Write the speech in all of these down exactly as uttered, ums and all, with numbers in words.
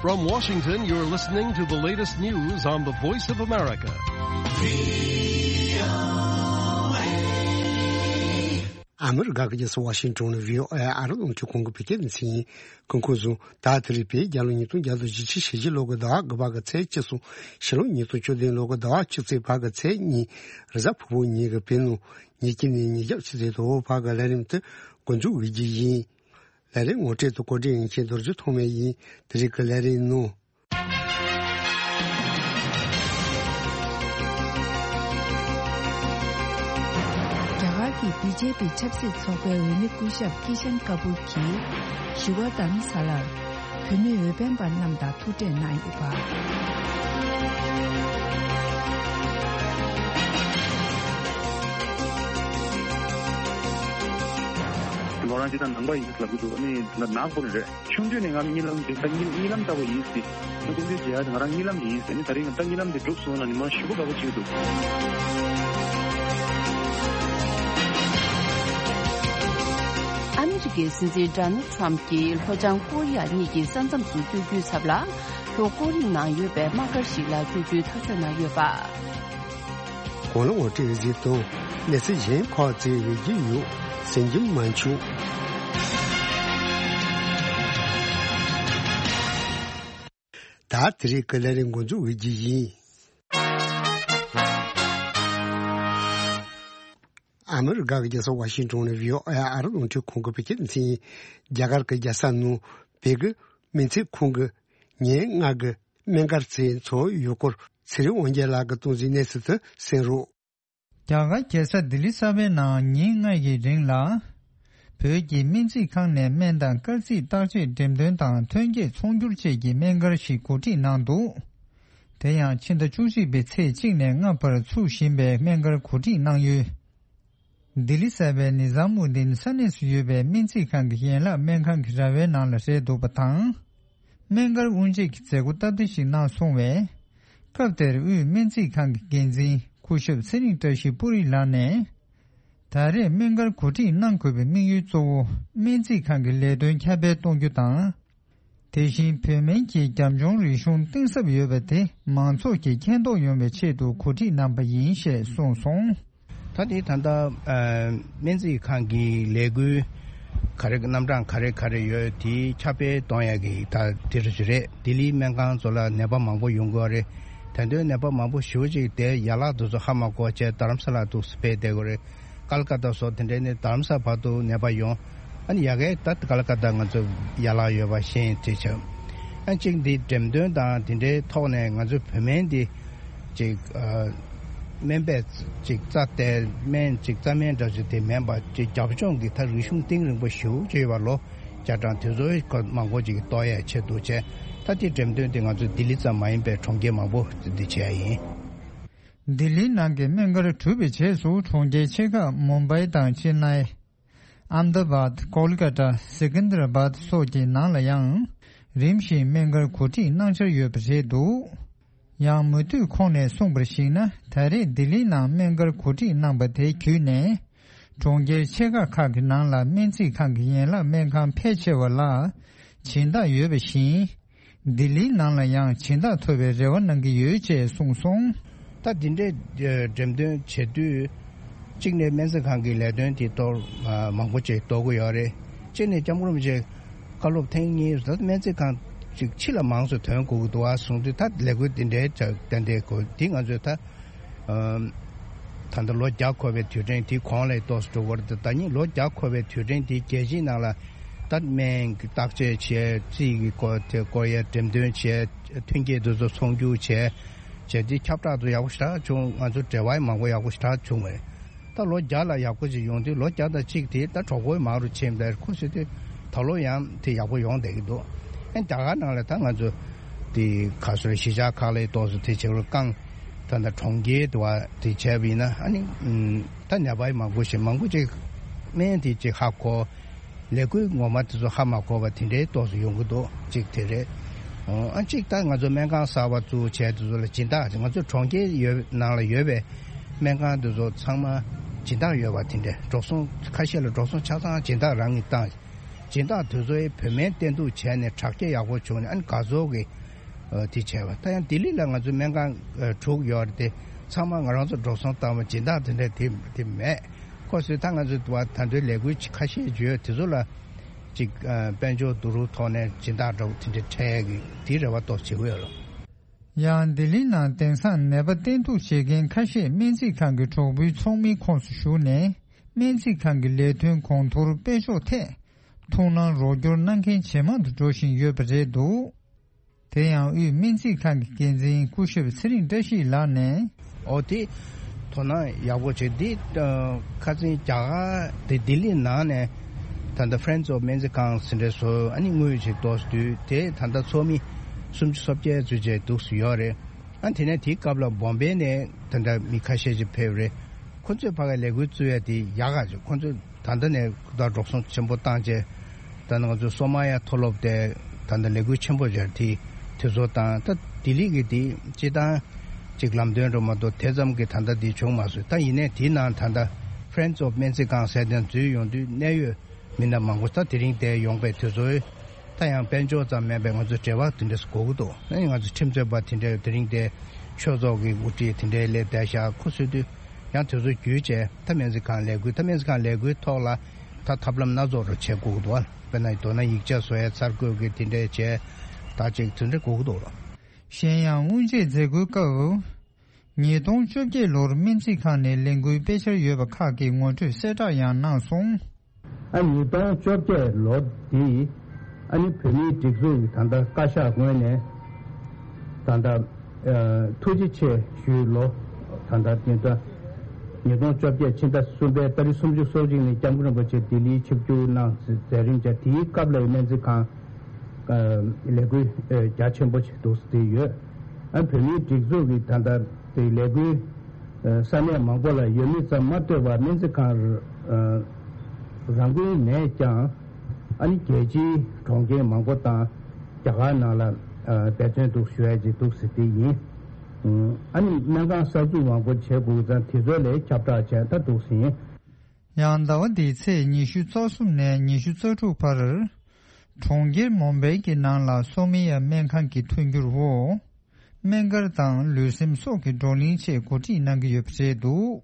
From Washington, you're listening to the latest news on the Voice of America. ཨ་མི་རི་ཀ་གི་རྒྱལ་ས་ཝ་ཤིང་ཏོན་ནས་བྷི་ཨོ་ཨེ་ཨ་རི་རླུང་འཕྲིན་ཁང་གི་བོད་སྐད་སྡེ་ཚན་ཡིན། གོང་ཁོ་ཚོ་ད་དེ་རིང་བོད་རྒྱལ་ལོ་ཉིས་སྟོང་བརྒྱ་དང་བཞི་བཅུ་ཞེ་བཞི་ལོ་གི་ཟླ་བ་དགུ་པ་གི་ཚེས་བཅུ་གསུམ། ཕྱི་ལོ་ཉིས་སྟོང་བཅུ་བདུན་ལོ་གི་ཟླ་བ་བཅུ་གཅིག་པ་གི་ཚེས་གཉིས། རེས་གཟའ་ཕུར་བུ་ཉིན་གྱི་བོད་ནང་ཉིན་གཅིག་ནས་ཉིན་ཞག་ཆུ་ཚོད་དྲུག་པ་གི་ལས་རིམ་དེ་འགོ་འཛུགས་འོས་རྒྱུ་ཡིན། ལས་རིམ་ངོ་སྤྲོད་དང་བཀོད་སྒྲིག་ཡིན་མཁན་རྡོ་རྗེ་ཐོགས་མེད་ཡིན། དེ་རིང་གི་ལས་རིམ་ནང་། རྒྱ་གར་གྱི་བི་ཇེ་པི་ཆབ་སྲིད་ཚོགས་པའི་འོས་མི་སྐུ་ཞབས་ཀི་ཤན་ཀ་པུར་གྱིས་ཞི་བ་དྷརམ་ས་ལར་བོད་མི་འོས་འཕེན་པ་རྣམས་དང་ཐུག་འཕྲད་གནང་ཡོད་པ། མོ་རང་ཅི་ད་ནང་པ་ཡིན་ལབ་གི་འདུག་ཨ་ནི་ད་ནག་པོ་རེད། ཆུང་དུས་ནས་ང་གཉིད་ལམ་འདི་ད་གཉིད་གཉིད་ལམ་ལྟ་བུ་ཡིན་སྲིད། ང་ཀུན་སྤྱོད་བྱེད་ཡ་དེ་ང་རང་གཉིད་ལམ་ཡིན་ཟེར་ནས་ད་རིང་ད་གཉིད་ལམ་དེ་འགྲུབ་སོང་ན་ཉི་མ་ཞེ་པོ་དགའ་པོ་ཅིག་འདུག་ཨ་མི་རི་ཀའི་སྲིད་འཛིན་ཌོ་ནལ་ཊམ་གྱིས་ལྷོ་བྱང་ཀོ་རི་ཡ་གཉིས་ཀྱི་ས་མཚམས་སུ་སྐྱོད་རྒྱུའི་ཚབ་ལ་ལྷོ་ཀོ་རི་ཡའི་ནང་ཡོད་པའི་དམག་སྒར་ཞིག་ལ་སྐྱོད་རྒྱུའི་ཐག་གཅོད་གནང་ཡོད་པ། གོང་ལ་ངོ་སྤྲོད་ཡོད་ཚུལ་དང་གནས་ཚུལ་གཞན་ཁག་ཅིག་ཡོད་ཀྱི་ཡོད། གསན་རྒྱུ་མ་བྱུང་། ད་དེ་རིང་གི་ལས་རིམ་འགོ་འཛུགས་འོས་རྒྱུ་ཡིན། ཨ་མི་རི་ཀ་གི་རྒྱལ་ས་ཝ་ཤིང་ཏོན་ནས་བྷི་ཨོ་ཨེ་ཨ་རི་རླུང་འཕྲིན་ཁང་གི་བོད་སྐད་སྡེ་ཚན་ཡིན། རྒྱ་གར་གྱི་རྒྱལ་ས་ནང་བོད་ཀྱི་སྨན་རྩིས་ཁང་གི་ཉིན་ལྔ་གི་སྨན་སྒར་རྩེ་འཚོགས་ཡོད་སྐོར་ཚེ་རིང་དབང་རྒྱལ་ལགས་ཀྱིས་གཏོང་མཛད་གནས་ཚུལ་དུ་གསན་རོགས། རྒྱ་གར་རྒྱལ་ས་ལྡི་ལི་གསར་པའི་ནང་ཉིན་ལྔ་ཡི་རིང་ལ། བོད་ཀྱི་སྨན་རྩིས་ཁང་ནས་སྨན་དང་སྐར་རྩིས་བརྟག་དཔྱད་འགྲེམས་སྟོན་དང་ཐོན་སྐྱེད་ཚོང་སྒྱུར་བཅས་ཀྱི་སྨན་སྒར་ཞིག་གོ་སྒྲིག་གནང་འདུག་དེ་ཡང་ཕྱི་ཟླ་བཅུ་གཅིག་པའི་ཚེས་གཅིག་ནས་ལྔ་བར་ཚུགས་བཞིན་པའི་སྨན་སྒར་གོ་སྒྲིག་གནང་ཡུལ། ལྡི་ལི་གསར་པའི་ནི་ཛམ་ཨུ་དིན་ས་གནས་སུ་ཡོད་པའི་སྨན་རྩིས་ཁང་གི་ཡན་ལག་སྨན་ཁང་གི་ར་བའི་ནང་ལ་རེད་འདུག་པ་དང་། སྨན་སྒར་དབུ་འབྱེད་ཀྱི་མཛད་སྒོ་སྟབས་བདེ་ཞིག་གནང་སོང་བས། སྐབས་དེར་དབུས་སྨན་རྩིས་ཁང་གི་འགན་འཛིན་སྐུ་ཞབས་ཚེ་རིང་བཀྲ་ཤིས་པུ་རི་ལགས་ནས། ད་རེས་སྨན་སྒར་གོ་སྒྲིག་གནང་དགོས་པའི་དམིགས་ཡུལ་གཙོ་བོ་སྨན་རྩིས་ཁང་གི་ལས་དོན་ཁྱབ་སྤེལ་གཏོང་རྒྱུ་དང་། དེ་བཞིན་བོད་སྨན་གྱི་རྒྱབ་ལྗོངས་རིག་གཞུང་གཏིང་ཟབ་ཡོད་པ་དེ་མང་ཚོགས་ཀྱིས་མཁྱེན་རྟོགས་ཡོང་བའི་ཆེད་དུ་གོ་སྒྲིག་གནང་པ་ཡིན་ཞེས་གསུངས་སོང་། ད་དེ་ད་ལྟ་སྨན་རྩིས་ཁང་གི་ལས་འགུལ་ག་རེ་རྣམ་གྲངས་ག་རེ་ག་རེ་ཡོད་དེ་ཁྱབ་སྤེལ་གཏོང་ཡག་གི་ད་དེ་རེད། ལྡི་ལིའི་སྨན་ཁང་ཚོ་ལ་ནད་པ་མང་པོ་ཡོང་གི་ཡོད་རེད། ད་དུང་ནད་པ་མང་པོ་ཞེ་པོ་ཅིག་དེ་ཡན་ལག་དེ་ཚོ་ཧ་མ་གོ་བྱས་རྡ་རམ་ས་ལ་འདུག་སེ་ཕེབས་བསྡད་ཀྱི་ཡོད་རེད། ཀལ་ཀ་ཏ་སོགས་དེ་འདྲའི་ནས་རྡ་རམ་ས་བར་དུ་ནད་པ་ཡོང་། ཨ་ནི་ཡ་གིའི་ད་ཀལ་ཀ་ཏ་ང་ཚོ་ཡན་ལག་ཡོད་པ་ཤེས་དེ་བྱས། ཨ་གཅིག་འདི་འགྲེམས་སྟོན་དང་དེ་འདྲའི་ཐོག་ནས་ང་ཚོ་བོད་སྨན་འདི་ཅིག་ཨ་སྨན་པས་ཅིག་རྩ་དེ་སྨན་ཅིག་རྩ་སྨན་འདྲ་ཅིག་དེ་མིན་པ་ཅིག་རྒྱབ་ལྗོངས་ཀྱི་ད་རིག་གཞུང་གཏིང་རིང་པོ་ཞེ་པོ་ཅིག་ཡོད་པ་ལོ་བརྒྱ་གྲངས་དེ་ཚོའི་སྐོར་མང་པོ་ཅིག་རྟོགས་ཡས་ཆེད་དུ་བྱས། ད་དེ་འགྲེམས་སྟོན་དེ་ང་ཚོ་ལྡི་ལི་ཙམ་མ་ཡིན་པའི་གྲོང་ཁྱེར་མང་པོ་འདི་བྱས་ཡིན། ལྡི་ལིའི་ནང་གི་སྨན་སྒར་གྲུབ་པའི་རྗེས་སུ་གྲོང་ཁྱེར་ཆེ་ཁག་མུམ་བྷའི་དང་ཅེན་ནའི། ཨམ་དཱ་བཱད། ཀོལ་ཀ་ཏ། སེ་ཀན་དར་བཱད་སོགས་ཀྱི་ནང་ལ་ཡང་རིམ་བཞིན་སྨན་སྒར་གོ་སྒྲིག་གནང་འཆར་ཡོད་པ་རེད་འདུག་ཡང་མུ་མཐུད་ཁོང་ནས་གསུངས་པར་གཞིགས་ན། ད་རེས་ལྡི་ལིའི་ནང་སྨན་སྒར་གོ་སྒྲིག་གནང་པ་དེ་བརྒྱུད་ནས། གྲོང་ཁྱེར་ཆེ་ཁག་ཁག་གི་ནང་ལ་སྨན་རྩིས་ཁང་གི་ཡན་ལག་སྨན་ཁང་ཕལ་ཆེ་བ་ལ་སྦྱིན་བདག་ཡོད་པ་བཞིན། ལྡི་ལིའི་ནང་ལ་ཡང་སྦྱིན་བདག་ཐོབ་པའི་རེ་བ་གནང་གི་ཡོད་ཅེས་གསུངས་སོང་། ད་འདི་འདྲའི་འགྲེམས་སྟོན་བྱེད་དུས། གཅིག་ནས་སྨན་རྩིས་ཁང་གི་ལས་དོན་དེ་གཏོར་མང་པོ་ཅིག་གཏོར་གི་ཡོད་རེད། གཅིག་ནས་སྐྱབས་མགོན་རིན་པོ་ཆེ་བཀའ་སློབ་ཐེངས་གཉིས་ད་སྨན་རྩིས་ཁང་ཅིག་ཕྱི་ལ་མང་ཙམ་ཐོན་དགོས་ཀྱི་འདུག་ཨ་གསུངས་དུས། ད་ལས་འགུལ་འདི་འདྲའི་ཏན་ཏན་དགོས་འདི་ང་ཚོས་ད། ད་ལྟ་ལོ་བརྒྱ་འཁོར་བའི་དུས་དྲན་དེ་གོང་ལ་ཏོག་ཙམ་འགྲོ་གི་རེད། ད་ནི་ལོ་བརྒྱ་འཁོར་བའི་དུས་དྲན་དེ་རྒྱལ་སྤྱིའི་ནང་ལ་ད་སྨན་གྱི་བརྟག་དཔྱད་བྱས། རྩིས་ཀྱི་སྐོར་དེ་སྐོར་ཡ་འགྲེམས་སྟོན་བྱས། ཐོན་སྐྱེད་དེ་ཚོ་ཚོང་སྒྱུར་བྱས། བྱས་དེ་ཁྱབ་བསྒྲགས་དེ་ཡག་པོ་ཞེ་དྲག་བྱུང་། ང་ཚོ་འབྲེལ་བ་ཡང་མང་པོ་ཡག་པོ་ཞེ་དྲག་བྱུང་བས། ད་ལོ་བརྒྱ་ལ་ཡག་པོ་ཅིག་ཡོང་དུས་ལོ་བརྒྱ་དང་གཅིག་དེ་ད་གྲོགས་པོའི་མང་རུ་ཕྱིན་པས་ཁོ་ཟེར་དུས་ད་ལོ་ཡང་དེ་ཡག་པོ་ཡོང་བསྡད་ཀྱི་འདུག་ཨ་རྒྱ་གར་ནང་ལ་ད་ང་ཚོ་དེ་ག་ཚོད་གཞིས་ཆགས་ཁག་ལ་ཏོག་ཙམ་དེ་བྱེད་རུ་བཀང་། ད་ལྟ་གྲོང་ཁྱེར་དུ་བ་དེ་བྱས་པ་ཡིན་ན་ཨ་ནི་ད་ནད་པ་མང་པོ་ཞིག་མང་པོ་ཅིག་སྨན་དེ་ཅིག་ཧ་གོ། ལས་འགུལ་ངོ་མ་དེ་ཚོ་ཧ་མ་གོ་བ་དེ་འདྲའི་ཏོག་ཙམ་ཡོང་གི་འདུག་གཅིག་དེ་རེད། ཨ་གཅིག་ད་ང་ཚོ་སྨན་ཁང་གསར་པ་བཙུགས་བྱས་དེ་ཚོ་ལ་སྦྱིན་བདག་ང་ཚོ་གྲོང་ཁྱེར་ཡོད་ནང་ལ་ཡོད་པའི་སྨན་ཁང་དེ་ཚོ་ཚང་མ་སྦྱིན་བདག་ཡོད་པ་དེ་འདྲ། འགྲོ་སོང་ཁ་ཤས་ལ་འགྲོ་སོང་ཆ་ཚང་སྦྱིན་བདག་རང་གིས་བཏང་། སྦྱིན་བདག་དེ་ཚོས་བོད་སྨན་བསྟེན་གཏུགས་བྱས་ནས་དྲག་སྐྱེད་ཡག་པོ་བྱུང་ནས། ཨ་ནི་དགའ་ཚོར་གྱི་ཨ་དེ་བྱས་པ། ད་ཡང་ལྡི་ལི་ལ་ང་ཚོ་སྨན་ཁང་ཨ་དྲུག་ཡོད་རེད་དེ། ཚང་མ་ང་རང་ཚོ་འགྲོ་སོང་བཏང་བ་སྦྱིན་བདག་དེ་འདྲ་དེ་དེ་མེད། ཁོ་ཚོས་ད་ང་ཚོ་བ་ད་འདོད་ལས་འགུལ་ཁ་ཤས་ཡོད་དེ་ཚོ་ལ་ཅིག་ཨ་དཔལ་འབྱོར་བསྡུ་རུབ་ཐོག་ནས་སྦྱིན་བདག་འདྲ་བོ་དེ་འདྲ་འཕྲད་ཀྱི་དེའི་རེ་བ་ཏོག་བྱེད་ཀྱི་ཡོད་ལ། ཡང་ལྡི་ལི་ནང་དེང་སང་ནད་པ་བསྟེན་གཏུགས་བྱེད་མཁན་ཁ་ཤས་སྨན་རྩིས་ཁང་གི་གྲོགས་པོའི་ཚོགས་མིའི་ཁོངས་སུ་ཞུགས་ནས། སྨན་རྩིས་ཁང་གི་ལས་དོན་གོང་མཐོར་སྤེལ་ཕྱོགས་ཐད་ཐུགས་སྣང་རོགས་སྐྱོར་གནང་མཁན་ཇེ་མང་དུ་འགྲོ་བཞིན་ཡོད་པ་རེད་འདུག་དེ་ཡང་དབུས་སྨན་རྩིས་ཁང་གི་འགན་འཛིན་སྐུ་ཞབས་ཚེ་རིང་བཀྲ་ཤིས་ལགས་ནས། ཨོ་དེ་དོ་སྣང་ཡག་པོ་བྱེད་འདི། ཨ་ཁ་སང་རྒྱ་གར་དེ་ལྡི་ལི་ནང་ནས་ད་ལྟ་Friends of སྨན་རྩིས་ཁང་ཟེར་འདྲ་བཟོ། ཨ་ནི་དངུལ་ཅིག་གཏོང་དུས་དེ་ད་ལྟ་ཚོགས་མི་སུམ་ཅུ་སོ་བརྒྱད་ཙམ་ཅིག་འདུག་སེ་ཡོད་རེད། ཨ་དེ་ནས་དེའི་སྐབས་ལ་བོམ་བེ་ནས་ད་ལྟ་མི་ཁ་ཤས་ཅིག་ཕེབས་རེད། ཁོ་ཚོས་ཕ་གིར་ལས་འགུལ་བཙུགས་ཡ་དེ་ཡག་ག་ཅིག་ཁོ་ཚོས་ད་ལྟ་ནས་ད་འགྲོ་སོང་ཆེན་པོ་བཏང་བྱས། ད་ནི་ང་ཚོ་སོ་མ་ཡ་མཐོ་སློབ་དེ་ད་ལྟ་ལས་འགུལ་ཆེན་པོ་སྦྱར་དེ་དེ་ཚོ་དང་། ད་ལྡི་ལི་གི་དེ་སྤྱི་བཏང་ཅིག་ལམ་སྟོན་འགྲོ་མ་གཏོགས་དེ་ཙམ་གྱི་ད་ལྟ་དེ་བྱུང་མ་སོང་། ད་ཡིན་ནའི་དེའི་ནང་ད་ལྟ་Friends of སྨན་རྩིས་ཁང་ཟེར་དེ་འཛུལ་ཡོང་དུས་གནད་ཡོད་མི་སྣ་མང་པོ་ད་དེ་རིང་དེ་ཡོང་པའི་དུས་ཚོད། ད་ཡང་དཔལ་འབྱོར་ཙམ་མིན་པའི་ང་ཚོ་འབྲེལ་བ་དེ་འདྲས་དགོས་ཀྱི་འདུག་ཨ་ནི་ང་ཚོ་ཁྲིམས་རྩོད་པ་དེ་འདྲས་དེ་རིང་དེ་ཆོས་ཚོགས་ཀྱི་དབུ་ཁྲིད་དེ་འདྲས་སླེབས་བསྡད་ཤག་ཁོ་ཚོས་དུས་ཡང་དུས་ཚོད་བརྒྱུད་བྱས། ད་སྨན་རྩིས་ཁང་ལས་འགུལ། ད་སྨན་རྩིས་ཁང་ལས་འགུལ་ཐོག་ལ་ད་ཐབས་ལམ་སྣ་ཚོགས་རུ་བྱེད་དགོས་ཀྱི་འདུག་དཔེར་ན་མདོར་ན་ཡིག་ཆ་བཟོ་ཡ་འཆར་འགོད་ཀྱི་དེ་འདྲས་བྱས། ད་ཅིག་དེ་འདྲས་དགོས་ཀྱི་འདུག་ལ། གཞན་ཡང་དབུ་འབྱེད་མཛད་སྒོའི་སྐབས། ཉིས་སྟོང་བཅོ་བརྒྱད་ལོར་སྨན་རྩིས་ཁང་ནས་ལས་འགུལ་སྤེལ་འཆར་ཡོད་པ་ཁག་གི་ངོ་སྤྲོད་གསལ་བསྒྲགས་ཡང་གནང་སོང་། ཨ་ཉིས་སྟོང་བཅོ་བརྒྱད་ལོ་འདི་ཨ་ནི་བོད་མིའི་སྒྲིག་འཛུགས་ཀྱི་ད་ལྟ་བཀའ་ཤག་ངོས་ནས་ད་ལྟ་ཨ་ཐུགས་རྗེ་ཆེ་ཞུའི་ལོ། ད་ལྟ་དེ་ལྟ་ཉིས་སྟོང་བཅོ་བརྒྱད་ཕྱི་ཟླ་གསུམ་པའི་ཏ་རིག་སུམ་ཅུ་སོ་གཅིག་ཉིན་སྐྱབས་མགོན་རིན་པོ་ཆེ་ལྡི་ལིའི་ཆིབས་བསྒྱུར་གནང་མཛད་རིམ་བྱས། དེའི་སྐབས་ལ་སྨན་རྩིས་ཁང་ལས་འགུལ་རྒྱ་ཆེན་པོ་ཞིག་འདུག་སེ་ཡོད། ཨ་བོད་མིའི་སྒྲིག་འཛུགས་ཀྱི་ད་ལྟ་དེ་ལས་འགུལ་ས་གནས་མང་པོ་ལ་ཡོད་མེད་ཙམ་མ་ལྟོས་པར་སྨན་རྩིས་ཁང་རང་འགུལ་ནས་ཀྱང་ཨ་ནི་རྒྱལ་སྤྱིའི་གྲོང་ཁྱེར་མང་པོ་དང་རྒྱ་གར་ནང་ལ་འབད་བརྩོན་འདུག་ཞུ་ཡ་ཅིག་འདུག་ཟེར་དེ་ཡིན། ཨ་ནི་སྨན་ཁང་གསར་འཛུགས་མང་པོ་བྱེད་དགོས་ཙང་དེ་ཚོ་ལས་ཁྱབ་བསྒྲགས་བྱས་ད་འདུག་ཟིན། ཡང་ཟླ་བ་འདིའི་ཚེས་ཉི་ཤུ་རྩ་གསུམ་ནས་ཉི་ཤུ་རྩ་དྲུག་བར། གྲོང་ཁྱེར་མོམ་བེ་གི་ནང་ལ་སོ་མི་ཡ་སྨན་ཁང་གི་མཐུན་འགྱུར་འོག་སྨན་སྒར་དང་ལུས་སེམས་སྲོག་གི་བགྲོ་གླེང་ཆེད་གོ་སྒྲིག་གནང་གི་ཡོད་པ་རེད་འདུག་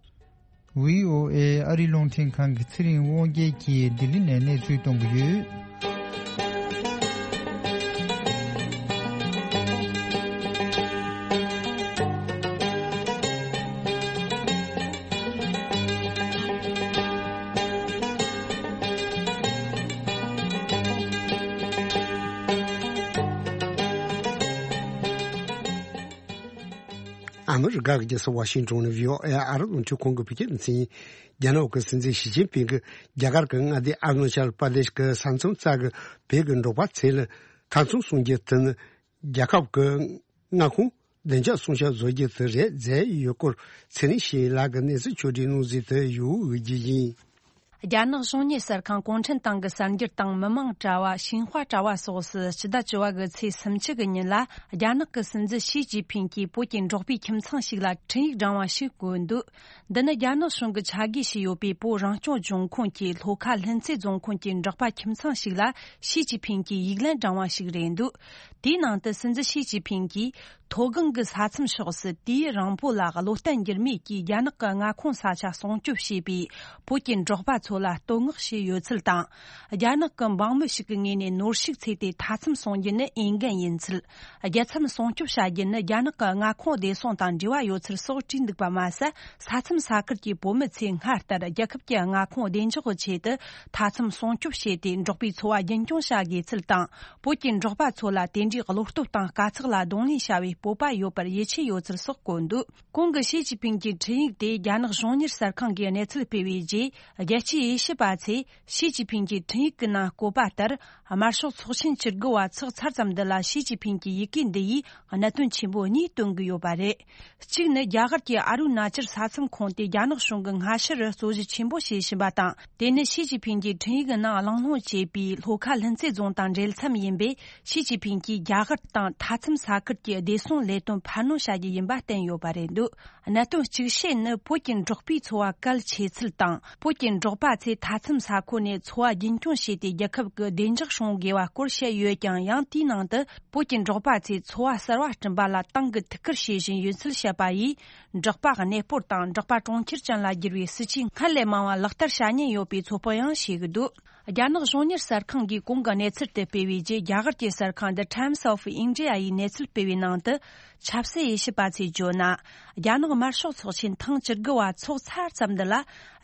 བྷི་ཨོ་ཨེ་ཨ་རི་རླུང་འཕྲིན་ཁང་གི་ཚེ་རིང་དབང་རྒྱལ་གྱིས་ལྡི་ལི་ནས་གནས་ཚུལ་གཏོང་གི་ཡོད། ཨ་མི་རི་ཀ་གི་རྒྱལ་ས་ཝ་ཤིང་ཏོན་ནས་བྷི་ཨོ་ཨེ་ཨ་རི་རླུང་འཕྲིན་ཁང་གི་བོད་སྐད་སྡེ་ཚན་ཡིན། རྒྱ་ནག་གི་སྲིད་འཛིན་ཞི་ཅིན་ཕིང་གིས་རྒྱ་གར་གྱི་མངའ་སྡེ་ཨ་རུ་ན་ཅལ་པར་དེཤ་གྱི་ས་མཚམས་རྩ་གི་བོད་ཀྱི་འབྲོག་པ་ཚོ་ལ་ཐབ་ཚང་སྲུང་རྒྱུ་དེ་ནི་རྒྱལ་ཁབ་ཀྱི་མངའ་ཁོངས་བདེ་འཇགས་སྲུང་སྐྱོབ་བཟོ་རྒྱུ་དེ་རེད་ཟེར་ཡོད་སྐོར་ཚེ་རིང་ཞིག་ལགས་ཀྱིས་གནས་ཚུལ་ཕྱོགས་བསྒྲིགས་གནང་གཟིགས་དུ་ཡོད་རྒྱུ་ཡིན། རྒྱ་ནག་གཞུང་གཉེར་གསར་ཁང་གུང་ཁྲན་ཏང་གི་གསར་འགྱུར་དང་མི་མང་དྲ་བ་ཤིན་ཧྭ་དྲ་བ་སོགས་སུ་སྤྱི་ཟླ་བཅུ་བ་གི་ཚེས་སུམ་ཅུ་གི་ཉིན་ལ། རྒྱ་ནག་གི་སྲིད་འཛིན་ཞི་ཅིན་ཕིང་གིས་བོད་ཀྱི་འབྲོག་པའི་ཁྱིམ་ཚང་ཞིག་ལ་འཕྲིན་ཡིག་བསྒྲེངས་པ་ཞིག་བཀོད་འདུག་འདི་ནི་རྒྱ་ནག་གཞུང་གིས་ཆ་བགོས་བྱས་ཡོད་པའི་བོད་རང་སྐྱོང་ལྗོངས་ཁོངས་ཀྱི་ལྷོ་ཁ་ལྷུན་རྩེ་རྫོང་ཁོངས་ཀྱི་འབྲོག་པ་ཁྱིམ་ཚང་ཞིག་ལ་ཞི་ཅིན་ཕིང་གིས་ཡིག་ལན་བསྒྲེངས་པ་ཞིག་རེད་འདུག་དེའི་ནང་དུ་སྲིད་འཛིན་ཞི་ཅིན་ཕིང་གིས། མཐོ་སྒང་གི་ས་མཚམས་ཕྱོགས་སུ་དུས་ཡུན་རིང་པོ་ལ་བློ་བརྟན་འགྱུར་མེད་ཀྱིས་རྒྱ་ནག་གི་མངའ་ཁོངས་ས་ཆ་སྲུང་སྐྱོབ་བྱས་པའི་བོད་ཀྱི་འབྲོག་པ་ཚོ་ལ་བསྟོད་བསྔགས་བྱས་ཡོད་ཚུལ་དང་། རྒྱ་ནག་གི་འབངས་མི་ཞིག་གི་ངོས་ནས་ནོར་ཕྱུགས་བཙལ་ཏེ་མཐའ་མཚམས་སྲུང་རྒྱུ་ནི་འོས་འགན་ཡིན་ཚུལ། རྒྱལ་མཚམས་སྲུང་སྐྱོབ་བྱ་རྒྱུ་ནི་རྒྱ་ནག་གི་མངའ་ཁོངས་བདེ་སྲུང་དང་འབྲེལ་བ་ཡོད་ཚུལ་སོགས་བྲིས་འདུག་པ་མ་ཟད། ས་མཚམས་ས་ཁུལ་གྱི་བོད་མི་ཚོས་སྔར་ལྟར་རྒྱལ་ཁབ་ཀྱི་མངའ་ཁོངས་བདེ་འཇགས་ཀྱི་ཆེད་དུ་མཐའ་མཚམས་སྲུང་སྐྱོབ་བྱས་ཏེ། འབྲོག་པའི་འཚོ་བ་རྒྱུན་སྐྱོང་བྱ་དགོས་ཚུལ་དང་། བོད་ཀྱི་འབྲོག་པ་ཚོ་ལ་དེ་འདྲའི་བློ་སྟོབས་དང་དཀའ་ཚེགས་ལ་གདོང་ལེན་བྱ་བའི་སྤོབས་པ་ཡོད་པར་ཡིད་ཆེས་ཡོད་ཚུལ་སོགས་བཀོད་འདུག་གོང་གི་ཞི་ཅིན་ཕིང་གི་འཕྲིན་ཡིག་དེ་རྒྱ་ནག་གཞུང་གཉེར་གསར་ཁང་གིས་གནས་ཚུལ་སྤེལ་བའི་རྗེས། རྒྱལ་སྤྱིའི་དབྱེ་ཞིབ་པ་ཚོས་ཞི་ཅིན་ཕིང་གི་འཕྲིན་ཡིག་གི་ནང་བཀོད་པ་ལྟར། དམར་ཤོག་ཚོགས་ཆེན་བཅུ་དགུ་བ་ཚོགས་ཚར་ཙམ་འདི་ལ་ཞི་ཅིན་ཕིང་གི་ཡི་གེ་འདི་ཡིས་གནད་དོན་ཆེན་པོ་གཉིས་སྟོན་གྱི་ཡོད་པ་རེད། གཅིག་ནི། རྒྱ་གར་གྱི་ཨ་རུ་ན་ཅལ་ས་མཚམས་ཁོངས་དེ་རྒྱ་ནག་གཞུང་གིས་སྔ་ཕྱི་རུ་རྩོད་གཞི་ཆེན་པོ་བྱེད་བཞིན་པ་དང་། དེ་ནི་ཞི་ཅིན་ཕིང་གིས་འཕྲིན་ཡིག་ནང་གླེང་སློང་བྱས་པའི་ལྷོ་ཁ་ལྷུན་རྩེ་རྫོང་དང་འབྲེལ་མཚམས་ཡིན་པས། ཞི་ཅིན་ཕིང་གིས་རྒྱ་གར་དང་མཐའ་མཚམས་ས་ཁུལ་གྱི་བདེ་སྲུང་ལས་དོན་འཕར་སྣོན་བྱ་རྒྱུ་ཡིན་པ་བསྟན་ཡོད་པ་རེད་འདུག་གནད་དོན་གཅིག་ཤོས་ནི། བོད་ཀྱི་འབྲོག་པའི་འཚོ་བ་གལ་ཆེ་ཚུལ་དང་། བོད་ཀྱི་འབྲོག་པ། པ་ཚོས་མཐའ་མཚམས་ས་ཁུལ་ནས་འཚོ་བ་རྒྱུན་འཁྱོངས་བྱས་ཏེ། རྒྱལ་ཁབ་ཀྱི་བདེ་འཇགས་སྲུང་དགོས་པ་སྐོར་བཤད་ཡོད་ཀྱང་། ཡང་དེའི་ནང་དུ་བོད་ཀྱི་འབྲོག་པ་ཚོས་འཚོ་བ་གསར་བ་བསྐྲུན་པ་ལ་ཏང་གིས་ཐུགས་ཁུར་བྱེད་བཞིན་ཡོད་ཚུལ་བཤད་པ་ཡིས། འབྲོག་པ་གནས་སྤོར་དང་འབྲོག་པ་གྲོང་ཁྱེར་ཅན་ལ་བསྒྱུར་བའི་སྲིད་ཇུས་སྔར་ལས་མང་བ་ལག་བསྟར་བྱ་ཉེན་ཡོད་པའི་ཚོད་དཔག་ཡང་བྱེད་ཀྱི་འདུག་རྒྱ་ནག་གཞུང་གཉེར་གསར་ཁང་གིས་གོང་གི་གནས་ཚུལ་དེ་སྤེལ་བའི་རྗེས། རྒྱ་གར་གྱི་གསར་ཁང་The Times of India ཡིས་གནས་ཚུལ་སྤེལ་བའི་ནང་དུ། ཆབ་སྲིད་དབྱེ་ཞིབ་པ་ཚོས་བརྗོད་ན། རྒྱ་ནག་དམར་ཤོག་ཚོགས་ཆེན་ཐེངས་བཅུ་དགུ་བ་འཚོགས་ཚར་ཙམ་འདི་ལ།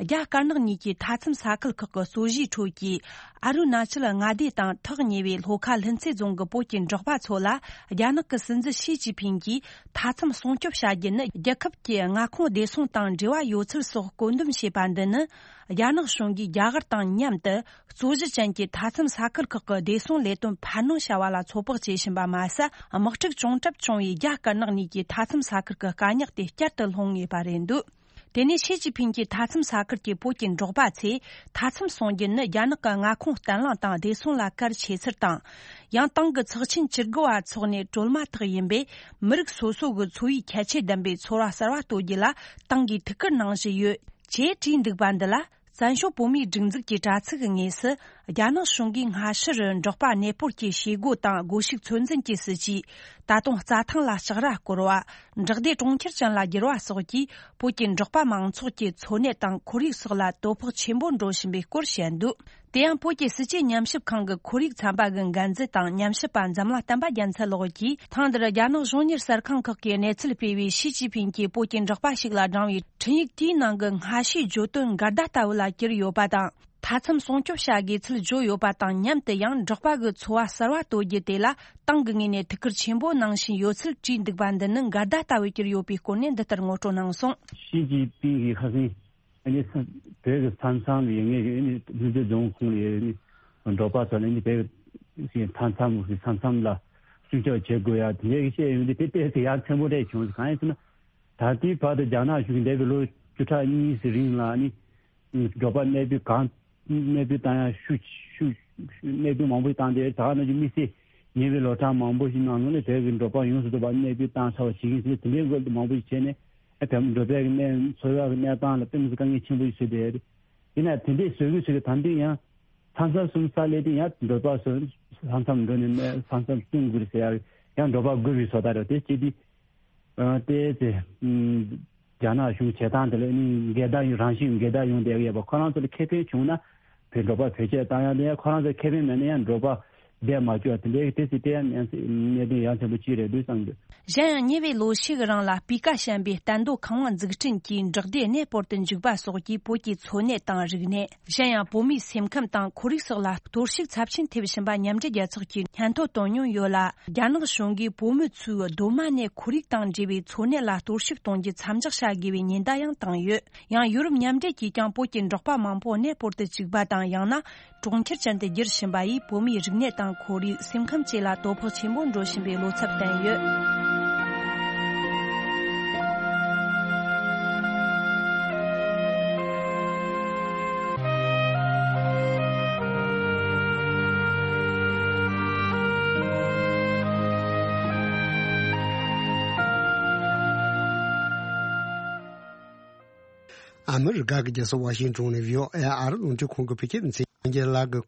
རྒྱ་དཀར་ནག་གཉིས་ཀྱི་མཐའ་མཚམས་ས་ཁུལ་ཁག་གི་རྩོད་གཞིའི་ཁྲོད་ཀྱི་ཨ་རུ་ན་ཅལ་མངའ་སྡེ་དང་ཐག་ཉེ་བའི་ལྷོ་ཁ་ལྷུན་རྩེ་རྫོང་གི་བོད་ཀྱི་འབྲོག་པ་ཚོ་ལ། རྒྱ་ནག་གི་སྲིད་འཛིན་ཞི་ཅིན་ཕིང་གིས་མཐའ་མཚམས་སྲུང་སྐྱོབ་བྱ་རྒྱུ་ནི་རྒྱལ་ཁབ་ཀྱི་མངའ་ཁོངས་བདེ་སྲུང་དང་འབྲེལ་བ་ཡོད་ཚུལ་སོགས་བཀོད་འདོམས་བྱས་པ་འདི་ནི། རྒྱ་ནག་གཞུང་གིས་རྒྱ་གར་དང་མཉམ་དུ། རྩོད་གཞི་ཅན་གྱི་མཐའ་མཚམས་ས་ཁུལ་ཁག་གི་བདེ་སྲུང་ལས་དོན་འཕར་སྣོན་བྱ་བ་ལ་ཚོད་དཔག་བྱེད་བཞིན་པ་མ་ཟད། དམག་འཁྲུག་བྱུང་གྲབས་བྱུང་བའི་རྒྱ་དཀར་ནག་གཉིས་ཀྱི་མཐའ་མཚམས་ས་ཁུལ་གྱི་དཀའ་རྙོག་དེ་བསྐྱར་དུ་སློང་ངེས་པ་རེད་འདུག་དེ་ནས་ཞི་ཅིན་ཕིང་གིས་མཐའ་མཚམས་ས་ཁུལ་གྱི་བོད་ཀྱི་འབྲོག་པ་ཚོས་མཐའ་མཚམས་སྲུང་རྒྱུ་ནི་རྒྱ་ནག་གི་མངའ་ཁོངས་བརྟན་ལྷིང་དང་བདེ་སྲུང་ལ་གལ་ཆེ་ཚུལ་དང་། ཡང་ཏང་གི་ཚོགས་ཆེན་བཅུ་དགུ་བ་འཚོགས་ནས་གྲོལ་མ་ཐག་ཡིན་པས། མི་རིགས་སོ་སོ་གི་འཚོ་བའི་ཁྱད་ཆོས་ལྡན་པའི་ཚོར་བ་གསར་བ་གཏོད་རྒྱུ་ལ་ཏང་གིས་ཐུགས་ཁུར་གནང་བཞིན་ཡོད། ཅེས་བྲིས་འདུག་པ་འདི་ལ། བཙན་བྱོལ་བོད་མིའི་སྒྲིག་འཛུགས་ཀྱི་དྲ་ཚིགས་ཀྱི་ངོས་སུ། རྒྱ་ནག་གཞུང་གིས་སྔ་ཕྱིར་འབྲོག་པ་གནས་སྤོར་གྱི་བྱེད་སྒོ་དང་སྒོ་ཕྱུགས་ཚོད་འཛིན་གྱི་སྲིད་ཇུས། ད་དུང་རྩྭ་ཐང་ལ་ལྕགས་ར་བསྐོར་བ། འབྲོག་སྡེ་གྲོང་ཁྱེར་ཅན་ལ་བསྒྱུར་བ་སོགས་ཀྱིས། བོད་ཀྱི་འབྲོག་པ་མང་ཚོགས་ཀྱི་འཚོ་གནས་དང་ཁོར་ཡུག་སོགས་ལ་དོ་ཕོག་ཆེན་པོ་འགྲོ་བཞིན་པའི་སྐོར་བཤད་འདུག་དེ་ཡང་བོད་ཀྱི་སྲིད་བྱུས་ཉམས་ཞིབ་ཁང་གི་ཁོར་ཡུག་ཚན་པ་གི་འགན་འཛིན་དང་ཉམས་ཞིབ་པ་འཛམ་གླིང་བསྟན་པ་རྒྱལ་མཚན་ལགས་ཀྱིས། ཐེངས་འདིར་རྒྱ་ནག་གཞུང་གཉེར་གསར་ཁང་ཁག་གིས་གནས་ཚུལ་སྤེལ་བའི་ཞི་ཅིན་ཕིང་གིས་བོད་ཀྱི་འབྲོག་པ་ཞིག་ལ་བགྲངས་པའི་འཕྲིན་ཡིག་དེའི་ནང་གི་སྔ་ཕྱིའི་བརྗོད་དོན་འགལ་ཟླ་ལྟ་བུ་ལ་གྱུར་ཡོད་པ་དང་། མཐའ་མཚམས་སྲུང་སྐྱོབ་བྱ་དགོས་ཚུལ་བརྗོད་ཡོད་པ་དང་མཉམ་དུ། ཡང་འབྲོག་པ་གི་འཚོ་བ་གསར་བ་གཏོད་རྒྱུ་དེ་ལ་ཏང་གི་ངོས་ནས་ཐུགས་ཁུར་ཆེན་པོ་གནང་བཞིན་ཡོད་ཚུལ་བྲིས་འདུག་པ་འདི་ནི་འགལ་ཟླ་ལྟ་བུ་གྱུར་ཡོད་པའི་སྐོར་ནས་འདི་ལྟར་ངོ་སྤྲོད་གནང་སོང་། ཞི་ཅིན་ཕིང་གིས་ཁ་སང་ཨ་ནི་ས་བོད་ཀྱི་ས་མཚམས་ལ་ཡོད་མཁན་གྱི་ཨ་ནི་ལྷུན་རྩེ་རྫོང་ཁོངས་ལ་ཡོད་ཨ་ནི་འབྲོག་པ་ཚོ་ལ་ཨ་ནི་བོད་ཀྱི་ས་མཚམས་ས་མཚམས་ལ་སྲུང་སྐྱོབ་བྱེད་དགོས་ཡ་དེ་འདྲའི་བཤད་ཡོང་དུས། དེ་ཏོག་ཙམ་ཡ་མཚན་པོ་འདྲ་བྱུང་། གང་ཡིན་ཟེར་ན། ད་ལྟའི་བར་དུ་རྒྱ་ནག་གཞུང་གིས་འདས་པའི་ལོ་བཅུ་ཕྲག་གཉིས་ཙམ་རིང་ལ་ཨ་ནི་འབྲོག་པ་གནས་སྤོས་གང་གནས་སྤོས་བཏང་ཡ་ཤུགས་ཤུགས་གནས་སྤོས་མང་པོ་བཏང་སྟེ། ད་ག་ནང་བཞིན་དམིགས་བསལ་ཉེ་བའི་ལོ་གྲངས་མང་པོ་ཞིག་ནང་ལོགས་ནས་བོད་ཀྱི་འབྲོག་པ་ཡོངས་སུ་རྫོགས་པ་གནས་སྤོས་བཏང་ཚར་བ་ཞིག་ཡིན་ཟེར། དེ་འདྲའི་སྐོར་དུ་མང་པོ་ཞིག་བྱས་ནས། ཨ་བོད་འབྲོག་པའི་གནས་འཚོ་བའི་གནས་སྟངས་ལ་དཔེ་མི་སྲིད་དཀའ་ངལ་ཆེན་པོ་ཞིག་བཟོས་བསྡད་ཡོད་རེད། ཡིན་ན་དེ་འདྲའི་བཟོ་གི་བཟོ་གི་ད་འདི་ཡང་མཚམས་མཚམས་སྲུང་ས་སླེབས་དུས་ཡང་འབྲོག་པ་ཚོ་ས་མཚམས་འགྲོ་ནས་ས་མཚམས་སྲུང་དགོས་རེད་ཟེར་ཡ། ཡང་འབྲོག་པ་དགོས་པའི་བཟོ་ལྟ་རེད། དེ་བྱས་དུས། ཨ་ཏོག་ཙམ་ཨམ་རྒྱ་ནག་གཞུང་བྱེད་སྟངས་དེ་ལ་ནི་འགལ་ཟླ་ཡིན། རང་བཞིན་འགལ་ཟླ་ཡོང་བསྡད་ཡོད་པ། ཁོ་རང་ཚོ་ལ་ཁེ་ཕན་བྱུང་ན་བོད་འབྲོག་པ་བེད་སྤྱོད་བཏང་ཡ་དེ། ཁོ་རང་ཚོ་ཁེ་ཕན་མེད་ན་ཡང་འབྲོག་པ་བསྡད་མ་བཅུག་པ་དེ་འདྲའི་དེ་ཚོ་དེ་ཡང་གནད་དོན་ཡ་མཚན་པོ་གཅིག་རེད་འདུག་བསམ་གྱི། གཞན་ཡང་ཉེ་བའི་ལོ་ཤས་ཀྱི་རིང་ལ་སྤུས་ཀ་ཞན་པའི་བསྟན་རྡོ་ཁང་བ་འཛུགས་སྐྲུན་གྱིས་འབྲོག་སྡེ་གནས་སྤོར་དུ་འཇུག་པ་སོགས་ཀྱིས་བོད་ཀྱི་འཚོ་གནས་དང་རིག་གནས། གཞན་ཡང་བོད་མིའི་སེམས་ཁམས་དང་ཁོར་ཡུག་སོགས་ལ་གཏོར་བཤིག་ཚབས་ཆེན་ཐེབས་བཞིན་པ་མཉམ་འབྲེལ་རྒྱལ་ཚོགས་ཀྱིས་སྙན་ཐོ་བཏོན་མྱོང་ཡོད་ལ། རྒྱ་ནག་གཞུང་གིས་བོད་མི་ཚོའི་སྡོད་མ་གནས་ཁོར་ཡུག་དང་འབྲེལ་བའི་འཚོ་གནས་ལ་གཏོར་བཤིག་གཏོང་རྒྱུ་མཚམས་འཇོག་བྱ་དགོས་པའི་ཉེན་བརྡ་ཡང་བཏང་ཡོད། ཡང་ཡུ་རོབ་མཉམ་འབྲེལ་གྱིས་ཀྱང་བོད་ཀྱི་འབྲོག་པ་མང་པོ་གནས་སྤོར་དུ་བཅུག་པ་དང་། ཡང་ན་གྲོང་ཁྱེར་ཅན་དུ་བསྒྱུར་བཞིན་པ་ཡིས་བོད་མིའི་རིག་གནས་དང་ཁོར་ཡུག་སེམས་ཁམས་བཅས་ལ་དོ་ཕོག་ཆེན་པོ་འགྲོ་བཞིན་པའི་བློ་འཚབ་བསྟན་ཡོད། ཨ་མི་རི་ཀ་གི་རྒྱལ་ས་ཝ་ཤིང་ཏོན་ནས་བྷི་ཨོ་ཨེ་ཨ་རི་རླུང་འཕྲིན་ཁང་གི་བོད་སྐད་སྡེ་ཚན་ཡང་རྒྱལ་ལགས་ཀྱིས་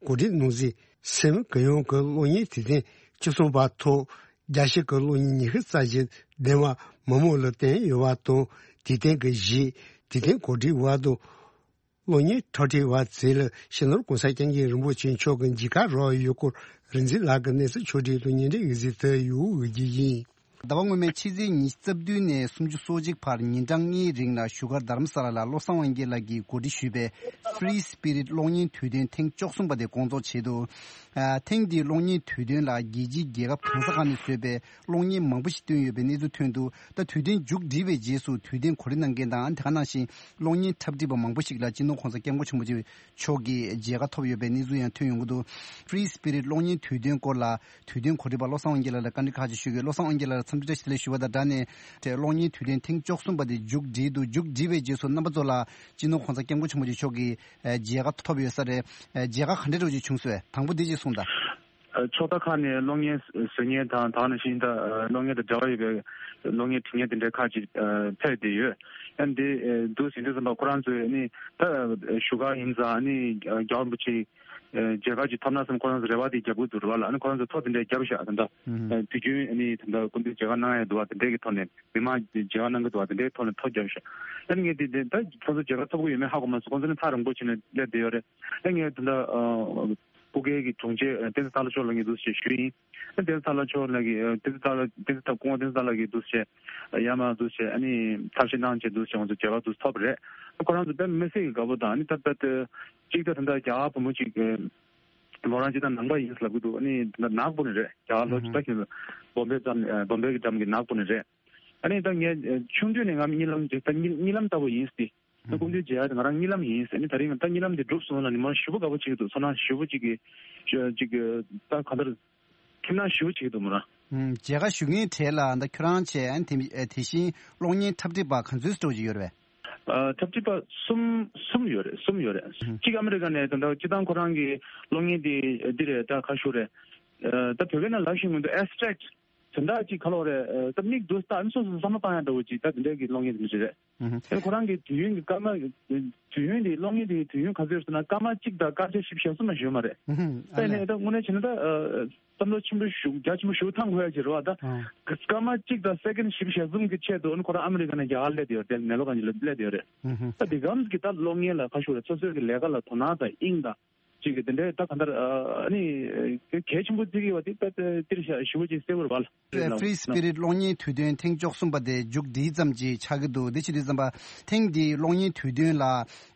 གོ་སྒྲིག་གནང་གཟིགས། སེམས་གུ་ཡངས་ཀྱི་གློག་བརྙན་དུས་སྟོན་བཅུ་གསུམ་པ་ཐོག་རྒྱལ་སྤྱི་གི་གློག་བརྙན་ཉི་ཤུ་རྩ་བཞི་ལྡན་པ་མི་མང་ལ་བསྟན་ཡོད་པ་དང་། དུས་སྟོན་གྱི་གཞི། དུས་སྟོན་གོ་སྒྲིག་པ་དང་། གློག་བརྙན་འཁྲབ་ཁྲིད་པ་ཚོ་ལ་སྤྱི་ནོར་༸གོང་ས་༸སྐྱབས་མགོན་རིན་པོ་ཆེ་མཆོག་གི་མཇལ་ཁ་རག་ཡོད་སྐོར་རིག་འཛིན་ལགས་ཀྱིས་གནས་ཚུལ་ཕྱོགས་སྒྲིག་དང་བརྙན་འཕྲིན་ཡིག་གཟུགས་དུ་ཡོད་འོས་ཀྱི་ཡིན། ཟླ་བ་སྔོན་མའི་ཕྱི་ཚེས་ཉི་ཤུ་རྩ་བདུན་ནས་སུམ་ཅུ་སོ་གཅིག་བར་ཉིན་གྲངས་ལྔའི་རིང་ལ་བཞུགས་སྒར་རྡ་རམ་ས་ལ་ལ་བློ་བཟང་དབང་རྒྱལ་ལགས་ཀྱིས་གོ་སྒྲིག་ཞུས་པའི་Free Spirit་གློག་བརྙན་དུས་སྟོན་ཐེངས་བཅུ་གསུམ་པ་དེ་སྐོང་ཚོགས་ཆེད་དུ། ཨ་ཐེངས་འདིའི་གློག་བརྙན་དུས་སྟོན་ལ་རྒྱལ་སྤྱིའི་རྒྱལ་ཁབ་གང་ས་གང་ནས་བཟོས་པའི་གློག་བརྙན་མང་པོ་ཞིག་བཏོན་ཡོད་པའི་གནས་ཚུལ་ཐོན་འདུག་ད་དུས་སྟོན་མཇུག་བསྒྲིལ་བའི་རྗེས་སུ་དུས་སྟོན་གོ་སྒྲིག་གནང་མཁན་དང་། དེ་ག་ནང་བཞིན་གློག་བརྙན་འཁྲབ་ཁྲིད་པ་མང་པོ་ཞིག་ལ་སྤྱི་ནོར་༸གོང་ས་༸སྐྱབས་མགོན་ཆེན་པོ་མཆོག་གི་མཇལ་ཁ་ཐོབ་ཡོད་པའི་གནས་ཚུལ་ཡང་ཐོན་ཡོང་གི་འདུག Free Spirit་གློག་བརྙན་དུས་སྟོན་སྐོར་ལ་དུས་སྟོན་གོ་སྒྲིག་པ་བློ་བཟང་དབང་རྒྱལ་ལགས་ལ་བཀའ་འདྲི་ཁག་ཅིག་ཞུ་གི་ཡོད། བློ་བཟང་དབང་རྒྱལ་ལགས་ལ་འཚམས་འདྲི་བཀྲ་ཤིས་བདེ་ལེགས་ཞུ་བ་དང་སྦྲགས་ནས། དེ་གློག་བརྙན་དུས་སྟོན་ཐེངས་བཅུ་གསུམ་པ་དེ་མཇུག་བསྒྲིལ་འདུག་མཇུག་བསྒྲིལ་བའི་རྗེས་སུ་རྣམ་པ་ཚོ་ལ་སྤྱི་ནོར་༸གོང་ས་༸སྐྱབས་མགོན་ཆེན་པོ་མཆོག་གི་མཇལ་ཁ་ཐོབ་ཡོད་ས་རེད། མཇལ་ཁ་ག་འདྲ་འདྲ་བོ་ཅིག་བྱུང་སོང་བས། དང་པོ་འདི་ཅིག་གསུངས་དང་། ཕྱོགས་མཐའ་ཁག་ནས་གློག་བརྙན་བཟོ་མཁན་དང་། ད་ག་ནང་བཞིན་ད་གློག་བརྙན་དང་འབྲེལ་བ་ཡོད་པའི་གློག་བརྙན་འབྲི་མཁན་དེ་འདྲའི་ཁག་ཅིག་ཕེབས་བསྡད་ཡོད། ཨ་ནི་དེ་འདུག་ཟིན་དུས་ཙམ་པ་ཁོ་རང་ཚོས་ནི་ད་བཞུགས་སྒར་ཡིན་ཙང་ནི་རྒྱལ་བ་རིན་པོ་ཆེ་མཇལ་ཁ་ཅིག་ཐོབ་ན་བསམ། ཁོ་རང་ཚོ་རེ་བ་དེ་རྒྱབ་ཀྱི་འདུག་རེད་བ་ལ། ཨ་ནི་ཁོ་རང་ཚོ་ཐོ་དེ་འདྲ་བརྒྱབ་ཤག་ད་ལྟ་དུས་རྒྱུན་ནི་ད་ལྟ་སྐུ་མདུན་མཇལ་ཁ་གནང་ཡ་འདུག་བ། དེ་འདྲའི་གི་ཐོག་ནས། མི་མང་མཇལ་ཁ་གནང་གི་འདུག་བ། དེ་འདྲའི་ཐོག་ནས་ཐོ་བརྒྱབ་ཤག་ཨ་ནི་ངས་དེ་དེ་ད་ཁོ་ཚོ་མཇལ་ཁ་ཐོབ་ཀྱི་ཡོད་མེད་ཧ་གོ་མ་སོང་། ཁོ་ཚོ་ནི་ཐག་རིང་པོ་བྱས་ནས་སླེབས་བསྡད་ཡོད་རེད། ཨ་ངས་ད་ལྟ་ཨ་སྤུ་རྒྱལ་གྱི་དྲུང་ཆེ་བསྟན་འཛིན་སྟག་ལྷ་མཆོག་ལ་ངས་འདུག་སེ་ཞུས་ཡིན། ཨ་བསྟན་འཛིན་སྟག་ལྷ་མཆོག་ལགས་ཀྱིས། ཨ་བསྟན་འཛིན་སྟག་ལྷ། བསྟན་འཛིན་སྟག་སྐུ་ངོ་བསྟན་འཛིན་སྟག་ལྷ་གིས་འདུག་སེ་ཡར་མར་འདུག་སེ་ཨ་ནི་ཐབས་ཤེས་གནང་བྱས་འདུག་སེ་ང་ཚོ་མཇལ་ཁ་འདུག་སེ་ཐོབ་པ་རེད། ཁོ་རང་ཚོ་དཔེ་མི་སྲིད་ཀྱི་དགའ་པོ་དང་། ཨ་ནི་ད་ལྟ་གཅིག་ད་ད་ལྟ་རྒྱ་གར་བུ་མོ་གཅིག་གི་མོ་རང་སྤྱིར་བཏང་ནང་པ་ཡིན་ལབ་ཀྱི་འདུག་ཨ་ནི་ད་ནག་པོ་ནས་རེད། རྒྱ་གར་ལོ་ཇི་ལྟར་ཁྱོད་བོམ་བེ་འགྲམ། ཨ་བོམ་བེ་གི་འགྲམ་གྱི་ནག་པོ་ནས་རེད། ཨ་ནི་ད་ངས་ཆུང་དུས་ནས་ང་གཉིད་ལམ་དེ་ད་གཉིད་གཉིད་ལམ་ལྟ་བུ་ཡིན་ཏེ། ད་སྐུ་མདུན་མཇལ་ཡ་དེ་ང་རང་གཉིད་ལམ་ཡིན་ཟེར་ནི། ད་རིང་ད་གཉིད་ལམ་དེ་འགྲུབ་སོང་ལ་ནི་མ་ཞེ་པོ་དགའ་པོ་བྱེད་ཀྱི་འདུག་ཚོར་སྣང་ཞེ་པོ་ཅིག་གི་ཅིག་གི་ད་གང་ལྟར་ཁྱིམ་ནང་ཞེ་པོ་བྱེད་ཀྱི་འདུག་མོ་རང་། ཨུམ། མཇལ་ཁ་ཞུ་མཁན་གྲས་ལ་ད་ཁྱོད་རང་བྱས། ཨ་ནི་དེ་དེ་བཞིན་གློག་བརྙན་འཁྲབ་ཁྲིད་པ་ག་ཚོད་ཙམ་ཅིག་ཡོད་རེད་པས། ཨ་འཁྲབ་ཁྲིད་པ་གསུམ་གསུམ་ཡོད་རེད། གསུམ་ཡོད་རེད། ཨུམ། གཅིག་ཨ་མི་རི་ཀ་ནས་ད་ལྟ་སྤྱིར་བཏང་ཁོ་རང་གི་གློག་བརྙན་དེ་འདི་རེད། ད་ག་ཞུ་རེད། ཨ་ད་བོད་སྐད་ནང་ལབ་ཞིག་མི་འདུག་ཨེབ་སི་ཊེག་དེ་འདྲ་ཅིག་ག་ལབ་རེད། ཨ་ད་མིག་འདུག་ལྟ་ནི་སོ་སོ་བསམ་བློ་བཏང་ཡ་འདྲ་བོ་ཅིག་ད་དེ་འདྲའི་གི་གློག་བརྙན་དེ་འདྲ་རེད། ཨུ་ཧུ། ཨེ་ཁོ་རང་གི་དུས་ཡུན་གྱི་སྐར་མ། དུས་ཡུན་དེ་གློག་བརྙན་དེ་དུས་ཡུན་ག་ཚོད་ཟེར་ན་སྐར་མ་གཅིག་དང་སྐར་ཆ་བཞི་བཅུ་ཞེ་གསུམ་མ་ཞིག་ཡོད་མ་རེད། ཨུ་ཧུ། ཨ་ད་ཡིན་ནའི་ད་དངོས་གནས་བྱས་ན་ད་ཨ་བསམ་བློ་ཆེན་པོ་ཞིག་རྒྱ་ཆེན་པོ་ཞིག་བཏང་དགོས་ཡ་ཅིག་རེད་བ། ད་ཨ་སྐར་མ་གཅིག་དང་སེ་ཀེན་བཞི་བཅུ་ཞེ་གསུམ་གྱི་ཆེད་དུ་ཨ་ནི་ཁོ་རང་ཨ་མི་རི་ཀ་ནས་རྒྱ་གར་སླེབས་བསྡད་ཡོད་རེད། ནེ་ལོ་གང་ཅིག་ལ་སླེབས་བསྡད་ཡོད་རེད། ཨུ་ཧུ། ད་དེ་གམ་གྱི་ད་གློག་བརྙན་ལ་ཁ་ཤོར་རེད། སོ་སོའི་གི་ལས་ཀ་ལ་དོ་སྣང་དང་དབྱིངས་དང་ཅིག་གི་དེ་འདྲའི་ད་གང་ལྟར་ཨ་ནི་གལ་ཆེན་པོ་བརྩི་གི་ཡོད་པ་དེ་ད་ད་དེར་ཞེ་པོ་ཅིག་གསལ་པོ་རེད་བ། ཧྥི་རི་སི་པི་རིཊ་གློག་བརྙན་དུས་སྟོན་ཐེངས་བཅུ་གསུམ་པ་དེ་མཇུག་སྒྲིལ་ཙམ་ཅིག་ཆགས་ཀྱི་འདུག་དེ་བྱེད་དུས་ཙམ་པ་ཐེངས་འདིའི་གློག་བརྙན་དུས་སྟོན་ལ་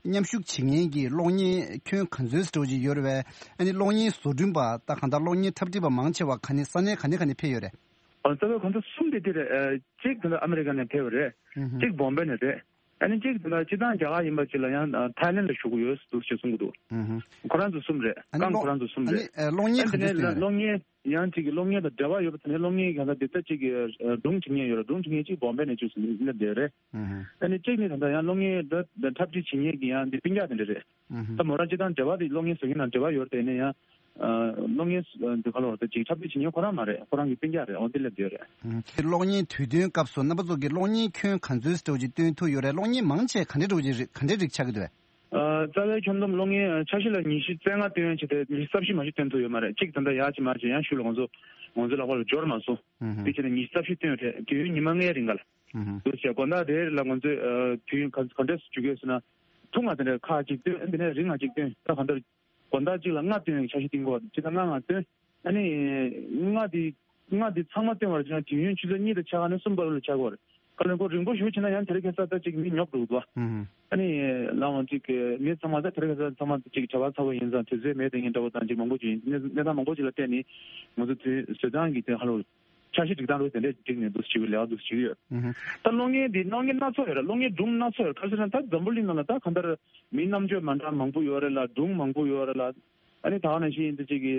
མཉམ་ཞུགས་བྱེད་མཁན་གྱི་གློག་བརྙན་ཁྱོན་ག་ཚོད་ཙམ་ཅིག་ཡོད་རེད་པས། ཨ་ནི་གློག་བརྙན་བཟོ་སྐྲུན་པ་ད་གང་ལྟར་གློག་བརྙན་འཁྲབ་ཁྲིད་པ་མང་ཆེ་བ་ག་ནས་ས་གནས་ག་ནས་ག་ནས་ཕེབས་ཡོད་རེད། ཨ་རྩ་བའི་གང་ལྟར་གསུམ་དེ་དེ་རེད། ཨ་གཅིག་དེ་ལ་ཨ་མི་རི་ཀ་ནས་ཕེབས་པ་རེད། ཨུ་ཧུ། གཅིག་བོམ་བེ་ནས་རེད། ཨ་ནི་གཅིག་དེ་ལ་སྤྱིར་བཏང་རྒྱ་གར་ཡིན་པ་ཅིག་ལ་ཡང་ཨ་ཐའི་ལེན་ལ་བཞུགས་ཡོད་འདུག་ཅེས་གསུང་གི་འདུག་ཨུ་ཧུ། ཁོ་རང་ཚོ་གསུམ་རེད། ཨ་ནི་རྐང་གློག་ཁོ་རང་ཚོ་གསུམ་ཨ་རེད། ནི་ཨ་གློག་བརྙན་ཨ་ག་དེ་ཚོད་ནས་སྟོན་ཡོད་རེད། གློག་བརྙན་ཡང་ཅིག་གི་གློག་བརྙན་དང་འབྲེལ་བ་ཡོད་པ་དེ་ནས་གློག་བརྙན་གང་ལྟར་དེ་ལྟ་ཅིག་གི་ཨ་སྒྲུང་བྲིས་མཁན་ཡོད་རེད། སྒྲུང་བྲིས་མཁན་གཅིག་བོམ་བེ་ནས་བཅུག་སོང་ནས་སླེབས་བསྡད་རེད། ཨུ་ཧུ། ཨ་ནི་གཅིག་ནི་ད་ལྟ་ཡང་གློག་བརྙན་འདི་འཁྲབ་ཁྲིད་བྱེད་མཁན་གྱི་ཡང་འདི་སྤུན་ཀྱག་དེ་འདྲ་རེད། ཨུ་ཧུ། ད་མོ་རང་སྤྱིར་བཏང་འབྲེལ་བ་དེ་གློག་བརྙན་བཟོ་མཁན་དང་འབྲེལ་བ་ཡོད་རེད། དེ་ནས་ཡང་ཨ་གློག་བརྙན་ཨ་འདི་ག་ལབ་རེད། ཅིག་འཁྲབ་ཁྲིད་བྱེད་མཁན་ཁོ་རང་མ་རེད། ཁོ་རང་གི་སྤུན་ཀྱག་རེད། འོ་དེ་སླེབས་བསྡད་ཡོད་རེད། ཨུ་ཧུ། གློག་བརྙན་དུས་སྟོན་སྐབས་སུ་རྣམ་པ་ཚོ་གིས་གློག་བརྙན་ཁྱོན་ག་ཚོད་ཙམ་ཅིག་སྟོན་ཐུབ་ཡོད་རེད། གློག་བརྙན་མང་ཆེ་ག་འདྲའི་འདྲ་བོ་ཅིག་རེད། ག་འདྲའི་རིགས་ཆགས་ཀྱི་འདུག་གས། ཨ་རྩ་བའི་ཁྱོན་བསྡོམས་གློག་བརྙན་ཨ་འཆར་གཞི་ལ་ཉི་ཤུ་རྩ་ལྔ་སྟོན་ཡ་བྱས་ཏེ་ཉི་ཤུ་རྩ་བཞི་མ་གཏོགས་སྟོན་ཐུབ་ཡོད་མ་རེད། གཅིག་ད་ལྟ་ཡར་གཅིག་མར་གཅིག་ཡང་ཤུལ་ལ་ང་ཚོ་ང་ཚོའི་ལག་པ་ལ་འབྱོར་མ་སོང་། ཨུ་ཧུ། དེ་བྱས་ནས་ཉི་ཤུ་རྩ་བཞི་སྟོན་ཡོད་རེད། དུས་ཡུན་ཉི་མ་ལྔའི་རིང་ག་ལ། ཨུ་ཧུ། འདུག་བྱས་དགོང་དག་དེ་ལ་ང་ཚོས་ཨ་དུས་ཡུན་ག་ག་འདྲས་སུ་འཇུག་གི་ཡོད་ཟེར་ན། ཐུང་ང་དེ་འདྲ་ཁག་ཅིག་སྟོན། དེ་ནས་རིང་ང་ཅིག་སྟོན། ད་གང་ལྟར་དགོང་དག་གཅིག་ལ་ལྔ་སྟོན་ཡག་འཆར་གཞི་བཏིང་གི་ཡོད་རེད། སྤྱིར་བཏང་ལྔ་ལྔ་སྟོན། ཨ་ནི་ལྔ་དེ་ལྔ་དེ་ཚང་མ་སྟོན་པར་བྱས་ན་དུས་ཡུན་ཆུ་ཚོད་གཉིས་དང་ཕྱེད་ཀ་ནས་གསུམ་བར་ལ་ཆགས་ཀྱི་ཡོད་རེད། ག་ལེར་ཁོ་རིང་པོ་ཞེ་པོ་བྱས་ན་ཡང་དེ་རིང་ཁ་སང་ད་ཅིག་མི་ཉོབ་འགྲོ་གི་འདུག་བ། ཨུ་ཧུ། ཨ་ནི་ལའང་ཅིག་མི་ཚང་མ་ད་དེ་རིང་ཁ་སང་ཚང་མ་ཅིག་བྱ་བ་ཚ་པོ་ཡིན་ཙང་དུས་ཚོད་མེད་དེ་ངས་འདྲ་པོ་དང་ཅིག་མང་པོ་ཅིག་ཡིན། གནས་གནས་སྟངས་མང་པོ་ཅིག་ལ་བལྟས་ནས་ང་ཚོ་དུས་བཟོ་སྟངས་ཀྱི་དོན་ཧ་ལོ། འཆར་གཞི་སྒྲིག་སྟངས་རུ་དེ་འདྲས་བསྒྲིགས་ནས་འདུག་བྱེད་ཀྱི་ལས་ཀ་འདུག་བྱེད་ཀྱི་ཡོད། ཨུ་ཧུ། ད་གློག་བརྙན་འདི་གློག་བརྙན་སྣ་ཚོགས་ཡོད་རེད། གློག་བརྙན་སྒྲུང་སྣ་ཚོགས་ཡོད་རེད། ག་རེ་ཟེར་ན་ད་འཛམ་བུ་གླིང་ནང་ལ་ད་གང་ལྟར་མིའི་རྣམ་དཔྱོད་མ་འདྲ་མང་པོ་ཡོད་རེད་ལ། སྒྲུང་མང་པོ་ཡོད་རེད་ལ། ཨ་ནི་ད་ག་ནང་བཞིན་འདི་ཅིག་གི་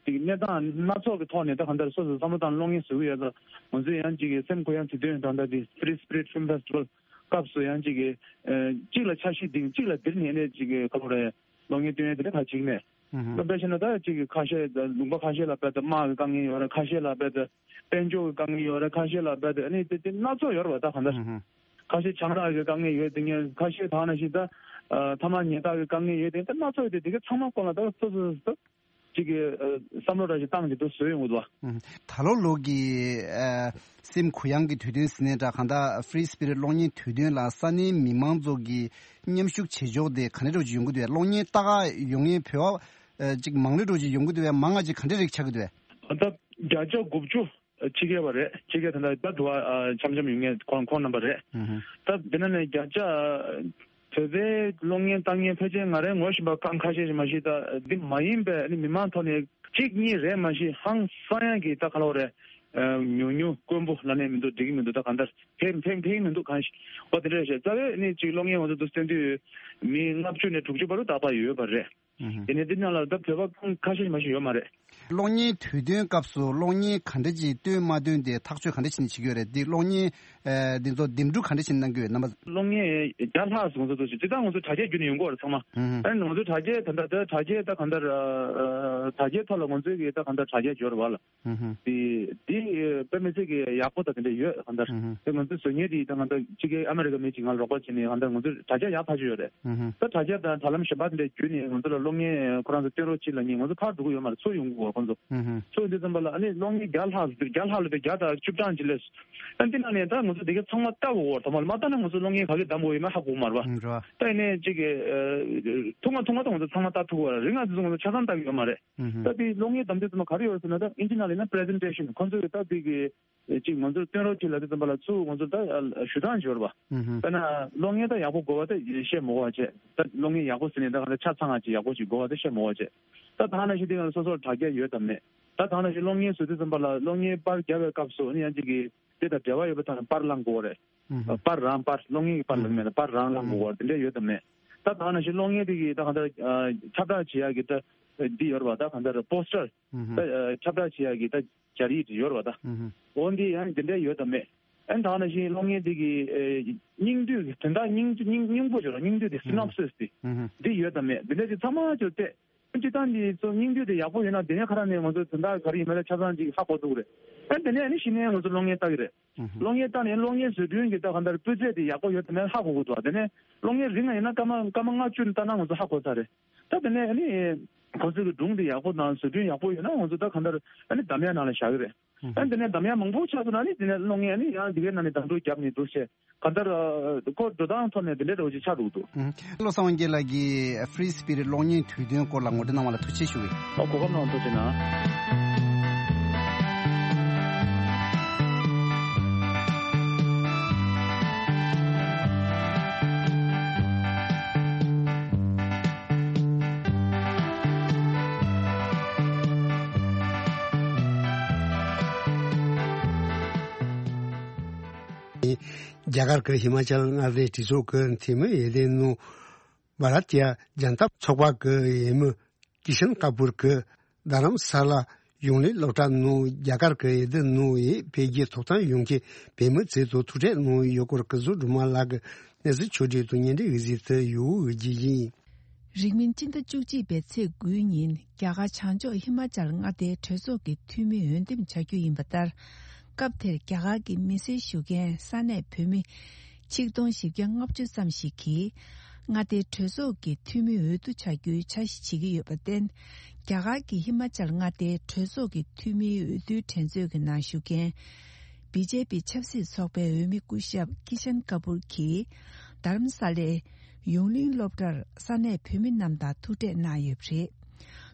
ཅིག་གནས་སྟངས་སྣ་ཚོགས་ཀྱི་ཐོག་ནས་ད་གང་ལྟར་སོ་སོ་བསམ་བློ་བཏང་གློག་བརྙན་བཟོ་གི་ཡོད་ལ། ང་ཚོས་ཡང་ཅིག་གི་སེམས་ཁོ་ཡང་དུས་སྟོན་ད་ལྟ་འདི་Free Spirit Film Festival སྐབས་སུ་ཡང་ཅིག་གི་ཨ་གཅིག་ལ་འཆར་གཞི་འདིང་གཅིག་ལ་འདིར་ཉན་ནས་ཅིག་གི་ག་ལབ་རེད། གློག་བརྙན་སྟོན་ཡས་དེ་འདྲ་ག་ཅིག་མེད། ཨུ་ཧུ། ད་དཔེ་བྱས་ན་ད་ཅིག་གི་ཁ་ཤས་ད་ལུང་པ་ཁ་ཤས་ལ་དཔེ་ད་དམག་གི་དཀའ་ངལ་ཡོད་རེད། ཁ་ཤས་ལ་དཔེ་ད་དཔལ་འབྱོར་གྱི་དཀའ་ངལ་ཡོད་རེད། ཁ་ཤས་ལ་དཔེ་ད་ཨ་ནི་དེ་དེ་སྣ་ཚོགས་ཡོད་རེད་པ། ད་གང་ལྟར་ཨུ་ཧུ། ཁ་ཤས་ཆང་རག་གི་དཀའ་ངལ་ཡོད་དེ་ངས། ཁ་ཤས་ད་ག་ནང་བཞིན་ད་ཨ་ཐ་མག་ཉལ་ཐག་གི་དཀའ་ངལ་ཡོད་དེ། ད་སྣ་ཚོགས་ཡོད་དེ། དེ་ག་ཚང་མ་སྐོར་ལ་ད་སོ་སོ་སོ་སོ་ཅིག་གི་ཨ་བསམ་བློ་འདྲ་ཞིག་བཏང་གི་འདུག་བཟོས་ཡོང་གི་འདུག་པ། ཨུ་ཧུ། ད་ལོ་ལོ་གི་ཨ་སེམས་གུ་ཡངས་ཀྱི་དུས་སྟོན་ཟེར་ནའི་འདྲ། གང་ལྟར་Free Spirit གློག་བརྙན་དུས་སྟོན་ལ་ས་གནས་མི་མང་ཚོ་གི་མཉམ་ཞུགས་བྱེད་ཕྱོགས་དེ་ག་འདྲ་འདྲ་ཅིག་ཡོང་གི་འདུག་པས། གློག་བརྙན་ལྟ་ག་ཡོང་མཁན་བོད་པ་ཨ་ཅིག་མང་རུ་འདྲ་ཅིག་ཡོང་གི་འདུག་པས། མང་ང་ཅིག་ག་འདྲ་རིགས་ཆགས་ཀྱི་འདུག་པས། ད་བརྒྱ་ཆ་དགུ་བཅུ་ཕྱི་རྒྱལ་བ་རེད། ཕྱི་རྒྱལ་ད་ལྟ་ད་འགྲོ་བ་ཨ་འཆམ་འཆམ་ཡོང་མཁན་ཁོང་ཁོང་རྣམ་པ་རེད། ཨུ་ཧུ། ད་འདི་ན་ནས་བརྒྱ་ཆ་བོད་པའི་གློག་བརྙན་ལྟ་མཁན་ཕལ་ཆེར་ང་རའི་ངོ་ཤེས་པ་རྐང་ཁ་ཤས་ཤིག་མ་གཞི་ད་འདི་མ་ཡིན་པའི་ཨ་ནི་མི་མང་ཐོག་ནས་གཅིག་གཉིས་རེད་མ་གཞི། ཧང་སང་ཡང་གི་ད་ག་ལབ་རེད། ཨ་ཉུང་ཉུང་དཀོན་པོ་ལབ་ནས་མི་འདུག་འགྲིག་གི་མི་འདུག་ད་གང་ལྟར་ཕན་ཕན་ཕན་གི་མི་འདུག་གང་ཞིག་འོ་དེ་འདྲ་རེད་ཤག་རྩ་བའི་ཨ་ནི་གཅིག་གློག་བརྙན་ང་ཚོ་འདུག་སྟོན་དུས་མི་ལྔ་བཅུ་ནས་དྲུག་ཅུ་བར་དུ་ད་བར་ཡོད་པ་རེད། ཨུ་ཧུ། དེ་ནས་འདི་ནང་ལ་ད་བོད་པ་ཁ་ཤས་མ་ཞིག་ཡོད་མ་རེད། གློག་བརྙན་དུས་སྟོན་སྐབས་སུ་གློག་བརྙན་ག་འདྲ་ཅིག་སྟོན་མ་སྟོན་དེ་ཐག་གཅོད་ག་འདྲ་བྱས་ནས་བྱེད་ཀྱི་ཡོད་རེད། འདི་གློག་བརྙན་ཨ་འདི་ཚོ་འདེམས་སྒྲུག་ག་འདྲ་བྱས་ནས་གནང་གི་ཡོད་རྣམ་པ། གློག་བརྙན་བརྒྱ་ལྷག་ཙམ་ཚོ་ཅིག་ད་ང་ཚོ་དྲ་རྒྱ་བརྒྱུད་ནས་ཡོང་གི་ཡོད་རེད་ཚང་མ། ཨུ་ཧུ། ཨ་ནི་ང་ཚོ་དྲ་རྒྱའི་ད་ལྟ་ད་དྲ་རྒྱའི་ད་གང་ལྟར་ཨ་དྲ་རྒྱའི་ཐོག་ལ་ང་ཚོའི་གི་ད་གང་ལྟར་དྲ་རྒྱ་འབྱོར་བ་ལ། ཨུ་ཧུ། དེ་དེ་དཔེ་མི་སྲིད་ཀྱི་ཡག་པོ་དང་དེ་འདྲ་ཡོད་གང་ལྟར། ཨུ་ཧུ། དེ་ང་ཚོའི་བཟོ་མཁན་དེ་ད་གང་ལྟར་ཕྱི་རྒྱལ་ཨ་མེ་རི་ཀ་མི་གཅིག་ང་ལ་རོགས་པ་བྱས་ནས་གང་ལྟར་ང་ཚོའི་དྲ་རྒྱ་ཡག་ཐག་ཆོད་ཡོད་རེད། ཨུ་ཧུ། ད་དྲ་རྒྱ་དང་དྲ་ལམ་གཞན་པ་དེ་འདྲ་བརྒྱུད་ནས་ང་ཚོ་ལ་གློག་བརྙན་ཁོ་རང་ཚོ་སྟོན་རོགས་བྱེད་ལབ་མཁན་ང་ཚོ་ཕར་འགྲོ་གི་ཡོད་མ་རེད། ཚུར་ཡོང་གི་ཡོད་ཁོང་ཚོ། ཨུ་ཧུ། ཚུར་ཡོང་དུས་ཙམ་པ་ལ་ཨ་ནི་གློག་བརྙན་བརྒྱ་ལྷག་བརྒྱ་ལྷག་ལ་བརྒྱ་དང་བཅུ་གྲངས་ཅིག་སླེབས། ཨ་འདི་ནང་ནས་ད་ང་ཚོ་དེ་ག་ཚང་མ་ལྟ་དགོས་ཀྱི་ཡོད་རེད། ཚང་མ་མ་ལྟ་ན་ང་ཚོ་གློག་བརྙན་ག་གི་བདམས་དགོས་ཡོད་མེད་ཧ་གོ་གི་མ་རེད་པ། ཨུ་རེད། ད་ཡིན་ནའི་ཅིག་གི་ཐུང་ང་ཐུང་ང་ད་ང་ཚོ་ཚང་མ་ལྟ་ཐུབ་ཀྱི་ཡོད་རེད། རིང་ང་ཚོ་ང་ཚོ་ཆ་ཚང་ལྟ་གི་ཡོད་མ་རེད། ད་དེ་གློག་བརྙན་བདམས་དུས་ཚང་མ་ག་རེ་ཡོད་ཟེར་ན་ད་ཨིན་ཇི་ནང་ལ་ཡིན་ན་presentation ཁོང་ཚོས་ད་དེ་གི་ཅིག་ང་ཚོར་སྟོན་རོགས་གྱིས་ལབ་དུས་ཙམ་པ་ལ་ཚུར་ང་ཚོར་ད་ཞུ་སྟངས་ཅིག་ཡོད་རེད་པ། དཔེར་ན་གློག་བརྙན་ད་ཡག་པོ་དགོས་པ་ད་བཤད་མི་དགོས་པ་བྱས། ད་གློག་བརྙན་ཡག་པོ་ཟེར་ནས་ད་ག་ད་ཆ་ཚང་ང་ཅིག་ཡག་པོ་ཅིག་དགོས་པ་ད་བཤད་མི་དགོས་པ་བྱས། ད་ད་ག་ནང་བཞིན་དེ་ང་སོ་སོར་དྲ་རྒྱ་ཡོད་དམ་མེད། ད་ད་ག་ནང་བཞིན་གློག་བརྙན་བཟོ་དུས་ཙམ་པ་ལ་གློག་བརྙན་པར་རྒྱབ་པའི་སྐབས་སུ་ནི་ཡང་ཅིག་གི་དེ་དང་འབྲེལ་བ་ཡོད་པ་ད་པར་བླངས་དགོས་རེད། པར་རང་པར་གློག་བརྙན་གྱི་པར་ལ་མེད་ན་པར་རང་བླངས་དགོས་པ་དེ་འདྲ་ཡོད་དམ་མེད། ད་ད་ག་ནང་བཞིན་གློག་བརྙན་དེ་གི་ད་གང་ལྟར་ཁྱབ་བསྒྲགས་བྱེད་ཡག་གི་ད་འདི་ཡོད་རེད་པ། ད་གང་ལྟར་པོ་སི་ཊར་ད་ཁྱབ་བསྒྲགས་བྱེད་ཡག་གི་ད་སྦྱར་ཡིག་ཡོད་རེད་པ། ད་འོ་འདི་ཡང་དེ་འདྲ་ཡོད་དམ་མེད། ཨ་ནི་ད་ག་ནང་བཞིན་གློག་བརྙན་དེ་གི་སྙིང་བསྡུས་དོན་དག་སྙིང་སྙིང་སྙིང་པོ་ཅིག་ལ་སྙིང་བསྡུས་དེ་སི་ནོབ་སིས་དེ་འདི་ཡོད་དམ་མེད། འདི་འདྲ་ཅིག་ཚང་མ་ཅིག་བལྟས། སྤྱིར་བཏང་འདི་ཚོ་སྙིང་བསྡུས་དེ་ཡག་པོ་ཡོད་ན་དེ་ནས་ཁ་ར་ནས་ང་ཚོ་དོན་དག་ག་རེ་ཡིན་མིན་ལ་ཆ་ཚང་ཅིག་ཧ་གོ་ཐུབ་ཀྱི་རེད། ཨ་ནི་དེ་ནས་ཨ་ནི་གཞི་ནས་ང་ཚོ་གློག་བརྙན་ལྟ་གི་རེད། གློག་བརྙན་ལྟ་ནས་གློག་བརྙན་བཟོ་སྐྲུན་གྱི་ད་གང་ལྟར་སྤུས་ཚད་དེ་ཡག་པོ་ཡོད་དམ་མེད་ཧ་གོ་དགོས་འདུག་དེ་ནས་གློག་བརྙན་རིང་ང་ཡིན་ན་སྐར་མ་སྐར་མ་ལྔ་བཅུ་ལྟ་ན་ང་ཚོ་ཧ་གོ་ཚར་རེད། ད་དེ་ནས་ཨ་ནི་ཁོ་ཚོ་གི་སྒྲུང་དེ་ཡག་པོ་དང་བཟོ་སྐྲུན་ཡག་པོ་ཡོད་ན་ང་ཚོ་ད་གང་ལྟར་ཨ་ནི་འདམ་ཡག་ནང་ལ་བཞག་གི་རེད། ཨ་ནི་དེ་ནས་འདམ་ཡག་མང་པོ་ཆགས་སོང་ན་ཨ་ནི་དེ་ནས་གློག་བརྙན་ཨ་ནི་ཡང་དེ་གའི་ནང་ནས་འདམ་འགྲོ་རྒྱབ་ནས་འགྲོ་བྱས། གང་ལྟར་ཁོ་འགྲོ་སྟངས་ཐོག་ནས་དེ་འདྲའི་འདྲ་བོ་ཅིག་ཆགས་འདུག་འདུག་བློ་བཟང་དབང་རྒྱལ་ལགས་ཀྱིས་Free Spirit གློག་བརྙན་དུས་སྟོན་སྐོར་ལ་ངོ་སྤྲོད་གནང་བ་ལ་ཐུགས་རྗེ་ཆེ་ཞུ་གི་ཡིན། ཨོ་གོ་སྐབས་གནང་བ་ཐུགས་རྗེ་གནང་། རྒྱ་གར་གྱི་ཧི་མ་ཅལ་མངའ་སྡེའི་གྲོས་ཚོགས་ཀྱི་འཐུས་མི་འོས་ལྡན་ནོ་བྷ་ར་ཏི་ཡ་ཇན་ཏ་ཚོགས་པ་གི་འོས་མི་ཀི་ཤན་ཀ་པུར་གྱིས་རྡ་རམ་ས་ལ་ཡོང་ལེ་སློབ་གྲྭ་ནང་རྒྱ་གར་གྱི་འོས་བསྡུ་ནང་འཕེལ་རྒྱས་ཐོབ་ཐང་ཡོང་མཁན་བོད་མི་ཚོའི་ཐོག་ཐུག་འཕྲད་གནང་ཡོད་སྐོར་སྐུ་ཚབ་སྒྲོལ་མ་ལགས་ཀྱི་གནས་ཚུལ་ཕྱོགས་སྒྲིག་དང་བརྙན་འཕྲིན་འོད་ཟེར་དུ་ཡོད་འོས་བརྒྱུད་ཡིན། རིང་མིན་སྤྱི་ཟླ་བཅུ་གཅིག་པའི་ཚེས་དགུའི་ཉིན་རྒྱ་གར་བྱང་ཕྱོགས་ཧི་མ་ཅལ་མངའ་སྡེའི་གྲོས་ཚོགས་ཀྱི་འཐུས་མི་འོས་འདེམས་བྱ་རྒྱུ་ཡིན་པ་ལྟར། སྐབས་དེར་རྒྱ་གར་གྱི་མི་སེར་ཞུ་མཁན་ས་གནས་བོད་མི་ཆིག་སྟོང་བཞི་བརྒྱ་ལྔ་བཅུ་ཙམ་ཞིག་གིས་མངའ་སྡེའི་གྲོས་ཚོགས་ཀྱི་འཐུས་མི་འོས་བསྡུ་བྱ་རྒྱུའི་འཆར་གཞི་བྱེད་ཀྱི་ཡོད་པར་བརྟེན། རྒྱ་གར་གྱི་ཧི་མ་ཅལ་མངའ་སྡེའི་གྲོས་ཚོགས་ཀྱི་འཐུས་མིའི་འོས་བསྡུའི་འགྲན་རྩོད་ཀྱི་ནང་ཞུགས་མཁན་བི་ཇེ་པི་ཆབ་སྲིད་ཚོགས་པའི་འོས་མི་སྐུ་ཞབས་ཀི་ཤན་ཀ་པུར་གྱིས་རྡ་རམ་ས་ལའི་ཡོངས་གླིང་སློབ་གྲྭར་ས་གནས་བོད་མི་རྣམས་དང་ཐུག་འཕྲད་གནང་ཡོད་པ་རེད།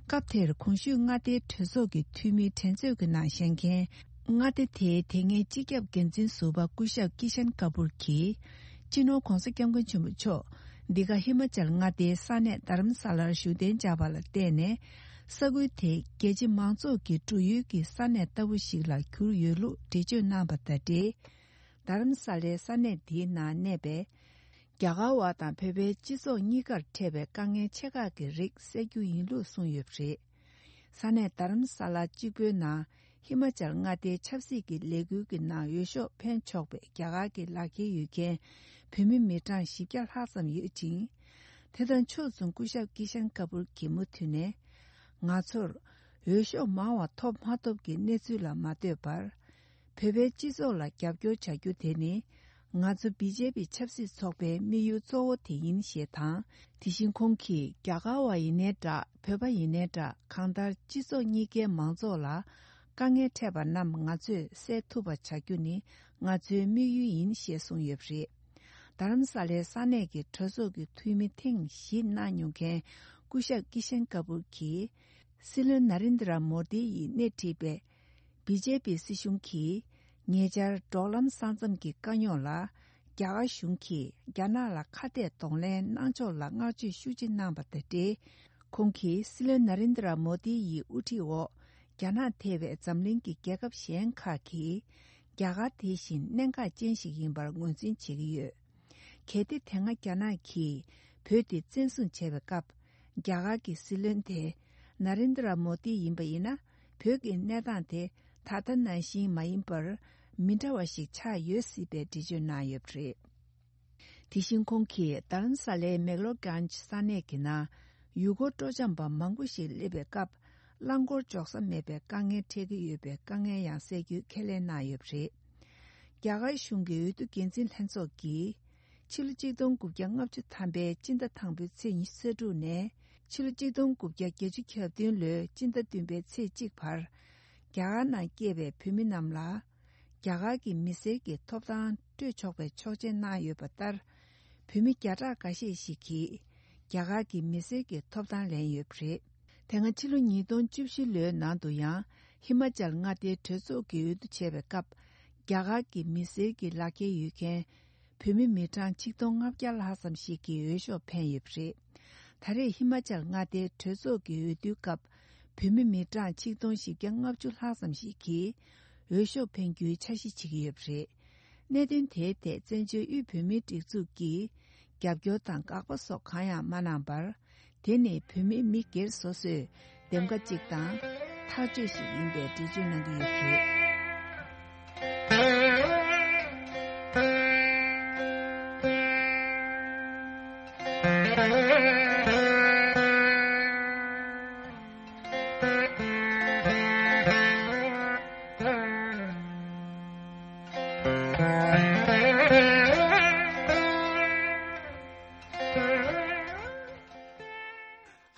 སྐབས་དེར་གོང་ཞུས་མངའ་སྡེའི་གྲོས་ཚོགས་ཀྱི་འཐུས་མིའི་འགྲན་རྩོད་ཀྱི་ནང་བཞེངས་མཁན་མངའ་སྡེ་དེའི་དེ་སྔའི་སྤྱི་ཁྱབ་འགན་འཛིན་ཟུར་པ་སྐུ་ཞབས་ཀི་ཤན་ཀ་པུར་གྱིས། སྤྱི་ནོར་༧གོང་ས་༧སྐྱབས་མགོན་ཆེན་པོ་མཆོག་འདི་ག་ཧི་མ་ཅལ་མངའ་སྡེའི་ས་གནས་རྡ་རམ་ས་ལར་བཞུགས་གདན་འཇགས་པ་ལ་བརྟེན་ནས། ས་ཁུལ་དེ་རྒྱལ་སྤྱི་མང་ཚོགས་ཀྱི་འགྲོ་ཡུལ་གྱི་ས་གནས་ལྟ་བུ་ཞིག་ལ་གྱུར་ཡོད་ལུགས་འགྲེལ་བརྗོད་གནང་བ་དང་འབྲེལ། རྡ་རམ་ས་ལའི་ས་གནས་འདིའི་ནང་གནས་པའི་རྒྱ་གར་བ་དང་བོད་པའི་སྤྱི་ཚོགས་གཉིས་ཀར་འཕྲད་པའི་དཀའ་ངལ་ཆེ་ཁག་གི་རིགས་སེལ་རྒྱུ་ཡིན་ལུགས་གསུངས་ཡོད་པ་རེད། ས་གནས་རྡ་རམ་ས་ལ་གཅིག་པུའི་ནང་ཧི་མ་ཅལ་མངའ་སྡེའི་ཆབ་སྲིད་ཀྱི་ལས་འགུལ་གྱི་ནང་འོས་ཤོག་འཕེན་ཆོག་པའི་རྒྱ་གར་གྱི་ལག་འཁྱེར་ཡོད་མཁན་བོད་མི་མི་གྲངས་བཞི་བརྒྱ་ལྷག་ཙམ་ཡོད་ཅིང་། དེ་དང་ཕྱོགས་མཚུངས་སྐུ་ཞབས་ཀི་ཤན་ཀ་པུར་གྱིས་མུ་མཐུད་ནས། ང་ཚོར་འོས་ཤོག་མང་བ་ཐོབ་མ་ཐོབ་ཀྱི་གནས་ཚུལ་ལ་མ་ལྟོས་པར། བོད་པའི་སྤྱི་ཚོགས་ལ་རྒྱབ་སྐྱོར་བྱ་རྒྱུ་དེ་ནི་ང་ཚོ་བི་ཇེ་པི་ཆབ་སྲིད་ཚོགས་པའི་དམིགས་ཡུལ་གཙོ་བོ་དེ་ཡིན་ཞེས་དང་། དེ་བཞིན་ཁོང་གིས་རྒྱ་གར་བ་ཡིན་ནའི་འདྲ་བོད་པ་ཡིན་ནའི་འདྲ་གང་ལྟར་སྤྱི་ཚོགས་གཉིས་ཀའི་མང་ཚོགས་ལ་དཀའ་ངལ་འཕྲད་པ་རྣམས་ང་ཚོས་སེལ་ཐུབ་པ་བྱ་རྒྱུ་ནི་ང་ཚོའི་དམིགས་ཡུལ་ཡིན་ཞེས་གསུངས་ཡོད་པ་རེད། རྡ་རམ་ས་ལའི་ས་གནས་ཀྱི་གྲོས་ཚོགས་ཀྱི་འཐུས་མི་ཐེངས་བཞི་གནང་མྱོང་མཁན་སྐུ་ཞབས་ཀི་ཤན་ཀ་པུར་གྱིས་སྲིད་བློན་ན་རེན་དྲ་མོ་དི་ཡིས་སྣེ་ཁྲིད་པའི་བི་ཇེ་པི་སྲིད་གཞུང་གིས་ཉེ་ཆར་འབྲོག་ལམ་ས་མཚམས་ཀྱི་དཀའ་རྙོག་ལ་རྒྱ་གར་གཞུང་གིས་རྒྱ་ནག་ལ་ཁ་གཏད་གདོང་ལེན་གནང་ཕྱོགས་ལ་བསྔགས་བརྗོད་ཤུགས་ཆེ་གནང་བ་དང་འབྲེལ། ཁོང་གིས་སྲིད་བློན་ན་རེན་དྲ་མོ་དི་ཡི་དབུ་ཁྲིད་འོག་རྒྱ་ནག་ཐེ་བའི་འཛམ་གླིང་གི་རྒྱལ་ཁབ་གཞན་ཁག་གིས་རྒྱ་གར་དེ་བཞིན་གནད་འགག་ཅན་ཞིག་ཡིན་པར་ངོས་འཛིན་བྱེད་ཀྱི་ཡོད། གལ་ཏེ་དེ་སྔ་རྒྱ་ནག་གིས་བོད་དེ་བཙན་བཟུང་བྱས་པའི་སྐབས། རྒྱ་གར་གྱི་སྲིད་བློན་དེ་ན་རེན་དྲ་མོ་དི་ཡིན་པ་ཡིན་ན། བོད་ཀྱི་གནས་སྟངས་དེ་ད་ལྟ་ནང་བཞིན་མ་ཡིན་པར་མི་འདྲ་བ་ཞིག་ཆགས་ཡོད་སྲིད་པའི་འགྲེལ་བརྗོད་གནང་ཡོད་པ་རེད། དེ་བཞིན་ཁོང་གིས་རྡ་རམ་ས་ལའི་མེག་ལོར་གྷན་ཇི་ས་གནས་ཀྱི་ནང་ཡུལ་སྐོར་སྤྲོ་འཆམ་པ་མང་པོ་ཞིག་སླེབས་པའི་སྐབས། རླངས་འཁོར་འཇོག་ས་མེད་པའི་དཀའ་ངལ་འཕྲད་ཀྱི་ཡོད་པའི་དཀའ་ངལ་ཡང་སེལ་རྒྱུའི་ཁས་ལེན་གནང་ཡོད་པ་རེད། རྒྱ་གར་གཞུང་གི་འོས་བསྡུ་འགན་འཛིན་ལྷན་ཚོགས་ཀྱིས། ཕྱི་ལོ་ཆིག་སྟོང་དགུ་བརྒྱ་ལྔ་བཅུ་ཐམ་པའི་སྤྱི་ཟླ་དང་པོའི་ཚེས་ཉི་ཤུ་རྩ་དྲུག་ནས་ཕྱི་ལོ་ཆིག་སྟོང་དགུ་བརྒྱ་བརྒྱད་ཅུ་གྱ་བདུན་ལོའི་སྤྱི་ཟླ་བདུན་པའི་ཚེས་གཅིག་བར། རྒྱ་གར་ནང་སྐྱེས་པའི་བོད་མི་རྣམས་ལ། རྒྱ་གར་གྱི་མི་སེར་གྱི་ཐོབ་ཐང་སྤྲོད་ཆོག་པའི་ཆོག་མཆན་གནང་ཡོད་པ་ལྟར། བོད་མི་བརྒྱ་ཕྲག་འགའ་ཤས་ཤིག་གིས་རྒྱ་གར་གྱི་མི་སེར་གྱི་ཐོབ་ཐང་ལེན་ཡོད་པ་རེད། དེ་སྔ་ཕྱི་ལོ་ཉིས་སྟོང་བཅུ་བཞི་ལོའི་ནང་དུ་ཡང་ཧི་མ་ཅལ་མངའ་སྡེའི་གྲོས་ཚོགས་ཀྱི་འོས་བསྡུ་བྱས་པའི་སྐབས། རྒྱ་གར་གྱི་མི་སེར་གྱི་ལག་འཁྱེར་ཡོད་མཁན་བོད་མི་མི་གྲངས་ཆིག་སྟོང་ལྔ་བརྒྱ་ལྷག་ཙམ་ཞིག་གིས་འོས་ཤོག་འཕེན་ཡོད་པ་རེད། ད་རེས་ཧི་མ་ཅལ་མངའ་སྡེའི་གྲོས་ཚོགས་ཀྱི་འོས་བསྡུའི་སྐབས། བོད་མི་མི་གྲངས་ཆིག་སྟོང་བཞི་བརྒྱ་ལྔ་བཅུ་ལྷག་ཙམ་ཞིག་གིས་འོས་ཤོག་འཕེན་རྒྱུའི་འཆར་གཞི་བྱེད་ཀྱི་ཡོད་པ་རེད། གནད་དོན་དེའི་ཐད་བཙན་བྱོལ་དབུས་བོད་མིའི་སྒྲིག་འཛུགས་ཀྱིས་རྒྱབ་སྐྱོར་དང་དགག་པ་སོགས་གང་ཡང་མ་གནང་བར། དེ་ནི་བོད་མི་མི་སྒེར་སོ་སོའི་འདེམས་ཀ་གཅིག་དང་ཐག་གཅོད་ཞིག་ཡིན་པའི་འགྲེལ་བརྗོད་གནང་གི་ཡོད་པ་རེད།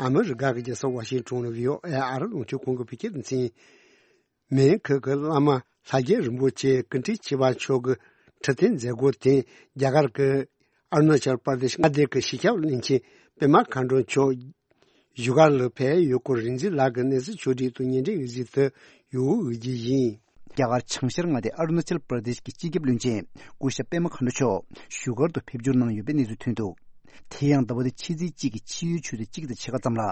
ཨ་མི་རི་ཀ་གི་རྒྱལ་ས་ཝ་ཤིང་ཊོན་ནས་བྷི་ཨོ་ཨེ་ཨ་རི་རླུང་འཕྲིན་ཁང་གི་བོད་སྐད་སྡེ་ཚན། མོན་གྷོ་གི་བླ་མ་ལྷ་རྒྱལ་རིན་པོ་ཆེ་ཀུན་དཀྲིས་ཆེ་བ་མཆོག་གི་ཁྲི་སྟོན་མཛད་སྒོ་དེ་རྒྱ་གར་གྱི་ཨ་རུ་ན་ཅལ་པར་དེ་ཤི་མངའ་སྡེ་གི་སྤྱི་ཁྱབ་བློན་ཆེན་པད་མ་མཁའ་འགྲོ་མཆོག་བཞུགས་སྒར་ལ་ཕེབས་ཡོད་སྐོར་རིག་འཛིན་ལགས་ཀྱིས་གནས་ཚུལ་ཕྱོགས་བསྒྲིགས་དང་བརྙན་འཕྲིན་འོད་ཟེར་དུ་ཡོང་འོས་ཀྱི་ཡིན། རྒྱ་གར་བྱང་ཤར་མངའ་སྡེ་ཨ་རུ་ན་ཅལ་པར་དེཤ་གི་སྤྱི་ཁྱབ་བློན་ཆེན་སྐུ་ཞབས་པད་མ་མཁའ་འགྲོ་མཆོག་བཞུགས་སྒར་དུ་ཕེབས་འབྱོར་གནང་ཡོད་པའི་གནས་ཚུལ་ཐོན་འདུག་དེ་ཡང་ཟླ་བ་འདིའི་ཕྱི་ཚེས་གཅིག་གི་ཕྱི་ཡོལ་ཆུ་ཚོད་གཅིག་དང་ཕྱེད་ཀ་ཙམ་ལ།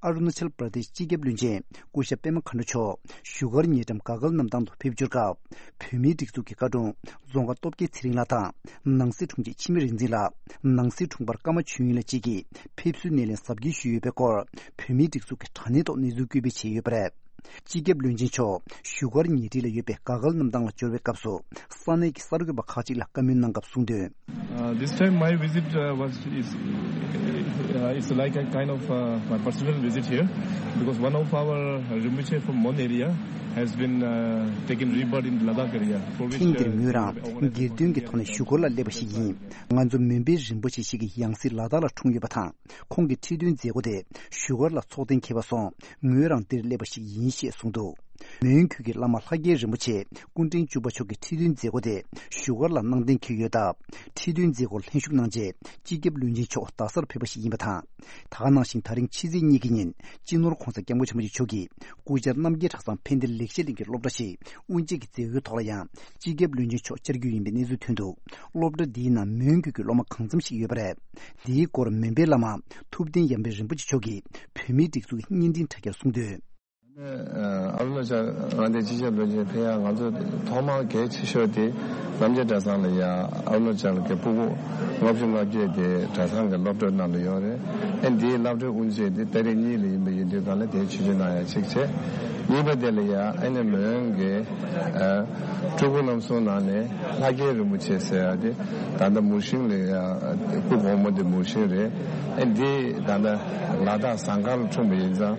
ཨ་རུ་ན་ཅལ་པར་དེཤ་སྤྱི་ཁྱབ་བློན་ཆེན་སྐུ་ཞབས་པད་མ་མཁའ་འགྲོ་མཆོག་བཞུགས་སྒར་ཉེ་འགྲམ་ག་གལ་གནམ་ཐང་དུ་ཕེབས་འབྱོར་སྐབས། བོད་མིའི་སྒྲིག་འཛུགས་ཀྱི་བཀའ་དྲུང་རྫོང་དགའ་སྟོབས་རྒྱལ་ཚེ་རིང་ལགས་དང་། ནང་སྲིད་དྲུང་ཆེ་འཆི་མེད་རིག་འཛིན་ལགས། ནང་སྲིད་དྲུང་འཕར་ཀརྨ་ཆོས་དབྱིངས་ལགས་བཅས་ཀྱིས་ཕེབས་བསུའི་སྣེ་ལེན་གཟབ་རྒྱས་ཞུས་ཡོད་པའི་སྐོར། བོད་མིའི་སྒྲིག་འཛུགས་ཀྱི་དྲ་གནས་ཐོག་གནས་ཚུལ་བཀོད་སྤེལ་བྱས་ཡོད་པ་རེད། སྤྱི་ཁྱབ་བློན་ཆེན་མཆོག་བཞུགས་སྒར་ཉེ་འཁྲིས་ལ་ཡོད་པའི་ག་གལ་གནམ་ཐང་ལ་འབྱོར་བའི་སྐབས་སུ། ས་གནས་ཀྱི་གསར་འགོད་པ་ཁག་ཅིག་ལ་བཀའ་མོལ་གནང་སྐབས་གསུངས་དོན། Uh, this time my visit, uh, was is uh, it's like a kind of uh, my personal visit here because one of our Rinpoche from Mon area has been uh, taken rebirth in Ladakh area. For which, ཐེངས་འདིར་uh, ངོས་རང་སྒེར་དོན་གྱི་ཐོག་ནས་བཞུགས་སྒར་ལ་སླེབས་པ་ཞིག་ཡིན། ང་ཚོ་མོན་པའི་རིན་པོ་ཆེ་ཞིག་གི་ཡང་སྲིད་ལ་དྭགས་ལ་འཁྲུངས་ཡོད་པ་དང་། ཁོང་གི་ཁྲི་སྟོན་མཛད་སྒོ་དེ་བཞུགས་སྒར་ལ་ཚོགས་གཏན་འཁེལ་བ་སོང་། ངོས་རང་འདིར་སླེབས་པ་ཞིག་ཡིན་ཞེས་གསུངས་འདུག་མོན་གྷོ་གི་བླ་མ་ལྷ་རྒྱལ་རིན་པོ་ཆེ་སྐུ་ཕྲེང་བཅུ་པ་མཆོག་གི་ཁྲི་སྟོན་མཛད་སྒོ་དེ་བཞུགས་སྒར་ལ་གནང་གཏན་འཁེལ་ཡོད་སྟབས། ཁྲི་སྟོན་མཛད་སྒོར་ལྷན་ཞུགས་གནང་རྗེས་སྤྱི་ཁྱབ་བློན་ཆེན་མཆོག་རྡ་སར་ཕེབས་པ་ཞིག་ཡིན་པ་དང་། ད་ག་ནང་བཞིན་ད་རིང་ཕྱི་ཚེས་གཉིས་ཀྱི་ཉིན་སྤྱི་ནོར་༧གོང་ས་༧སྐྱབས་མགོན་ཆེན་པོ་མཆོག་གིས་སྐུ་བཅར་རྣམ་རྒྱལ་གྲྭ་ཚང་ཕན་བདེ་ལེགས་བཤད་གླིང་གི་སློབ་གྲྭ་ཞིག་དབུ་འབྱེད་ཀྱི་མཛད་སྒོའི་ཐོག་ལ་ཡང་སྤྱི་ཁྱབ་བློན་ཆེན་མཆོག་བཅར་རྒྱུ་ཡིན་པའི་གནས་ཚུལ་ཐོན་འདུག་སློབ་གྲྭ་འདིའི་ནང་མོན་གྷོ་གི་སློབ་མ་གང་འཚམ་ཞིག་ཡོད་པ་རེད། འདིའི་སྐོར་མོན་པའི་བླ་མ་ཐུབ་བསྟན་ཡར་འཕེལ་རིན་པོ་ཆེ་མཆོག་གིས་བོད་མིའི་སྒྲིག་འཛུགས་ཀྱི་བརྙན་འཕྲིན་དྲ་རྒྱར་གསུངས་དོན། ཨ་རུ་ན་ཅལ་མངའ་སྡེའི་སྤྱི་ཁྱབ་བློན་ཆེན་ཕེབས་ཡག་ང་ཚོ་ཐོག་མར་གལ་ཆེ་ཤོས་དེ་རྣམ་རྒྱལ་གྲྭ་ཚང་ལ་ཡ་ཨ་རུ་ན་ཅལ་གྱི་སྤུ་གུ་ལྔ་བཅུ་ང་བརྒྱད་དེ་གྲྭ་ཚང་གི་སློབ་གྲྭའི་ནང་ལ་ཡོད་རེད། ཨ་འདིའི་སློབ་གྲྭའི་དབུ་འབྱེད་དེ་ཏ་རིག་གཉིས་ལ་ཡིན་པ་ཡིན་དུས་གང་ལ་དེའི་ཆིབས་བསྒྱུར་གནང་ཡག་གཅིག་བྱས། གཉིས་པ་དེ་ལ་ཡ་ཨ་ནི་མོན་གྱི་ཨ་སྤྲུལ་སྐུ་རྣམ་གསུམ་ནང་ནས་ལྷ་རྒྱལ་རིན་པོ་ཆེ་ཟེར་ཡག་དེ་ད་ལྟ་མུར་ཤིང་ལ་ཡ་སྐུ་གོང་མ་དེ་མུར་ཤིང་རེད། ཨ་འདི་ད་ལྟ་ལ་དྭགས་ཟངས་དཀར་ལ་འཁྲུངས་པ་ཡིན་ཙང་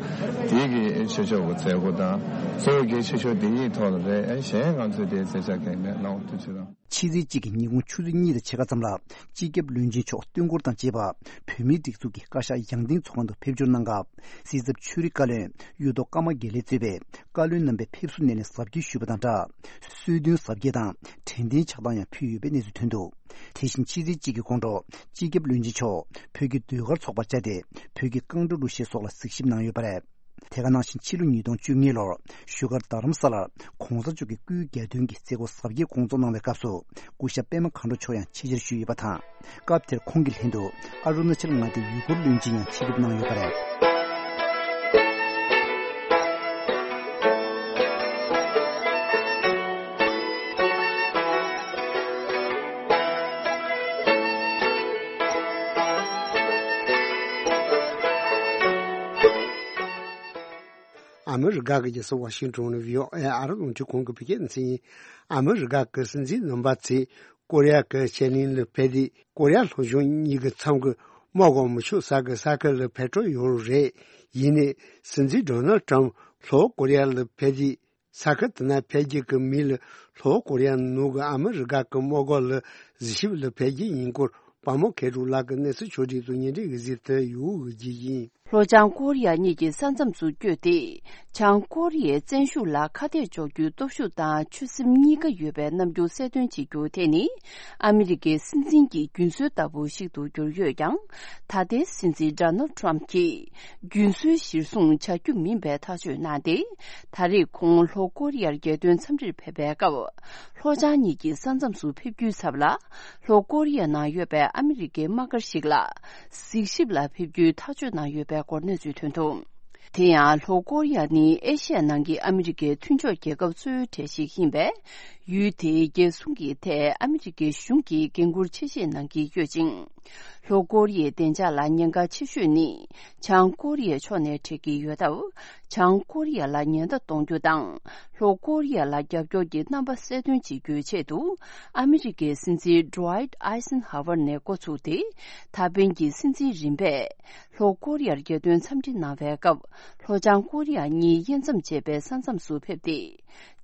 དེའི་གི་ཆོས་ཕྱོགས་ཀྱི་མཛད་སྒོ་དང་གཙོ་བོ་གལ་ཆེ་ཤོས་དེ་གཉིས་ཐོག་ལ་རེད། ཨ་གཞན་ང་ཚོས་དེའི་མཛད་འཆར་གང་ཡང་མེད། གནང་བ་ཐུགས་རྗེ་ཆེ་གནང་། ཕྱི་ཚེས་གཅིག་གི་ཉིན་གུང་ཆུ་ཚོད་གཉིས་དང་ཕྱེད་ཀ་ཙམ་ལ་སྤྱི་ཁྱབ་བློན་ཆེན་མཆོག་སྟོན་འཁོར་དང་བཅས་པ་བོད་མིའི་སྒྲིག་འཛུགས་ཀྱི་བཀའ་ཤག་ཡང་སྟེང་ཚོགས་ཁང་དུ་ཕེབས་འབྱོར་གནང་སྐབས། སྲིད་ཚབ་ཆོས་རིག་བཀའ་བློན་གཡུ་ཐོག་ཀརྨ་དགེ་ལེགས་གཙོས་པའི་བཀའ་བློན་རྣམ་པས་ཕེབས་བསུ་སྣེ་ལེན་གཟབ་རྒྱས་ཞུས་པ་དང་སྦྲགས། གསོལ་སྟོན་གཟབ་རྒྱས་དང་དྲན་རྟེན་ཕྱག་དང་ཡང་ཕུལ་ཡོད་པའི་གནས་ཚུལ་ཐོན་འདུག་དེ་བཞིན་ཕྱི་ཚེས་གཅིག་གི་དགོང་དྲོ་སྤྱི་ཁྱབ་བློན་ཆེན་མཆོག་བོད་ཀྱི་ཟློས་གར་ཚོགས་པར་བཅར་ཏེ། བོད་ཀྱི་རྐང་བྲོ་གླུ་གཞས་སོགས་ལ་གཟིགས་ཞིབ་གནང་ཡོད་པ་རེད། དེ་ག་ནང་བཞིན་ཕྱི་ལོ་ཉིས་སྟོང་བཅོ་ལྔ་ལོར་བཞུགས་སྒར་རྡ་རམ་ས་ལར་༧གོང་ས་མཆོག་གི་སྐུའི་གྱ་སྟོན་གྱི་མཛད་སྒོ་གཟབ་རྒྱས་སྐོང་ཚོགས་གནང་བའི་སྐབས་སུ། སྐུ་ཞབས་པད་མ་མཁའ་འགྲོ་མཆོག་ཡང་ཆེད་བཅར་ཞུས་ཡོད་པ་དང་། སྐབས་དེར་ཁོང་གི་ལྷན་དུ་ཨ་རུ་ན་ཅལ་མངའ་སྡེའི་ཡུལ་སྐོར་བློན་ཆེན་ཡང་ཆེད་ཕེབས་གནང་ཡོད་པ་རེད། ཨ་མི་རི་ཀ་གི་རྒྱལ་ས་ཝ་ཤིང་ཊོན་ནས་བྷི་ཨོ་ཨེ་ཨ་རི་རླུང་འཕྲིན་ཁང་གི་བོད་སྐད་སྡེ་ཚན་ཡིན། ཨ་མི་རི་ཀ་གི་སྲིད་འཛིན་རྣམ་པ་ཚོས་ཀོ་རི་ཡ་གི་བྱེད་གླིང་ལ་ཕེབས་ཏེ། ཀོ་རི་ཡ་ལྷོ་གཞུང་གཉིས་ཀྱི་མཚམས་ཀྱི་དམག་གོང་མི་ཆོག་ས་གི་ས་ཁུལ་ལ་ཕེབས་འགྲོ་ཡོད་རེད། ཡིན་ནའི་སྲིད་འཛིན་ཌོ་ནལ་ཊམ་ལྷོ་ཀོ་རི་ཡ་ལ་ཕེབས་དུས། ས་ཁུལ་དེ་ན་ཕེབས་རྒྱུ་གི་མི་ལ་ལྷོ་ཀོ་རི་ཡ་ནང་གི་ཨ་མི་རི་ཀ་གི་དམག་སྒར་ལ་གཟིགས་ཞིབ་ལ་ཕེབས་རྒྱུ་ཡིན་སྐོར་དཔའ་མོ་མཁས་གྲུབ་ལགས་ཀྱི་གནས་ཚུལ་ཕྱོགས་སྒྲིག་དང་སྙན་སྒྲོན་ཡི་གཟིགས་དུ་ཡོད་ཀྱི་ཡིན། ལྷོ་བྱང་ཀོ་རི་ཡ་གཉིས་ཀྱི་ས་མཚམས་སུ་བསྐྱོད་དེ། བྱང་ཀོ་རི་ཡའི་བཙན་ཤུགས་ལ་ཁ་གཏད་གཅོག་རྒྱུའི་སྟོབས་ཤུགས་དང་ཆོད་སེམས་གཉིས་ཀ་ཡོད་པའི་རྣམ་འགྱུར་གསལ་སྟོན་བྱེད་རྒྱུ་དེ་ནི། ཨ་མི་རི་ཀའི་སྲིད་འཛིན་གྱི་རྒྱུན་སྲོལ་ལྟ་བུ་ཞིག་ཏུ་གྱུར་ཡོད་ཀྱང་། ད་ལྟའི་སྲིད་འཛིན་ཌོ་ནལ་ཊམ་གྱིས་རྒྱུན་སྲོལ་གཞིར་བཟུང་བྱ་རྒྱུ་མིན་པའི་ཐག་གཅོད་གནང་སྟེ། ད་རེས་ཁོང་ལྷོ་ཀོ་རི་ཡར་རྒྱལ་དོན་འཚམས་འདྲིར་ཕེབས་པའི་སྐབས། ལྷོ་བྱང་གཉིས་ཀྱི་ས་མཚམས་སུ་ཕེབས་རྒྱུའི་ཚབ་ལ། ལྷོ་ཀོ་རི་ཡ་ནང་ཡོད་པའི་ཨ་མི་རི་ཀའི་དམག་སྒར་ཞིག་ལ་གཟིགས་ཞིབ་ལ་ཕེབས་རྒྱུའི་ཐག་གཅོད་གནང་ཡོད་པའི་སྐོར་གནས་ཚུལ་ཐོན་འདུག་དེ་ཡང་ལྷོ་ཀོ་རི་ཡ་ནི་ཨེ་ཤི་ཡ་ནང་གི་ཨ་མི་རི་ཀའི་མཐུན་ཕྱོགས་རྒྱལ་ཁབ་གཙོ་བོའི་གྲས་ཤིག་ཡིན་པས། ཡུལ་དེའི་རྒྱལ་སྲུང་གི་ཐད་ཨ་མི་རི་ཀའི་གཞུང་གིས་འགན་འཁུར་ཆེ་བཞེས་གནང་གི་ཡོད་ཅིང་། ལྷོ་ཀོ་རི་ཡའི་བདེ་འཇགས་ལ་ཉེན་ཁ་ཆེ་ཤོས་ནི་བྱང་ཀོ་རི་ཡའི་ཕྱོགས་ནས་འཕྲད་ཀྱི་ཡོད་སྟབས། བྱང་ཀོ་རི་ཡ་ལ་ཉེན་བརྡ་གཏོང་རྒྱུ་དང་། ལྷོ་ཀོ་རི་ཡ་ལ་རྒྱབ་སྐྱོར་གྱི་རྣམ་པ་གསལ་སྟོན་བྱེད་རྒྱུའི་ཆེད་དུ། ཨ་མི་རི་ཀའི་སྲིད་འཛིན་ཌུ་ཝའིཊ་ཨའི་སན་ཧ་ཝར་ནས་འགོ་ཚུགས་ཏེ། ད་ཕན་གྱི་སྲིད་འཛིན་རིམ་པས། ལྷོ་ཀོ་རི་ཡར་རྒྱལ་དོན་འཚམས་འདྲི་གནང་བའི་སྐབས། ལྷོ་བྱང་ཀོ་རི་ཡ་གཉིས་དབྱེ་མཚམས་བཅད་པའི་ས་མཚམས་སུ་ཕེབས་ཏེ།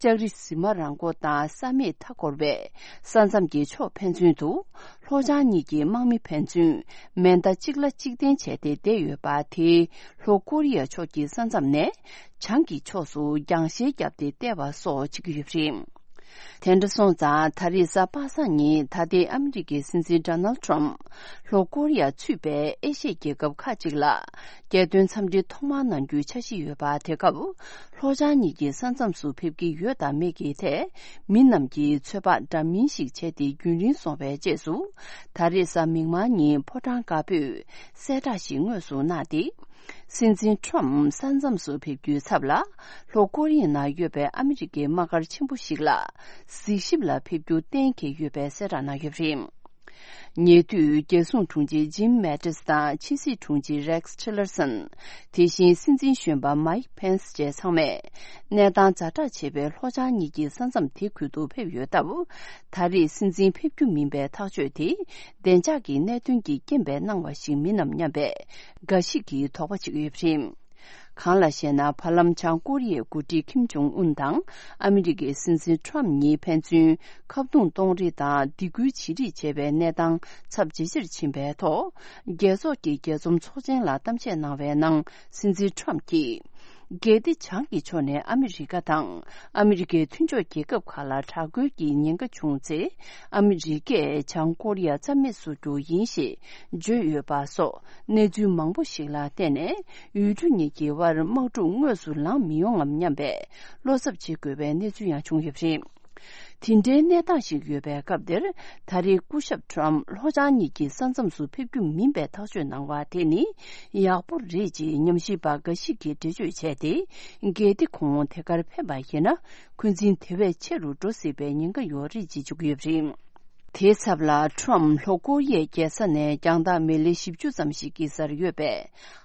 ལྕགས་རི་གཟིགས་མ་ར་མགོ་དང་ས་མེད་མཐའ་འཁོར་བའི་ས་མཚམས་ཀྱི་ཕྱོགས་ཕན་ཚུན་དུ། ལྷོ་བྱང་གཉིས་ཀྱི་དམག་མི་ཕན་ཚུན་མེ་མདའ་གཅིག་ལ་གཅིག་འཐེན་བྱས་ཏེ་བསྡད་ཡོད་པ་དེས། ལྷོ་ཀོ་རི་ཡ་ཕྱོགས་ཀྱི་ས་མཚམས་ནས་བྱང་གི་ཕྱོགས་སུ་རྒྱང་ཤེལ་བརྒྱབ་སྟེ་བལྟས་པ་སོགས་བྱེད་ཀྱི་ཡོད་པ་རེད། དེ་འདྲ་སོང་ཙང་ད་རེས་གཟའ་པ་སངས་ཉིན་ད་ལྟའི་ཨ་མི་རི་ཀའི་སྲིད་འཛིན་ཌོ་ནལ་ཊམ་ལྷོ་ཀོ་རི་ཡ་ཚུད་པའི་ཨེ་ཤི་ཡའི་རྒྱལ་ཁབ་ཁག་ཅིག་ལ་རྒྱལ་དོན་འཚམས་འདྲི་ཐོག་མར་གནང་རྒྱུའི་འཆར་གཞི་ཡོད་པ། དེ་སྐབས་ལྷོ་བྱང་གཉིས་ཀྱི་ས་མཚམས་སུ་ཕེབས་ཀྱི་ཡོད་དམ་མེད་ཀྱི་ཐད་མི་རྣམས་ཀྱིས་ཚོད་དཔག་འདྲ་མིན་ཞིག་བྱས་ཏེ་རྒྱུན་རིང་སོང་བའི་རྗེས་སུ། ད་རེས་གཟའ་མིག་དམར་ཉིན་ཕོ་བྲང་དཀར་པོས་གསལ་བསྒྲགས་ཤིག་དངོས་སུ་གནང་སྟེ། སྲིད་འཛིན་ཊམ་ས་མཚམས་སུ་ཕེབས་རྒྱུའི་ཚབ་ལ། ལྷོ་ཀོ་རི་ཡའི་ནང་ཡོད་པའི་ཨ་མི་རི་ཀའི་དམག་སྒར་ཆེན་པོ་ཞིག་ལ་གཟིགས་ཞིབ་ལ་ཕེབས་རྒྱུ་གཏན་འཁེལ་ཡོད་པའི་གསལ་བསྒྲགས་གནང་ཡོད་པ་རེད། ཉེ་དུས་རྒྱལ་སྲུང་དྲུང་ཆེ་ཇིམ་མེ་ཏིས་དང་ཕྱི་སྲིད་དྲུང་ཆེ་རེག་ཊི་ལར་སན། དེ་བཞིན་སྲིད་འཛིན་གཞོན་པ་མའིག་ཕེན་སི་བཅས་ཚང་མས་གནས་སྟངས་ཛ་དྲག་ཆེ་བའི་ལྷོ་བྱང་གཉིས་ཀྱི་ས་མཚམས་དེ་ཁུལ་དུ་ཕེབས་ཡོད་སྟབས། ད་རེས་སྲིད་འཛིན་ཕེབས་རྒྱུ་མིན་པའི་ཐག་གཅོད་དེ། བདེ་འཇགས་ཀྱི་གནད་དོན་གྱི་རྐྱེན་པས་གནང་བ་ཞིག་མིན་ནམ་སྙམ་པའི་འགའ་ཞིག་གིས་དོགས་པ་བྱེད་ཀྱི་ཡོད་པ་རེད། གང་ལ་ཞེ་ན། བར་ལམ་བྱང་ཀོ་རི་ཡའི་འགོ་ཁྲིད་ཁིམ་ཇོང་ཨུན་དང་ཨ་མི་རི་ཀའི་སྲིད་འཛིན་ཊམ་གཉིས་ཕན་ཚུན་ཁ་རྡུང་གཏོང་རེས་དང་སྡིགས་སྐུལ་བྱེད་རེས་བྱས་པའི་གནས་སྟངས་ཚབས་ཇེ་ཆེར་ཕྱིན་པའི་ཐོག་རྒྱལ་ཚོགས་ཀྱི་རྒྱས་འཛོམས་ཚོགས་ཆེན་ལ་གཏམ་བཤད་གནང་བའི་ནང་སྲིད་འཛིན་ཊམ་གྱིས། གལ་ཏེ་བྱང་གི་ཕྱོགས་ནས་ཨ་མི་རི་ཀ་དང་ཨ་མི་རི་ཀའི་མཐུན་ཕྱོགས་རྒྱལ་ཁབ་ཁག་ལ་དྲག་རྒོལ་གྱི་ཉེན་ཁ་བྱུང་ཚེ། ཨ་མི་རི་ཀས་བྱང་ཀོ་རི་ཡ་རྩ་མེད་བཟོ་རྒྱུ་ཡིན་ཞེས་བརྗོད་ཡོད་པ་སོགས་གནས་ཚུལ་མང་པོ་ཞིག་ལ་བརྟེན་ནས། ཡུལ་གྲུ་གཉིས་ཀྱི་དབར་དམག་འཁྲུག་དངོས་སུ་ལངས་མི་ཡོང་ངམ་སྙམ་པའི་བློ་འཚབ་བྱེད་དགོས་པའི་གནས་ཚུལ་ཡང་བྱུང་ཡོད་པ་རེད། དེ་འདྲའི་གནས་སྟངས་ཤིག་ཡོད་པའི་སྐབས་འདིར། ད་རེས་སྐུ་ཞབས་ཊམ་ལྷོ་བྱང་གཉིས་ཀྱི་ས་མཚམས་སུ་ཕེབས་རྒྱུ་མིན་པའི་ཐག་གཅོད་གནང་བ་དེ་ནི་ཡག་པོ་རེད་ཅེས་ཉམས་ཞིབ་པ་འགའ་ཞིག་གིས་འགྲེལ་བརྗོད་བྱས་ཏེ། གལ་ཏེ་ཁོང་དེ་གར་ཕེབས་པ་ཡིན་ན། འཁོན་འཛིན་དེ་བས་ཆེ་རུ་འགྲོ་སྲིད་པའི་ཉེན་ཁ་ཡོད་རེད་ཅེས་བརྗོད་ཀྱི་ཡོད་པ་རེད། དེའི་ཚབ་ལ། ཊམ་ལྷོ་ཀོ་རི་ཡའི་རྒྱལ་ས་ནས་རྒྱང་ཐག་མི་ལི་བཞི་བཅུ་ཙམ་ཞིག་གི་སར་ཡོད་པའི་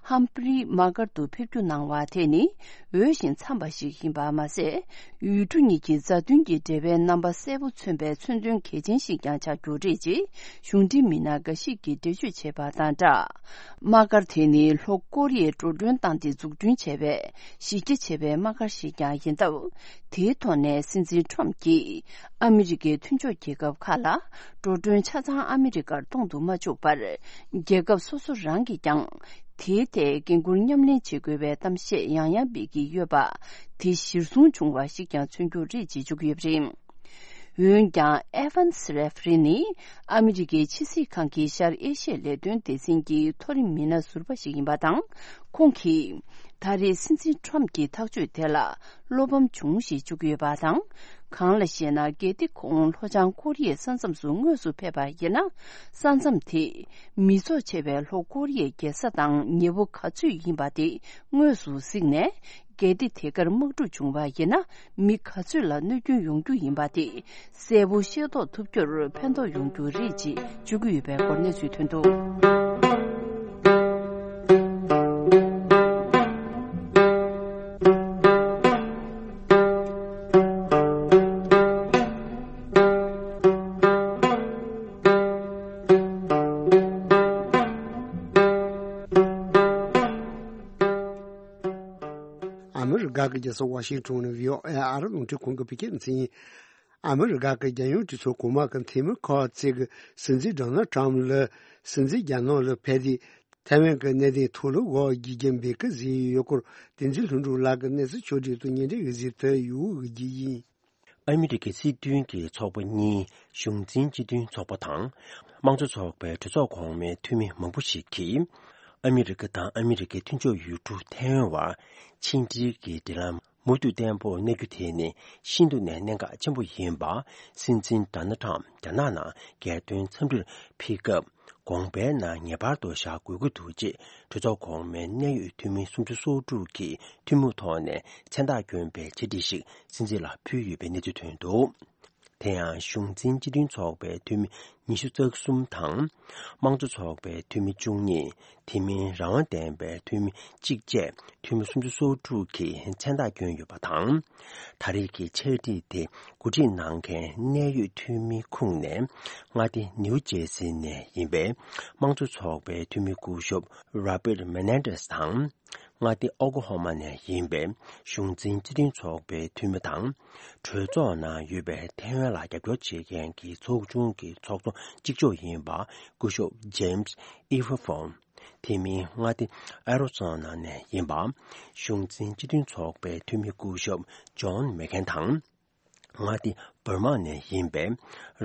ཧམ་ཕི་རི་དམག་སྒར་དུ་ཕེབས་རྒྱུ་གནང་བ་དེ་ནི་འོས་ཤིང་འཚམས་པ་ཞིག་ཡིན་པ་མ་ཟད། ཡུལ་གྲུ་གཉིས་ཀྱི་མཛའ་མཐུན་གྱི་འབྲེལ་བའི་རྣམ་པ་གསལ་པོ་མཚོན་པའི་མཚོན་དོན་གལ་ཆེན་ཞིག་ཀྱང་ཆགས་རྒྱུ་རེད་ཅེས་གཞུང་འབྲེལ་མི་སྣ་འགའ་ཞིག་གིས་འགྲེལ་བརྗོད་བྱས་པ་དང་སྦྲགས། དམག་སྒར་དེ་ནི་ལྷོ་ཀོ་རི་ཡས་འགྲོ་གྲོན་བཏང་སྟེ་འཛུགས་སྐྲུན་བྱས་པའི་གཞི་རྒྱ་ཆེ་བའི་དམག་སྒར་ཞིག་ཀྱང་ཡིན་སྟབས། དེའི་ཐོག་ནས་སྲིད་འཛིན་ཊམ་གྱིས་ཨ་མི་རི་ཀའི་མཐུན་ཕྱོགས་རྒྱལ་ཁབ་ཁག་ལ་འགྲོ་གྲོན་ཆ་ཚང་ཨ་མི་རི་ཀར་གཏོང་དུ་མ་བཅུག་པར། རྒྱལ་ཁབ་སོ་སོ་རང་གིས་ཀྱང་དེའི་ཐད་འགན་འཁུར་མཉམ་ལེན་བྱེད་དགོས་པའི་གཏམ་བཤད་ཡང་ཡང་སྤེལ་གྱི་ཡོད་པ། དེ་གཞིར་བཟུང་བྱུང་བ་ཞིག་ཀྱང་མཚོན་རྒྱུ་རེད་ཅེས་བརྗོད་ཀྱི་ཡོད་པ་རེད། འོན་ཀྱང་། ཨེ་ཝན་སི་རེ་ཕི་རི་ནི་ཨ་མི་རི་ཀའི་ཕྱི་སྲིད་ཁང་གི་ཤར་ཨེ་ཤི་ཡའི་ལས་དོན་སྡེ་ཚན་གྱི་མཐོ་རིམ་མི་སྣ་ཟུར་པ་ཞིག་ཡིན་པ་དང་། ཁོང་གིས་ད་རེས་སྲིད་འཛིན་ཊམ་གྱི་ཐག་གཅོད་དེ་ལ་བློ་ཕམ་བྱུང་ཞེས་བརྗོད་ཀྱི་ཡོད་པ་དང་། གང་ལ་ཞེ་ན། གལ་ཏེ་ཁོང་ལྷོ་བྱང་ཀོ་རི་ཡའི་ས་མཚམས་སུ་དངོས་སུ་ཕེབས་པ་ཡིན་ན། ས་མཚམས་དེས་མི་ཚོགས་ཆེ་བའི་ལྷོ་ཀོ་རི་ཡའི་རྒྱལ་ས་དང་ཉེ་པོ་ག་ཚོད་ཡིན་པ་དེ་དངོས་སུ་གཟིགས་ནས། གལ་ཏེ་དེ་གར་དམག་འཁྲུག་བྱུང་བ་ཡིན་ན། མི་ག་ཚོད་ལ་གནོད་སྐྱོན་ཡོང་རྒྱུ་ཡིན་པ་དེ་གསལ་པོ་ཤེས་རྟོགས་ཐུབ་རྒྱུར་ཕན་ཐོགས་ཡོང་རྒྱུ་རེད་ཅེས་བརྗོད་ཀྱི་ཡོད་པའི་སྐོར་གནས་ཚུལ་ཐོན་འདུག་ཨ་མི་རི་ཀ་གི་རྒྱལ་ས་ཝ་ཤིང་ཊོན་ནས་བྷི་ཨོ་ཨེ་ཨ་རི་རླུང་འཕྲིན་ཁང་གི་བོད་སྐད་སྡེ་ཚན་ཡིན། ཨ་མི་རི་ཀ་གི་རྒྱལ་ཡོངས་གྲོས་ཚོགས་གོང་མ་གི་འཐུས་མི་ཁག་ཅིག་གིས་སྲིད་འཛིན་ཌོ་ནལ་ཊམ་ལ་སྲིད་འཛིན་རྒྱ་ནག་ལ་ཕེབས་ཏེ་ཐའེ་ཝན་གྱི་གནད་དོན་ཐོག་ལ་དབུ་འབྱེད་རྒྱུ་འབད་ཀྱི་ཟེར་ཡོད་སྐོར་བསྟན་འཛིན་ལྷུན་གྲུབ་ལགས་ཀྱིས་གནས་ཚུལ་ཕྱོགས་སྒྲིག་དང་སྙན་སྒྲོན་གྱི་གཟིགས་ཐོ་ཡོད་གི་ཡིན། ཨ་མི་རི་ཀའི་སྲིད་དོན་གྱི་ཚོགས་པ་གཉིས་གཞུང་འཛིན་སྤྱི་མཐུན་ཚོགས་པ་དང་། དམངས་གཙོ་ཚོགས་པའི་གྲོས་ཚོགས་གོང་མའི་འཐུས་མི་མང་པོ་ཞིག་གིས། ཨ་མི་རི་ཀ་དང་ཨ་མི་རི་ཀའི་མཐུན་ཕྱོགས་ཡུལ་གྲུ་ཐའེ་ཝན་བར་ཕྱི་འབྲེལ་གྱི་འབྲེལ་ལམ་མུ་མཐུད་བརྟན་པོར་གནས་རྒྱུ་དེ་ནི་ཤིན་ཏུ་ནས་གནད་འགག་ཆེན་པོ་ཡིན་པ། སྲིད་འཛིན་ཌོ་ནལ་ཊམ་རྒྱ་ནག་ནང་རྒྱལ་དོན་འཚམས་འདྲིར་ཕེབས་སྐབས། དགོངས་པའི་ནང་ངེས་པར་དུ་བཞག་དགོས་ཀྱི་འདུག་ཅེས་གྲོས་ཚོགས་གོང་མའི་གནད་ཡོད་འཐུས་མི་སུམ་ཅུ་སོ་དྲུག་གིས་ཐུན་མོང་ཐོག་ནས་མཚན་རྟགས་བསྐྱོན་པའི་ཆེད་བསྒྲགས་ཤིག་སྲིད་འཛིན་ལ་ཕུལ་ཡོད་པའི་གནས་ཚུལ་ཐོན་འདུག། དེ་ཡང་གཞུང་འཛིན་སྤྱི་མཐུན་ཚོགས་པའི་འཐུས་མི་ཉི་ཤུ་རྩ་གསུམ་དང་། དམངས་གཙོ་ཚོགས་པའི་འཐུས་མི་བཅུ་གཉིས། དེ་མིན་རང་དབང་ལྡན་པའི་འཐུས་མི་གཅིག་བཅས་འཐུས་མི་སུམ་ཅུ་སོ་དྲུག་གིས་མཚན་རྟགས་བསྐྱོན་ཡོད་པ་དང་། ད་རེས་ཀྱི་ཕྱག་བྲིས་དེ་གོ་སྒྲིག་གནང་མཁན་གནད་ཡོད་འཐུས་མིའི་ཁོངས་ནས་མངའ་སྡེ་ནིའུ་ཇེ་སི་ནས་ཡིན་པའི་དམངས་གཙོ་ཚོགས་པའི་འཐུས་མི་སྐུ་ཞབས་རོ་བྷར་མེ་ནེ་ཌེས་དང་། མངའ་སྡེ་ཨོ་ཀོ་ཧོ་མ་ནས་ཡིན་པའི་གཞུང་འཛིན་སྤྱི་མཐུན་ཚོགས་པའི་འཐུས་མི་དང་། གྲོས་ཚོགས་ནང་ཡོད་པའི་ཐའེ་ཝན་ལ་རྒྱབ་སྐྱོར་བྱེད་མཁན་གྱི་ཚོགས་ཆུང་གི་ཚོགས་གཙོ་གཅིག་ལྕོགས་ཡིན་པ་སྐུ་ཞབས་ཇེམ་སི་ཨི་ཧྥ་ཧྥོན། དེ་མིན་མངའ་སྡེ་ཨེ་རོ་ཛོ་ན་ནས་ཡིན་པ་གཞུང་འཛིན་སྤྱི་མཐུན་ཚོགས་པའི་འཐུས་མི་སྐུ་ཞབས་ཇོན་མེག་གྷན་དང་། མངའ་སྡེ་འབར་མ་ནས་ཡིན་པའི་རང་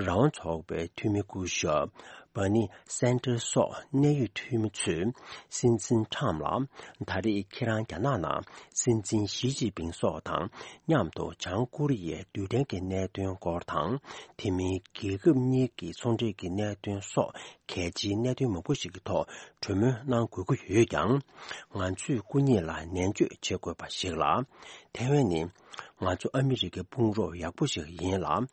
དབང་ཚོགས་པའི་འཐུས་མི་སྐུ་ཞབས་བྷར་ནི་སན་ཏར་སོགས་གནད་ཡོད་འཐུས་མི་ཚོས་སྲིད་འཛིན་ཁྲམ་ལ། ད་རེས་ཁྱེད་རང་རྒྱ་ནག་ནང་སྲིད་འཛིན་ཞི་ཅིན་ཕིང་སོགས་དང་མཉམ་དུ་བྱང་ཀོ་རི་ཡའི་རྡུལ་ཕྲན་གྱི་གནད་དོན་སྐོར་དང་། དེ་མིན་རྒྱལ་ཁབ་གཉིས་ཀྱི་ཚོང་འབྲེལ་གྱི་གནད་དོན་སོགས་གལ་ཆེའི་གནད་དོན་མང་པོ་ཞིག་གི་ཐོག་གྲོས་མོལ་གནང་དགོས་ཀྱི་ཡོད་ཀྱང་། ང་ཚོས་སྐུ་ཉིད་ལ་ནན་བརྗོད་བྱེད་དགོས་པ་ཞིག་ལ། ཐའེ་ཝན་ནི་ང་ཚོ་ཨ་མི་རི་ཀའི་དཔུང་རོགས་ཡག་པོ་ཞིག་ཡིན་ལ།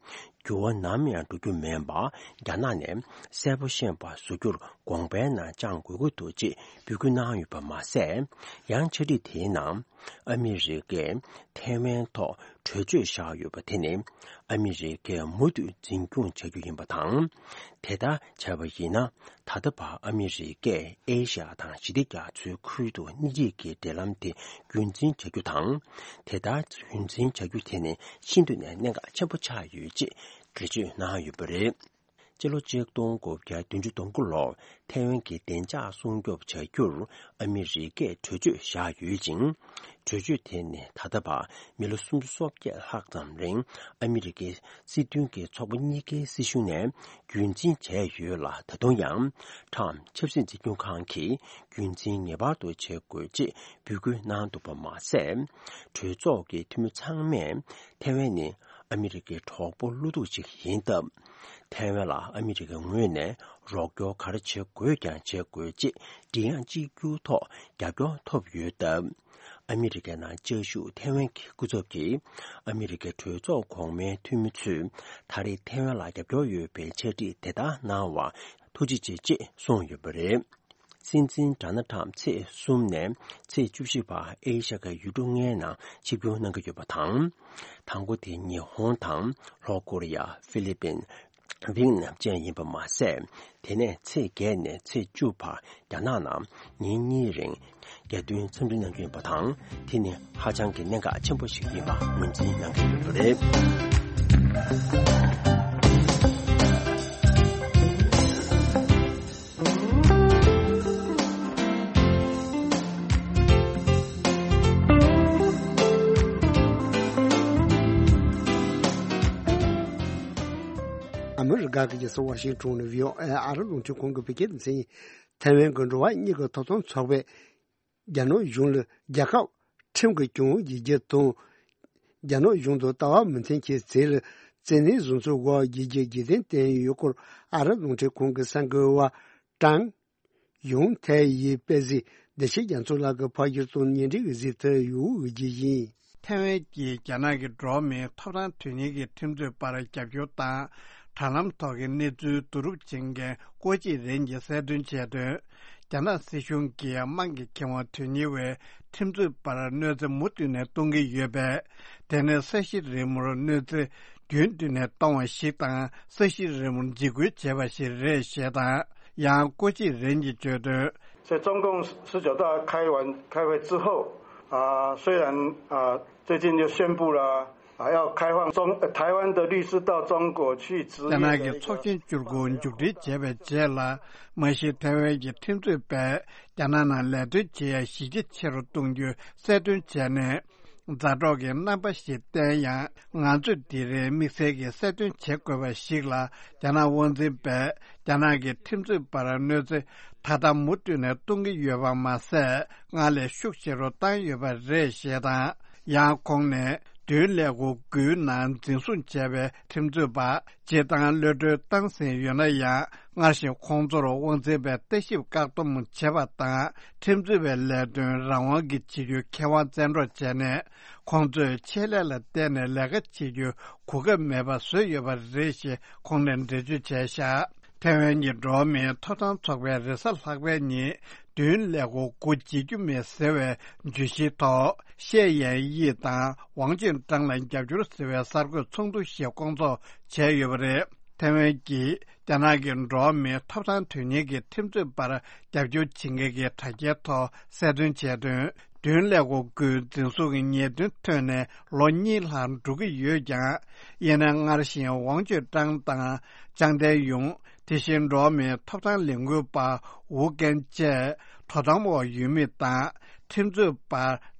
འགྱུར་བ་ནམ་ཡང་འགྲོ་རྒྱུ་མིན་པ་རྒྱ་ནག་ནས་གསལ་པོ་ཤེས་པ་བཟོ་རྒྱུར་དགོངས་པའི་ནང་བཅངས་དགོས་ཀྱི་འདུག་ཅེས་འབོད་སྐུལ་གནང་ཡོད་པ་མ་ཟད། ཡང་ཕྱག་བྲིས་དེའི་ནང་ཨ་མི་རི་ཀས་ཐའེ་ཝན་ཐོག་གྲོས་ཆོད་བཞག་ཡོད་པ་དེ་ནི་ཨ་མི་རི་ཀས་མུ་མཐུད་འཛིན་སྐྱོང་བྱ་རྒྱུ་ཡིན་པ་དང་། དེ་ལྟར་བྱས་པ་ཡིན་ན། ད་ལྟ་བར་ཨ་མི་རི་ཀས་ཨེ་ཤ་ཡ་དང་ཞི་བདེ་རྒྱ་མཚོའི་ཁུལ་དུ་གཉིས་ཀྱི་འབྲེལ་ལམ་དེ་རྒྱུན་འཛིན་བྱ་རྒྱུ་དང་། དེ་ལྟར་རྒྱུན་འཛིན་བྱ་རྒྱུ་དེ་ནི་ཤིན་ཏུ་ནས་གནད་འགག་ཆེན་པོ་ཆགས་ཡོད་ཅེས་འགྲེལ་བརྗོད་གནང་ཡོད་པ་རེད། སྤྱི་ལོ་ཆིག་སྟོང་དགུ་བརྒྱ་བདུན་ཅུ་དོན་དགུ་ལོར་ཐའེ་ཝན་གྱི་བདེ་འཇགས་སྲུང་སྐྱོབ་བྱ་རྒྱུར་ཨ་མི་རི་ཀས་གྲོས་ཆོད་བཞག་ཡོད་ཅིང་། གྲོས་ཆོད་དེ་ནི་ད་ལྟ་བར་མི་ལོ་སུམ་ཅུ་སོ་བརྒྱད་ལྷག་ཙམ་རིང་ཨ་མི་རི་ཀའི་སྲིད་དོན་གྱི་ཚོགས་པ་གཉིས་ཀའི་སྲིད་གཞུང་ནས་རྒྱུན་འཛིན་བྱས་ཡོད་ལ། ད་དུང་ཡང་ཁྲམ་ཆབ་སྲིད་འཛིན་སྐྱོང་ཁང་གིས་རྒྱུན་འཛིན་ངེས་པར་དུ་བྱེད་དགོས་ཅེས་འབོད་སྐུལ་གནང་འདུག་པ་མ་ཟད། གྲོས་ཚོགས་ཀྱི་འཐུས་མི་ཚང་མས་ཐའེ་ཝན་ནི་ཨ་མི་རི་ཀའི་གྲོགས་པོ་བློ་སྡུག་ཅིག་ཡིན་སྟབས། ཐའེ་ཝན་ལ་ཨ་མི་རི་ཀའི་ངོས་ནས་རོགས་སྐྱོར་ག་རེ་བྱེད་དགོས་ཀྱང་བྱེད་དགོས་ཅེས་མགྲིན་དབྱངས་གཅིག་གྱུར་ཐོག་རྒྱབ་སྐྱོར་ཐོབ་ཡོད་སྟབས། ཨ་མི་རི་ཀའི་ནང་བཅའ་བཞུགས་ཐའེ་ཝན་གྱི་སྐུ་ཚབ་ཀྱིས་ཨ་མི་རི་ཀའི་གྲོས་ཚོགས་གོང་མའི་འཐུས་མི་ཚོས་ད་རེས་ཐའེ་ཝན་ལ་རྒྱབ་སྐྱོར་ཡོད་པའི་ཕྱག་བྲིས་དེ་དག་གནང་བར་ཐུགས་རྗེ་ཆེ་ཅེས་གསུངས་ཡོད་པ་རེད། སྲིད་འཛིན་ཌོ་ནལ་ཊམ་ཚེས་གསུམ་ནས་ཚེས་བཅུ་བཞི་བར་ཨེ་ཤ་ཡའི་ཡུལ་གྲུ་ལྔའི་ནང་ཆིབས་བསྒྱུར་གནང་གི་ཡོད་པ་དང་། དང་པོ་དེ་ཉི་ཧོང་དང་ལྷོ་ཀོ་རི་ཡ། ཧྥི་ལི་པིན། ཝིའེ་ནམ་བཅས་ཡིན་པ་མ་ཟད། དེ་ནས་ཚེས་བརྒྱད་ནས་ཚེས་བཅུ་བར་རྒྱ་ནག་ནང་ཉིན་གཉིས་རིང་རྒྱལ་དོན་འཚམས་འདྲི་གནང་རྒྱུ་ཡིན་པ་དང་། དེ་ནི་ཧ་ཅང་གི་གནད་འགག་ཆེན་པོ་ཞིག་ཡིན་པ་ངོས་འཛིན་གནང་གི་ཡོད་པ་རེད། ཨ་མི་རི་ཀ་གི་རྒྱལ་ས་ཝ་ཤིང་ཊོན་ནས་བྷི་ཨོ་ཨེ་ཨ་རི་རླུང་འཕྲིན་ཁང་གི་བོད་སྐད་སྡེ་ཚན་ཡིན། ཐའེ་ཝན་གྱི་འགྲོ་བ་མིའི་ཐོབ་ཐང་ཚོགས་པས་རྒྱ་ནག་གཞུང་ལ་རྒྱལ་ཁབ་ཁྲིམས་ཀྱི་སྐྱོང་བ་བྱེད་རྒྱུ་དང་། རྒྱ་ནག་གཞུང་དང་ལྟ་བ་མི་མཐུན་གྱི་རྩིས་ལ་བཙན་གནོན་བཟོ་ཚུལ་འགོག་བྱེད་རྒྱུའི་རྗེས་དྲན་བསྟན་ཡོད་སྐོར་ཨ་རི་རླུང་འཕྲིན་ཁང་གི་གསར་འགོད་པ་ཀྲང་ཡུང་ཐའེ་ཡིས་སྤེལ་གཟིགས་བདེ་ཆེན་རྒྱ་མཚོ་ལགས་ཀྱིས་ཕབ་སྒྱུར་དང་སྙན་སྒྲོན་གྱི་གཟིགས་ཐོ་ཡོད་དགོས་ཀྱི་ཡིན། ཐའེ་ཝན་གྱིས་རྒྱ་ནག་གི་འགྲོ་བ་མིའི་ཐོབ་ཐང་དོན་གཉེར་གྱི་ཁྲིམས་རྩོད་པར་རྒྱབ་སྐྱོར་དང་། དྲ་ལམ་ཐོག་གི་གནས་ཚུལ་བསྡུ་རུབ་བྱེད་མཁན་ཀོ་ཅི་རེན་གྱིས་གསལ་སྟོན་བྱས་དོན། རྒྱ་ནག་སྲིད་གཞུང་གིས་དམངས་ཀྱི་ཁེ་དབང་དོན་གཉེར་བའི་ཁྲིམས་རྩོད་པར་གནོད་འཚེ་མུ་མཐུད་ནས་གཏོང་གི་ཡོད་པས། དེ་ནི་ས་གཞི་རིལ་མོར་གནོད་འཚེ་རྒྱུན་མཐུད་ནས་གཏོང་བ་ཞིག་དང་། ས་གཞི་རིལ་མོར་འཇིགས་སྐུལ་བྱས་པ་ཞིག་རེད་ཞེས་དང་། ཡང་ཀོ་ཅི་རེན་གྱིས་བརྗོད་དོན། 在中共十九大开完，开会之后，啊，虽然啊，最近就宣布了啊，要开放中，呃，台湾的律师到中国去执业的一个。རྒྱ་ནག་གི་ཚོགས་ཆེན་བཅུ་དགུ་མཇུག་སྒྲིལ་བྱས་པའི་རྗེས་ལ། མ་གཞི་ཐའེ་ཝན་གྱི་ཁྲིམས་རྩོད་པས་རྒྱ་ནག་ནང་ལས་དོན་བྱེད་ཡ་གཞི་རྒྱ་ཆེ་རུ་གཏོང་རྒྱུ་གསལ་སྟོན་བྱས་ནས། མཛའ་གྲོགས་ཀྱི་རྣམ་པ་ཞིག་བསྟན་ཡང་། ང་ཚོས་དེ་རིང་དམིགས་བསལ་གྱིས་གསལ་སྟོན་བྱེད་དགོས་པ་ཞིག་ལ། རྒྱ་ནག་དབང་འཛིན་པས་རྒྱ་ནག་གི་ཁྲིམས་རྩོད་པར་གནོད་འཚེ་ད་ལྟ་མུ་མཐུད་ནས་གཏོང་གི་ཡོད་པ་མ་ཟད། སྔར་ལས་ཤུགས་ཆེ་རུ་བཏང་ཡོད་པ་རེད་ཞེས་དང་། ཡང་ཁོང་ནས་བདུན་ཀླད་ཀོར་དགུའི་ནང་འཛིན་བཟུང་བྱས་པའི་ཁྲིམས་རྩོད་པ་སྤྱིར་བཏང་གློད་གྲོལ་བཏང་ཟིན་ཡོད་ན་ཡང་། སྔར་བཞིན་ཁོང་ཚོར་དབང་འཛིན་པས་ལྟ་ཞིབ་བཀག་སྡོམ་བྱེད་པ་དང་། ཁྲིམས་རྩོད་པའི་ལས་དོན་རང་དབང་གིས་བྱེད་རྒྱུའི་ཁེ་དབང་བཙན་འཕྲོག་བྱས་ནས། ཁོང་ཚོས་ཆེད་ལས་ལ་བརྟེན་ནས་ལས་ཀ་བྱེད་རྒྱུའི་གོ་སྐབས་མེད་པ་བཟོས་ཡོད་པ་རེད་ཞེས་ཁོང་ནས་འགྲེལ་བརྗོད་བྱས་བཞག་ཐའེ་ཝན་གྱི་འགྲོ་བ་མིའི་ཐོབ་ཐང་ཚོགས་པས་རེས་གཟའ་ལྷག་པའི་ཉིན། བདུན་ཀླད་ཀོར་དགུ་བརྗེད་རྒྱུ་མེད་ཟེར་བའི་བརྗོད་གཞིའི་ཐོག་ཤེ་ཡན་དབྱི་དང་ཝང་ཅུན་ཀྲང་ལ་རྒྱབ་སྐྱོར་ཟེར་བའི་གསར་འགོད་ཚོགས་འདུ་ཞིག་བསྐོང་ཚོགས་བྱས་ཡོད་པ་རེད། ཐའེ་ཝན་གྱིས་རྒྱ་ནག་གི་འགྲོ་བ་མིའི་ཐོབ་ཐང་དོན་གཉེར་གྱི་ཁྲིམས་རྩོད་པར་རྒྱབ་སྐྱོར་བྱེད་མཁན་གྱི་དྲ་རྒྱའི་ཐོག་གསལ་སྟོན་བྱས་དོན། བདུན་ཀླད་ཀོར་དགུའི་འཛིན་བཟུང་གི་ཉེས་དོན་ཐོན་ནས་ལོ་གཉིས་ལྷག་འགྲོ་གི་ཡོད་ཀྱང་། ཡིན་ནའི་སྔར་བཞིན་ཝང་ཅུན་ཀྲང་དང་ཅང་ཏན་ཡུང་། དེ་བཞིན་འགྲོ་བ་མིའི་ཐོབ་ཐང་ལས་འགུལ་པ་ཝུའུ་ཀན་བཅས་དོ་དམ་འོག་ཡོད་མི་དང་། ཁྲིམས་རྩོད་པ་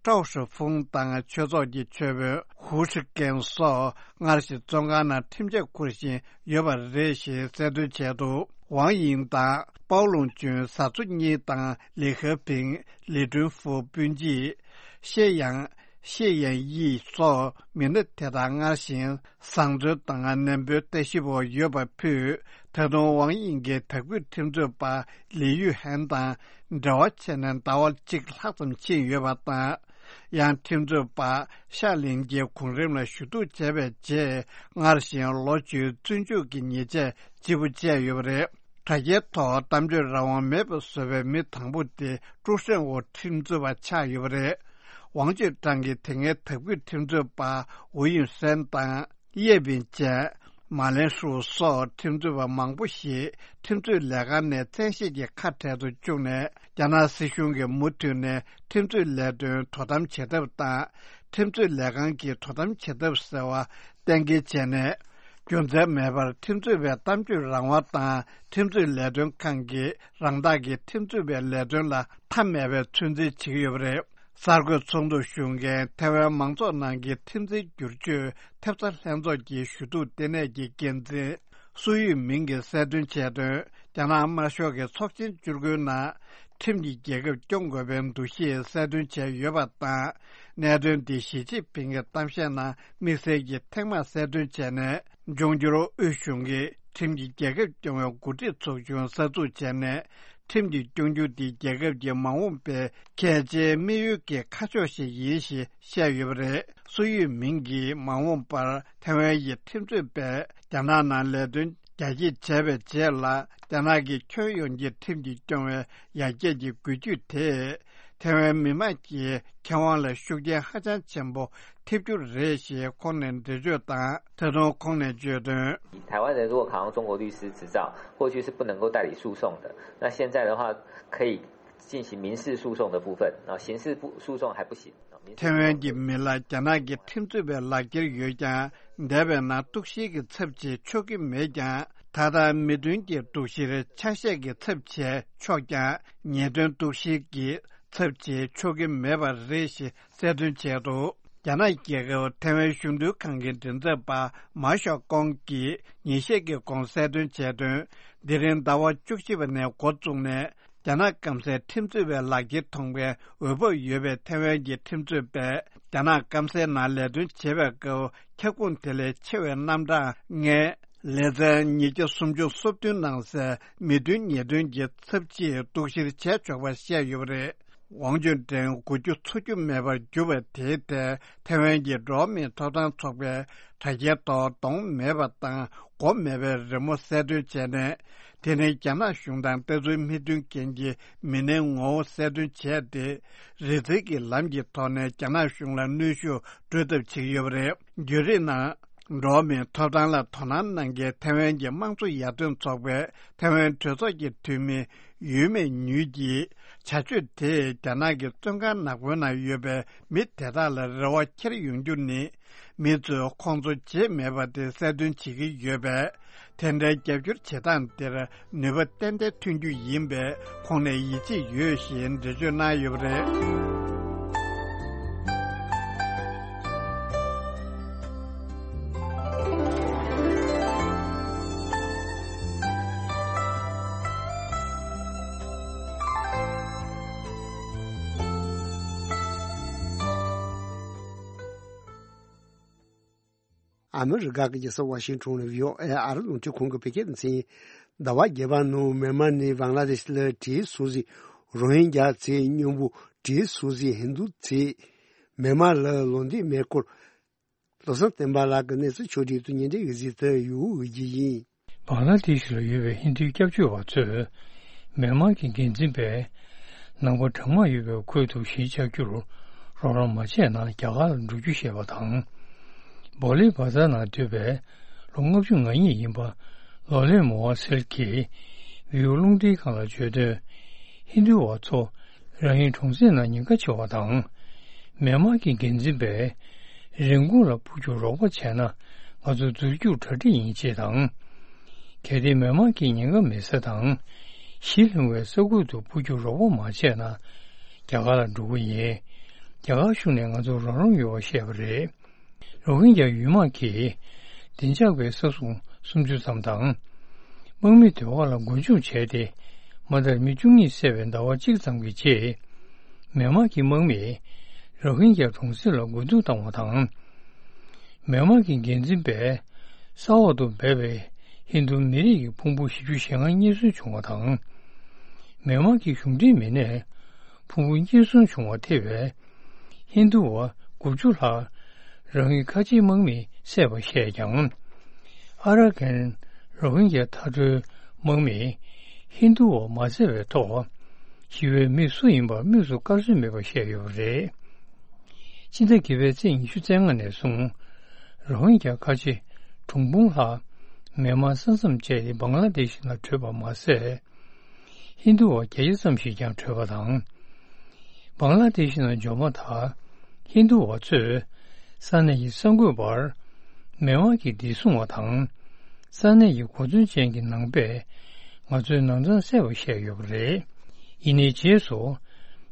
ཀྲའོ་ཧྲི་ཧྥུང་དང་ཆོས་ཚོགས་ཀྱི་ཆོས་དཔོན་ཧུའུ་ཧྲི་ཀེན་སོགས་སྔར་བཞིན་བཙོན་ཁང་ནང་ཁྲིམས་ཆད་འཁུར་བཞིན་ཡོད་པ་རེད་ཞེས་གསལ་སྟོན་བྱས་འདུག་ཝང་དབྱིང་དང་པའོ་ལུང་ཅུན་བཟའ་ཚོ་གཉིས་དང་ལི་ཧེ་ཕིང་། ལི་ཀྲུན་ཧྥུ་སྤུན་མཆེད། ཤེ་ཡང་། ཤེ་ཡན་དབྱི་སོགས་མི་སྣ་དེ་དག་སྔར་བཞིན་བཟང་བཙོན་དང་ནན་པོའི་ལྟ་ཞིབ་འོག་ཡོད་པ་ཕུད། ད་དུང་ཝང་དབྱིང་གི་དྭགས་བོད་ཁྲིམས་རྩོད་པ་ལི་ཡུས་ཧན་དང་འབྲེལ་བ་བྱས་ནས་ཟླ་བ་གཅིག་ལྷག་ཙམ་ཕྱིན་ཡོད་པ་དང་། ཡང་ཁྲིམས་རྩོད་པ་ཤ་ལིན་གྱི་གོང་རིམ་ལ་ཞུ་གཏུག་བྱས་པའི་རྗེས། སྔར་བཞིན་ལོ་བཅུའི་བཙོན་འཇུག་གི་ཉེས་ཆད་ལྗིད་པོ་བཅད་ཡོད་པ་རེད། དྲ་རྒྱའི་ཐོག་གཏམ་བརྗོད་རང་དབང་མེད་པ་བཟོ་བའི་མི་དང་པོ་དེ་ཀྲུའུ་ཧྲེང་ཝུའུ་ཁྲིམས་རྩོད་པ་ཆགས་ཡོད་པ་རེད། ཝང་ཅུན་ཀྲང་གིས་དེ་སྔའི་དྭགས་བོད་ཁྲིམས་རྩོད་པ་ཝུའུ་ཡུན་སན་དང་ཡེ་པིན་བཅས། མ་ལེན་ཧྲུའུ་སོགས་ཁྲིམས་རྩོད་པ་མང་པོ་ཞིག་ཁྲིམས་རྩོད་ལས་ཁང་ནས་བཙན་ཤེད་ཀྱིས་ཁ་བྲལ་དུ་བཅུག་ནས། རྒྱ་ནག་སྲིད་གཞུང་གིས་མུ་མཐུད་ནས་ཁྲིམས་རྩོད་ལས་དོན་དོ་དམ་བྱེད་ཐབས་དང་། ཁྲིམས་རྩོད་ལས་ཁང་གིས་དོ་དམ་བྱེད་ཐབས་ཟེར་བ་གཏན་འཁེལ་བྱས་ནས། རྒྱུ་མཚན་མེད་པར་ཁྲིམས་རྩོད་པའི་གཏམ་བརྗོད་རང་དབང་དང་། ཁྲིམས་རྩོད་ལས་དོན་ཁང་གིས་རང་བདག་གི་ཁྲིམས་རྩོད་པའི་ལས་དོན་ལ་མཐའ་མེད་པའི་ཚོད་འཛིན་བྱེད་ཀྱི་ཡོད་པ་རེད། གསར་འགོད་ཚོགས་འདུར་ཞུགས་མཁན་ཐའེ་ཝན་མང་ཚོགས་ནང་གི་ཁྲིམས་འཛིན་བསྒྱུར་བཅོས་ཐེབས་རྩ་ལྷན་ཚོགས་ཀྱི་ཞུ་གཏུག་ལྟེ་གནས་ཀྱི་འགན་འཛིན་སུའུ་ཡུས་མིང་གིས་གསལ་སྟོན་བྱས་དོན། རྒྱ་ནག་དམར་ཤོག་གི་ཚོགས་ཆེན་བཅུ་དགུའི་ནང་། ཁྲིམས་ཀྱིས་རྒྱལ་ཁབ་སྐྱོང་དགོས་པའི་འདུ་ཤེས་གསལ་སྟོན་བྱས་ཡོད་པ་དང་། གནད་དོན་འདི་ཞི་ཅིན་ཕིང་གི་གཏམ་བཤད་ནང་དམིགས་བསལ་གྱིས་ཐེངས་མང་གསལ་སྟོན་བྱས་ནས། འབྱུང་འགྱུར་དབུས་གཞུང་གིས་ཁྲིམས་ཀྱིས་རྒྱལ་ཁབ་སྐྱོང་བའི་འགོ་ཁྲིད་ཚོགས་ཆུང་གསར་འཛུགས་བྱས་ནས། ཁྲིམས་ཀྱིས་སྐྱོང་རྒྱུ་འདི་རྒྱལ་ཁབ་ཀྱི་མ་འོངས་པའི་གལ་ཆེའི་དམིགས་ཡུལ་གྱི་ཁ་ཕྱོགས་ཤིག་ཡིན་ཞེས་བཤད་ཡོད་པ་རེད། སུའུ་ཡུས་མིང་གིས་མ་འོངས་པར་ཐའེ་ཝན་གྱི་ཁྲིམས་རྩོད་པས་རྒྱ་ནག་ནང་ལས་དོན་རྒྱ་སྐྱེད་བྱས་པའི་རྗེས་ལ། རྒྱ་ནག་གི་ཁྱོན་ཡོངས་ཀྱི་ཁྲིམས་ཀྱིས་སྐྱོང་བའི་ཡར་རྒྱས་ཀྱི་འགུལ་སྐྱོད་དེས། ཐའེ་ཝན་མི་དམངས་ཀྱི་ཁེ་དབང་ལ་ཤུགས་རྐྱེན་ཧ་ཅང་ཆེན་པོ་ཐེབས་རྒྱུ་རེད་ཞེས་ཁོང་ནས་འགྲེལ་བརྗོད་དང་། ད་དུང་ཁོང་ནས་བརྗོད་དོན། 台湾人如果考上中国律师执照，过去是不能够代理诉讼的。那现在的话，可以进行民事诉讼的部分，啊，刑事不诉讼还不行。啊，民事诉讼 ཐའེ་ཝན་གྱི་མི་ལ་རྒྱ་ནག་གི་ཁྲིམས་རྩོད་པའི་ལག་འཁྱེར་ཡོད་ཀྱང་། འདས་པའི་ནང་གཏུག་བཤེར་གྱི་ཚབ་བྱེད་ཆོག་གི་མེད་ཀྱང་། ད་ལྟ་མི་དོན་གྱི་གཏུག་བཤེར་ཆ་ཤས་ཀྱི་ཚབ་བྱས་ཆོག་ཀྱང་། ཉེས་དོན་གཏུག་བཤེར་གྱི་ཚབ་བྱེད་ཆོག་གི་མེད་པ་རེད་ཞེས་གསལ་སྟོན་བྱས་འདུག་རྒྱ་ནག་རྒྱལ་ཁབ་ཐའེ་ཝན་གཞུང་དོན་ཁང་གི་མགྲིན་ཚབ་པ་མཱ་ཞའོ་ཀོང་གིས་ཉིན་ཤས་ཀྱི་གོང་གསལ་སྟོན་བྱས་དོན། འདི་རིང་ཟླ་བ་བཅུ་གཅིག་པ་ནས་འགོ་བཙུགས་ནས། རྒྱ་ནག་སྐམ་སའི་ཁྲིམས་རྩོད་པའི་ལག་འཁྱེར་ཐོན་པའི་འོས་བབ་ཡོད་པའི་ཐའེ་ཝན་གྱི་ཁྲིམས་རྩོད་པས། རྒྱ་ནག་སྐམ་སའི་ནང་ལས་དོན་བྱེད་པའི་སྐབས། ཁྱབ་ཁོངས་དེ་ལས་ཆེ་བའི་རྣམ་གྲངས་ལྔའི་ལེ་ཚན་ཉིས་བརྒྱ་སུམ་ཅུ་སོ་བདུན་ནང་གསལ་མི་དོན་ཉེས་དོན་གྱི་ཚབ་ཆེའི་གཏུག་བཤེར་བྱས་ཆོག་པ་བཤད་ཡོད་པ་རེད། ཝང་ཅུན་ཀྲེང་འགོ་རྒྱུ་ཚུགས་རྒྱུ་མེད་པར་གྱུར་པ་དེའི་ཐད། ཐའེ་ཝན་གྱི་འགྲོ་བ་མིའི་ཐོབ་ཐང་ཚོགས་པས་དྲ་རྒྱའི་ཐོག་གདོང་མེད་པ་དང་མགོ་མེད་པའི་རི་མོ་གསལ་སྟོན་བྱས་ནས། དེ་ནི་རྒྱ་ནག་གཞུང་དང་ལྟ་ཚུལ་མི་མཐུན་རྐྱེན་གྱི་མི་སྣའི་ངོ་བོ་གསལ་སྟོན་བྱས་ཏེ། རི་འཛེག་གི་ལམ་གྱི་ཐོག་ནས་རྒྱ་ནག་གཞུང་ལ་གནོན་ཤུགས་སྤྲོད་ཐབས་བྱེད་ཀྱི་ཡོད་པ་རེད། བརྒྱུད་རིམ་ནང་། འགྲོ་བ་མིའི་ཐོབ་ཐང་ལ་དོ་སྣང་གནང་མཁན་ཐའེ་ཝན་གྱི་དམངས་གཙོ་ཡར་ཐོན་ཚོགས་པའི་ཐའེ་ཝན་གྲོས་ཚོགས་ཀྱི་འཐུས་མི་ ཡོད་མེད་ཉུལ་གྱིས་བྱ་སྤྱོད་དེས་རྒྱ་ནག་གི་བཙོན་ཁང་ནག་པོའི་ནང་ཡོད་པའི་མི་དེ་དག་ལ་རེ་བ་འཁྱེར་ཡོང་རྒྱུ་ནི། མི་ཚོས་ཁོང་ཚོ་བརྗེད་མེད་པ་དེ་གསལ་སྟོན་བྱེད་ཀྱི་ཡོད་པས། དེ་འདྲའི་རྒྱབ་སྐྱོར་བྱེད་སྟངས་དེར་ནུས་པ་ཏན་ཏན་ཐོན་རྒྱུ་ཡིན་པས་ཁོང་ནས་ཡིད་ཆེས་ཡོད་ཞེས་འགྲེལ་བརྗོད་གནང་ཡོད་པ་རེད། ཨ་མི་རི་ཀ་གི་རྒྱལ་ས་ཝ་ཤིང་ཊོན་ལ་བྷི་ཨོ་ཨེ་ཨ་རི་རླུང་འཕྲིན་ཁང་གི་བོད་སྐད་སྡེ་ཚན་ཡིན། ཟླ་བ་བརྒྱད་པ་ནང་མེན་མར་ནས་བང་ལ་དེ་ཤི་ལ་བྲེལ་སོང་ཟིག་རོ་ཧིན་རྒྱ་ཚེ་སྙོམས་པོ་བྲེལ་སོང་ཟིག་ཧིན་དུ་ཚེ་མེན་མར་ལ་ལོ་འདི་མེ་སྐོར། བློ་བཟང་བསྟན་པ་ལགས་ཀྱི་གནས་ཚུལ་ཕྱོགས་སྒྲིག་ཏུ་ཉིན་དེ་གཟིགས་ཏུ་ཡོད་ཀྱི་ཡིན། བང་ལ་དེ་ཤི་ལ་ཡོད་པའི་ཧིན་དུའི་སྐྱབས་བཅོལ་བ་ཚོས་མེན་མར་གྱི་འགན་འཛིན་པས་ནང་པ་གྲངས་མང་ཡོད་པའི་ཁུལ་དུ་གཞིས་ཆགས་རྒྱུར་རོགས་རམ་མ་བྱས་ན་རྒྱ་གར་ལ་འགྲོ་རྒྱུ་ཞེས་པ་དང་། བོ་ལི་བ་ཛར་ནང་སྡོད་པའི་ལོ་ལྔ་བཅུ་ང་གཉིས་ཡིན་པ་ལོ་ལེ་མོ་ཝ་སེལ་གྱིས་བྷི་ཨོ་རླུང་འཕྲིན་ཁང་ལ་བརྗོད་དོན། ཧིན་དུ་བ་ཚོ་རང་ཡུལ་གྲོང་གསེབ་ནང་ཉེན་ཁ་ཆེ་བ་དང་། མེན་མར་གྱི་འགན་འཛིན་པས་རིན་གོང་ལ་འཕུར་རྒྱུར་རོགས་པ་བྱས་ན་ང་ཚོ་འཛུལ་རྒྱུར་གྲ་སྒྲིག་ཡིན་ཅེས་དང་། གལ་ཏེ་མེན་མར་གྱི་ཉེན་ཁ་མེད་ས་དང་གཞིས་ལྷུང་བའི་ས་ཁུལ་དུ་འཕུར་རྒྱུར་རོགས་པ་མ་བྱས་ན་རྒྱ་གར་ལ་འགྲོ་གི་ཡིན། རྒྱ་གར་གཞུང་ནས་ང་ཚོར་རོགས་རམ་ཡོད་པ་བཤད་པ་རེད། རོ་ཧིན་རྒྱ་ཡུལ་དམག་གིས་བདེ་འཇགས་པའི་ས་སྲུང་སུམ་ཅུ་ཙམ་དང་། དམག་མི་སྡེ་བ་ལ་མགོ་མཇུག་བྱས་ཏེ་མ་མཐར་མི་བཅུ་གཉིས་བསད་པའི་ཟླ་བ་གཅིག་ཙམ་གྱི་རྗེས། མེན་མར་གྱི་དམག་མིས་རོ་ཧིན་རྒྱ་གྲོང་གསེབ་ལ་རྒོལ་རྡུང་བཏང་བ་དང་། མེན་མར་གྱི་འགན་འཛིན་པས་ས་འོག་ཏུ་སྦས་པའི་ཧིན་རྡུ་མི་རིགས་ཀྱི་ཕུང་པོ་བཞི་བཅུ་ཞེ་ལྔ་རྙེད་སོན་བྱུང་བ་དང་། མེན་མར་གྱི་གཞུང་འབྲེལ་མི་སྣས་ཕུང་པོ་རྙེད་སོན་བྱུང་བ་ཐེ་བའི་ཧིན་རྡུ་བ་དགུ་བཅུ་ལྷག་རང་ཡུལ་ཁ་ཆེའི་དམག་མིས་བསད་པ་བཤད་ཀྱང་། ཨ་ར་ཀན་རོ་ཧིན་རྒྱ་མཐའ་གྲོལ་དམག་མིས་ཧིན་རྡུ་བ་མ་བསད་པའི་ཐོག་ཞི་བའི་མི་སུ་ཡིན་པ་དམིགས་སུ་བཀར་སྲོལ་མེད་པ་བཤད་ཡོད་པ་རེད། སྤྱི་ཟླ་བརྒྱད་པའི་ཚེས་ཉི་ཤུ་རྩ་ལྔ་ནས་བཟུང་རོ་ཧིན་རྒྱ་ཁ་ཆེ་གྲངས་འབུམ་ལྷག་མེན་མར་ས་མཚམས་བཅད་དེ་བང་ལ་དེ་ཤི་ནང་བྲོས་པ་མ་ཟད། ཧིན་རྡུ་བ་བརྒྱད་བརྒྱ་ཙམ་ཞིག་ཀྱང་བྲོས་པ་དང་། བང་ལ་དེ་ཤི་ནང་འབྱོར་མ་ཐག་ཧིན་རྡུ་བ་ཚོས་ས་གནས་ཀྱི་གསར་འགོད་པར་མེན་མར་གྱི་བདེ་སྲུང་བ་དང་ས་གནས་ཀྱི་གོ་མཚོན་ཅན་གྱི་ནང་པས་ང་ཚོའི་ནང་ཚང་བསད་པ་བཤད་ཡོད་པ་རེད། ཡིན་ནའི་རྗེས་སུ་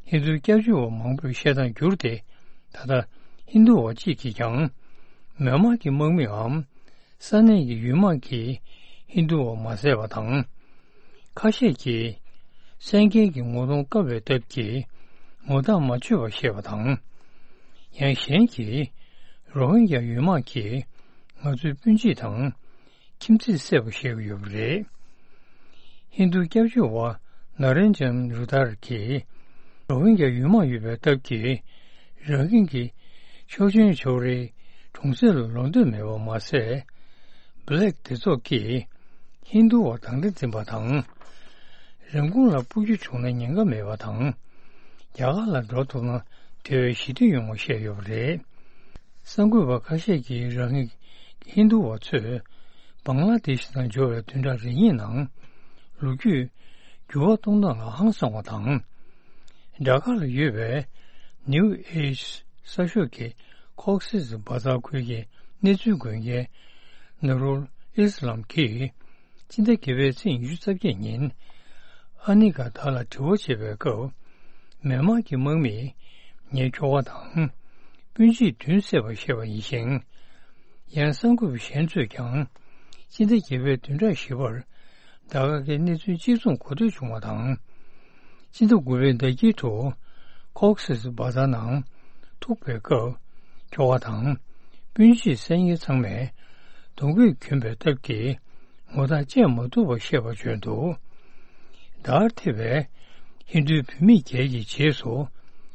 ཧིན་རྡུ་སྐྱབས་བཅོལ་བ་མང་པོས་བཤད་སྟངས་བསྒྱུར་ཏེ་ད་ལྟ་ཧིན་རྡུ་བ་གཅིག་གིས་ཀྱང་མེན་མར་གྱི་དམག་མིའམ། ས་གནས་ཀྱི་ཡུལ་དམག་གིས་ཧིན་རྡུ་བ་མ་བསད་པ་དང་། ཁ་ཤས་ཀྱིས་གསན་མཁན་གྱི་ངོ་གདོང་བཀབ་པའི་སྟབས་ཀྱིས་ངོ་རྟགས་མ་ཆོད་པ་བཤད་པ་དང་། ཡང་གཞན་གྱིས་རོ་ཧིན་རྒྱ་ཡུལ་དམག་གིས་ང་ཚོའི་སྤུན་མཆེད་དང་ཁྱིམ་མཚེས་བསད་པ་བཤད་ཀྱི་ཡོད་པ་རེད། ཧིན་རྡུ་སྐྱབས་བཅོལ་བ་ན་རེན་ཇན་རུ་དར་གྱིས་རོ་ཧིན་རྒྱ་ཡུལ་དམག་ཡོད་པའི་སྟབས་ཀྱིས་རང་ཧིན་གྱི་ཆོག་མཆན་ཕྱོགས་རིས་གྲོང་གསེབ་ལ་ལོག་འདོད་མེད་པ་མ་ཟད། བྷི་ལེག་སྡེ་ཚོགས་ཀྱིས་ཧིན་རྡུ་བ་དང་འདྲ་འཛིན་པ་དང་། རིན་གོང་ལ་འཕུར་རྒྱུ་བྱུང་ན་ཉེན་ཁ་མེད་པ་དང་། རྒྱ་གར་ལ་འགྲོ་ཐུབ་ན་དེ་བས་ཞི་བདེ་ཡོང་བ་བཤད་ཡོད་པ་རེད། གསར་འགོད་པ་ཁ་ཤས་ཀྱིས་རང་ཧིན་ཧིན་རྡུ་བ་ཚོས་བང་ལ་དེ་ཤི་དང་འབྱོར་བའི་བདུན་ཕྲག་རེ་གཉིས་ནང་ལོ་རྒྱུས་འགྱུར་བ་གཏོང་སྟངས་ལ་ཧང་སང་བ་དང་། ཌ་ཀ་ལ་ཡོད་པའི་ནིའུ་ཨེཇ་གསར་ཤོག་གི་ཁོག་སི་སི་བ་ཛར་ཁུལ་གྱི་གནས་ཚུལ་འགོད་མཁན་ནུ་རུལ་ཨི་སི་ལམ་གྱིས་སྤྱི་ཟླ་བརྒྱད་པའི་ཚེས་ཉི་ཤུ་རྩ་བརྒྱད་ཉིན་ཨ་ནི་ག་ད་ལ་དྲི་བ་བྱེད་པའི་སྐབས། མེན་མར་གྱི་དམག་མིས་ངའི་ཁྱོ་ག་དང་སྤུན་མཆེད་བདུན་བསད་པ་བཤད་པ་ཡིན་ཞིང་། ཡང་གསར་འགོད་པ་གཞན་ཚོས་ཀྱང་སྤྱི་ཟླ་བརྒྱད་པའི་བདུན་ཕྲག་བཞི་པར་ཌ་ཀ་གི་གནས་ཚུལ་གཅིག་མཚུངས་གོ་ཐོས་བྱུང་བ་དང་། སྤྱི་ཟླ་དགུ་པའི་ཟླ་དཀྱིལ་དུ་ཁོག་སི་སི་བ་ཛར་ནང་ཐུག་པའི་སྐབས་ཁྱོ་ག་དང་སྤུན་མཆེད་བསད་མཁན་ཚང་མས་གདོང་གོས་གྱོན་པའི་སྟབས་ཀྱིས་ངོ་རྟགས་བཅད་མ་ཐུབ་པ་བཤད་པ་བརྗོད་འདུག་ཌར་ཐེ་བའི་ཧིན་རྡུའི་བུད་མེད་བརྒྱད་ཀྱི་རྗེས་སུ་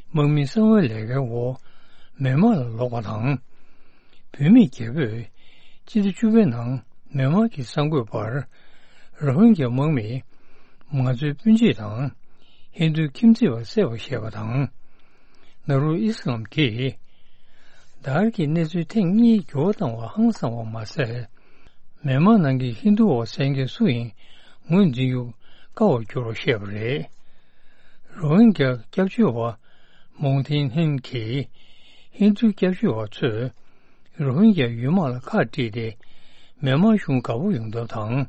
དམག་མིའི་གསང་བའི་ལས་ཀའི་འོག་མེན་མར་ལ་ལོག་པ་དང་། བུད་མེད་བརྒྱད་པོས་སྤྱི་ཟླ་བཅུ་པའི་ནང་མེན་མར་གྱི་གསར་འགོད་པར་རོ་ཧིན་རྒྱ་དམག་མིས་ང་ཚོའི་སྤུན་མཆེད་དང་ཧིན་རྡུ་ཁྱིམ་མཚེས་པ་བསད་པ་བཤད་པ་དང་། ནཱ་རུལ་ཨི་སི་ལམ་གྱིས་ཌར་གྱི་གནས་ཚུལ་ཐེངས་གཉིས་འགྱུར་བ་བཏང་བ་ཧང་སང་བ་མ་ཟད། མེན་མར་ནང་གི་ཧིན་རྡུ་བ་བསད་མཁན་སུ་ཡིན་ངོས་འཛིན་རྒྱུ་ དཀའ་བར་འགྱུར་བར་བཤད་པ་རེད། རོ་ཧིན་གྱ་སྐྱབས་བཅོལ་བ་མོང་ཐིན་ཧིན་གྱིས་ཧིན་རྡུ་སྐྱབས་བཅོལ་བ་ཚོས་རོ་ཧིན་གྱ་ཡུལ་དམག་ལ་ཁག་དཀྲིས་ཏེ་མེན་མར་གཞུང་དགའ་པོ་ཡོང་ཐབས་དང་།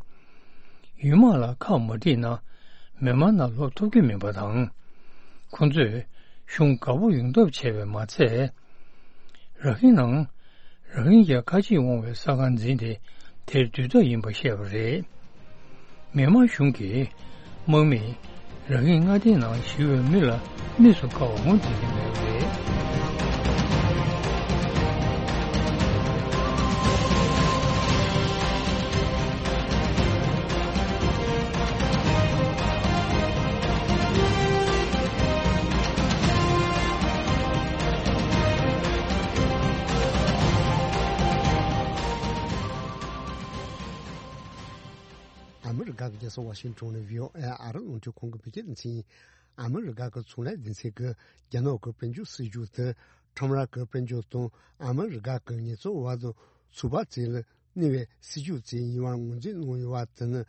ཡུལ་དམག་ལ་ཁག་མ་དཀྲིས་ན་མེན་མར་ནང་ལོག་ཐུབ་ཀྱི་མིན་པ་དང་། ཁོ་ཚོས་གཞུང་དགའ་པོ་ཡོང་ཐབས་བྱས་པས་མ་ཚད། ར་ཧིན་ནང་ར་ཧིན་གྱ་ཁ་ཆེས་འོང་བའི་ས་ཁང་འཛིན་ཏེ་དེར་སྡོད་ཐབས་ཡིན་པ་བཤད་པ་རེད། མེན་མར་གཞུང་གིས་དམག་མིས་ར་ཧིན་མངའ་སྡེའི་ནང་ཞི་བའི་མི་ལ་དམིགས་སུ་བཀར་བ་ངོས་འཛིན་གྱི་མེད་པ་རེད། ཨ་མི་རི་ཀ་གི་རྒྱལ་ས་ཝ་ཤིང་ཊོན་ནས་བྷི་ཨོ་ཨེ་ཨ་རི་རླུང་འཕྲིན་ཁང་གི་བོད་སྐད་སྡེ་ཚན་ཡིན། ཨ་མི་རི་ཀ་གི་ཚོང་ལས་སྡེ་ཚན་གྱིས་རྒྱ་ནག་གི་དཔལ་འབྱོར་སྲིད་ཇུས་དེ་ཁྲོམ་ར་གི་དཔལ་འབྱོར་དང་ཨ་མི་རི་ཀ་གི་ངལ་རྩོལ་བ་དང་ཚོགས་པ་བཅས་ལ་གནོད་པའི་སྲིད་ཇུས་བཅས་ཡིན་པར་ངོས་འཛིན་གནང་ཡོད་པ་དེ་ནི་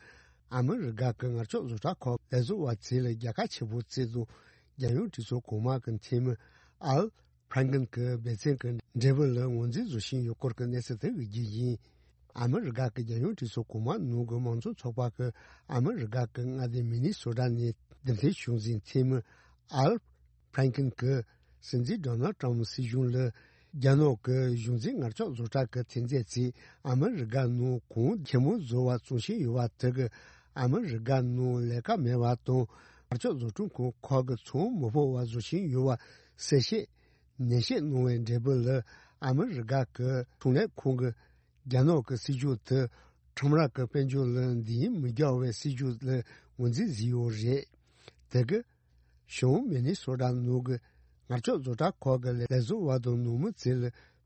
ཨ་མི་རི་ཀ་གི་ངར་ལྕགས་བཟོ་གྲྭ་ཁག་ལས་བཟོ་བ་བཅས་ལ་རྒྱལ་ཁ་ཆེ་པོ་བསྩལ་དང་རྒྱལ་ཡོངས་གྲོས་ཚོགས་གོང་མ་གི་འཐུས་མི་ཨལ་ཕྲན་ཀིན་གྱི་འབད་བརྩོན་གྱི་འབྲས་བུ་ལ་ངོས་འཛིན་བཟོ་བཞིན་ཡོད་སྐོར་གྱི་གནས་ཚུལ་དེ་གི་རྒྱུ་ཡིན། ཨ་མི་རི་ཀ་གི་རྒྱལ་ཡོངས་གྲོས་ཚོགས་གོང་མ་ནང་གི་མང་གཙོ་ཚོགས་པ་གི་ཨ་མི་རི་ཀ་གི་མངའ་སྡེ་མི་ནི་སོ་ཊ་ནས་འདེམས་ཐོན་བྱུང་ཟིན་འཐུས་མི་ཨལ་ཕྲན་ཀིན་གྱིས་སྲིད་འཛིན་ཌོ་ནལ་ཊམ་སྲིད་གཞུང་ལ་རྒྱ་ནག་གི་གཞུང་འཛིན་ངར་ལྕགས་བཟོ་གྲྭ་གི་ཐོན་རྫས་ཚོས་ཨ་མི་རི་ཀ་ནང་གོང་ཆེན་མོ་བཟོ་བ་བཙོང་བཞིན་ཡོད་པ་དེ་གིས་ཨ་མི་རི་ཀ་ནང་ལས་ཀ་མེད་པ་དང་ངར་ལྕགས་བཟོ་སྐྲུན་ཁང་ཁག་གི་ཚོང་མི་ཕོད་པ་བཟོ་བཞིན་ཡོད་པ་གསལ་བཤད་ནན་བཤད་གནང་བའི་འབྲས་བུ་ལ་ཨ་མི་རི་ཀ་གི་ཚོང་ལས་ཁང་གིས་རྒྱ་ནག་གི་སྲིད་ཇུས་དེ་ཁྲོམ་ར་གི་དཔལ་འབྱོར་ལ་འདི་ཡིན་མི་རྒྱག་པའི་སྲིད་ཇུས་ལ་ངོས་འཛིན་བཟོས་ཡོད་རེད། དེ་གིས་བྱང་མི་ནི་སོ་ཊ་ནང་གི་ངར་ལྕགས་བཟོ་གྲྭ་ཁག་གི་ལས་བཟོ་བ་དང་ནང་མི་ཚོ་ལ་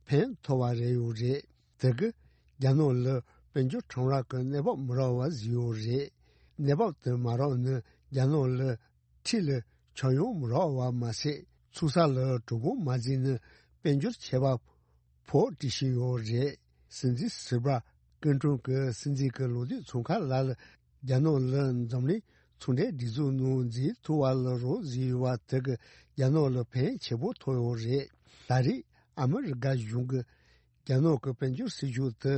ཕན་ཐོགས་པ་རེད་ཡོད་རེད། དེ་གིས་རྒྱ་ནག་ལ་དཔལ་འབྱོར་ཁྲོམ་ར་གི་གནས་བབ་མི་རག་པ་བཟོས་ཡོད་རེད། གནས་བབ་དེ་མ་རག་ནི་རྒྱ་ནག་ལ་འཁྲིས་ལ་ཆག་ཡང་མི་རག་པ་མ་ཟད་ཚོང་ས་ལ་གྲོད་ཁོག་མ་བརྫིས་ན་དཔལ་འབྱོར་ཆད་པ་ཕོག་བྲིས་བཞིན་ཡོད་རེད། སྲིད་འཛིན་སིལ་བྷ་ཀིན་ཀྲུང་གིས་སྲིད་འཛིན་གྱི་ལོ་དུས་ཚོང་ཁང་ལ་ལ་རྒྱ་ནག་ལ་འཛམ་གླིང་ཚོང་འབྲེལ་སྒྲིག་འཛུགས་ནང་འཛུལ་ཐུབ་པ་ལ་རོགས་བཟོས་ཡོད་པ་དེ་གིས་རྒྱ་ནག་ལ་ཕན་ཆེན་པོ་ཐོགས་ཡོད་རེད། ད་རེས་ཨ་མི་རི་ཀ་གཞུང་གིས་རྒྱ་ནག་གི་དཔལ་འབྱོར་སྲིད་ཇུས་དེ་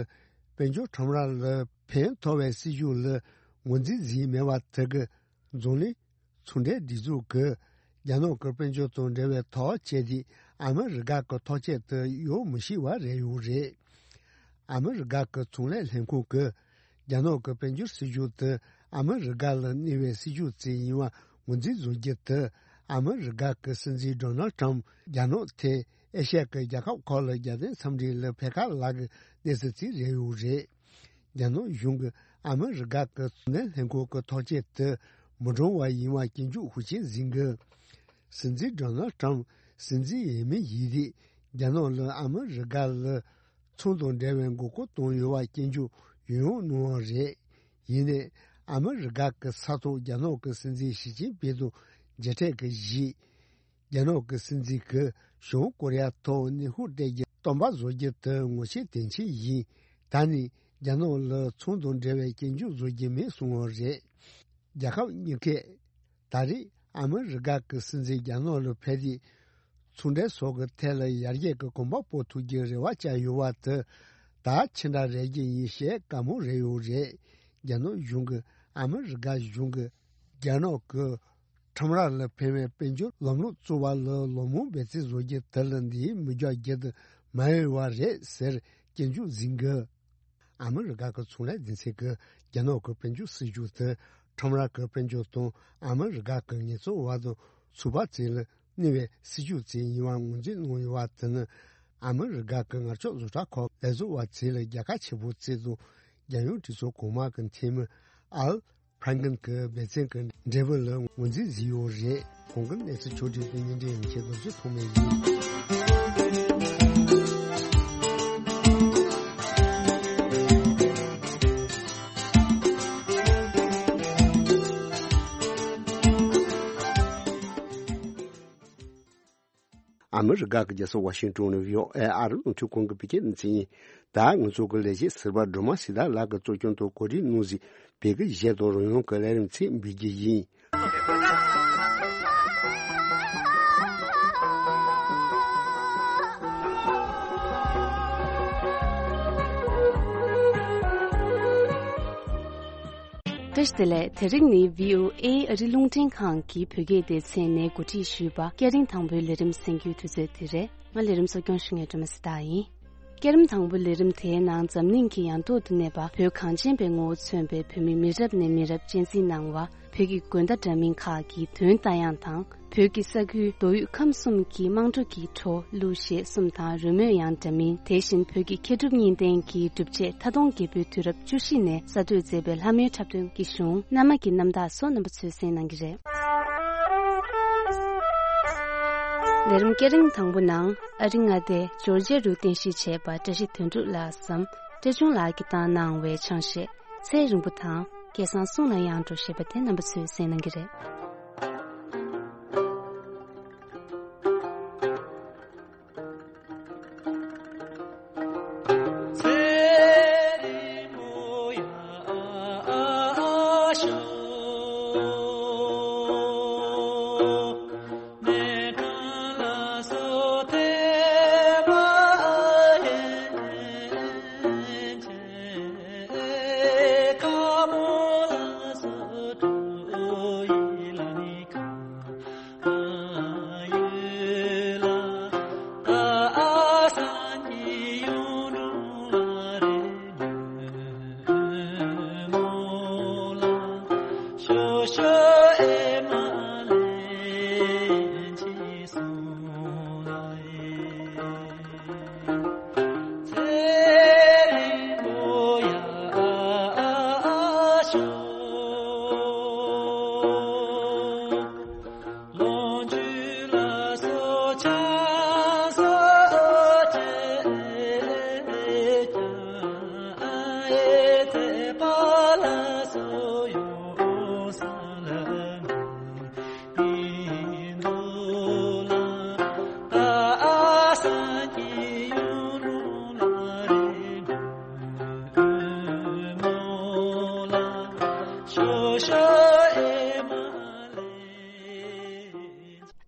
དཔལ་འབྱོར་ཁྲོམ་ར་ལ་ཕན་ཐོགས་པའི་སྲིད་ཇུས་ལ་ངོས་འཛིན་བཟོས་མེད་པ་དེ་གིས་འཛམ་གླིང་ཚོང་འབྲེལ་སྒྲིག་འཛུགས་ཀྱིས་རྒྱ་ནག་གི་དཔལ་འབྱོར་དང་འབྲེལ་བའི་ཐག་བཅད་དེ་ཨ་མི་རི་ཀ་གི་ཐག་བཅད་དེ་གཡོལ་མི་ཤེས་པ་རེད་ཡོད་རེད། ཨ་མི་རི་ཀ་གི་ཚོང་ལས་ལྷན་ཁང་གིས་རྒྱ་ནག་གི་དཔལ་འབྱོར་སྲིད་ཇུས་དེ་ཨ་མི་རི་ཀ་ལ་གནོད་པའི་སྲིད་ཇུས་ཅིག་ཡིན་པ་ངོས་འཛིན་བཟོ་རྒྱུ་དེ་ཨ་མི་རི་ཀ་གི་སྲིད་འཛིན་ཌོ་ནལ་ཊམ་རྒྱ་ནག་ཐད་ཨེ་ཤ་ཡ་གི་རྒྱལ་ཁབ་ཁག་ལ་རྒྱལ་བསྟན་འཚམས་འདྲི་ལ་ཕེབས་ཁ་ལབ་ཀྱི་གནས་ཚུལ་ཅིག་རེད་ཡོད་རེད། རྒྱ་ནག་གཞུང་གིས་ཨ་མི་རི་ཀ་གི་ཚོང་ལས་ལྷན་ཁང་གི་ཐག་བཅད་དེ་མི་འགྲོ་བ་ཡིན་པ་སྐྱོན་བརྗོད་ཤུགས་ཆེན་ཟིན་གི། སྲིད་འཛིན་ཌོ་ནལ་ཊམ་སྲིད་འཛིན་ཡིན་མིན་ཡིན་དུས་རྒྱ་ནག་ལ་ཨ་མི་རི་ཀ་ལ་ཚོང་དང་འབྲེལ་བའི་མགོ་སྐོར་བཏང་ཡོད་པ་སྐྱོན་བརྗོད་ཡང་ཡང་གནང་བ་རེད། ཡིན་ནའི་ཨ་མི་རི་ཀ་གི་ས་ཐོག་རྒྱ་ནག་གི་སྲིད་འཛིན་ཞི་ཅིན་ཕིང་དང་མཇལ་འཕྲད་ཀྱི་གཞི། རྒྱ་ནག་གི་སྲིད་འཛིན་གྱིས་བྱང་ཀོ་རི་ཡ་ཐོག་གནོན་ཤུགས་སྤྲད་རྒྱུ་སྟོན་པ་བཟོ་རྒྱུ་དེ་ངོ་ཤེས་དོན་ཆེན་ཡིན། ད་ནི་རྒྱ་ནག་ལ་ཚོང་དང་འབྲེལ་བའི་སྐྱོན་བརྗོད་བཟོ་རྒྱུ་མེད་གསུངས་པ་རེད། རྒྱལ་ཁབ་གཉིས་ཀས་ད་རེས་ཨ་མི་རི་ཀ་གི་སྲིད་འཛིན་རྒྱ་ནག་ལ་ཕེབས་ཏེ་ཚོང་འབྲེལ་སོགས་ཀྱི་ཐད་ལ་ཡར་རྒྱས་ཀྱི་གོམ་པ་སྤོ་ཐུབ་རྒྱུའི་རེ་བ་བཅངས་ཡོད་པ་དེ་ད་ཕྱི་འདྲ་རེ་རྒྱུ་ཡིན་ཞེས་བཀའ་མོལ་རེ་ཡོད་རེད། རྒྱ་ནག་གཞུང་གིས་ཨ་མི་རི་ཀ་གཞུང་གིས་རྒྱ་ནག་གི་ཁྲོམ་ར་ལ་ཕན་པའི་དཔལ་འབྱོར་ལམ་ལུགས་བཙུགས་པ་ལ་ལོ་མང་འབད་བརྩོན་བཟོ་རྒྱུ་དེ་ལ་འདིའི་མི་རྒྱག་རྒྱུ་དེ་མ་ཡོད་པ་རེད་ཟེར་སྐྱོན་བརྗོད་ཟིན་གི། ཨ་མི་རི་ཀ་གི་ཚོང་ལས་སྡེ་ཚན་གྱིས་རྒྱ་ནག་གི་དཔལ་འབྱོར་སྲིད་ཇུས་དེ་ཁྲོམ་ར་གི་དཔལ་འབྱོར་དང་ཨ་མི་རི་ཀ་གི་ངལ་རྩོལ་བ་དང་ཚོང་པ་བཅས་ལ་གནོད་པའི་སྲིད་ཇུས་ཅིག་ཡིན་པར་ངོས་འཛིན་གནང་ཡོད་པ་དེ་ནི་ཨ་མི་རི་ཀ་གི་ངར་ལྕགས་བཟོ་གྲྭ་ཁག་ལས་བཟོ་བ་ཚོ་ལ་རྒྱལ་ཁ་ཆེ་པོ་བསྩལ་དང་རྒྱལ་ཡོངས་གྲོས་ཚོགས་གོང་མ་གི་འཐུས་མི་ཨལ་ཕྲན་ཀིན་གྱི་འབད་བརྩོན་གྱི་འབྲས་བུ་ལ་ངོས་འཛིན་བཟོས་ཡོད་རེད། གོང་གི་གནས་ཚུལ་ཕྱོགས་བསྒྲིགས་དེ་བརྙན་འཕྲིན་ཡན་ཆད་རྡོ་རྗེ་ཐོགས་མེད་ཡིན། ཨ་མི་རི་ཀ་གི་རྒྱལ་ས་ཝ་ཤིང་ཏོན་ནས་བྷི་ཨོ་ཨེ་ཨ་རི་རླུང་འཕྲིན་ཁང་གི་བོད་སྐད་སྡེ་ཚན་ཡིན། ད་ང་ཚོ་གི་ལས་བྱེད་ཟུར་པ་སྒྲོལ་མ་སྲི་ཐར་ལགས་ཀྱིས་གཙོ་སྐྱོང་དུ་གོ་སྒྲིག་གནང་ཟིན་ བོད་སྐད་གཞས་དང་རོལ་དབྱངས་ཀྱི་ལས་རིམ་ཚིག་འབུལ་རྒྱུ་ཡིན། བཀྲ་ཤིས་བདེ་ལེགས། དེ་རིང་ནི་བྷི་ཨོ་ཨེ་ཨ་རི་རླུང་འཕྲིན་ཁང་གི་བོད་སྐད་སྡེ་ཚན་ནས་གོ་སྒྲིག་ཞུས་པ་སྐད་རིམ་དང་པོའི་ལས་རིམ་གསན་རྒྱུའི་དུས་ཚོད་འདི་རེད། ང་ལས་རིམ་གཙོ་སྐྱོང་ཞུ་མཁན་སྒྲོལ་མ་སི་ཏཱ་ཡིན། སྐད་རིམ་དང་པོའི་ལས་རིམ་དེའི་ནང་འཛམ་གླིང་གི་ཡང་ཐོག་ཏུ་གནས་པ་བོད་གངས་ཅན་པའི་ངོ་བོ་མཚོན་པའི་བོད་མི་མི་རབས་ནས་མི་རབས་གཅེས་འཛིན་གནང་བ། བོད་ཀྱི་དགོན་བརྡ་འདྲ་མིན་ཁག་གི་དོན་ལྟ་ཡང་དང་། བོད་ཀྱི་ས་ཁུལ་མདོ་དབུས་ཁམས་གསུམ་གྱི་དམངས་ཁྲོད་ཀྱི་བྲོ་གླུ་གཞས་གསུམ་དང་རོལ་མོའི་ཡང་འདྲ་མིན། དེ་བཞིན་བོད་ཀྱི་མཁས་གྲུབ་གཉིས་ལྡན་གྱི་སྒྲུབ་བྱེད་མཐའ་སྟོང་རྒྱལ་པོའི་དུས་རབས་བཅུ་བཞི་ནས་གསར་གཏོད་མཛད་པའི་ལྷ་མོའི་འཁྲབ་སྟོན་གྱི་གཞུང་མནའ་མ་གི་རྣམ་ཐར་སོགས་རྣམ་པ་ཚོས་གསན་གནང་གི་རེད། ལས་རིམ་སྐད་རིམ་དང་པོ་ནང་ཨ་རི་མངའ་སྡེ་ཇོར་ཇི་ཡ་རུ་རྟེན་གཞི་བྱས་པ་བཀྲ་ཤིས་དོན་གྲུབ་ལགས་སམ་བཀྲ་ཆུང་ལགས་ཀྱིས་བཏང་གནང་བའི་ཆང་གཞས་ཚེ་རིང་པོ་དང་སྐལ་བཟང་གསུང་ལ་ཡང་འགྲོ་ཞེས་པ་དེ་རྣམ་པ་ཚོས་གསན་གནང་གི་རེད།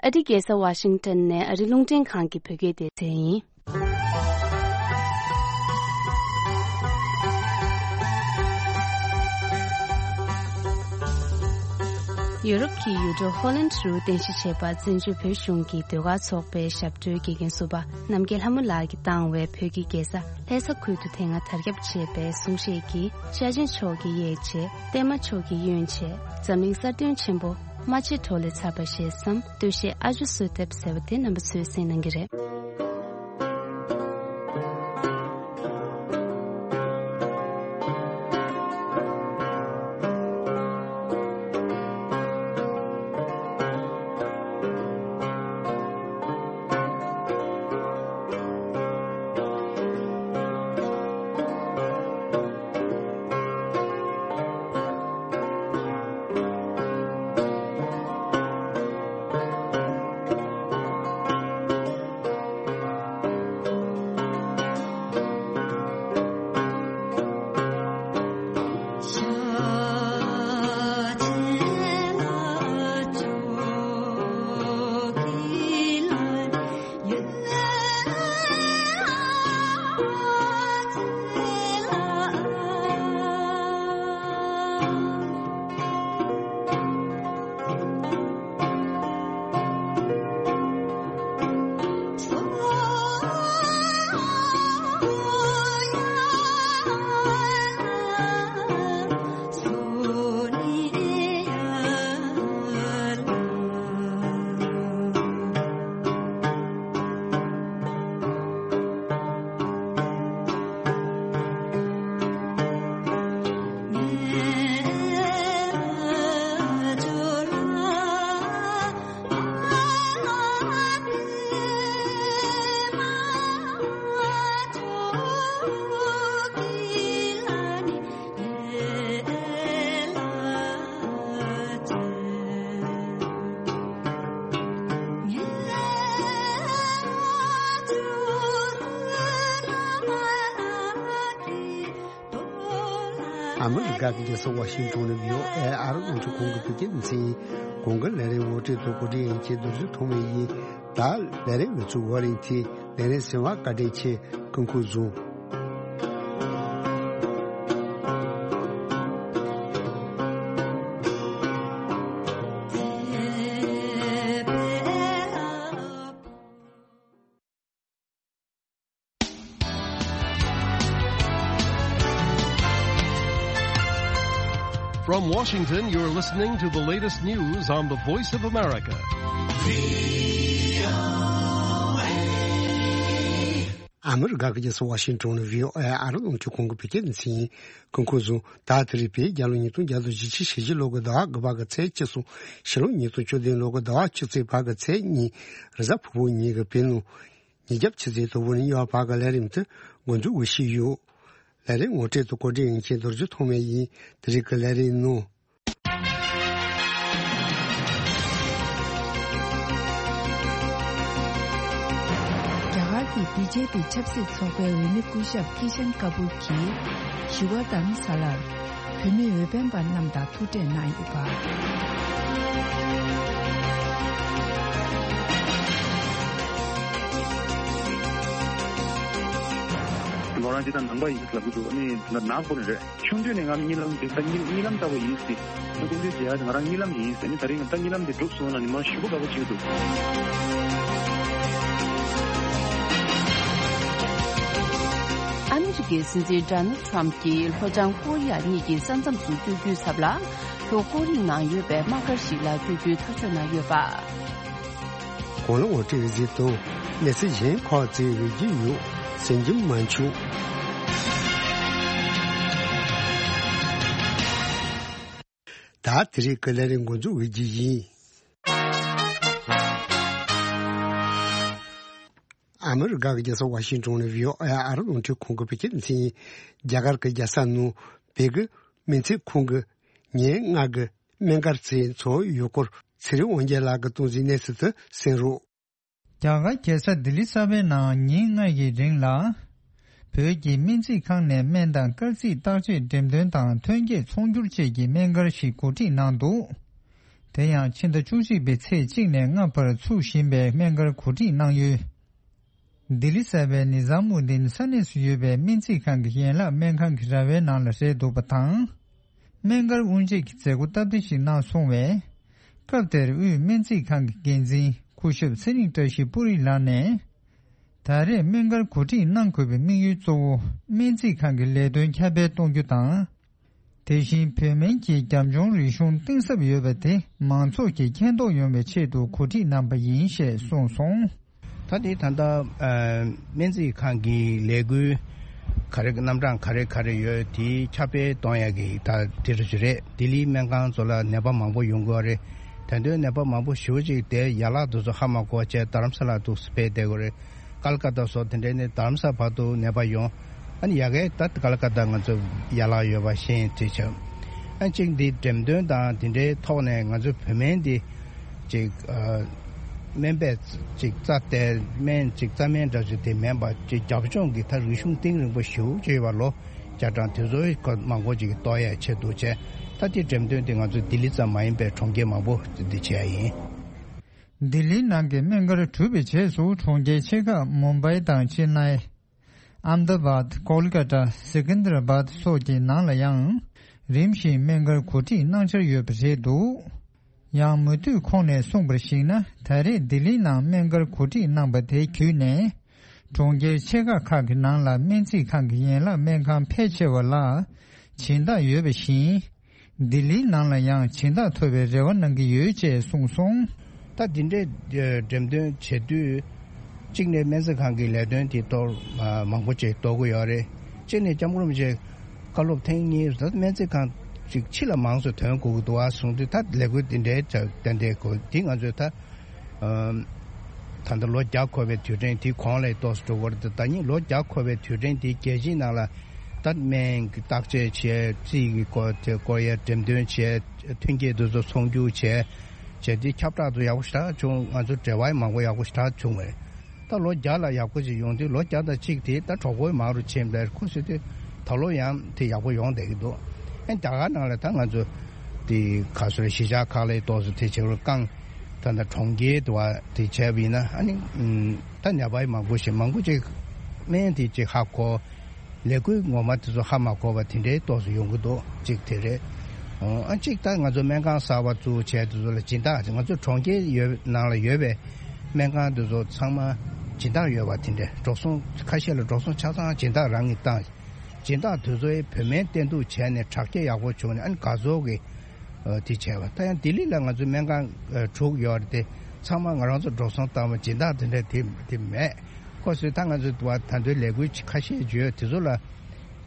ཨ་རིའི་རྒྱལ་ས་ཝ་ཤིང་ཏོན་ནས་ཨ་རི་རླུང་འཕྲིན་ཁང་གི་བོད་སྐད་སྡེ་ཚན་ཡིན། ཡོ་རོབ་ཀྱི་ཡུལ་གྲུ་ཧོ་ལན་རུ་རྟེན་གཞི་བྱས་པ་བཙན་བྱོལ་བོད་གཞུང་གི་ཟློས་གར་ཚོགས་པའི་ཞབས་བྲོའི་དགེ་རྒན་ཟུར་པ་རྣམ་རྒྱལ་ལྷ་མོ་ལགས་ཀྱིས་བཏང་བའི་བོད་ཀྱི་རྒྱལ་ས་ལྷ་ས་ཁུལ་དུ་དེ་སྔ་དར་ཁྱབ་ཆེ་བའི་གསུང་གཞས་ཀྱི་ཤ་ཆེན་ཕྱོགས་ཀྱི་གཡས་བྱེད། བརྟན་མ་ཕྱོགས་ཀྱི་གཡོན་བྱེད། འཛམ་གླིང་གསར་བཏོན་ཆེན་པོ་རྨ་ཆེན་གྲོ་ལས་ཚར་བ་ཞེས་སམ། སྟོད་གཞས་ཨ་ཇོ་གསོལ་འདེབས་ཟེར་བ་དེ་རྣམ་པ་ཚོས་གསན་གནང་གི་རེད། ཨ་མི་རི་ཀ་གི་རྒྱལ་ས་ཝ་ཤིང་ཏོན་ནས་བྷི་ཨོ་ཨེ་ཨ་རོ་རླུང་འཕྲིན་ཁང་གི་བོད་སྐད་སྡེ་ཚན་ཡིན། གོང་གི་ལས་རིམ་ངོ་སྤྲོད་དང་གོ་སྒྲིག་ཡིན་གྱི་རྡོ་རྗེ་ཐོགས་མེད་ཡིན། ད་ལས་རིམ་ངོ་སྤྲོད་ཝ་ལིང་ཐི་ལས་རིམ་གསན་པར་བཀའ་དྲིན་ཆེ། སྐུ་ཁམས་བཟང་། From Washington, you're listening to the latest news on the Voice of America. ཨ་མི་རི་ཀ་གི་རྒྱལ་ས་ཝ་ཤིང་ཏོན་ནས་བྷི་ཨོ་ཨེ་ཨ་རོ་རླུང་འཕྲིན་ཁང་གི་བོད་སྐད་སྡེ་ཚན་ཡིན། སྐུ་ཁམས་བཟང་། ད་དེ་རིང་བོད་རྒྱལ་ལོ་ཉིས་སྟོང་བརྒྱ་དང་བཞི་བཅུ་ཞེ་བཞི་ལོ་གི་ཟླ་བ་དགུ་པ་གི་ཚེས་བཅུ་གསུམ། ཕྱི་ལོ་ཉིས་སྟོང་བཅུ་བདུན་ལོ་གི་ཟླ་བ་བཅུ་གཅིག་པ་གི་ཚེས་གཉིས། རེས་གཟའ་ཕུར་བུ་ཉིན་གྱི་བོད་ནང་ཉིན་རྒྱབ་ཆུ་ཚོད་དང་པོ་ནས་གཉིས་པ་བར་གྱི་ལས་རིམ་དེ་འགོ་འཛུགས་ཞུས་ཡོད། ལས་རིམ་ངོ་སྤྲོད་དང་གོ་སྒྲིག་ཡིན་མཁན་རྡོ་རྗེ་ཐོགས་མེད་ཡིན། དེ་རིང་གི་ལས་རིམ་ནང་། རྒྱ་གར་གྱི་བི་ཇེ་པི་ཆབ་སྲིད་ཚོགས་པའི་འོས་མི་སྐུ་ཞབས་ཀི་ཤན་ཀ་པུར་གྱིས་བཞི་པ་དྷརམ་ས་ལར་བོད་མི་འོས་འཕེན་པ་རྣམས་དང་ཐུག་འཕྲད་གནང་ཡོད་པ། ལོ་རང་ཅི་ད་ནང་པ་ཡིན་ལབ་གི་འདུག་ཨ་ནི་ད་ནག་པོ་ནི་རེད། ཆུང་དུས་ནས་ང་གཉིད་ལམ་འདི་ད་གཉིད་གཉིད་ལམ་ལྟ་བུ་ཡིན་སྲིད། ང་སྐུ་མདུན་མཇལ་ཡག་དེ་ང་རང་གཉིད་ལམ་ཡིན་ཟེར་ནི། ད་རིང་ད་གཉིད་ལམ་དེ་འགྲུབ་སོང་ན་ནི་མ་ཞུ་བ་དགའ་པོ་བྱེད་ཀྱི་འདུག་ཨ་མི་རི་ཀའི་སྲིད་འཛིན་ཌོ་ནལ་ཊམ་གྱིས་ལྷོ་བྱང་ཀོ་རི་ཡ་གཉིས་ཀྱི་ས་མཚམས་སུ་བསྐྱོད་རྒྱུའི་ཚབ་ལ། ལྷོ་ཀོ་རི་ཡའི་ནང་ཡོད་པའི་དམག་སྒར་ཞིག་ལ་བསྐྱོད་རྒྱུའི་ཐག་གཅོད་གནང་ཡོད་པ། གོང་ལ་ངོ་སྤྲོད་གཟིགས་དང་། གནས་ཚུལ་གཞན་ཁག་ཅིག་ཡོད་ཀྱི་ཡོད། གསན་རྒྱུ་མ་བྱུང་། ད་དེ་རིང་གི་ལས་རིམ་འགོ་འཛུགས་འོས་ཀྱི་ཡིན། ཨ་མི་རི་ཀ་གི་རྒྱལ་ས་ཝ་ཤིང་ཏོན་ནས་བྷི་ཨོ་ཨེ་ཨ་རོ་རླུང་འཕྲིན་ཁང་གི་བོད་སྐད་སྡེ་ཚན་ཡིན། རྒྱ་གར་གྱི་རྒྱལ་ས་ནང་བོད་ཀྱི་སྨན་རྩིས་ཁང་གི་ཉེར་ལྔ་གི་སྨན་སྒར་ཚོའི་ཚོགས་ཡུལ་སྐོར་ཚེ་རིང་དབང་རྒྱལ་ལགས་ཀྱིས་གཏོང་གཟིགས་གནས་ཚུལ་དེ་གསན་རོགས། རྒྱ་གར་རྒྱལ་ས་ལྡི་ལི་གསར་པའི་ནང་ཉིན་ལྔ་ཡི་རིང་ལ། བོད་ཀྱི་སྨན་རྩིས་ཁང་ནས་སྨན་དང་སྐར་རྩིས་བརྟག་དཔྱད་འགྲེམས་སྟོན་དང་ཐོན་སྐྱེད་ཚོང་སྒྱུར་བཅས་ཀྱི་སྨན་སྒར་ཞིག་གོ་སྒྲིག་གནང་འདུག་དེ་ཡང་ཕྱི་ཟླ་བཅུ་གཅིག་པའི་ཚེས་གཅིག་ནས་ལྔ་བར་ཚུགས་བཞིན་པའི་སྨན་སྒར་གོ་སྒྲིག་གནང་ཡུལ། ལྡི་ལི་གསར་པའི་ནི་ཛམ་མུ་དིན་ས་གནས་སུ་ཡོད་པའི་སྨན་རྩིས་ཁང་གི་ཡན་ལག་སྨན་ཁང་གི་ར་བའི་ནང་ལ་རེད་འདུག་པ་དང་། སྨན་སྒར་དབུ་འབྱེད་ཀྱི་མཛད་སྒོ་སྟབས་བདེ་ཞིག་གནང་སོང་བས། སྐབས་དེར་དབུས་སྨན་རྩིས་ཁང་གི་འགན་འཛིན་སྐུ་ཞབས་ཚེ་རིང་བཀྲ་ཤིས་པུ་རི་ལགས་ནས། ད་རེས་སྨན་སྒར་གོ་སྒྲིག་གནང་དགོས་པའི་དམིགས་ཡུལ་གཙོ་བོ་སྨན་རྩིས་ཁང་གི་ལས་དོན་ཁྱབ་སྤེལ་གཏོང་རྒྱུ་དང་། དེ་བཞིན་བོད་སྨན་གྱི་རྒྱབ་ལྗོངས་རིག་གཞུང་གཏིང་ཟབ་ཡོད་པ་དེ་མང་ཚོགས་ཀྱིས་མཁྱེན་རྟོགས་ཡོང་བའི་ཆེད་དུ་གོ་སྒྲིག་གནང་པ་ཡིན་ཞེས་གསུངས་སོང་། ད་དེ་ད་ལྟ་སྨན་རྩིས་ཁང་གི་ལས་འགུལ་ག་རེ་རྣམ་གྲངས་ག་རེ་ག་རེ་ཡོད་དེ་ཁྱབ་སྤེལ་གཏོང་ཡག་གི་ད་དེ་རེད་ཞུ་རེད། ལྡི་ལིའི་སྨན་ཁང་ཚོ་ལ་ནད་པ་མང་པོ་ཡོང་གི་ཡོད་རེད། ད་དུང་ནད་པ་མང་པོ་ཞེ་པོ་ཅིག་དེ་ཡན་ལག་དེ་ཚོ་ཧ་མ་གོ་བྱས་རྡ་རམ་ས་ལ་འདུག་སེ་ཕེབས་བསྡད་ཀྱི་ཡོད་རེད། ཀལ་ཀ་ཏ་སོགས་དེ་འདྲའི་ནས་རྡ་རམ་ས་ལ་བར་དུ་ནད་པ་ཡོང་། ཨ་ནི་ཡ་གིའི་ད་ཀལ་ཀ་ཏ་ང་ཚོ་ཡན་ལག་ཡོད་པ་ཤེས་དེ་བྱས། ཨ་གཅིག་འདི་འགྲེམས་སྟོན་དང་དེ་འདྲའི་ཐོག་ནས་ང་ཚོ་བོད་སྨན་འདི་ཅིག་ཨ་སྨན་པས་ཅིག་རྩ་དེ་སྨན་ཅིག་རྩ་སྨན་འདྲ་ཅིག་དེ་མིན་པ་ཅིག་རྒྱབ་ལྗོངས་ཀྱི་ད་རིག་གཞུང་གཏིང་རིང་པོ་ཞེ་པོ་ཅིག་ཡོད་པ་ལོ་བརྒྱ་གྲངས་དེ་ཚོའི་སྐོར་མང་པོ་ཅིག་རྟོགས་ཡ་ཆེད་དུ་བྱས། ད་དེ་འགྲེམས་སྟོན་དེ་ང་ཚོ་ལྡི་ལི་ཙམ་མ་ཡིན་པའི་གྲོང་ཁྱེར་མང་པོ་འདི་བྱས་ཡིན། ལྡི་ལིའི་ནང་གི་སྨན་སྒར་གྲུབ་པའི་རྗེས་སུ་གྲོང་ཁྱེར་ཆེ་ཁག་མུམ་བྷའི་དང་ཅེན་ནའི། ཨམ་དཱ་བཱད། ཀོལ་ཀ་ཏ། སི་ཀན་དར་བཱད་སོགས་ཀྱི་ནང་ལ་ཡང་རིམ་བཞིན་སྨན་སྒར་གོ་སྒྲིག་གནང་འཆར་ཡོད་པ་རེད་འདུག་ཡང་མུ་མཐུད་ཁོང་ནས་གསུངས་པར་གཞིགས་ན། ད་རེས་ལྡི་ལིའི་ནང་སྨན་སྒར་གོ་སྒྲིག་གནང་པ་དེ་བརྒྱུད་ནས། གྲོང་ཁྱེར་ཆེ་ཁག་ཁག་གི་ནང་ལ་སྨན་རྩིས་ཁང་གི་ཡན་ལག་སྨན་ཁང་ཕལ་ཆེ་བ་ལ་སྦྱིན་བདག་ཡོད་པ་བཞིན། ལྡི་ལིའི་ནང་ལ་ཡང་སྦྱིན་བདག་ཐོབ་པའི་རེ་བ་གནང་གི་ཡོད་ཅེས་གསུངས་སོང་། ད་འདི་འདྲའི་འགྲེམས་སྟོན་བྱེད་དུས། གཅིག་ནས་སྨན་རྩིས་ཁང་གི་ལས་དོན་དེ་གཏོར་མང་པོ་ཅིག་གཏོར་གི་ཡོད་རེད། གཅིག་ནས་སྐྱབས་མགོན་རིན་པོ་ཆེ་བཀའ་སློབ་ཐེངས་གཉིས་ད་སྨན་རྩིས་ཁང་ཅིག་ཕྱི་ལ་མང་ཙམ་ཐོན་དགོས་ཀྱི་འདུག་ཨ་གསུངས་དུས། ད་ལས་འགུལ་འདི་འདྲའི་ཏན་ཏན་དགོས་འདི་ང་ཚོས་ད། ད་ལྟ་ལོ་བརྒྱ་འཁོར་བའི་དུས་དྲན་དེ་གོང་ལ་ཏོག་ཙམ་འགྲོ་གི་རེད། ད་ཉིད་ལོ་བརྒྱ་འཁོར་བའི་དུས་དྲན་དེ་རྒྱལ་སྤྱིའི་ནང་ལ་ད་སྨན་གྱི་བརྟག་དཔྱད་བྱས། རྩིས་ཀྱི་སྐོར་དེ་སྐོར་ཡ་འགྲེམས་སྟོན་བྱས། མཐུན་རྐྱེན་དེ་ཚོ་ཚོང་སྒྱུར་བྱས། བྱས་དེ་ཁྱབ་བསྒྲགས་དུ་ཡག་པོ་ཞེ་དྲག་བྱུང་། ང་ཚོ་འབྲེལ་བ་མང་པོ་ཡག་པོ་ཞེ་དྲག་བྱུང་བས། ད་ལོ་བརྒྱ་ལ་ཡག་པོ་ཅིག་ཡོང་དུས་ལོ་བརྒྱ་དང་གཅིག་དེ་ད་གྲོགས་པོ་མང་རུ་ཕྱིན་པས་ཁོ་ཟེར་དུས་ད་ལོ་ཡང་དེ་ཡག་པོ་ཡོང་བསྡད་ཀྱི་འདུག་རྒྱ་གར་ནང་ལ་ད་ང་ཚོ་དེ་ག་སོ་རེ་གཞིས་ཆགས་ཁག་ལ་ཏོག་ཙམ་དེ་བྱེད་རོགས་བསྐང་། ད་ད་གྲོང་ཁྱེར་དུ་བ་དེ་བྱས་པ་ཡིན་ན་ཨ་ནི་ད་ནད་པ་མང་པོ་ཞིག་མང་པོ་ཅིག་སྨན་དེ་ཅིག་ཧ་གོ། ལས་འགུལ་ངོ་མ་དེ་ཚོ་ཧ་མ་གོ་བ་དེ་འདྲའི་ཏོག་ཙམ་ཡོང་གི་འདུག་གཅིག་དེ་རེད། ཨ་གཅིག་ད་ང་ཚོ་སྨན་ཁང་གསར་བ་བཙུགས་བྱས་དེ་ཚོ་ལ་སྦྱིན་བདག་ང་ཚོ་གྲོང་ཁྱེར་ཡོད་ནང་ལ་ཡོད་པའི་སྨན་ཁང་དེ་ཚོ་ཚང་མ་སྦྱིན་བདག་ཡོད་པ་དེ་འདྲ་འགྲོ་སོང་ཁ་ཤས་ལ་འགྲོ་སོང་ཆ་ཚང་སྦྱིན་བདག་རང་གིས་བཏང་། སྦྱིན་བདག་དེ་ཚོའི་བོད་སྨན་བསྟེན་གཏུག་བྱས་ནས་དྲག་སྐྱེད་ཡག་པོ་བྱུང་ནས་ཨ་ནི་དགའ་ཚོར་གྱི་ཨ་དེ་བྱས་པ། ད་ཡང་ལྡི་ལི་ལ་ང་ཚོའི་སྨན་ཁང་ཨ་དྲུག་ཡོད་རེད་དེ། ཚང་མ་ང་རང་ཚོ་འགྲོ་སོང་བཏང་བ་སྦྱིན་བདག་དེ་འདྲ་དེ་དེ་མེད། ཁོ་ཚོས་ད་ང་ཚོའི་དུ་བ་ད་དུང་ལས་འགུལ་ཁ་ཤས་བརྗོད་དེ་ཚོ་ལ་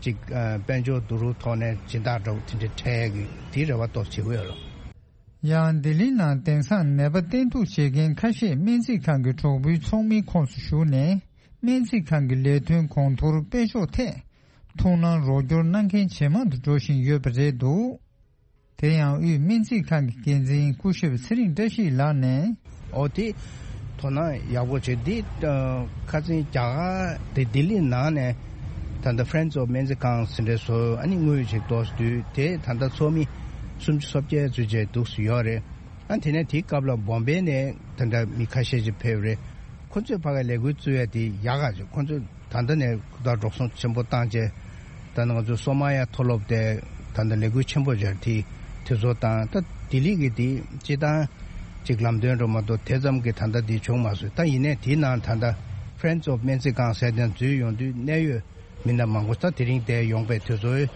ཅིག་ཨ་དཔལ་འབྱོར་བསྡུ་རུབ་ཐོག་ནས་སྦྱིན་བདག་འདྲ་བོ་དེ་འདྲ་འཕྲད་ཡག་གི་དེའི་རེ་བ་ཏོག་ཙམ་བྱེད་ཀྱི་ཡོད་རེད། ཡང་ལྡི་ལི་ནང་དེང་སང་ནད་པ་བསྟེན་གཏུག་བྱེད་མཁན་ཁ་ཤས་སྨན་རྩིས་ཁང་གི་གྲོགས་པོའི་ཚོགས་མིའི་ཁོངས་སུ་ཞུགས་ནས་སྨན་རྩིས་ཁང་གི་ལས་དོན་གོང་མཐོར་སྤེལ་ཕྱོགས་ཐད་ཐུགས་སྣང་རོགས་སྐྱོར་གནང་མཁན་ཇེ་མང་དུ་འགྲོ་བཞིན་ཡོད་པ་རེད་འདུག་དེ་ཡང་དབུས་སྨན་རྩིས་ཁང་གི་འགན་འཛིན་སྐུ་ཞབས་ཚེ་རིང་བཀྲ་ཤིས་ལགས་ནས། ཨོ་དེ་དོ་སྣང་ཡག་པོ་བྱེད་འདི་ཁ་སང་རྒྱ་གར་དེ་ལྡི་ལི་ནང་ནས་ད་ལྟ་Friends of སྨན་རྩིས་ཁང་ཟེར་འདྲ་བཟོ་ཨ་ནི་དངུལ་ཞིག་ཏོག་ཙམ་བསྡུས་དེ་ད་ལྟ་ཚོགས་མི་སུམ་ཅུ་སོ་བརྒྱད་ཙམ་བྱས་འདུག་སུ་ཡོད་རེད། ཨ་དེ་ནས་དེའི་སྐབས་ལ་བོམ་བེ་ནས་ད་ལྟ་མི་ཁ་ཤས་ཅིག་ཕེབས་རེད། ཁོ་ཚོས་ཕ་གའི་ལས་འགུལ་བཙུགས་ཡ་དེ་ཡག་ག་ཅིག་ཁོ་ཚོས་ད་ལྟ་ནས་ད་འགྲོ་སོང་ཆེན་པོ་བཏང་རྗེས་ད་ནི་ང་ཚོ་སོ་མ་ཡ་མཐོ་སློབ་དེ་ད་ལྟ་ལས་འགུལ་ཆེན་པོ་སྦྱར་དེ་དེ་ཚོ་དང་ད་ལྡི་ལི་གི་དེ་སྤྱི་བཏང་ཅིག་ལམ་སྟོན་འགྲོ་མ་གཏོགས་དེ་ཙམ་གྱི་ད་ལྟ་དེ་བྱུང་མ་སོང་། ད་ཡིན་ནའི་དེའི་ནང་ད་ལྟ་Friends of སྨན་རྩིས་ཁང་ཟེར་དེ་འཛུལ་ཡོང་དུས་གནད་ཡོད་མི་སྣ་མང་པོ་ད་དེ་རིང་དེ་ཡོང་པའི་དུས་ཚོད་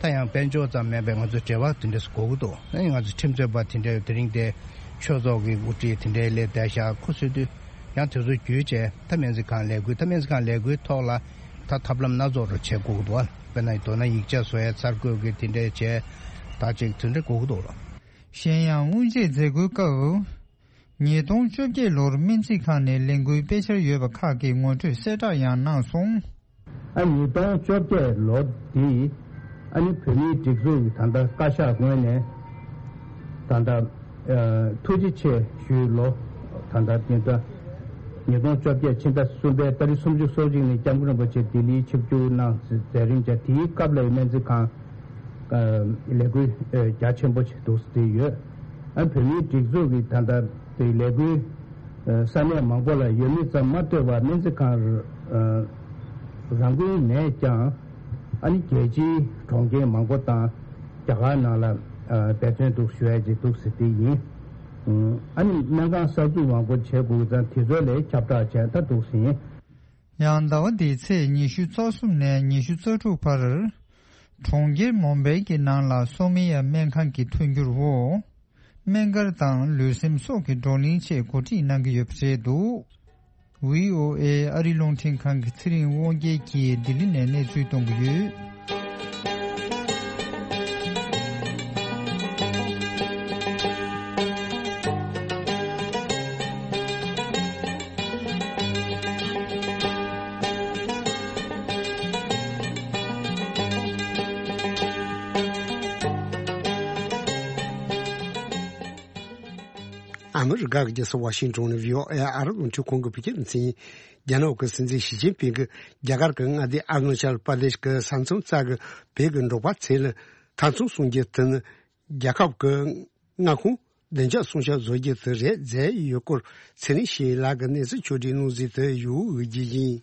ད་ཡང་དཔལ་འབྱོར་ཙམ་མིན་པའི་ང་ཚོ་འབྲེལ་བ་དེ་འདྲས་དགོས་ཀྱི་འདུག་ཨ་ནི་ང་ཚོ་ཁྲིམས་རྩོད་པ་དེ་འདྲས་དེ་རིང་དེ་ཆོས་ཚོགས་ཀྱི་དབུ་ཁྲིད་དེ་འདྲས་སླེབས་བསྡད་ཤག་ཁོ་ཚོས་དུས་ཡང་དེ་ཚོ་བརྒྱུད་བྱས་ད་སྨན་རྩིས་ཁང་ལས་འགུལ་ད་སྨན་རྩིས་ཁང་ལས་འགུལ་ཐོག་ལ་ད་ཐབས་ལམ་སྣ་ཚོགས་རུ་བྱེད་དགོས་ཀྱི་འདུག་དཔེར་ན་མདོར་ན་ཡིག་ཆ་བཟོ་ཡས་འཆར་འགོད་ཀྱི་དེ་འདྲས་བྱས་ད་ཅིག་དེ་འདྲས་དགོས་ཀྱི་འདུག་ལ། གཞན་ཡང་དབུ་འབྱེད་མཛད་སྒོའི་སྐབས། ཉིས་སྟོང་བཅོ་བརྒྱད་ལོར་སྨན་རྩིས་ཁང་ནས་ལས་འགུལ་སྤེལ་འཆར་ཡོད་པ་ཁག་གི་ངོ་སྤྲོད་གསལ་བསྒྲགས་ཡང་གནང་སོང་། ཨ་ཉིས་སྟོང་བཅོ་བརྒྱད་ལོ་འདི་ཨ་ནི་བོད་མིའི་སྒྲིག་འཛུགས་ཀྱི་ད་ལྟ་བཀའ་ཤག་ངོས་ནས་ད་ལྟ་ཨ་ཐུགས་རྗེ་ཆེ་ཞུའི་ལོ་ད་ལྟ་འདི་ལྟ་ཉིས་སྟོང་བཅོ་བརྒྱད་ཕྱི་ཟླ་གསུམ་པའི་ཏ་རིག་སུམ་ཅུ་སོ་གཅིག་ཉིན་སྐྱབས་མགོན་རིན་པོ་ཆེ་ལྡི་ལིའི་ཆིབས་བསྒྱུར་གནང་མཛད་རིམ་བྱས་དེའི་སྐབས་ལ་སྨན་རྩིས་ཁང་ལས་འགུལ་རྒྱ་ཆེན་པོ་ཞིག་འདུག་སེ་ཡོད། ཨ་བོད་མིའི་སྒྲིག་འཛུགས་ཀྱི་ད་ལྟ་དེ་ལས་འགུལ་ས་གནས་མང་པོ་ལ་ཡོད་མེད་ཙམ་མ་ལྟོས་པར་སྨན་རྩིས་ཁང་རང་འགུལ་ནས་ཀྱང་ཨ་ནི་རྒྱལ་སྤྱིའི་གྲོང་ཁྱེར་མང་པོ་དང་རྒྱ་གར་ནང་ལ་འབད་བརྩོན་འདུག་ཞུ་ཡ་ཅིག་འདུག་སེ་དེ་ཡིན། ཨ་ནི་སྨན་ཁང་གསར་འཛུགས་མང་པོ་བྱེད་དགོས་ཙང་དེ་ཚོ་ལས་ཁྱབ་བསྒྲགས་བྱས་ད་འདུག་སེ་ཡིན། ཡང་ཟླ་བ་འདིའི་ཚེས་ཉི་ཤུ་རྩ་གསུམ་ནས་ཉི་ཤུ་རྩ་དྲུག་བར། གྲོང་ཁྱེར་མུམ་བྷེ་གྱི་ནང་ལ་སོ་མི་ཡ་སྨན་ཁང་གི་མཐུན་འགྱུར་འོག་སྨན་སྒར་དང་ལུས་སེམས་སྲོག་གི་བགྲོ་གླེང་ཆེད་གོ་སྒྲིག་གནང་གི་ཡོད་པ་རེད་འདུག་བྷི་ཨོ་ཨེ་ཨ་རི་རླུང་འཕྲིན་ཁང་གི་ཚེ་རིང་དབང་རྒྱལ་གྱིས་ལྡི་ལི་ནས་གནས་ཚུལ་གཏོང་གི་ཡོད། ཨ་མི་རི་ཀ་གི་རྒྱལ་ས་ཝ་ཤིང་ཏོན་ནས་བྷི་ཨོ་ཨེ་ཨ་རི་རླུང་འཕྲིན་ཁང་གི་བོད་སྐད་སྡེ་ཚན། རྒྱ་ནག་གི་སྲིད་འཛིན་ཞི་ཅིན་ཕིང་གིས་རྒྱ་གར་གྱི་མངའ་སྡེ་ཨ་རུ་ན་ཅལ་པར་དེཤ་གི་ས་མཚམས་རྩ་གི་བོད་ཀྱི་འབྲོག་པ་ཚོ་ལ་ཐ་ཚོང་སྲུང་རྒྱུ་དེ་ནི་རྒྱལ་ཁབ་ཀྱི་མངའ་ཁོངས་བདེ་འཇགས་སྲུང་སྐྱོབ་བཟོ་རྒྱུ་དེ་རེད་མཛད་ཡོད་སྐོར་ཚེ་རིང་ཞེས་ལགས་ཀྱི་གནས་ཚུལ་ཕྱོགས་བསྒྲིགས་གནང་གཟིགས་དུ་ཡོད་རྒྱུ་ཡིན།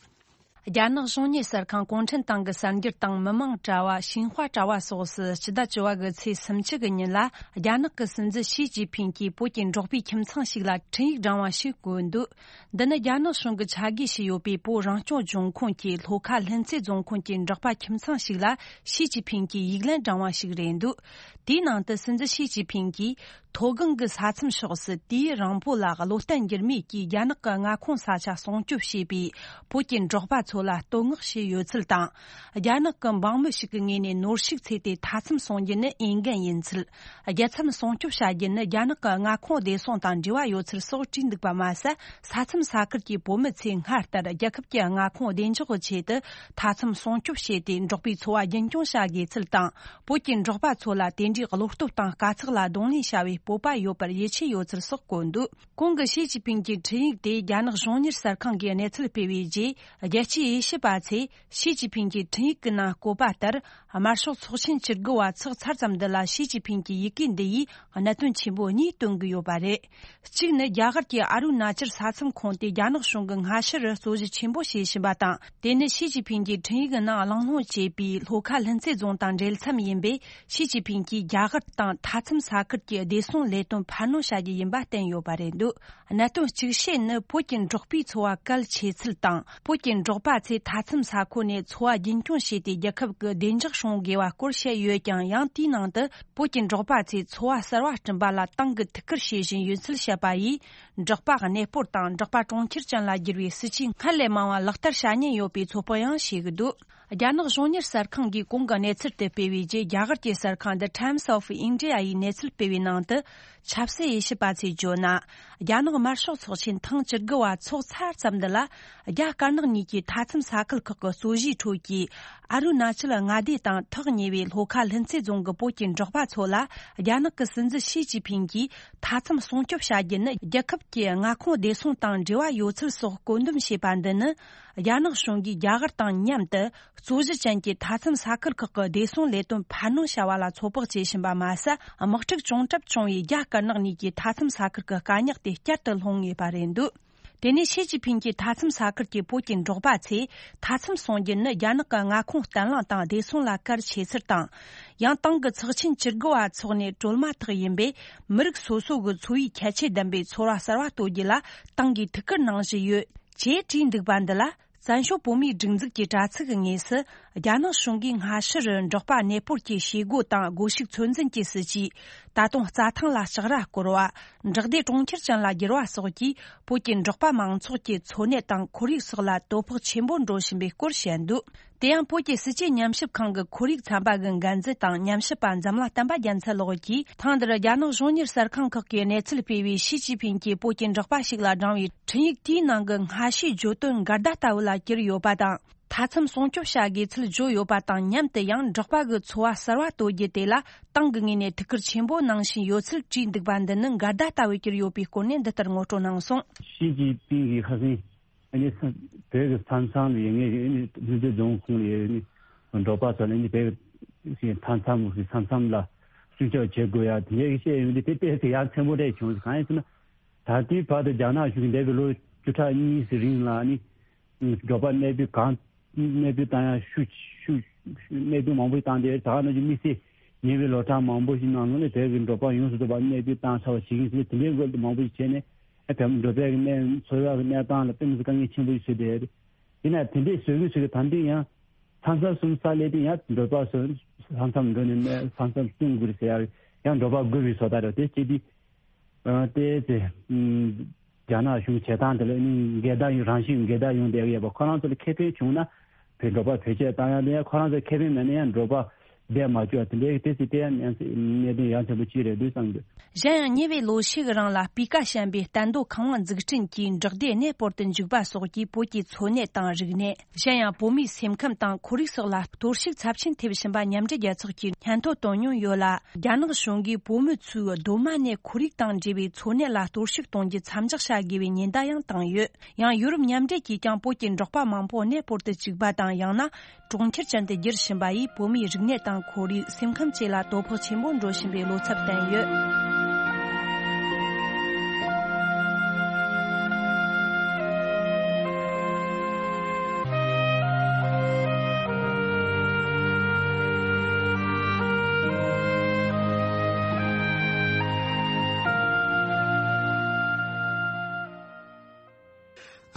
རྒྱ་ནག་གཞུང་གཉེར་གསར་ཁང་གུང་ཁྲན་ཏང་གི་གསར་འགྱུར་དང་མི་མང་དྲ་བ་ཤིན་ཧྭ་དྲ་བ་སོགས་སུ་སྤྱི་ཟླ་བཅུ་པ་གི་ཚེས་སུམ་ཅུ་གི་ཉིན་ལ་རྒྱ་ནག་གི་སྲིད་འཛིན་ཞི་ཅིན་ཕིང་གིས་བོད་ཀྱི་འབྲོག་པའི་ཁྱིམ་ཚང་ཞིག་ལ་འཕྲིན་ཡིག་བསྒྲེངས་པ་ཞིག་བཀོད་འདུག་འདི་ནི་རྒྱ་ནག་གཞུང་གིས་ཆ་བགོས་བྱས་ཡོད་པའི་བོད་རང་སྐྱོང་ལྗོངས་ཁོངས་ཀྱི་ལྷོ་ཁ་ལྷུན་རྩེ་རྫོང་ཁོངས་ཀྱི་འབྲོག་པ་ཁྱིམ་ཚང་ཞིག་ལ་ཞི་ཅིན་ཕིང་གིས་ཡིག་ལན་བསྒྲེངས་པ་ཞིག་རེད་འདུག་དེའི་ནང་དུ་སྲིད་འཛིན་ཞི་ཅིན་ཕིང་གིས་མཐོ་སྒང་གི་ས་མཚམས་ཕྱོགས་སུ་དུས་ཡུན་རིང་པོ་ལ་བློ་བརྟན་འགྱུར་མེད་ཀྱིས་རྒྱ་ནག་གི་མངའ་ཁོངས་ས་ཆ་སྲུང་སྐྱོབ་བྱས་པའི་བོད་ཀྱི་འབྲོག་པ་ཚོ་ལ་བསྟོད་བསྔགས་བྱས་ཡོད་ཚུལ་དང་། རྒྱ་ནག་གི་འབངས་མི་ཞིག་གི་ངོས་ནས་ནོར་ཕྱུགས་བཙལ་ཏེ་མཐའ་མཚམས་སྲུང་རྒྱུ་ནི་འོས་འགན་ཡིན་ཚུལ། རྒྱལ་མཚམས་སྲུང་སྐྱོབ་བྱ་རྒྱུ་ནི་རྒྱ་ནག་གི་མངའ་ཁོངས་བདེ་སྲུང་དང་འབྲེལ་བ་ཡོད་ཚུལ་སོགས་བྲིས་འདུག་པ་མ་ཟད། ས་མཚམས་ས་ཁུལ་གྱི་བོད་མི་ཚོས་སྔར་ལྟར་རྒྱལ་ཁབ་ཀྱི་མངའ་ཁོངས་བདེ་འཇགས་ཀྱི་ཆེད་དུ་མཐའ་མཚམས་སྲུང་སྐྱོབ་བྱས་ཏེ་འབྲོག་པའི་འཚོ་བ་རྒྱུན་སྐྱོང་བྱ་དགོས་ཚུལ་དང་། བོད་ཀྱི་འབྲོག་པ་ཚོ་ལ་དེ་འདྲའི་བློ་སྟོབས་དང་དཀའ་ཚེགས་ལ་གདོང་ལེན་བྱ་བའི་ སྤོབས་པ་ཡོད་པར་ཡིད་ཆེས་ཡོད་ཚུལ་སོགས་བཀོད་འདུག། གོང་གི་ཞི་ཅིན་ཕིང་གི་འཕྲིན་ཡིག་དེ་རྒྱ་ནག་གཞུང་གཉེར་གསར་ཁང་གིས་གནས་ཚུལ་སྤེལ་བའི་རྗེས། རྒྱལ་སྤྱིའི་དབྱེ་ཞིབ་པ་ཚོས་ཞི་ཅིན་ཕིང་གི་འཕྲིན་ཡིག་གི་ནང་བཀོད་པ་ལྟར། དམར་ཤོག་ཚོགས་ཆེན་བཅུ་དགུ་བ་ཚོགས་ཚར་ཙམ་འདི་ལ་ཞི་ཅིན་ཕིང་གི་ཡི་གེ་འདི་ཡིས་གནད་དོན་ཆེན་པོ་གཉིས་སྟོན་གྱི་ཡོད་པ་རེད། གཅིག་ནི། རྒྱ་གར་གྱི་ཨ་རུ་ན་ཅལ་ས་མཚམས་ཁོངས་དེ་རྒྱ་ནག་གཞུང་གིས་སྔ་ཕྱི་རུ་རྩོད་གཞི་ཆེན་པོ་བྱེད་བཞིན་པ་དང་། དེ་ནི་ཞི་ཅིན་ཕིང་གིས་འཕྲིན་ཡིག་ནང་གླེང་སློང་བྱས་པའི་ལྷོ་ཁ་ལྷུན་རྩེ་རྫོང་དང་འབྲེལ་མཚམས་ཡིན་པས། ཞི་ཅིན་ཕིང་གིས་རྒྱ་གར་དང་མཐའ་མཚམས་ས་ཁུལ་གྱི་བདེ་སྲུང་ལས་དོན་འཕར་སྣོན་བྱ་རྒྱུ་ཡིན་པ་བསྟན་ཡོད་པ་རེད་འདུག། གནད་དོན་གཅིག་ཤོས་ནི། བོད་ཀྱི་འབྲོག་པའི་འཚོ་བ་གལ་ཆེ་ཚུལ་དང་། བོད་ཀྱི་འབྲོག་པ་ཚོས་མཐའ་མཚམས་ས་ཁུལ་ནས་འཚོ་བ་རྒྱུན་སྐྱོང་བྱས་ཏེ། རྒྱལ་ཁབ་ཀྱི་བདེ་འཇགས་སྲུང་དགོས་པ་སྐོར་བཤད་ཡོད་ཀྱང་། ཡང་དེའི་ནང་དུ། བོད་ཀྱི་འབྲོག་པ་ཚོས་འཚོ་བ་གསར་བ་བསྐྲུན་པ་ལ་ཏང་གིས་ཐུགས་ཁུར་བྱེད་བཞིན་ཡོད་ཚུལ་བཤད་པ་ཡིས། འབྲོག་པ་གནས་སྤོར་དང་འབྲོག་པ་གྲོང་ཁྱེར་ཅན་ལ་བསྒྱུར་བའི་སྲིད་ཇུས་སྔར་ལས་མང་བ་ལག་བསྟར་བྱ་ཉེན་ཡོད་པའི་ཚོད་དཔག་ཡང་བྱེད་ཀྱི་འདུག། རྒྱ་ནག་གཞུང་གཉེར་གསར་ཁང་གིས་གོང་གི་གནས་ཚུལ་དེ་སྤེལ་བའི་རྗེས། རྒྱ་གར་གྱི་གསར་ཁང་The Times of India ཡི་གནས་ཚུལ་སྤེལ་བའི་ནང་དུ། ཆབ་སྲིད་དབྱེ་ཞིབ་པ་ཚོས་བརྗོད་ན། རྒྱ་ནག་དམར་ཤོག་ཚོགས་ཆེན་ཐེངས་བཅུ་དགུ་བ་ཚོགས་ཚར་ཙམ་འདི་ལ། རྒྱ་དཀར་ནག་གཉིས་ཀྱི་མཐའ་མཚམས་ས་ཁུལ་ཁག་གི་རྩོད་གཞིའི་ཁྲོད་ཀྱི་ཨ་རུ་ན་ཅལ་མངའ་སྡེ་དང་ཐག་ཉེ་བའི་ལྷོ་ཁ་ལྷུན་རྩེ་རྫོང་གི་བོད་ཀྱི་འབྲོག་པ་ཚོ་ལ། རྒྱ་ནག་གི་སྲིད་འཛིན་ཞི་ཅིན་ཕིང་གིས་མཐའ་མཚམས་སྲུང་སྐྱོབ་བྱ་རྒྱུ་ནི། རྒྱལ་ཁབ་ཀྱི་མངའ་ཁོངས་བདེ་སྲུང་དང་འབྲེལ་བ་ཡོད་ཚུལ་སོགས་བཀོད་འདོམས་བྱས་པ་འདི་ནི། རྒྱ་ནག་གཞུང་གིས་རྒྱ་གར་དང་མཉམ་དུ། རྩོད་གཞི་ཅན་གྱི་མཐའ་མཚམས་ས་ཁུལ་ཁག་གི་བདེ་སྲུང་ལས་དོན་འཕར་སྣོན་བྱ་བ་ལ་ཚོད་དཔག་བྱེད་བཞིན་པ་མ་ཟད། དམག་འཁྲུག་བྱུང་གྲབས་བྱུང་བའི་རྒྱ་དཀར་ནག་གཉིས་ཀྱི་མཐའ་མཚམས་ས་ཁུལ་གྱི་དཀའ་རྙོག་དེ་བསྐྱར་དུ་སློང་ངེས་པ་རེད་འདུག། དེ་ནས་ཞི་ཅིན་ཕིང་གིས་མཐའ་མཚམས་ས་ཁུལ་གྱི་བོད་ཀྱི་འབྲོག་པ་ཚོས་མཐའ་མཚམས་སྲུང་རྒྱུ་ནི་རྒྱ་ནག་གི་མངའ་ཁོངས་བརྟན་ལྷིང་དང་བདེ་སྲུང་ལ་གལ་ཆེ་ཚུལ་དང་། ཡང་ཏང་གི་ཚོགས་ཆེན་བཅུ་དགུ་བ་འཚོགས་ནས་གྲོལ་མ་ཐག་ཡིན་པས། མི་རིགས་སོ་སོ་གི་འཚོ་བའི་ཁྱད་ཆོས་ལྡན་པའི་ཚོར་བ་གསར་བ་གཏོད་རྒྱུ་ལ་ཏང་གིས་ཐུགས་ཁུར་གནང་བཞིན་ཡོད་ཅེས་བྲིས་འདུག་པ་འདི་ལ། བཙན་བྱོལ་བོད་མིའི་སྒྲིག་འཛུགས་ཀྱི་དྲ་ཚིགས་ཀྱི་ངོས་སུ། རྒྱ་ནག་གཞུང་གིས་སྔ་ཕྱི་རུ་འབྲོག་པ་གནས་སྤོར་གྱི་བྱེད་སྒོ་དང་སྒོ་ཕྱུགས་ཚོད་འཛིན་གྱི་སྲིད་ཇུས། ད་དུང་རྩྭ་ཐང་ལ་ལྕགས་ར་བསྐོར་བ། འབྲོག་སྡེ་གྲོང་ཁྱེར་ཅན་ལ་བསྒྱུར་བ་སོགས་ཀྱིས། བོད་ཀྱི་འབྲོག་པ་མང་ཚོགས་ཀྱི་འཚོ་གནས་དང་ཁོར་ཡུག་སོགས་ལ་དོ་ཕོག་ཆེན་པོ་འགྲོ་བཞིན་པའི་སྐོར་བཤད་འདུག། དེ་ཡང་བོད་ཀྱི་སྲིད་བྱུས་ཉམས་ཞིབ་ཁང་གི་ཁོར་ཡུག་ཚན་པ་གི་འགན་འཛིན་དང་ཉམས་ཞིབ་པ་འཛམ་གླིང་བསྟན་པ་རྒྱལ་མཚན་ལགས་ཀྱིས། ཐེངས་འདིར་རྒྱ་ནག་གཞུང་གཉེར་གསར་ཁང་ཁག་གིས་གནས་ཚུལ་སྤེལ་བའི་ཞི་ཅིན་ཕིང་གིས་བོད་ཀྱི་འབྲོག་པ་ཞིག་ལ་བགྲངས་པའི་འཕྲིན་ཡིག་དེའི་ནང་གི་སྔ་ཕྱིའི་བརྗོད་དོན་འགལ་ཟླ་ལྟ་བུ་ལ་གྱུར་ཡོད་པ་དང་། མཐའ་མཚམས་སྲུང་སྐྱོབ་བྱ་དགོས་ཚུལ་བརྗོད་ཡོད་པ་དང་། མཉམ་དུ་ཡང་འབྲོག་པ་གི་འཚོ་བ་གསར་བ་གཏོད་རྒྱུ་དེ་ལ་ཏང་གི་ངོས་ནས་ཐུགས་ཁུར་ཆེན་པོ་གནང་བཞིན་ཡོད་ཚུལ་བྲིས་འདུག་པ་འདི་ནི་འགལ་ཟླ་ལྟ་བུ་གྱུར་ཡོད་པའི་སྐོར་ནས་འདི་ལྟར་ངོ་སྤྲོད་གནང་སོང་། ཞི་ཅིན་ཕིང་གིས་ཁ་སང་ཨ་ནི་བོད་ཀྱི་ས་མཚམས་ལ་ཡོད་ངེས་ཨ་ནི་ལྷུན་རྩེ་རྫོང་ཁོངས་ལ་ཡོད་ཨ་ནི་འབྲོག་པ་ཚོ་ལ་ཨ་ནི་བོད་ཀྱི་མཐའ་མཚམས་ཀྱི་ས་མཚམས་ལ་སྲུང་སྐྱོབ་བྱེད་དགོས་ཡ་དེ་འདྲའི་བཤད་ཡོང་དུས་དེ་དཔེ་དེ་ཡ་མཚན་པོ་འདྲ་བྱུང་། གང་ཡིན་ཟེར་ན། ད་ལྟའི་བར་དུ་རྒྱ་ནག་གཞུང་གིས་འདས་པའི་ལོ་བཅུ་ཕྲག་གཉིས་ཀྱི་རིང་ལ་ནི་འབྲོག་པ་གནས་སྤོས་གང་གནས་སྤོས་བཏང་ཡ་ཤུགས་ཤུགས་གནས་སྤོས་མང་པོ་ཞིག་བཏང་སྟེ། ད་ག་ནང་བཞིན་དམིགས་བསལ་ཉེ་བའི་ལོ་གྲངས་མང་པོ་ཞིག་ནང་ལོགས་ནས་བོད་ཀྱི་འབྲོག་པ་ཡོངས་སུ་རྫོགས་པ་གནས་སྤོས་བཏང་ཚར་བ་ཞིག་ཡིན་ཟེར། དེ་འདྲའི་སྐོར་དུ་མང་པོ་ཞིག་བྱས་ནས་ཨ་བོད་འབྲོག་པའི་གནས་འཚོ་བའི་གནས་སྟངས་ལ་དཔེ་མི་སྲིད་དཀའ་ངལ་ཆེན་པོ་ཞིག་བཟོས་བསྡད་ཡོད་རེད། ཡིན་ན་དེ་འདྲའི་བཟོ་གི་བཟོ་གི་ད་ལྟ་ཡང་མཚམས་མཚམས་སུ་ས་སླེབས་དུས་ཡང་འབྲོག་པ་ཚོ་ས་མཚམས་འགྲོ་ནས་ས་མཚམས་སྲུང་དགོས་རེད་ཟེར་ཡ་ཡང་འབྲོག་པ་རྒུད་པའི་བཟོ་ལྟ་རེད། དེ་བྱེད་དུས། ཨ་དེ་དེ་ཨམ་རྒྱ་ནག་གཞུང་བྱེད་སྟངས་དེ་ལ་ནི་འགལ་ཟླ་ཡོང་རང་བཞིན་འགལ་ཟླ་ཡོང་བསྡད་ཡོད་པ། ཁོ་རང་ཚོ་ལ་ཁེ་ཕན་བྱུང་ན་བོད་འབྲོག་པ་བེད་སྤྱོད་བཏང་ཡ་དེ་ཡང་། ཁོ་རང་ཚོ་ཁེ་ཕན་མེད་ན་ཡང་འབྲོག་པ་བསྡད་མ་བཅུག་པ་དེ་འདྲའི་དེ་སྲིད་དེ་ཡང་གནད་དོན་ཡ་མཚན་པོ་གཅིག་རེད་འདུག་བསམ་འདུག། གཞན་ཡང་ཉེ་བའི་ལོ་ཤས་ཀྱི་རིང་ལ་སྤུས་ཀ་ཞན་པའི་གཏན་སྡོད་ཁང་བ་འཛུགས་སྐྲུན་གྱིས་འབྲོག་སྡེ་གནས་སྤོར་དུ་འཇུག་པ་སོགས་ཀྱིས་བོད་ཀྱི་འཚོ་གནས་དང་རིག་གནས། གཞན་ཡང་བོད་མིའི་སེམས་ཁམས་དང་ཁོར་ཡུག་སོགས་ལ་གཏོར་བཤིག་ཚབས་ཆེན་ཐེབས་བཞིན་པ་མཉམ་འབྲེལ་རྒྱལ་ཚོགས་ཀྱིས་སྙན་ཐོ་བཏོན་མྱོང་ཡོད་ལ། རྒྱ་ནག་གཞུང་གིས་བོད་མི་ཚོའི་གདོད་མ་ནས་ཁོར་ཡུག་དང་འབྲེལ་བའི་འཚོ་གནས་ལ་གཏོར་བཤིག་གཏོང་རྒྱུ་མཚམས་འཇོག་བྱ་དགོས་པའི་ཉེན་བརྡ་ཡང་བཏང་ཡོད། ཡང་ཡུ་རོབ་མཉམ་འབྲེལ་གྱིས་ཀྱང་བོད་ཀྱི་འབྲོག་པ་མང་པོ་གནས་སྤོར་དུ་བཅུག་པ་དང་། ཡང་ན་གྲོང་ཁྱེར་ཅན་དུ་བསྒྱུར་བཞིན་པ་ཡིས་བོད་མིའི་རིག་གནས་དང་ཁོར་ཡུག་སེམས་ཁམས་བཅས་ལ་དོ་ཕོག་ཆེན་པོ་འགྲོ་བཞིན་པའི་བློ་འཚབ་བསྟན་ཡོད།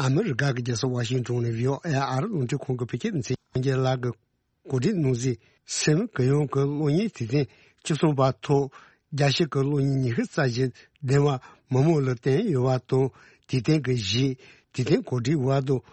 ཨ་མི་རི་ཀ་གི་རྒྱལ་ས་ཝ་ཤིང་ཊོན་ནས་བྷི་ཨོ་ཨེ་ཨ་རི་རླུང་འཕྲིན་ཁང་གི་བོད་སྐད་སྡེ་ཚན་ཡང་རྒྱལ་ལགས་ཀྱིས་གོ་སྒྲིག་གནང་གཟིགས། སེམས་གུ་ཡངས་ཀྱི་གློག་བརྙན་དུས་སྟོན་བཅུ་གསུམ་པ་ཐོག་རྒྱལ་སྤྱི་གི་གློག་བརྙན་ཉི་ཤུ་རྩ་བཞི་ལྡན་པ་མི་མང་ལ་བསྟན་ཡོད་པ་དང་། དུས་སྟོན་གྱི་གཞི། དུས་སྟོན་གོ་སྒྲིག་པ་དང་། གློག་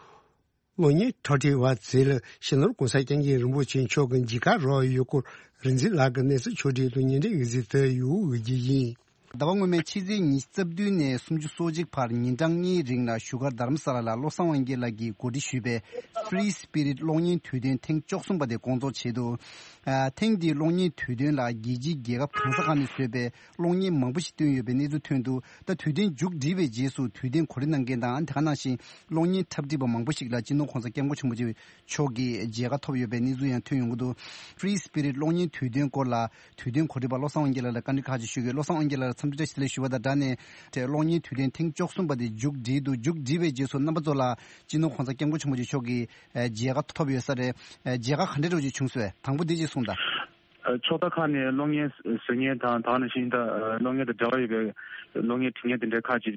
བརྙན་འཁྲབ་ཁྲིད་པ་ཚོ་ལ་སྤྱི་ནོར་༸གོང་ས་༸སྐྱབས་མགོན་རིན་པོ་ཆེ་མཆོག་གི་མཇལ་ཁ་རག་ཡོད་སྐོར་རིག་འཛིན་ལགས་ཀྱིས་གནས་ཚུལ་ཕྱོགས་སྒྲིག་དང་སྙན་སྒྲོན་ཡོད་ཚུལ་དེ་ཡོད་འོས་ཀྱི་ཡིན། ཟླ་བ་སྔོན་མའི་ཕྱི་ཚེས་ཉི་ཤུ་རྩ་བདུན་ནས་སུམ་ཅུ་སོ་གཅིག་བར་ཉིན་གྲངས་གཉིས་རིང་ལ་བཞུགས་སྒར་དྷ་རམ་ས་ལ་ལ་བློ་བཟང་དབང་རྒྱལ་ལགས་ཀྱིས་གོ་སྒྲིག་ཞུས་པའི་Free Spirit གློག་བརྙན་དུས་སྟོན་ཐེངས་བཅུ་གསུམ་པ་དེ་སྐོང་ཚོགས་བྱས་འདུག་ཨ། ཐེངས་འདིའི་གློག་བརྙན་དུས་སྟོན་ལ་རྒྱལ་སྤྱིའི་རྒྱལ་ཁབ་གང་ས་གང་ནས་བཟོས་པའི་གློག་བརྙན་མང་པོ་ཞིག་བཏོན་ཡོད་པའི་གནས་ཚུལ་ཐོན་འདུག་ད་དུས་སྟོན་མཇུག་བསྒྲིལ་བའི་རྗེས་སུ་དུས་སྟོན་གོ་སྒྲིག་གནང་མཁན་དང་དེ་ག་ནང་བཞིན་གློག་བརྙན་འཁྲབ་ཁྲིད་པ་མང་པོ་ཞིག་ལ་སྤྱི་ནོར་གོང་ས་སྐྱབས་མགོན་ཆེན་པོ་མཆོག་གི་མཇལ་ཁ་ཐོབ་ཡོད་པའི་གནས་ཚུལ་ཡང་ཐོན་ཡོང་གི་འདུག Free Spirit གློག་བརྙན་དུས་སྟོན་སྐོར་ལ་དུས་སྟོན་གོ་སྒྲིག་པ་བློ་བཟང་དབང་རྒྱལ་ལགས་ལ་བཀའ་འདྲི་ཁག་ཅིག་ཞུ་གི་ཡོད། བློ་བཟང་དབང་རྒྱལ་ལགས་ལ་འཚམས་འདྲི་བཀྲ་ཤིས་བདེ་ལེགས་ཞུ་བ་དང་སྦྲགས་ནས་དེ་གློག་བརྙན་དུས་སྟོན་ཐེངས་བཅུ་གསུམ་པ་དེ་མཇུག་བསྒྲིལ་འདུག་མཇུག་བསྒྲིལ་བའི་རྗེས་སུ་རྣམ་པ་ཚོ་ལ་སྤྱི་ནོར་གོང་ས་སྐྱབས་མགོན་ཆེན་པོ་མཆོག་གི་མཇལ་ཁ་ཐོབ་ཡོད་ས་རེད། མཇལ་ཁ་ག་འདྲ་འདྲ་བོ་ཅིག་བྱུང་སོང་། དང་པོ་འདི་ཅིག་གསུངས་དང་། ཕྱོགས་མཐའ་ཁག་ནས་གློག་བརྙན་བཟོ་མཁན་དང་དེ་ནང་བཞིན་ད་གློག་བརྙན་དང་འབྲེལ་བ་ཡོད་པའི་གློག་བརྙན་འབྲི་མཁན་དེ་འདྲའི་ཁག་ཅིག་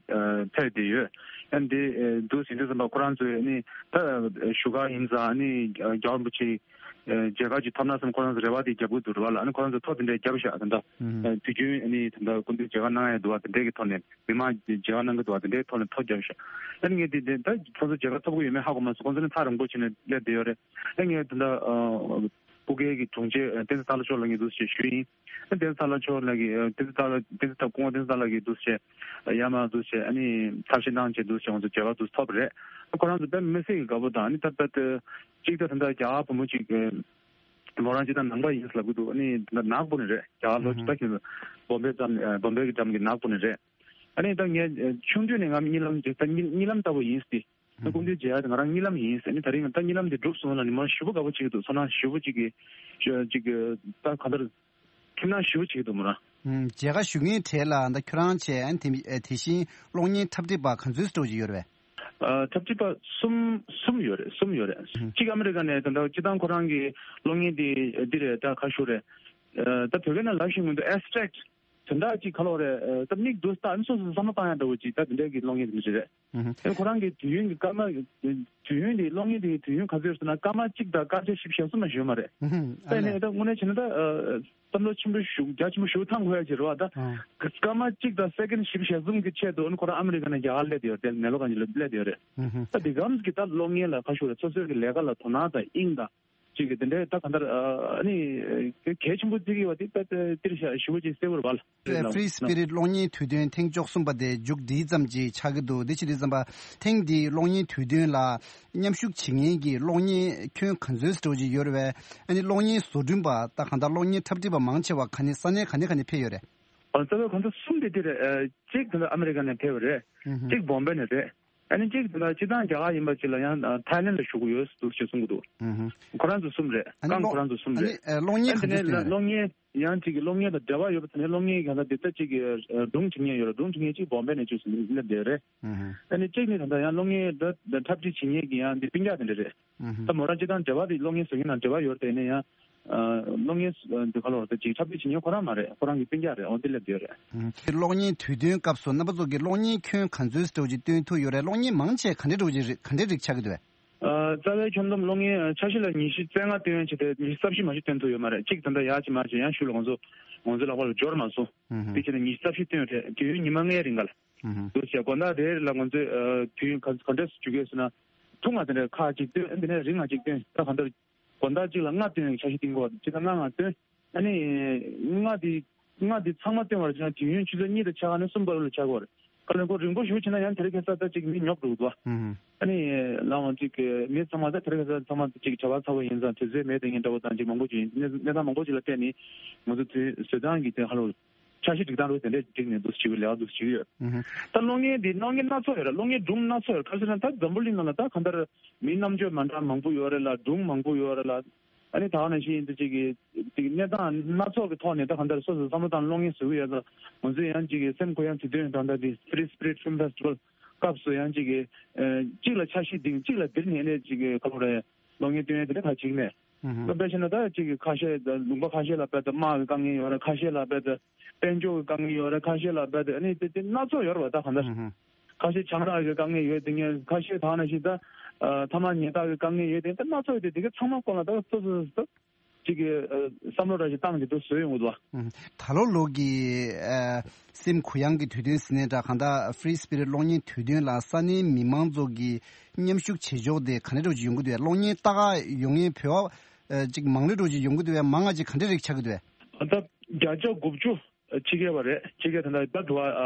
ཕེབས་བསྡད་ཡོད། ཨ་ནི་དེ་འདུག་ཟིན་དུས་ཙམ་པ་ཁོ་རང་ཚོས་ཨ་ནི་ད་བཞུགས་སྒར་ཡིན་ཙང་ཨ་ནི་རྒྱལ་བ་རིན་པོ་ཆེ་མཇལ་ཁ་ཅིག་ཐོབ་ན་བསམ་ཁོ་རང་ཚོ་རེ་བ་དེ་རྒྱབ་ཀྱི་འདུག་རེད་བ་ལ། ཨ་ནི་ཁོ་རང་ཚོ་ཐོབ་དེ་འདྲའི་རྒྱབ་ཤག་ད་ལྟ་དུས་རྒྱུན་ཨ་ནི་ད་ལྟ་སྐུ་མདུན་མཇལ་ཁ་གནང་ཡ་འདུག་བ་དེ་འདྲའི་གི་ཐོག་ནས་མི་མང་མཇལ་ཁ་གནང་གི་འདུག་བ་དེ་འདྲའི་ཐོག་ནས་ཐོབ་རྒྱབ་ཤག་ཨ་ནི་ངས་དེ་དེ་ད་ཁོ་ཚོ་མཇལ་ཁ་ཐོབ་ཀྱི་ཡོད་མེད་ཧ་གོ་མ་སོང་། ཁོ་ཚོ་ནི་ཐག་རིང་པོ་བྱས་ནས་སླེབས་བསྡད་ཡོད་རེད། ཨ་ངས་ད་ལྟ་སྐུ་སྒེར་གྱི་དྲུང་ཆེ་བསྟན་འཛིན་སྟག་ལྷ་མཆོག་ལགས་ཀྱིས་འདུག་སེ་ཞུས་ཡིན། བསྟན་འཛིན་སྟག་ལྷ་མཆོག་ལགས་ཀྱིས་བསྟན་འཛིན་སྟག་ལྷ་བསྟན་འཛིན་སྐུ་ངོ་བསྟན་འཛིན་སྟག་ལྷ་ལགས་ཀྱིས་འདུག་སེ་ཡར་མར་འདུག་སེ་ཨ་ནི་ཐབས་ཤེས་གནང་བྱས་འདུག་སེ་ང་ཚོ་མཇལ་ཁ་འདུག་སེ་ཐོབ་པ་རེད། ཁོ་རང་ཚོ་དཔེ་མི་སྲིད་ཀྱི་དགའ་པོ་དང་ཨ་ནི་ད་ལྟ་གཅིག་ད་ད་ལྟ་རྒྱ་གར་བུ་མོ་གཅིག་མོ་རང་སྤྱིར་བཏང་ནང་པ་ཡིན་ལབ་ཀྱི་འདུག་ཨ་ནི་ད་ལྟ་ནག་པོ་ནས་རེད། རྒྱ་གར་ལོ་ད་ཁྱོད་བོམ་པེ་འགྲམ་བོམ་པེ་གི་འགྲམ་གྱི་ནག་པོ་ནས་རེད། ཨ་ནི་ད་ངས་ཆུང་དུས་ནས་ང་གཉིད་ལམ་ད་གཉིད་ལམ་ལྟ་བུ་ཡིན་སྟེ། ད་སྐུ་མདུན་མཇལ་ཡ་དེ་ང་རང་གཉིད་ལམ་ཡིན་ཟེར་ནས་ད་རིང་ད་གཉིད་ལམ་དེ་འགྲུབ་སོང་ལ་ནི་མ་ཞུ་བ་དགའ་པོ་བྱེད་ཀྱི་འདུག་ཚོར་སྣང་ཞུ་བ་གཅིག་གི་གཅིག་གི་ད་ག་འདྲ་ཁྱིམ་ནང་ཞུ་བ་བྱེད་ཀྱི་འདུག་མོ་རང་། མཇལ་ཁ་ཞུ་མཁན་གྲས་ལ་ད་ཁྱོད་རང་བྱས་ཨ་ནི་དེ་དེ་བཞིན་གློག་བརྙན་འཁྲབ་ཁྲིད་པ་ག་ཚོད་ཙམ་ཅིག་ཡོད་རེད་པས། འཁྲབ་ཁྲིད་པ་གསུམ་གསུམ་ཡོད་རེད། གསུམ་ཡོད་རེད། གཅིག་ཨ་མི་རི་ཀ་ནས་ད་ལྟ་སྤྱིར་བཏང་ཁོ་རང་གི་གློག་བརྙན་དེ་འདི་རེད། ད་ག་ཞུ་རེད། ད་བོད་སྐད་ནང་ལབ་ཤེས་མི་འདུག abstract དེ་འདྲ་ཅིག་ག་ལོ་རེད། ད་མིག་འདུག་ལྟ་ཨ་ནི་སོ་སོ་བསམ་བློ་བཏང་ཡ་འདྲ་བོ་ཅིག་ད་དེ་འདྲ་གི་གློག་བརྙན་དེ་འདྲ་ཅིག་རེད། ཨ་ཁོ་རང་གི་དུས་ཡུན་གྱི་སྐར་མ་དུས་ཡུན་དེ་གློག་བརྙན་དེ་དུས་ཡུན་ག་ཚོད་ཟེར་ན་སྐར་མ་གཅིག་དང་སྐར་ཆ་བཞི་བཅུ་ཞེ་གསུམ་མ་ཞིག་ཡོད་མ་རེད། ད་ནས་ད་དངོས་གནས་བྱས་ན་ད་བསམ་བློ་ཆེན་པོ་ཞིག་རྒྱ་ཆེན་པོ་ཞིག་བཏང་དགོས་ཡ་ཅིག་རེད་བ། ད་སྐར་མ་གཅིག་དང་སེ་ཀེན་བཞི་བཅུ་ཞེ་གསུམ་གྱི་ཆེད་དུ་ཨ་ནི་ཁོ་རང་ཨ་མི་རི་ཀ་ནས་རྒྱ་གར་སླེབས་ཡོད་རེད། ནེ་ལོ་གང་ཅིག་ལ་སླེབས་ཡོད་རེད། ད་དེ་གམ་གྱི་ད་གློག་བརྙན་ལ་ཁ་ཤོར་རེད། སོ་སོའི་གི་ལས་ཀ་ལ་དོ་སྣང་དང་དབྱིངས་དང་། ཅིག་གི་དེ་འདྲའི་ད་ག་འདྲ་ཨ་ནི་གལ་ཆེན་པོ་བརྩི་གི་ཡོད་པ་དེ་ད་དེར་ཞུ་བ་ཅིག་གསལ་བོར་བ་ལ། Free Spirit གློག་བརྙན་དུས་སྟོན་ཐེངས་བཅུ་གསུམ་པ་དེ་མཇུག་སྒྲིལ་ཙམ་ཅིག་ཆགས་ཀྱི་འདུག་དེ་ཕྱིར་དུས་ཙམ་པ་ཐེངས་འདིའི་གློག་བརྙན་དུས་སྟོན་ལ་མཉམ་ཞུགས་བྱེད་མཁན་གྱི་གློག་བརྙན་ཁྱོན་ག་ཚོད་ཙམ་ཅིག་ཡོད་རེད་པས། ཨ་ནི་གློག་བརྙན་བཟོ་སྐྲུན་པ་ད་ག་འདྲ་གློག་བརྙན་འཁྲབ་ཁྲིད་པ་མང་ཆེ་བ་ག་ནས་ས་གནས་ག་ནས་ག་ནས་ཕེབས་ཡོད་རེད། རྩ་བའི་ཁོང་ཚོ་གསུམ་དེ་དེ་རེད། གཅིག་དེ་འདྲ་ཨ་མི་རི་ཀ་ནས་ཕེབས་པ་རེད། གཅིག་བོམ་པེ་ནས་རེད། ཨ་ནི་གཅིག་དེ་འདྲ་སྤྱིར་བཏང་རྒྱ་གར་ཡིན་པ་ཅིག་ལ་ཡང་ཐའི་ལེན་ལ་བཞུགས་ཡོད་འདུག་ཅེས་གསུང་གི་འདུག་ཁོ་རང་ཚོ་གསུམ་རེད། ཨ་ནི་རྐང་ཁོ་རང་ཚོ་གསུམ་རེད། ཨ་ནི་གློག་བརྙན་ག་ཚོད་སྟོན་ཡོད། གློག་བརྙན་ཡང་གཅིག་གི་གློག་བརྙན་དང་འབྲེལ་བ་ཡོད་པ་དེ་ནས་གློག་བརྙན་ག་ཚོད་དེ་ལྟ་གཅིག་གི་སྒྲུང་བྲིས་མཁན་ཡོད་རེད། སྒྲུང་བྲིས་མཁན་གཅིག་བོམ་པེ་ནས་བཅུག་སླེབས་བསྡད་རེད། ཨ་ནི་གཅིག་ནི་ད་ལྟ་ཡང་གློག་བརྙན་འདྲ་འཁྲབ་ཁྲིད་བྱེད་མཁན་གྱི་ཡང་འདི་སྤུན་ཀྱག་དེ་འདྲ་རེད། ད་མོ་རང་སྤྱིར་བཏང་འབྲེལ་བ་དེ་གློག་བརྙན་བཟོ་མཁན་དང་འབྲེལ་བ་ཡོད་རེད། དེ་ནས་ཡང་གློག་བརྙན་འདི་ག་ལོར་ད་ཅིག་འཁྲབ་ཁྲིད་བྱེད་མཁན་ཁོ་རང་མ་རེད། ཁོ་རང་གི་སྤུན་ཀྱག་རེད། འོ་འདི་སླེབས་བསྡད་ཡོད་རེད། གློག་བརྙན་དུས་སྟོན་སྐབས་སུ་རྣམ་པ་ཚོ་གིས་གློག་བརྙན་ཁྱོན་ག་ཚོད་ཙམ་ཅིག་སྟོན་ཐུབ་ཡོད་རེད། གློག་བརྙན་མང་ཆེ་ག་འདྲ་འདྲ་ཅིག་རེད། ག་འདྲའི་རིགས་ཆགས་ཀྱི་འདུག་རྩ་བའི་ཁྱོན་བསྡོམས་གློག་བརྙན་འཆར་གཞི་ལ་ཉི་ཤུ་རྩ་ལྔ་སྟོན་ཡ་བྱས་ཏེ་ཉི་ཤུ་རྩ་བཞི་མ་གཏོགས་སྟོན་ཐུབ་ཡོད་མ་རེད། གཅིག་ད་ལྟ་ཡག་ཅིག་མ་ཅིག་ཡང་ཤུལ་ལ་ང་ཚོ་ང་ཚོའི་ལག་པ་ལ་འབྱོར་མ་སོང་། དེ་བྱས་ནས་ཉི་ཤུ་རྩ་བཞི་སྟོན་རེད། དུས་ཡུན་ཉི་མ་ལྔའི་རིང་ག་ལ། འདུག་བྱས་དགོང་དག་དེ་ལ་ང་ཚོས་དུས་ཡུན་ག་ག་འདྲས་སུ་འཇུག་གི་ཡོད་ཟེར་ན། ཐུང་ང་དེ་འདྲ་ཁག་ཅིག་སྟོན། དེ་ནས་རིང་ང་ཅིག་སྟོན། ད་གང་ལྟར་དགོང་དག་གཅིག་ལ་ལྔ་སྟོན་ཡག་འཆར་གཞི་བཏིང་གི་ཡོད་རེད། སྤྱིར་བཏང་ལྔ་ང་སྟོན། ཨ་ནི་ལྔ་དེ་ལྔ་དེ་ཚང་མ་སྟོན་པར་བྱས་ན་དུས་ཡུན་ཆུ་ཚོད་གཉིས་དང་ཕྱེད་ཀ་ནས་གསུམ་བར་ལ་ཆགས་ཀྱི་ཡོད་རེད། ག་ལེར་ཁོ་རིང་པོ་ཞེ་པོ་བྱས་ན་ཡང་དེ་རིང་ཁ་སང་ད་ཅིག་མི་ཉོབ་འགྲོ་གི་འདུག་བ། ཨ་ནི་ལའང་ཅིག་མི་ཚང་མ་ད་དེ་རིང་ཁ་སང་ཚང་མ་ཅིག་བྱ་བ་ཚ་པོ་ཡིན་ཙང་དུས་ཚོད་མེད་དེ་ངས་འདྲ་པོ་དང་ཅིག་མང་པོ་ཅིག་ཡིན། གནས་གནས་སྟངས་མང་པོ་ཅིག་ལ་བལྟས་ནས་ང་ཚོ་དུས་བཟོས་སྟངས་ཀྱི་དེ་ཧ་ལོ། འཆར་གཞི་སྒྲིག་སྟངས་རུ་དེ་འདྲས་སྒྲིག་ནས་འདུག་བྱེད་ཀྱི་ལས་ཀ་འདུག་བྱེད་ཀྱི་ཡོད། ད་གློག་བརྙན་འདི་གློག་བརྙན་སྣ་ཚོགས་ཡོད་རེད། གློག་བརྙན་སྒྲུང་སྣ་ཚོགས་ཡོད་རེད། ག་རེ་ཟེར་ན་ད་འཛམ་བུ་གླིང་ནང་ལ་ད་གང་ལྟར་མི་རྣམ་དཔྱོད་མ་འདྲ་མང་པོ་ཡོད་རེད་ལ། སྒྲུང་མང་པོ་ཡོད་རེད་ལ། ཨ་ནི་ད་ག་ནང་བཞིན་འདི་ཅིག་གི་ཅིག་གནས་སྟངས་སྣ་ཚོགས་ཀྱི་ཐོག་ནས་ད་གང་ལྟར་སོ་སོ་བསམ་བློ་བཏང་གློག་བརྙན་བཟོ་གི་ཡོད་ཙང་ང་ཚོས་ཡང་ཅིག་གི་སེམས་ཁོ་ཡང་དུས་སྟོན་ད་ལྟ་འདི་Free Spirit Film Festival སྐབས་སུ་ཡང་ཅིག་གི་གཅིག་ལ་འཆར་གཞི་འདིང་གཅིག་ལ་འདིར་ཉན་ནས་ཅིག་གི་ག་ལོ་རེད། གློག་བརྙན་སྟོན་ཡས་དེ་འདྲ་ད་བྱེད་ཀྱི་མེད། ཨུ་ཧུ། དཔེ་བྱས་ན་ད་ཅིག་གི་ཁ་ཤས་ད་ལུང་པ་ཁ་ཤས་ལ་དཔེ་ད་དམག་གི་དཀའ་ངལ་ཡོད་རེད། ཁ་ཤས་ལ་དཔེ་ད་དཔལ་འབྱོར་གྱི་དཀའ་ངལ་ཡོད་རེད། ཁ་ཤས་ལ་དཔེ་ད་ཨ་ནི་དེ་དེ་སྣ་ཚོགས་ཡོད་རེད་བ། ད་གང་ལྟར་ཨུ་ཧུ། ཁ་ཤས་ཆང་རག་གི་དཀའ་ངལ་ཡོད་དེ་ངས་ཁ་ཤས་ད་ནང་བཞིན་ད་ཨ་ཐ་མག་ཉལ་ཐག་གི་དཀའ་ངལ་ཡོད་དེ་ད་སྣ་ཚོགས་ཡོད་དེ་དེ་ག་ཚང་མ་སྐོར་ལ་ད་སོ་སོ་སོ་སོ་ཅིག་གི་ཨ་བསམ་བློ་འདྲ་ཞིག་བཏང་བྱས་འདུག་བཟོས་ཡོང་གི་འདུག་བ། ཨུ་ཧུ། ད་ལོ་ལོ་གི་ཨ་སེམས་གུ་ཡངས་ཀྱི་དུས་སྟོན་ཟེར་ནའི་འདྲ། གང་ལྟར་Free Spirit གློག་བརྙན་དུས་སྟོན་ལ་ས་གནས་མི་མང་ཚོ་གིས་མཉམ་ཞུགས་བྱེད་ཕྱོགས་དེ་ག་འདྲ་འདྲ་བོ་ཅིག་ཡོང་གི་འདུག་བས། གློག་བརྙན་ལྟ་ག་ཡོང་མཁན་བོད་པ་ཨ་ཅིག་མང་རུ་འདྲ་བོ་ཅིག་ཡོང་གི་འདུག་བས། མང་ང་ཅིག་ག་འདྲ་རིགས་ཆགས་ཀྱི་འདུག་བས། ད་བརྒྱ་ཆ་དགུ་བཅུ་ ཕྱི་རྒྱལ་བ་རེད། ཕྱི་རྒྱལ་ད་ལྟ་ད་དུ་བ་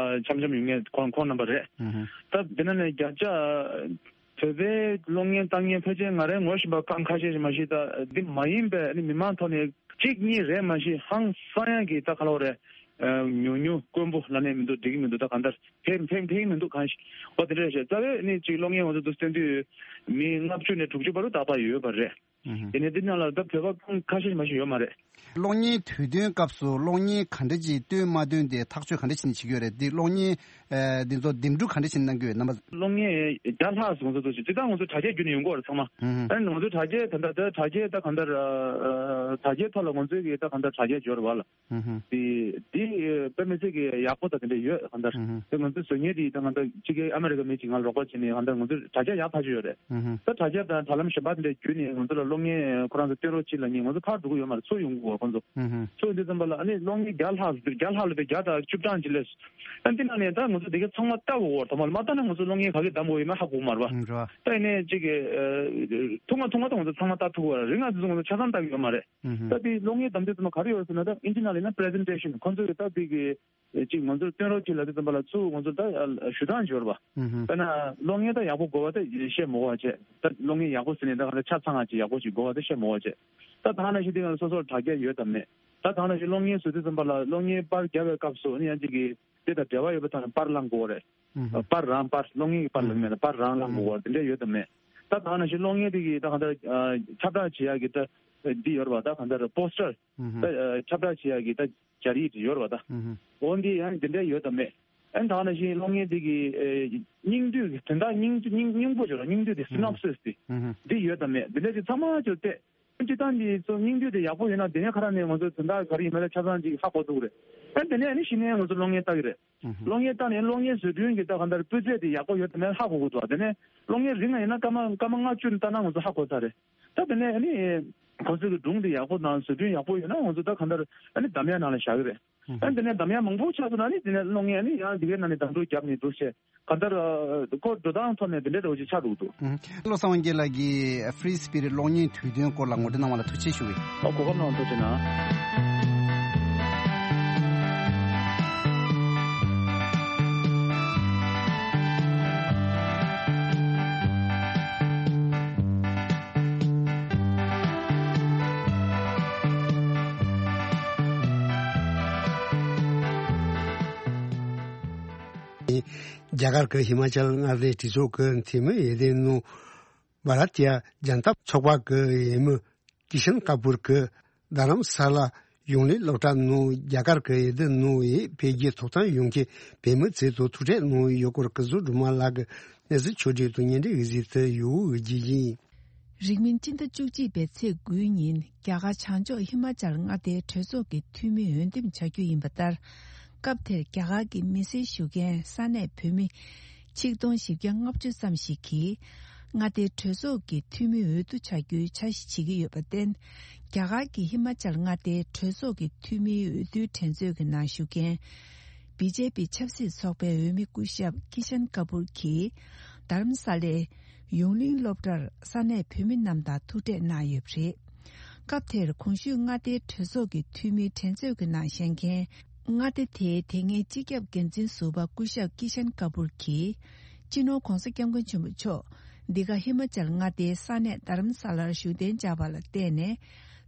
འཆམ་འཆམ་ཡོང་མཁན་ཁོང་ཁོང་རྣམ་པ་རེད། ད་འདི་ན་ནས་བརྒྱ་ཆ་བོད་པའི་གློག་བརྙན་ལྟ་མཁན་ཕལ་ཆེར་ང་རའི་ངོ་ཤེས་པ་ཁ་ཁ་ཤས་ཤིག་མ་ཤེས། ད་འདི་མ་ཡིན་པའི་ནི་མི་མང་ཐོག་ནས་གཅིག་གཉིས་རེད་མ་ཤེས། ཧང་སང་ཡང་གི་ད་ག་ལོ་རེད། ཉུང་ཉུང་དཀོན་པོ་ལ་ནས་མི་འདུག་འགྲིག་གི་མི་འདུག་ད་གང་ལྟར་ཕེབས་ཕེབས་ཕེབས་མི་འདུག་གང་ཞིག་འོ་དེ་འདྲ་བཤད། རྩ་བའི་ནི་གཅིག་གློག་བརྙན་འོ་ཚོ་འདུག་བསྟན་དུས་མི་ལྔ་བཅུ་ནས་དྲུག་ཅུ་བར་དུ་ད་བར་ཡོད་པ་རེད། ཡིན་ནའི་འདི་ནང་ལ་ད་བོད་པ་ཁ་ཤས་མ་ཤེས་ཡོད་མ་རེད། གློག་བརྙན་དུས་སྟོན་སྐབས་སུ་གློག་བརྙན་ག་འདྲ་ཅིག་སྟོན་མ་སྟོན་དེ་ཐག་གཅོད་ག་འདྲ་བྱས་ནས་བྱེད་ཀྱི་ཡོད་རེད། འདི་གློག་བརྙན་ཨ་འདི་ཚོ་འདེམས་སྒྲུག་ག་འདྲ་བྱས་ནས་གནང་གི་ཡོད་རྣམ་པ། གློག་བརྙན་བརྒྱ་ལྷག་ཙམ་ང་ཚོ་ཚོ་ཅིག་ཅི་ལྟར་ང་ཚོ་དྲ་རྒྱའི་བརྒྱུད་ནས་ཡོང་གི་ཡོད་རེད་ཚང་མ། ཨ་ནི་ང་ཚོ་དྲ་རྒྱའི་ད་ལྟ་ད་དྲ་རྒྱའི་ད་གང་ལྟར་དྲ་རྒྱའི་ཐོག་ལ་ང་ཚོའི་གི་ད་གང་ལྟར་དྲ་རྒྱ་འབྱོར་བ་ལ། དེ་དེ་དཔེ་མི་སྲིད་ཀྱི་ཡག་པོ་དང་དེ་འདྲ་ཡོད་གང་ལྟར། དེ་ང་ཚོའི་བཟོ་མཁན་དེ་ད་གང་ལྟར་ཕྱི་རྒྱལ་ཨ་མེ་རི་ཀ་མི་གཅིག་ང་ལ་རོགས་པ་བྱས་ནས་གང་ལྟར་ང་ཚོའི་དྲ་རྒྱ་ཡག་ཐག་ཆོད་ཡོད་རེད། ད་དྲ་རྒྱ་དང་དྲ་ལམ་གཞན་པ་དེ་འདྲ་བརྒྱུད་ནས་ང་ཚོ་ལ་གློག་བརྙན་ཁོ་རང་ཚོ་སྟོན་རོགས་གྱིས་ལབ་མཁན་ང་ཚོ་ཕར་འགྲོ་གི་ཡོད་མ་རེད། ཚུར་ཡོང་གི་ཡོད་ཁོང་ཚོ། ཚུར་ཡོང་དུས་ཙམ་པ་ལ་ཨ་ནི་གློག་བརྙན་བརྒྱ་ལྷག་བརྒྱ་ལྷག་ལ་དེ་བརྒྱ་དང་བཅུ་གྲངས་ཅིག་སླེབས། ཨ་འདི་ནང་ནས་ད་ང་ཚོ་དེ་ག་ཚང་མ་ལྟ་དགོས་བར་དུ་མ་ལ་མ་ལྟ་ན་ང་ཚོ་གློག་བརྙན་ག་གེ་བདམས་དགོས་ཡོད་མེད་ཧ་གོ་མ་རེད་པ། ད་ཡིན་ནའི་གཅིག་གི་ཐུང་ང་ཐུང་ང་ད་ང་ཚོ་ཚང་མ་ལྟ་ཐུབ་པ་རེད། རིང་ང་ཚོ་ང་ཚོ་ཆ་ཚང་ལྟ་གི་ཡོད་མ་རེད། ད་དེ་གློག་བརྙན་བདམས་དུས་ཙམ་པ་ག་རེ་ཡོད་ཟེར་ན་ད་ཨིན་ཇི་ནང་ལ་ཡིན་ན་པི་རེ་ཟེན་ཊེ་ཤན་ཁོང་ཚོ་གི་ད་དེ་གི་གཅིག་ང་ཚོར་སྟོན་རོགས་གྱིས་ལབ་དུས་ཙམ་པ་ལ་ཚུར་ང་ཚོར་ད་ཞུ་སྟངས་འབྱོར་བ། དཔེར་ན་གློག་བརྙན་ད་ཡག་པོ་དགོས་པ་ད་བཤད་མ་དགོས་པ་བྱས། ད་གློག་བརྙན་ཡག་པོ་ཟེར་ནས་ད་ག་ད་ཆ་ཚང་བ་ཅིག་ཡག་པོ་ཅིག་དགོས་པ་ད་བཤད་མ་དགོས་པ་བྱས། ད་ད་ནང་བཞིན་དེ་ག་ལ་སོ་སོར་དྲ་རྒྱ་ཡོད་དམ་མེད། ད་ད་ནང་བཞིན་གློག་བརྙན་བཟོ་དུས་ཙམ་པ་ལ་གློག་བརྙན་པར་རྒྱབ་པའི་སྐབས་སུ་ཨ་ནི་ཡང་གཅིག་གི་དེ་དང་འབྲེལ་བ་ཡོད་པ་དང་པར་བླངས་དགོས་རེད། པར་རང་པར་གློག་བརྙན་གྱི་པར་ལ་མེད་ན་པར་རང་བླངས་དགོས་པ་དེ་འདྲ་ཡོད་དམ་མེད། ད་ད་ནང་བཞིན་གློག་བརྙན་དེ་གི་ད་གང་ལྟར་ཁྱབ་བསྒྲགས་བྱེད་ཡག་གི་ད་འདི་ཡོད་རེད་པ། ད་གང་ལྟར་པོ་སི་ཊར་ད་ཁྱབ་བསྒྲགས་བྱེད་ཡག་གི་ད་སྦྱར་ཡིག་ཡོད་རེད་པ། ད་འོ་འདི་ཡང་དེ་འདྲ་ཡོད་དམ་མེད། ཨན་ད་ནང་བཞིན་གློག་བརྙན་དེ་གི་སྙིང་བསྡུས་ཀྱི་དོན་དག་སྙིང་བསྙིང་སྙིང་པོ་ཅིག་ལ་སྙིང་བསྡུས་དེ་སི་ནོབ་སིས་དེ་འདི་ཡོད་དམ་མེད། འདི་འདྲ་ཅིག་ཚང་མ་ཅིག་བལྟས། སྤྱིར་བཏང་གི་ཚོ་སྙིང་བསྡུས་དེ་ཡག་པོ་ཡོད་ན་དེ་ནས་ཁ་ར་ནས་ང་ཚོ་དོན་དག་ག་རེ་ཡིན་མིན་ལ་ཆ་ཚང་ཅིག་ཧ་གོ་ཐུབ་ཀྱི་རེད། ཨ་དེ་ནས་ཨ་ནི་གཞི་ནས་ང་ཚོ་གློག་བརྙན་ལྟ་གི་རེད། གློག་བརྙན་ལྟ་ནས་གློག་བརྙན་བཟོ་སྐྲུན་གྱི་ད་ག་འདྲ་སྤུས་ཚད་དེ་ཡག་པོ་ཡོད་དམ་མེད་ཧ་གོ་དགོས་འདུག་དེ་ནས་གློག་བརྙན་རིང་ང་ཡིན་ན་སྐར་མ་སྐར་མ་ལྔ་བཅུ་ལྟ་ན་ང་ཚོ་ཧ་གོ་ཚར་རེད། ད་དེ་ནས་ཨ་ནི་ཁོ་ཚོ་གི་སྒྲུང་དེ་ཡག་པོ་དང་བཟོ་སྐྲུན་ཡག་པོ་ཡོད་ན་ང་ཚོ་ད་ག་འདྲ་ཨ་ནི་འདམ་ཡག་ནང་ལ་བཞག་གི་རེད། ཨ་དེ་ནས་འདམ་ཡག་མང་པོ་ཆགས་སོང་ན་ནི་དེ་ནས་གློག་བརྙན་ཨ་ནི་ཡང་དེ་གའི་ནང་ནས་འདམ་འགྲོ་བརྒྱབ་ནས་འདུག་བྱས། ག་ལྟར་ཁོ་འགྲོ་སྟངས་ཐོག་ནས་དེ་འདྲའི་འདྲ་བོ་ཅིག་ཆགས་འདུག་འདུག་བློ་བཟང་དབང་རྒྱལ་ལགས་ཀྱིས་Free Spirit གློག་བརྙན་དུས་སྟོན་སྐོར་ལ་ངོ་སྤྲོད་གནང་བ་ལ་ཐུགས་རྗེ་ཆེ་ཞུ་གི། ཨོ་གོ་སྐབས་གནང་བ་ཐུགས་རྗེ་གནང་། རྒྱ་གར་གྱི་ཧི་མ་ཅལ་མངའ་སྡེའི་གྲོས་ཚོགས་ཀྱི་འཐུས་མི་འོས་བསྡུའི་ནང་། བྷ་ར་ཏི་ཡ་ཇན་ཏ་ཚོགས་པ་གི་འོས་མི་ཀི་ཤན་ཀ་པུར་གྱིས་རྡ་རམ་ས་ལ་ཡོངས་གླིང་སློབ་གྲྭ་ནང་རྒྱ་གར་གྱི་འོས་བསྡུ་ནང་འཕེལ་རྒྱས་ཐོབ་ཐང་ཡོང་མཁན་བོད་མི་ཚོའི་ཐོག་ཐུག་འཕྲད་གནང་ཡོད་སྐོར་སྐུ་ཞབས་སྒྲོལ་མ་ལགས་ཀྱི་གནས་ཚུལ་ཕྱོགས་བསྒྲིགས་དང་བརྙན་འཕྲིན་དབྱེ་གཟིགས་དུ་ཡོད་འོས་བརྒྱུད་ཡིན། རིང་མིན་སྤྱི་ཟླ་བཅུ་གཅིག་པའི་ཚེས་དགུའི་ཉིན་རྒྱ་གར་བྱང་ཕྱོགས་ཧི་མ་ཅལ་མངའ་སྡེའི་གྲོས་ཚོགས་ཀྱི་འཐུས་མི་འོས་འདེམས་བྱ་རྒྱུ་ཡིན་པ་ལྟར། སྐབས་དེར་རྒྱ་གར་གྱི་མི་སེར་ཞུ་མཁན་ས་གནས་བོད་མི་ཆིག་སྟོང་བཞི་བརྒྱ་ལྔ་བཅུ་ཙམ་ཞིག་གིས་མངའ་སྡེའི་གྲོས་ཚོགས་ཀྱི་འཐུས་མི་འོས་བསྡུ་བྱ་རྒྱུའི་འཆར་གཞི་བྱེད་ཀྱི་ཡོད་པར་བརྟེན། རྒྱ་གར་གྱི་ཧི་མ་ཅལ་མངའ་སྡེའི་གྲོས་ཚོགས་ཀྱི་འཐུས་མིའི་འོས་བསྡུའི་འགྲན་རྩོད་ཀྱི་ནང་ཞུགས་མཁན། བི་ཇེ་པི་ཆབ་སྲིད་ཚོགས་པའི་འོས་མི་སྐུ་ཞབས་ཀི་ཤན་ཀ་པུར་གྱིས་རྡ་རམ་ས་ལའི་ཡོངས་གླིང་སློབ་གྲྭར་ས་གནས་བོད་མི་རྣམས་དང་ཐུག་འཕྲད་གནང་ཡོད་པ་རེད། སྐབས་དེར་གོང་ཞུས་མངའ་སྡེའི་གྲོས་ཚོགས་ཀྱི་འཐུས་མིའི་འགྲན་རྩོད་ཀྱི་ནང་བཞེངས་མཁན། མངའ་སྡེ་དེའི་དེ་སྔའི་སྤྱི་ཁྱབ་འགན་འཛིན་ཟུར་པ་སྐུ་ཞབས་ཀི་ཤན་ཀ་པུར་གྱིས། སྤྱི་ནོར་༧གོང་ས་༧སྐྱབས་མགོན་ཆེན་པོ་མཆོག་འདི་ག་ཧི་མ་ཅལ་མངའ་སྡེའི་ས་གནས་རྡ་རམ་ས་ལར་བཞུགས་གདན་འཇགས་པ་ལ་བརྟེན་ནས།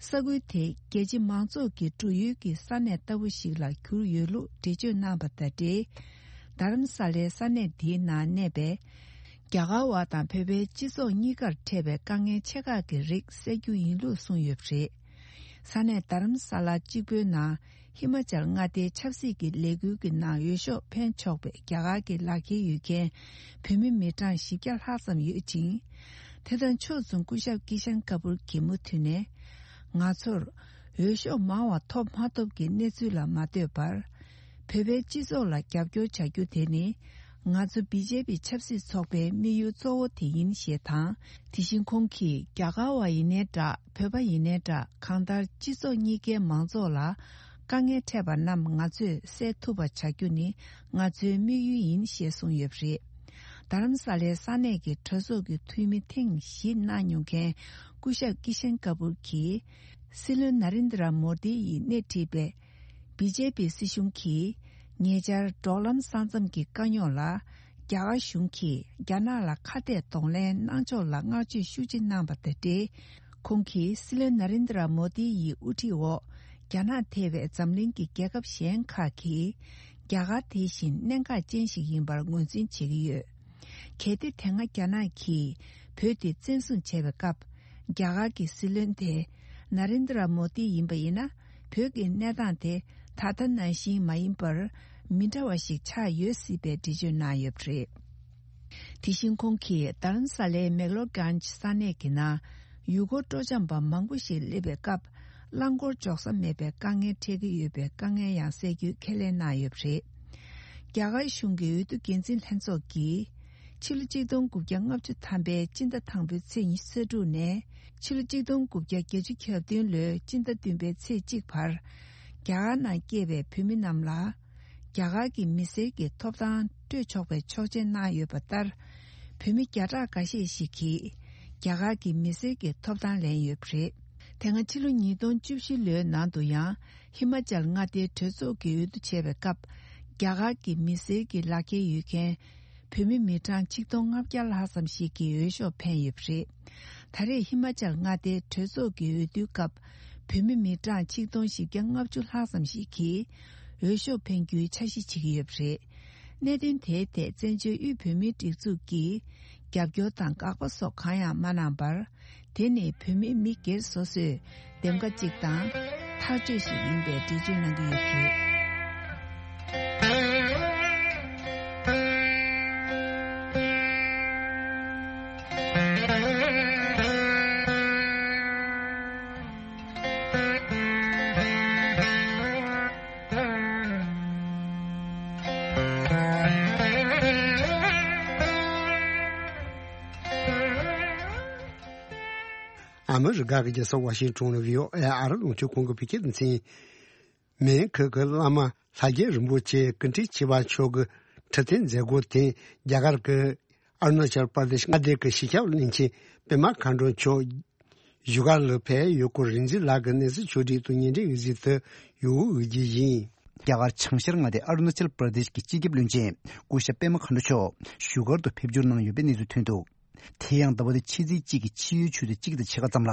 ས་ཁུལ་དེ་རྒྱལ་སྤྱི་མང་ཚོགས་ཀྱི་འགྲོ་ཡུལ་གྱི་ས་གནས་ལྟ་བུ་ཞིག་ལ་གྱུར་ཡོད་ལུགས་འགྲེལ་བརྗོད་གནང་བ་དང་འབྲེལ། རྡ་རམ་ས་ལའི་ས་གནས་འདིའི་ནང་གནས་པའི་རྒྱ་གར་བ་དང་བོད་པའི་སྤྱི་ཚོགས་གཉིས་ཀར་འཕྲད་པའི་དཀའ་ངལ་ཆེ་ཁག་གི་རིགས་སེལ་རྒྱུ་ཡིན་ལུགས་གསུངས་ཡོད་པ་རེད། ས་གནས་རྡ་རམ་ས་ལ་གཅིག་པུའི་ནང་ཧི་མ་ཅལ་མངའ་སྡེའི་ཆབ་སྲིད་ཀྱི་ལས་འགུལ་གྱི་ནང་འོས་ཤོག་འཕེན་ཆོག་པའི་རྒྱ་གར་གྱི་ལག་འཁྱེར་ཡོད་མཁན་བོད་མི་མི་གྲངས་བཞི་བརྒྱ་ལྷག་ཙམ་ཡོད་ཅིང་། དེ་དང་ཕྱོགས་མཚུངས་སྐུ་ཞབས་ཀི་ཤན་ཀ་པུར་གྱིས་མུ་མཐུད་ནས། ང་ཚོར་འོས་ཤོག་མང་བ་ཐོབ་མ་ཐོབ་ཀྱི་གནས་ཚུལ་ལ་མ་ལྟོས་པར། བོད་པའི་སྤྱི་ཚོགས་ལ་རྒྱབ་སྐྱོར་བྱ་རྒྱུ་དེ་ནི། ང་ཚོ་བི་ཇེ་པི་ཆབ་སྲིད་ཚོགས་པའི་དམིགས་ཡུལ་གཙོ་བོ་དེ་ཡིན་ཞེས་དང་། དེ་བཞིན་ཁོང་གིས་རྒྱ་གར་བ་ཡིན་ནའི་འདྲ། བོད་པ་ཡིན་ནའི་འདྲ། གང་ལྟར་སྤྱི་ཚོགས་གཉིས་ཀའི་མང་ཚོགས་ལ་དཀའ་ངལ་འཕྲད་པ་རྣམས་ང་ཚོས་སེལ་ཐུབ་པ་བྱ་རྒྱུ་ནི་ང་ཚོའི་དམིགས་ཡུལ་ཡིན་ཞེས་གསུངས་ཡོད་པ་རེད། རྡ་རམ་ས་ལའི་ས་གནས་ཀྱི་གྲོས་ཚོགས་ཀྱི་འཐུས་མི་ཐེངས་བཞི་གནང་མྱོང་མཁན་སྐུ་ཞབས་ཀི་ཤན་ཀ་པུར་གྱིས། སྲིད་བློན་ན་རེན་དྲ་མོ་དི་ཡིས་སྣེ་ཁྲིད་པའི་ བི་ཇེ་པི་སྲིད་གཞུང་གིས་ཉེ་ཆར་འབྲོག་ལམ་ས་མཚམས་ཀྱི་དཀའ་རྙོག་ལ་རྒྱ་གར་གཞུང་གིས་རྒྱ་ནག་ལ་ཁ་གཏད་གདོང་ལེན་གནང་ཕྱོགས་ལ་བསྔགས་བརྗོད་ཤུགས་ཆེ་གནང་བ་དང་འབྲེལ། ཁོང་གིས་སྲིད་བློན་ན་རེན་དྲ་མོ་དི་ཡི་དབུ་ཁྲིད་འོག་རྒྱ་ནག་ཐེ་བའི་འཛམ་གླིང་གི་རྒྱལ་ཁབ་གཞན་ཁག་གིས་རྒྱ་གར་དེ་བཞིན་གནད་འགག་ཅན་ཞིག་ཡིན་པར་ངོས་འཛིན་བྱེད་ཀྱི་ཡོད། གལ་ཏེ་དེ་སྔ་རྒྱ་ནག་གིས་བོད་དེ་བཙན་བཟུང་བྱས་པའི་སྐབས། རྒྱ་གར་གྱི་སྲིད་བློན་དེ་ན་རེན་དྲ་མོ་དི་ཡིན་པ་ཡིན་ན། བོད་ཀྱི་གནས་སྟངས་དེ་ད་ལྟ་ནང་བཞིན་མ་ཡིན་པར་མི་འདྲ་བ་ཞིག་ཆགས་ཡོད་སྲིད་པའི་འགྲེལ་བརྗོད་གནང་ཡོད་པ་རེད། དེ་བཞིན་ཁོང་གིས་དྷ་རམ་ས་ལའི་མེག་ལོར་གྷན་ཇི་ས་གནས་ཀྱི་ནང་ཡུལ་སྐོར་སྤྲོ་འཆམ་པ་མང་པོ་ཞིག་སླེབས་པའི་སྐབས། རླངས་འཁོར་འཇོག་ས་མེད་པའི་དཀའ་ངལ་འཕྲད་ཀྱི་ཡོད་པའི་དཀའ་ངལ་ཡང་སེལ་རྒྱུའི་ཁས་ལེན་གནང་ཡོད་པ་རེད། རྒྱ་གར་གཞུང་གི་འོས་བསྡུ་འགན་འཛིན་ལྷན་ཚོགས་ཀྱིས། ཕྱི་ལོ་ཆིག་སྟོང་དགུ་བརྒྱ་ལྔ་བཅུ་ཐམ་པའི་སྤྱི་ཟླ་དང་པོའི་ཚེས་ཉི་ཤུ་རྩ་དྲུག་ནས། ཕྱི་ལོ་ཆིག་སྟོང་དགུ་བརྒྱ་བརྒྱད་ཅུ་གྱ་བདུན་ལོའི་སྤྱི་ཟླ་བདུན་པའི་ཚེས་གཅིག་བར། རྒྱ་གར་ནང་སྐྱེས་པའི་བོད་མི་རྣམས་ལ། རྒྱ་གར་གྱི་མི་སེར་གྱི་ཐོབ་ཐང་སྤྲོད་ཆོག་པའི་ཆོག་མཆན་གནང་ཡོད་པ་ལྟར། བོད་མི་བརྒྱ་ཕྲག་འགའ་ཤས་ཤིག་གིས་རྒྱ་གར་གྱི་མི་སེར་གྱི་ཐོབ་ཐང་ལེན་ཡོད་པ་རེད། དེ་སྔ་ཕྱི་ལོ་ཉིས་སྟོང་བཅུ་བཞི་ལོའི་ནང་དུ་ཡང་ཧི་མ་ཅལ་མངའ་སྡེའི་གྲོས་ཚོགས་ཀྱི་འོས་བསྡུ་བྱས་པའི་སྐབས། རྒྱ་གར་གྱི་མི་སེར་གྱི་ལག་འཁྱེར་ཡོད་མཁན་བོད་མི་མི་གྲངས་ཆིག་སྟོང་ལྔ་བརྒྱ་ལྷག་ཙམ་ཞིག་གིས་འོས་ཤོག་འཕེན་ཡོད་པ་རེད། ད་རེས་ཧི་མ་ཅལ་མངའ་སྡེའི་གྲོས་ཚོགས་ཀྱི་འོས་བསྡུའི་སྐབས། བོད་མི་མི་གྲངས་ཆིག་སྟོང་བཞི་བརྒྱ་ལྔ་བཅུ་ལྷག་ཙམ་ཞིག་གིས་འོས་ཤོག་འཕེན་རྒྱུའི་འཆར་གཞི་བྱེད་ཀྱི་ཡོད་པ་རེད། གནད་དོན་དེའི་ཐད་བཙན་བྱོལ་དབུས་བོད་མིའི་སྒྲིག་འཛུགས་ཀྱིས་རྒྱབ་སྐྱོར་དང་དགག་པ་སོགས་གང་ཡང་མ་གནང་བར། དེ་ནི་བོད་མི་མི་སྒེར་སོ་སོའི་འདེམས་ཀ་གཅིག་དང་ཐག་གཅོད་ཞིག་ཡིན་པའི་འགྲེལ་བརྗོད་གནང་གི་ཡོད་པ་རེད། ཨ་མི་རི་ཀ་གི་རྒྱལ་ས་ཝ་ཤིང་ཊོན་ལ་བྷི་ཨོ་ཨེ་ཨ་རི་རླུང་འཕྲིན་ཁང་གི་བོད་སྐད་སྡེ་ཚན། མོན་གྷོ་གི་བླ་མ་ལྷ་རྒྱལ་རིན་པོ་ཆེ་སྐུ་ཕྲེང་བཅུ་པ་མཆོག་གི་ཁྲི་འཐེན་མཛད་སྒོ་དེ་རྒྱ་གར་གྱི་ཨ་རུ་ན་ཅལ་པར་དེཤ་མངའ་སྡེ་གྱི་གཞིས་ཆགས་བློན་ཆེན་པད་མ་མཁའ་འགྲོ་མཆོག་བཞུགས་སྒར་ལ་ཕེབས་ཡོད་སྐོར་རིག་འཛིན་ལགས་ཀྱིས་གནས་ཚུལ་ཕྱོགས་སྒྲིག་ཏུ་སྙན་སྒྲོན་འོད་ཟེར་དུ་ཡོང་འོས་ཀྱི་ཡིན། རྒྱ་གར་བྱང་ཤར་མངའ་སྡེ་ཨ་རུ་ན་ཅལ་པར་དེཤ་གི་སྤྱི་ཁྱབ་བློན་ཆེན་སྐུ་ཞབས་པད་མ་མཁའ་འགྲོ་མཆོག་བཞུགས་སྒར་དུ་ཕེབས་འབྱོར་གནང་ཡོད་པའི་གནས་ཚུལ་ཐོན་འདུག་དེ་ཡང་ཟླ་བ་འདིའི་ཕྱི་ཚེས་གཅིག་གི་ཕྱི་ཡོལ་ཆུ་ཚོད་གཅིག་དང་ཕྱེད་ཀ་ཙམ་ལ།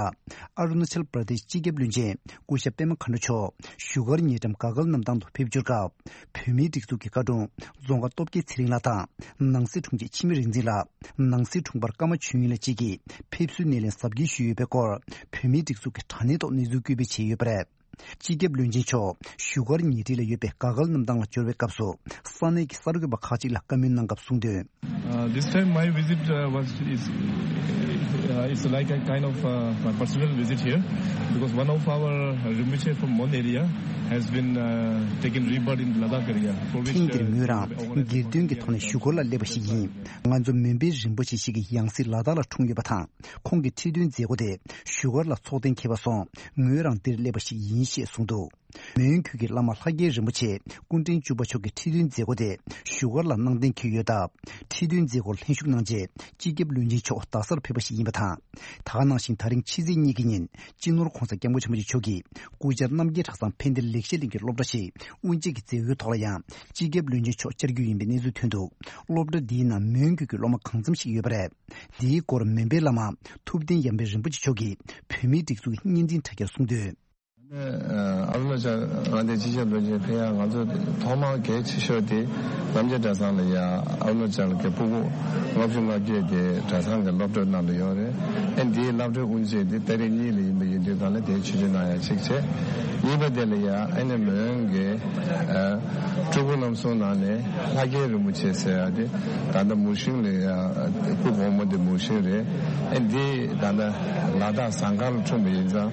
ཨ་རུ་ན་ཅལ་པར་དེཤ་སྤྱི་ཁྱབ་བློན་ཆེན་སྐུ་ཞབས་པད་མ་མཁའ་འགྲོ་མཆོག་བཞུགས་སྒར་ཉེ་འགྲམ་དགའ་སྐལ་གནམ་ཐང་དུ་ཕེབས་འབྱོར་སྐབས། བོད་མིའི་སྒྲིག་འཛུགས་ཀྱི་བཀའ་དྲུང་རྫོང་དགའ་སྟོབས་རྒྱལ་ཚེ་རིང་ལགས་དང་། ནང་སྲིད་དྲུང་ཆེ་འཆི་མེད་རིག་འཛིན་ལགས། ནང་སྲིད་དྲུང་འཕར་ཀརྨ་ཆོས་དབྱིངས་ལགས་བཅས་ཀྱིས་ཕེབས་བསུའི་སྣེ་ལེན་གཟབ་རྒྱས་ཞུས་ཡོད་པའི་སྐོར། བོད་མིའི་སྒྲིག་འཛུགས་ཀྱི་དྲ་གནས་ཐོག་གནས་ཚུལ་བཀོད་སྤེལ་བྱས་ཡོད་པ་རེད། སྤྱི་ཁྱབ་བློན་ཆེན་མཆོག་བཞུགས་སྒར་ཉེ་འཁྲིས་ལ་ཡོད་པའི་དགའ་སྐལ་གནམ་ཐང་ལ་འབྱོར་བའི་སྐབས་སུ། ས་གནས་ཀྱི་གསར་འགོད་པ་ཁག་ཅིག་ལ་བཀའ་མོལ་གནང་སྐབས་གསུངས་དོན། Uh, this time my visit, uh, was is, uh, is like a kind of, uh, my personal visit here, because one of our Rinpoche from Mon area has been, uh, taken rebirth in Ladakh area, for which, ཐེངས་འདིར་uh, ངོས་རང་སྒེར་དོན་གྱི་ཐོག་ནས་བཞུགས་སྒར་ལ་སླེབས་པ་ཞིག་ཡིན། ང་ཚོ་མོན་པའི་རིན་པོ་ཆེ་ཞིག་གི་ཡང་སྲིད་ལ་དྭགས་ལ་འཁྲུངས་ཡོད་པ་དང་། ཁོང་གི་ཁྲི་འདོན་མཛད་སྒོ་དེ་བཞུགས་སྒར་ལ་ཚོགས་གཏན་འཁེལ་བ་སོང་། ངོས་རང་འདིར་སླེབས་པ་ཞིག་ཡིན་ཞེས་གསུངས་འདུག་མོན་གྷོ་གི་བླ་མ་ལྷ་རྒྱལ་རིན་པོ་ཆེ་སྐུ་ཕྲེང་བཅུ་པ་མཆོག་གི་ཁྲི་འདོན་མཛད་སྒོ་དེ་བཞུགས་སྒར་ལ་གནང་གཏན་འཁེལ་ཡོད་སྟབས། ཁྲི་འདོན་མཛད་སྒོར་ལྷན་ཞུགས་གནང་རྗེས་སྤྱི་ཁྱབ་བློན་ཆེན་མཆོག་རྡ་སར་ཕེབས་པ་ཞིག་ཡིན་པ་དང་། ད་ག་ནང་བཞིན་ད་རིང་ཕྱི་ཚེས་གཉིས་ཀྱི་ཉིན་སྤྱི་ནོར་༧གོང་ས་༧སྐྱབས་མགོན་ཆེན་པོ་མཆོག་གིས་སྐུ་བཅར་རྣམ་རྒྱལ་གྲྭ་ཚང་ཕན་བདེ་ལེགས་བཤད་གླིང་གི་སློབ་གྲྭ་ཞིག་དབུ་འབྱེད་ཀྱི་མཛད་སྒོའི་ཐོག་ལ་ཡང་སྤྱི་ཁྱབ་བློན་ཆེན་མཆོག་བཅར་རྒྱུ་ཡིན་པའི་གནས་ཚུལ་ཐོན་འདུག་སློབ་གྲྭ་འདིའི་ནང་མོན་གྷོ་གི་སློབ་མ་གང་འཚམ་ཞིག་ཡོད་པ་རེད། འདིའི་སྐོར་མོན་པའི་བླ་མ་ཐུབ་བསྟན་ཡར་འཕེལ་རིན་པོ་ཆེ་མཆོག་གིས་བོད་མིའི་སྒྲིག་འཛུགས་ཀྱི་བརྙན་འཕྲིན་དྲ་རྒྱར་གསུངས་དོན། ཨ་རུ་ན་ཅལ་མངའ་སྡེའི་སྤྱི་ཁྱབ་བློན་ཆེན་ཕེབས་ཡག་ང་ཚོ་ཐོག་མར་གལ་ཆེ་ཤོས་དེ་རྣམ་རྒྱལ་གྲྭ་ཚང་ལ་ཡ་ཨ་རུ་ན་ཅལ་གྱི་སྤུ་གུ་ལྔ་བཅུ་ང་བརྒྱད་དེ་གྲྭ་ཚང་གི་སློབ་གྲྭའི་ནང་དུ་ཡོད་རེད། ཨ་འདིའི་སློབ་གྲྭའི་དབུ་འབྱེད་དེ་ཏ་རིག་གཉིས་ལ་ཡིན་པ་ཡིན་དུས་གང་ལ་དེའི་ཆིབས་བསྒྱུར་གནང་ཡག་གཅིག་བྱས། གཉིས་པ་དེ་ལ་ཡ་ཨ་ནི་མོན་གྱི་སྤྲུལ་སྐུ་རྣམ་གསུམ་ནང་ནས་ལྷ་རྒྱལ་རིན་པོ་ཆེ་ཟེར་ཡག་དེ་ད་ལྟ་མུའུ་ཤིང་ལ་ཡ་སྐུ་གོང་མ་དེ་མུའུ་ཤིང་རེད། ཨ་འདི་ད་ལྟ་ལ་དྭགས་ཟངས་དཀར་ལ་འཁྲུངས་པ་ཡིན་ཙང་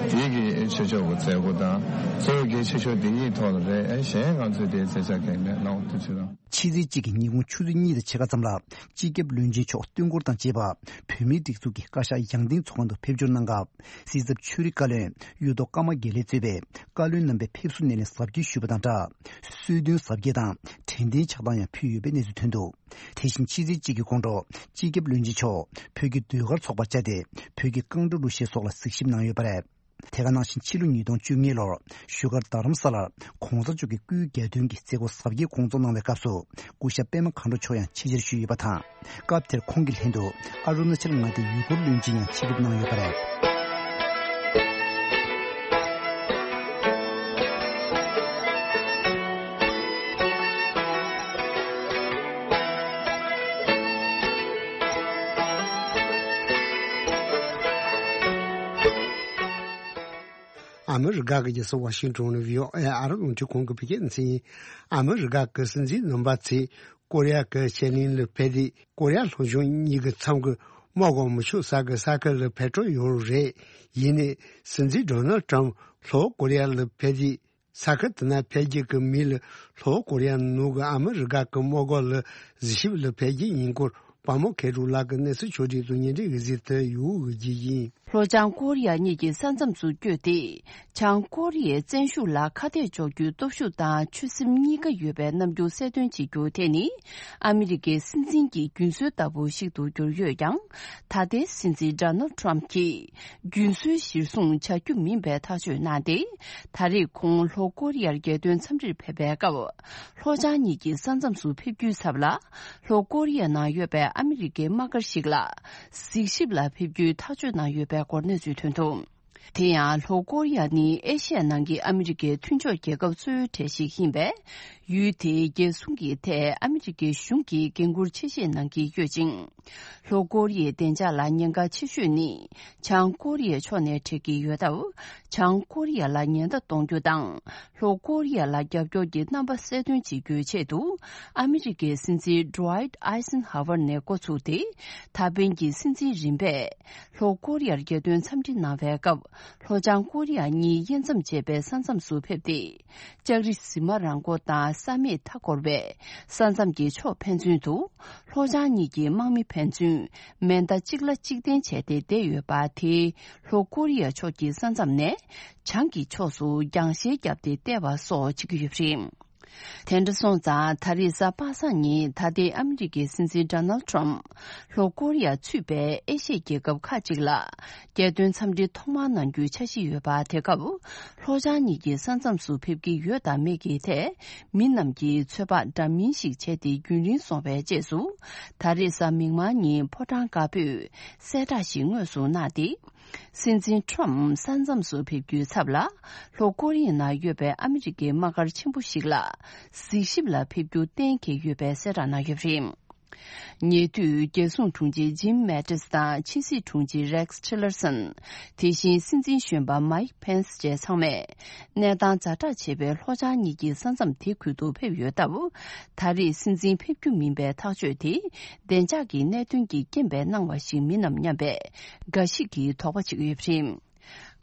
དེའི་གི་ཆོས་ཕྱོགས་ཀྱི་མཛད་སྒོ་དང་གཙོ་བོ་གལ་ཆེ་ཤོས་དེ་གཉིས་ཐོག་ལ་རེད། ཨ་གཞན་ང་ཚོས་དེའི་མཛད་འཆར་གང་མེད། ལགས་འོང་། ཐུགས་རྗེ་ཆེ་གནང་། ཕྱི་ཚེས་གཅིག་གི་ཉིན་གུང་ཆུ་ཚོད་གཉིས་དང་ཕྱེད་ཀ་ཙམ་ལ་སྤྱི་ཁྱབ་བློན་ཆེན་མཆོག་སྟོན་འཁོར་དང་བཅས་པ་བོད་མིའི་སྒྲིག་འཛུགས་ཀྱི་བཀའ་ཤག་ཡང་སྟེང་ཚོགས་ཁང་དུ་ཕེབས་འབྱོར་གནང་སྐབས། སྲིད་ཚབ་ཆོས་རིག་བཀའ་བློན་གཡུ་ཐོག་ཀརྨ་དགེ་ལེགས་གཙོས་པའི་བཀའ་བློན་རྣམ་པས་ཕེབས་བསུ་སྣེ་ལེན་གཟབ་རྒྱས་ཞུས་པ་དང་སྦྲགས། གསོལ་སྟོན་གཟབ་རྒྱས་དང་དྲན་རྟེན་ཕྱག་དང་ཡང་ཕུལ་ཡོད་པའི་གནས་ཚུལ་ཐོན་འདུག་དེ་བཞིན་ཕྱི་ཚེས་གཅིག་གི་དགོང་དྲོ་སྤྱི་ཁྱབ་བློན་ཆེན་མཆོག་བོད་ཀྱི་ཟློས་གར་ཚོགས་པར་བཅར་ཏེ་བོད་ཀྱི་རྐང་བྲོ་གླུ་གཞས་སོགས་ལ་གཟིགས་ཞིབ་གནང་ཡོད་པ་རེད། དེ་ག་ནང་བཞིན་ཕྱི་ལོ་ཉིས་སྟོང་བཅུ་གཉིས་ལོར་བཞུགས་སྒར་རྡ་རམ་ས་ལར་གོང་ས་མཆོག་གི་སྐུའི་གྱ་སྟོན་གྱི་མཛད་སྒོ་གཟབ་རྒྱས་སྐོང་ཚོགས་གནང་བའི་སྐབས་སུ། སྐུ་ཞབས་པད་མ་མཁའ་འགྲོ་མཆོག་ཡང་ཆེད་བཅར་ཞུས་ཡོད་པ་དང་། སྐབས་དེར་ཁོང་གི་ལྷན་དུ་ཨ་རུ་ན་ཅལ་མངའ་སྡེའི་ཡུ་གུར་བློན་ཆེན་ཡང་ཆེད་ཕེབས་གནང་ཡོད་པ་རེད། ཨ་མི་རི་ཀ་གི་རྒྱལ་ས་ཝ་ཤིང་ཏོན་ནས་བྷི་ཨོ་ཨེ་ཨ་རབ་རླུང་འཕྲིན་ཁང་གི་བོད་སྐད་སྡེ་ཚན་ཡིན། ཨ་མི་རི་ཀ་གི་སྲིད་འཛིན་རྣམ་པ་ཚོས་ཀོ་རི་ཡ་གི་ཕྱེད་གླིང་ལ་ཕེབས་ཏེ། ཀོ་རི་ཡ་ལྷོ་ཕྱོགས་གཉིས་ཀྱི་མཚམས་ཀྱི་དམག་གོང་མི་ཆུ་ས་གི་ས་ཁུལ་ལ་ཕེབས་འགྲོ་ཡོད་རེད། ཡིན་ནའི་སྲིད་འཛིན་ཌོ་ནལ་ཊམ་ལྷོ་ཀོ་རི་ཡ་ལ་ཕེབས་ཏེ། ས་ཁུལ་དེ་ན་ཕེབས་རྒྱུ་གི་མི་ལ་ལྷོ་ཀོ་རི་ཡ་ནང་གི་ཨ་མི་རི་ཀ་གི་དམག་སྒར་ལ་གཟིགས་ཞིབ་ལ་ཕེབས་རྒྱུ་ཡིན་སྐོར་པ་མོ་ཁེ་རུ་ལགས་ཀྱི་གནས་ཚུལ་ཕྱོགས་སྒྲིག་ཏུ་ཉིན་རེ་གི་གཟིགས་ཏེ་ཡོད་གི་ཡིན། ལྷོ་བྱང་ཀོ་རི་ཡ་གཉིས་ཀྱི་ས་མཚམས་སུ་བསྐྱོད་དེ། བྱང་ཀོ་རི་ཡའི་བཙན་ཤུགས་ལ་ཁ་གཏད་གཅོག་རྒྱུའི་སྟོབས་ཤུགས་དང་ཆོད་སེམས་གཉིས་ཀ་ཡོད་པའི་རྣམ་འགྱུར་གསལ་སྟོན་བྱེད་རྒྱུ་དེ་ནི། ཨ་མི་རི་ཀའི་སྲིད་འཛིན་གྱི་རྒྱུན་སྲོལ་ལྟ་བུ་ཞིག་ཏུ་གྱུར་ཡོད་ཀྱང་། ད་ལྟའི་སྲིད་འཛིན་ཌོ་ནལ་ཊམ་གྱིས་རྒྱུན་སྲོལ་གཞིར་བཟུང་བྱ་རྒྱུ་མིན་པའི་ཐག་གཅོད་གནང་སྟེ། ད་རེས་ཁོང་ལྷོ་ཀོ་རི་ཡར་རྒྱལ་དོན་འཚམས་འདྲིར་ཕེབས་པའི་སྐབས། ལྷོ་བྱང་གཉིས་ཀྱི་ས་མཚམས་སུ་ཕེབས་རྒྱུའི་ཚབ་ལ། ལྷོ་ཀོ་རི་ཡ་ནང་ཡོད་པའི་ཨ་མི་རི་ཀའི་དམག་སྒར་ཞིག་ལ་གཟིགས་ཞིབ་ལ་ཕེབས་རྒྱུའི་ཐག་གཅོད་གནང་ཡོད་པའི་སྐོར་གནས་ཚུལ་ཐོན་འདུག་དེ་ཡང་ལྷོ་ཀོ་རི་ཡ་ནི་ཨེ་ཤི་ཡ་ནང་གི་ཨ་མི་རི་ཀའི་མཐུན་ཕྱོགས་རྒྱལ་ཁབ་གཙོ་བོའི་གྲས་ཤིག་ཡིན་པས། ཡུལ་དེའི་རྒྱལ་སྲུང་གི་ཐད་ཨ་མི་རི་ཀའི་གཞུང་གིས་འགན་འཁུར་ཆེ་བཞེས་གནང་གི་ཡོད་ཅིང་། ལྷོ་ཀོ་རི་ཡའི་བདེ་འཇགས་ལ་ཉེན་ཁ་ཆེ་ཤོས་ནི་བྱང་ཀོ་རི་ཡའི་ཕྱོགས་ནས་འཕྲད་ཀྱི་ཡོད་སྟབས། བྱང་ཀོ་རི་ཡ་ལ་ཉེན་བརྡ་གཏོང་རྒྱུ་དང་། ལྷོ་ཀོ་རི་ཡ་ལ་རྒྱབ་སྐྱོར་གྱི་རྣམ་པ་གསལ་སྟོན་བྱེད་རྒྱུའི་ཆེད་དུ། ཨ་མི་རི་ཀའི་སྲིད་འཛིན་ཌུ་ཝའིཊ་ཨའི་སན་ཧ་ཝར་ནས་འགོ་ཚུགས་ཏེ། ད་ཕན་གྱི་སྲིད་འཛིན་རིམ་པས། ལྷོ་ཀོ་རི་ཡར་རྒྱལ་དོན་འཚམས་འདྲི་གནང་བའི་སྐབས། ལྷོ་བྱང་ཀོ་རི་ཡ་གཉིས་དབྱེ་མཚམས་བཅད་པའི་ས་མཚམས་སུ་ཕེབས་ཏེ། ལྕགས་རི་གཟིགས་མ་རང་མགོ་དང་ས་མེད་མཐའ་འཁོར་བའི་ས་མཚམས་ཀྱི་ཕྱོགས་ཕན་ཚུན་དུ། ལྷོ་བྱང་གཉིས་ཀྱི་དམག་མི་ཕན་ཚུན་མེ་མདའ་གཅིག་ལ་གཅིག་འཐེན་བྱས་ཏེ་བསྡད་ཡོད་པ་དེས། ལྷོ་ཀོ་རི་ཡ་ཕྱོགས་ཀྱི་ས་མཚམས་ནས་བྱང་གི་ཕྱོགས་སུ་རྒྱང་ཤེལ་བརྒྱབ་སྟེ་བལྟས་པ་སོགས་བྱེད་ཀྱི་ཡོད་པ་རེད། དེ་འདྲ་སོང་ཙང་། ད་རེས་གཟའ་པ་སངས་ཉིན་ད་ལྟའི་ཨ་མི་རི་ཀའི་སྲིད་འཛིན་ཌོ་ནལ་ཊམ་ལྷོ་ཀོ་རི་ཡ་ཚུད་པའི་ཨེ་ཤི་ཡའི་རྒྱལ་ཁབ་ཁག་ཅིག་ལ་རྒྱལ་དོན་འཚམས་འདྲི་ཐོག་མར་གནང་རྒྱུའི་འཆར་གཞི་ཡོད་པ། དེ་སྐབས་ལྷོ་བྱང་གཉིས་ཀྱི་ས་མཚམས་སུ་ཕེབས་ཀྱི་ཡོད་དང་མེད་ཀྱི་ཐད། མི་རྣམས་ཀྱིས་ཚོད་དཔག་འདྲ་མིན་ཞིག་བྱས་ཏེ། རྒྱུན་རིང་སོང་བའི་རྗེས་སུ། ད་རེས་གཟའ་མིག་དམར་ཉིན་ཕོ་བྲང་དཀར་པོས་གསལ་བསྒྲགས་ཤིག་དངོས་སུ་གནང་སྟེ། སྲིད་འཛིན་ཊམ་ས་མཚམས་སུ་ཕེབས་རྒྱུའི་ཚབ་ལ། ལྷོ་ཀོ་རི་ཡའི་ནང་ཡོད་པའི་ཨ་མི་རི་ཀའི་དམག་སྒར་ཆེན་པོ་ཞིག་ལ་གཟིགས་ཞིབ་ལ་ཕེབས་རྒྱུ་གཏན་འཁེལ་ཡོད་པའི་གསལ་བསྒྲགས་གནང་ཡོད་པ་རེད། ཉེ་དུས་རྒྱལ་སྲུང་དྲུང་ཆེ་ཇིམ་མེ་ཏིས་དང་ཕྱི་སྲིད་དྲུང་ཆེ་རེགས་ཊི་ལར་སན། དེ་བཞིན་སྲིད་འཛིན་གཞོན་པ་མའིག་ཕེན་སི་བཅས་ཚང་མས་གནས་སྟངས་ཛ་དྲག་ཆེ་བའི་ལྷོ་བྱང་གཉིས་ཀྱི་ས་མཚམས་དེ་ཁུལ་དུ་ཕེབས་ཡོད་སྟབས། ད་རེས་སྲིད་འཛིན་ཕེབས་རྒྱུ་མིན་པའི་ཐག་གཅོད་དེ། བདེ་འཇགས་ཀྱི་གནད་དོན་གྱི་རྐྱེན་པས་གནང་བ་ཞིག་མིན་ནམ་སྙམ་པའི་འགའ་ཞིག་གིས་དོགས་པ་བྱེད་ཀྱི་ཡོད་པ་རེད།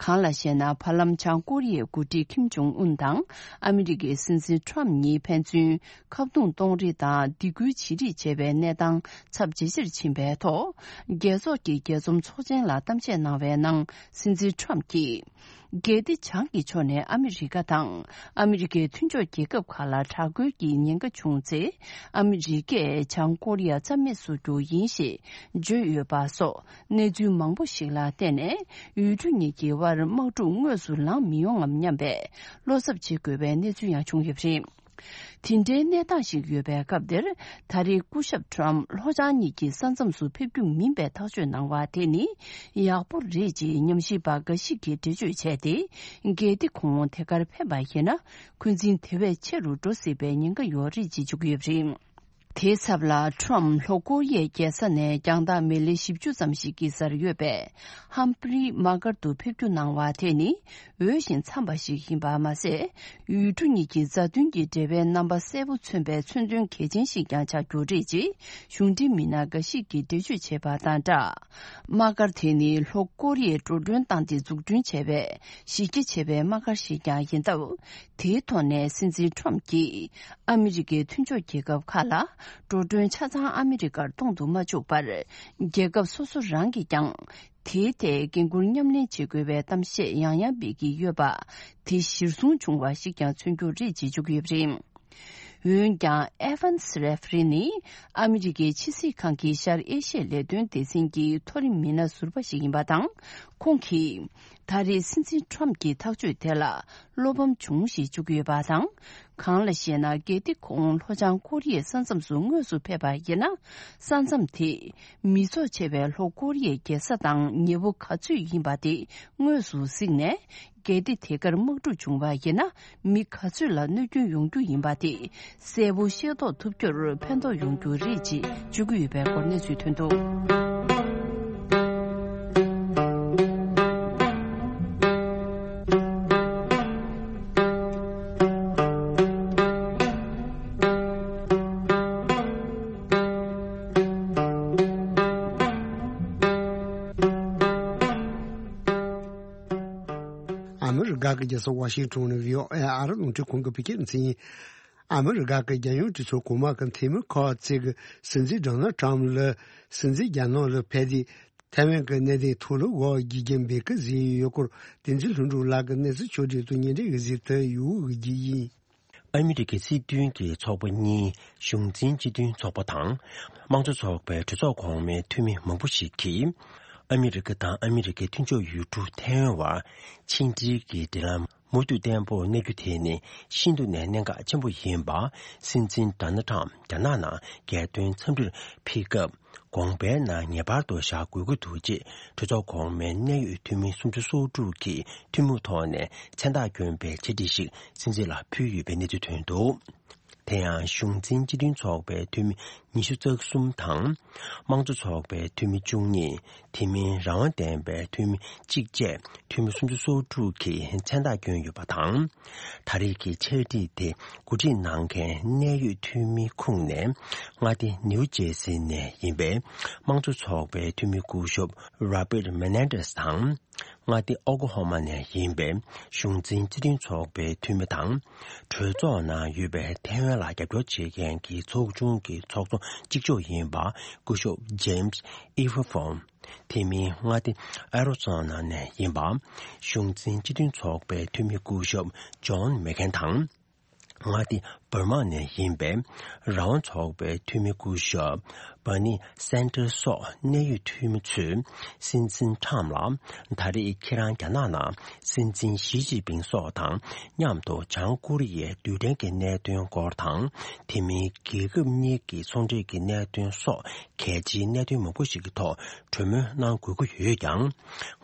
གང་ལགས་ཤེ་ན། བར་ལམ་བྱང་ཀོ་རི་ཡའི་འགོ་ཁྲིད་ཁིམ་ཇོང་ཨུན་དང་ཨ་མི་རི་ཀའི་སྲིད་འཛིན་ཊམ་གཉིས་ཕན་ཚུན་ཁ་རྡུང་གཏོང་རེས་དང་སྡིགས་སྐུལ་བྱེད་རེས་བྱས་པའི་གནས་སྟངས་ཚབས་ཇེ་ཆེར་ཕྱིན་པའི་ཐོག་རྒྱལ་ཚོགས་ཀྱི་རྒྱས་འཛོམས་ཚོགས་ཆེན་ལ་གཏམ་བཤད་གནང་བའི་ནང་སྲིད་འཛིན་ཊམ་གྱིས། གལ་ཏེ་བྱང་གི་ཕྱོགས་ནས་ཨ་མི་རི་ཀ་དང་ཨ་མི་རི་ཀའི་མཐུན་ཕྱོགས་རྒྱལ་ཁབ་ཁག་ལ་དྲག་རྒོལ་གྱི་ཉེན་ཁ་བྱུང་ཚེ། ཨ་མི་རི་ཀས་བྱང་ཀོ་རི་ཡ་རྩ་མེད་བཟོ་རྒྱུ་ཡིན་ཞེས་བརྗོད་ཡོད་པ་སོགས། གནས་ཚུལ་མང་པོ་ཞིག་ལ་བརྟེན་ནས། ཡུལ་གྲུ་གཉིས་ཀྱི་དབར་དམག་འཁྲུག་དངོས་སུ་ལངས་མི་ཡོང་ངམ་སྙམ་པའི་བློ་འཚབ་བྱེད་དགོས་པའི་གནས་ཚུལ་ཡང་བྱུང་ཡོད་པ་རེད། དེ་འདྲའི་གནས་སྟངས་ཤིག་ཡོད་པའི་སྐབས་འདིར། ད་རེས་སྐུ་ཞབས་ཊམ་ལྷོ་བྱང་གཉིས་ཀྱི་ས་མཚམས་སུ་ཕེབས་རྒྱུ་མིན་པའི་ཐག་གཅོད་གནང་བ་དེ་ནི་ཡག་པོ་རེད་ཅེས་ཉམས་ཞིབ་པ་འགའ་ཞིག་གིས་འགྲེལ་བརྗོད་བྱས་ཏེ། གལ་ཏེ་ཁོང་དེ་གར་ཕེབས་པ་ཡིན་ན། འཁོན་འཛིན་དེ་བས་ཆེ་རུ་འགྲོ་སྲིད་པའི་ཉེན་ཁ་ཡོད་རེད་ཅེས་བརྗོད་ཀྱི་ཡོད་པ་རེད། དེའི་ཚབ་ལ། ཊམ་ལྷོ་ཀོ་རི་ཡའི་རྒྱལ་ས་ནས་རྒྱང་ཐག་མི་ལེ་བཞི་བཅུ་ཙམ་ཞིག་གི་སར་ཡོད་པའི་ཧམ་ཕི་རི་དམག་སྒར་དུ་ཕེབས་རྒྱུ་གནང་བ་དེ་ནི་འོས་ཤིང་འཚམས་པ་ཞིག་ཡིན་པ་མ་ཟད། ཡུལ་གྲུ་གཉིས་ཀྱི་མཛའ་མཐུན་གྱི་འབྲེལ་བའི་རྣམ་པ་གསལ་པོ་མཚོན་པའི་མཚོན་དོན་གལ་ཆེན་ཞིག་ཀྱང་ཆགས་རྒྱུ་རེད་ཅེས་གཞུང་འབྲེལ་མི་སྣ་འགའ་ཞིག་གིས་འགྲེལ་བརྗོད་བྱས་པ་དང་སྦྲགས། དམག་སྒར་དེ་ནི་ལྷོ་ཀོ་རི་ཡས་འགྲོ་གྲོན་བཏང་སྟེ་འཛུགས་སྐྲུན་བྱས་པའི་གཞི་རྒྱ་ཆེ་བའི་དམག་སྒར་ཞིག་ཀྱང་ཡིན་སྟབས། དེའི་ཐོག་ནས་སྲིད་འཛིན་ཊམ་གྱིས་ཨ་མི་རི་ཀའི་མཐུན་ཕྱོགས་རྒྱལ་ཁབ་ཁག་ལ་འགྲོ་གྲོན་ཆ་ཚང་ཨ་མི་རི་ཀར་གཏོང་དུ་མ་བཅུག་པར། རྒྱལ་ཁབ་སོ་སོ་རང་གིས་ཀྱང་དེའི་ཐད་འགན་འཁུར་མཉམ་ལེན་བྱེད་དགོས་པའི་གཏམ་བཤད་ཡང་ཡང་སྤེལ་གྱི་ཡོད་པ། དེ་གཞིར་བཟུང་བྱུང་བ་ཞིག་ཀྱང་མཚོན་རྒྱུ་རེད་ཅེས་བརྗོད་ཀྱི་ཡོད་པ་རེད། འོན་ཀྱང་། ཨེ་ཝན་སི་རེ་ཕི་རི་ནི་ཨ་མི་རི་ཀའི་ཕྱི་སྲིད་ཁང་གི་ཤར་ཨེ་ཤི་ཡའི་ལས་དོན་སྡེ་ཚན་གྱི་མཐོ་རིམ་མི་སྣ་ཟུར་པ་ཞིག་ཡིན་པ་དང་། ཁོང་གིས། ད་རེས་སྲིད་འཛིན་ཁྲོམ་གྱི་ཐག་གཅོད་དེ་ལ་བློ་ཕམ་བྱུང་ཞེས་བརྗོད་ཀྱི་ཡོད་པ་དང་། གང་ལ་ཞེ་ན། གལ་ཏེ་ཁོང་ལྷོ་བྱང་ཀོ་རི་ཡའི་ས་མཚམས་སུ་དངོས་སུ་ཕེབས་པ་ཡིན་ན། ས་མཚམས་དེ་མི་ཚོགས་ཆེ་བའི་ལྷོ་ཀོ་རི་ཡའི་རྒྱལ་ས་དང་ཉེ་པོ་ག་ཚོད་ཡིན་པ་དེ་དངོས་སུ་གཟིགས་ནས། གལ་ཏེ་དེ་གར་དམག་འཁྲུག་བྱུང་བ་ཡིན་ན། མི་ག་ཚོད་ལ་གནོད་སྐྱོན་ཡོང་རྒྱུ་ཡིན་པ་དེ་གསལ་པོ་ཤེས་རྟོགས་ཐུབ་རྒྱུར་ཕན་ཐོགས་ཡོང་རྒྱུ་རེད་ཅེས་བརྗོད་ཀྱི་ཡོད་པའི་སྐོར་གནས་ཚུལ་ཐོན་འདུག། ཨ་མི་རི་ཀ་གི་རྒྱལ་ས་ཝ་ཤིང་ཊོན་ནས་བྷི་ཨོ་ཨེ་ཨ་རི་རླུང་འཕྲིན་ཁང་གི་བོད་སྐད་སྡེ་ཚན་ཡིན། ཨ་མི་རི་ཀ་གི་རྒྱལ་ཡོངས་གྲོས་ཚོགས་གོང་མ་གི་འཐུས་མི་ཁག་ཅིག་གིས་སྲིད་འཛིན་ཌོ་ནལ་ཊམ་ལ་སྲིད་འཛིན་རྒྱ་ནག་ལ་ཕེབས་ཏེ་ཐའེ་ཝན་གྱི་གནད་དོན་ཐོག་ལ་འོ་བརྒྱུད་རྒྱུ་འབོད་སྐུལ་བཟོས་ཡོད་སྐོར་བསྟན་འཛིན་ལྷུན་གྲུབ་ལགས་ཀྱིས་གནས་ཚུལ་ཕྱོགས་སྒྲིག་ཏུ་སྙན་སྒྲོན་ཞུས་ཏེ་ཡོད་ཀྱི་ཡིན། ཨ་མི་རི་ཀའི་སྲིད་དོན་གྱི་ཚོགས་པ་གཉིས། གཞུང་འཛིན་སྤྱི་མཐུན་ཚོགས་པ་དང་། དམངས་གཙོ་ཚོགས་པའི་གྲོས་ཚོགས་གོང་མའི་འཐུས་མི་མང་པོ་ཞིག་གིས། ཨ་མི་རི་ཀ་དང་ཨ་མི་རི་ཀའི་མཐུན་ཕྱོགས་ཡུལ་གྲུ་ཐའེ་ཝན་བར་ཕྱི་འབྲེལ་གྱི་འབྲེལ་ལམ་མུ་མཐུད་བརྟན་པོར་གནས་རྒྱུ་དེ་ནི་ཤིན་ཏུ་ནས་གནད་འགག་ཆེན་པོ་ཡིན་པ། སྲིད་འཛིན་ཌོ་ནལ་ཊམ་རྒྱ་ནག་ནང་རྒྱལ་དོན་འཚམས་འདྲིར་ཕེབས་སྐབས། དགོངས་པའི་ནང་ངེས་པར་དུ་བཞག་དགོས་ཀྱི་འདུག་ཅེས་གྲོས་ཚོགས་གོང་མའི་གནད་ཡོད་འཐུས་མི་སུམ་ཅུ་སོ་དྲུག་གིས་ཐུན་མོང་ཐོག་ནས་མཚན་རྟགས་བསྐྱོན་པའི་འཆད་ཁྲིད་ཞིག་སྲིད་འཛིན་ལ་ཕུལ་ཡོད་པའི་གནས་ཚུལ་ཐོན་འདུག། དེ་ཡང་གཞུང་འཛིན་སྤྱི་མཐུན་ཚོགས་པའི་འཐུས་མི་ཉི་ཤུ་རྩ་གསུམ་དང་། དམངས་གཙོ་ཚོགས་པའི་འཐུས་མི་བཅུ་གཉིས། དེ་མིན་རང་དབང་ལྡན་པའི་འཐུས་མི་གཅིག་བཅས་འཐུས་མི་སུམ་ཅུ་སོ་དྲུག་གིས་མཚན་རྟགས་བསྐྱོན་ཡོད་པ་དང་། ད་རེས་ཀྱི་འཆད་ཁྲིད་དེ་གོ་སྒྲིག་གནང་མཁན་གནད་ཡོད་འཐུས་མིའི་ཁོངས་ནས་མངའ་སྡེ་ནིའུ་ཇེ་སི་ནས་ཡིན་པའི་དམངས་གཙོ་ཚོགས་པའི་འཐུས་མི་སྐུ་ཞབས་Robert Menendez དང་། མངའ་སྡེ་ཨོ་ཀོ་ཧོ་མ་ནས་ཡིན་པའི་གཞུང་འཛིན་སྤྱི་མཐུན་ཚོགས་པའི་འཐུས་མི་དང་། གྲོས་ཚོགས་ནང་ཡོད་པའི་ཐའེ་ཝན་ལ་རྒྱབ་སྐྱོར་བྱེད་མཁན་གྱི་ཚོགས་ཆུང་གི་ཚོགས་གཙོ་གཅིག་ལྕོགས་ཡིན་པ་སྐུ་ཞབས་James Ifoufong དེ་མིན་མངའ་སྡེ་ཨ་རི་ཛོ་ན་ནས་ཡིན་པ། གཞུང་འཛིན་སྤྱི་མཐུན་ཚོགས་པའི་འཐུས་མི་སྐུ་ཞབས་ཇོན་མེག་ཁེན་དང་། མངའ་སྡེ་འབར་མ་ནས་ཡིན་པའི་རང་དབང་ཚོགས་པའི་འཐུས་མི་སྐུ་ཞབས་Bernie Sanders སོགས་གནད་ཡོད་འཐུས་མི་ཚོས་སྲིད་འཛིན་ཁྲམ་ལ། ད་རེས་ཁྱེད་རང་རྒྱ་ནག་ནང་སྲིད་འཛིན་ཞི་ཅིན་ཕིང་སོགས་དང་མཉམ་དུ་བྱང་ཀོ་རི་ཡའི་རྡུལ་ཕྲན་གྱི་གནད་དོན་སྐོར་དང་། དེ་མིན་རྒྱལ་ཁབ་གཉིས་ཀྱི་ཚོང་འབྲེལ་གྱི་གནད་དོན་སོགས། གལ་ཆེའི་གནད་དོན་མང་པོ་ཞིག་གི་ཐོག་གྲོས་མོལ་གནང་དགོས་ཀྱི་ཡོད་ཀྱང་།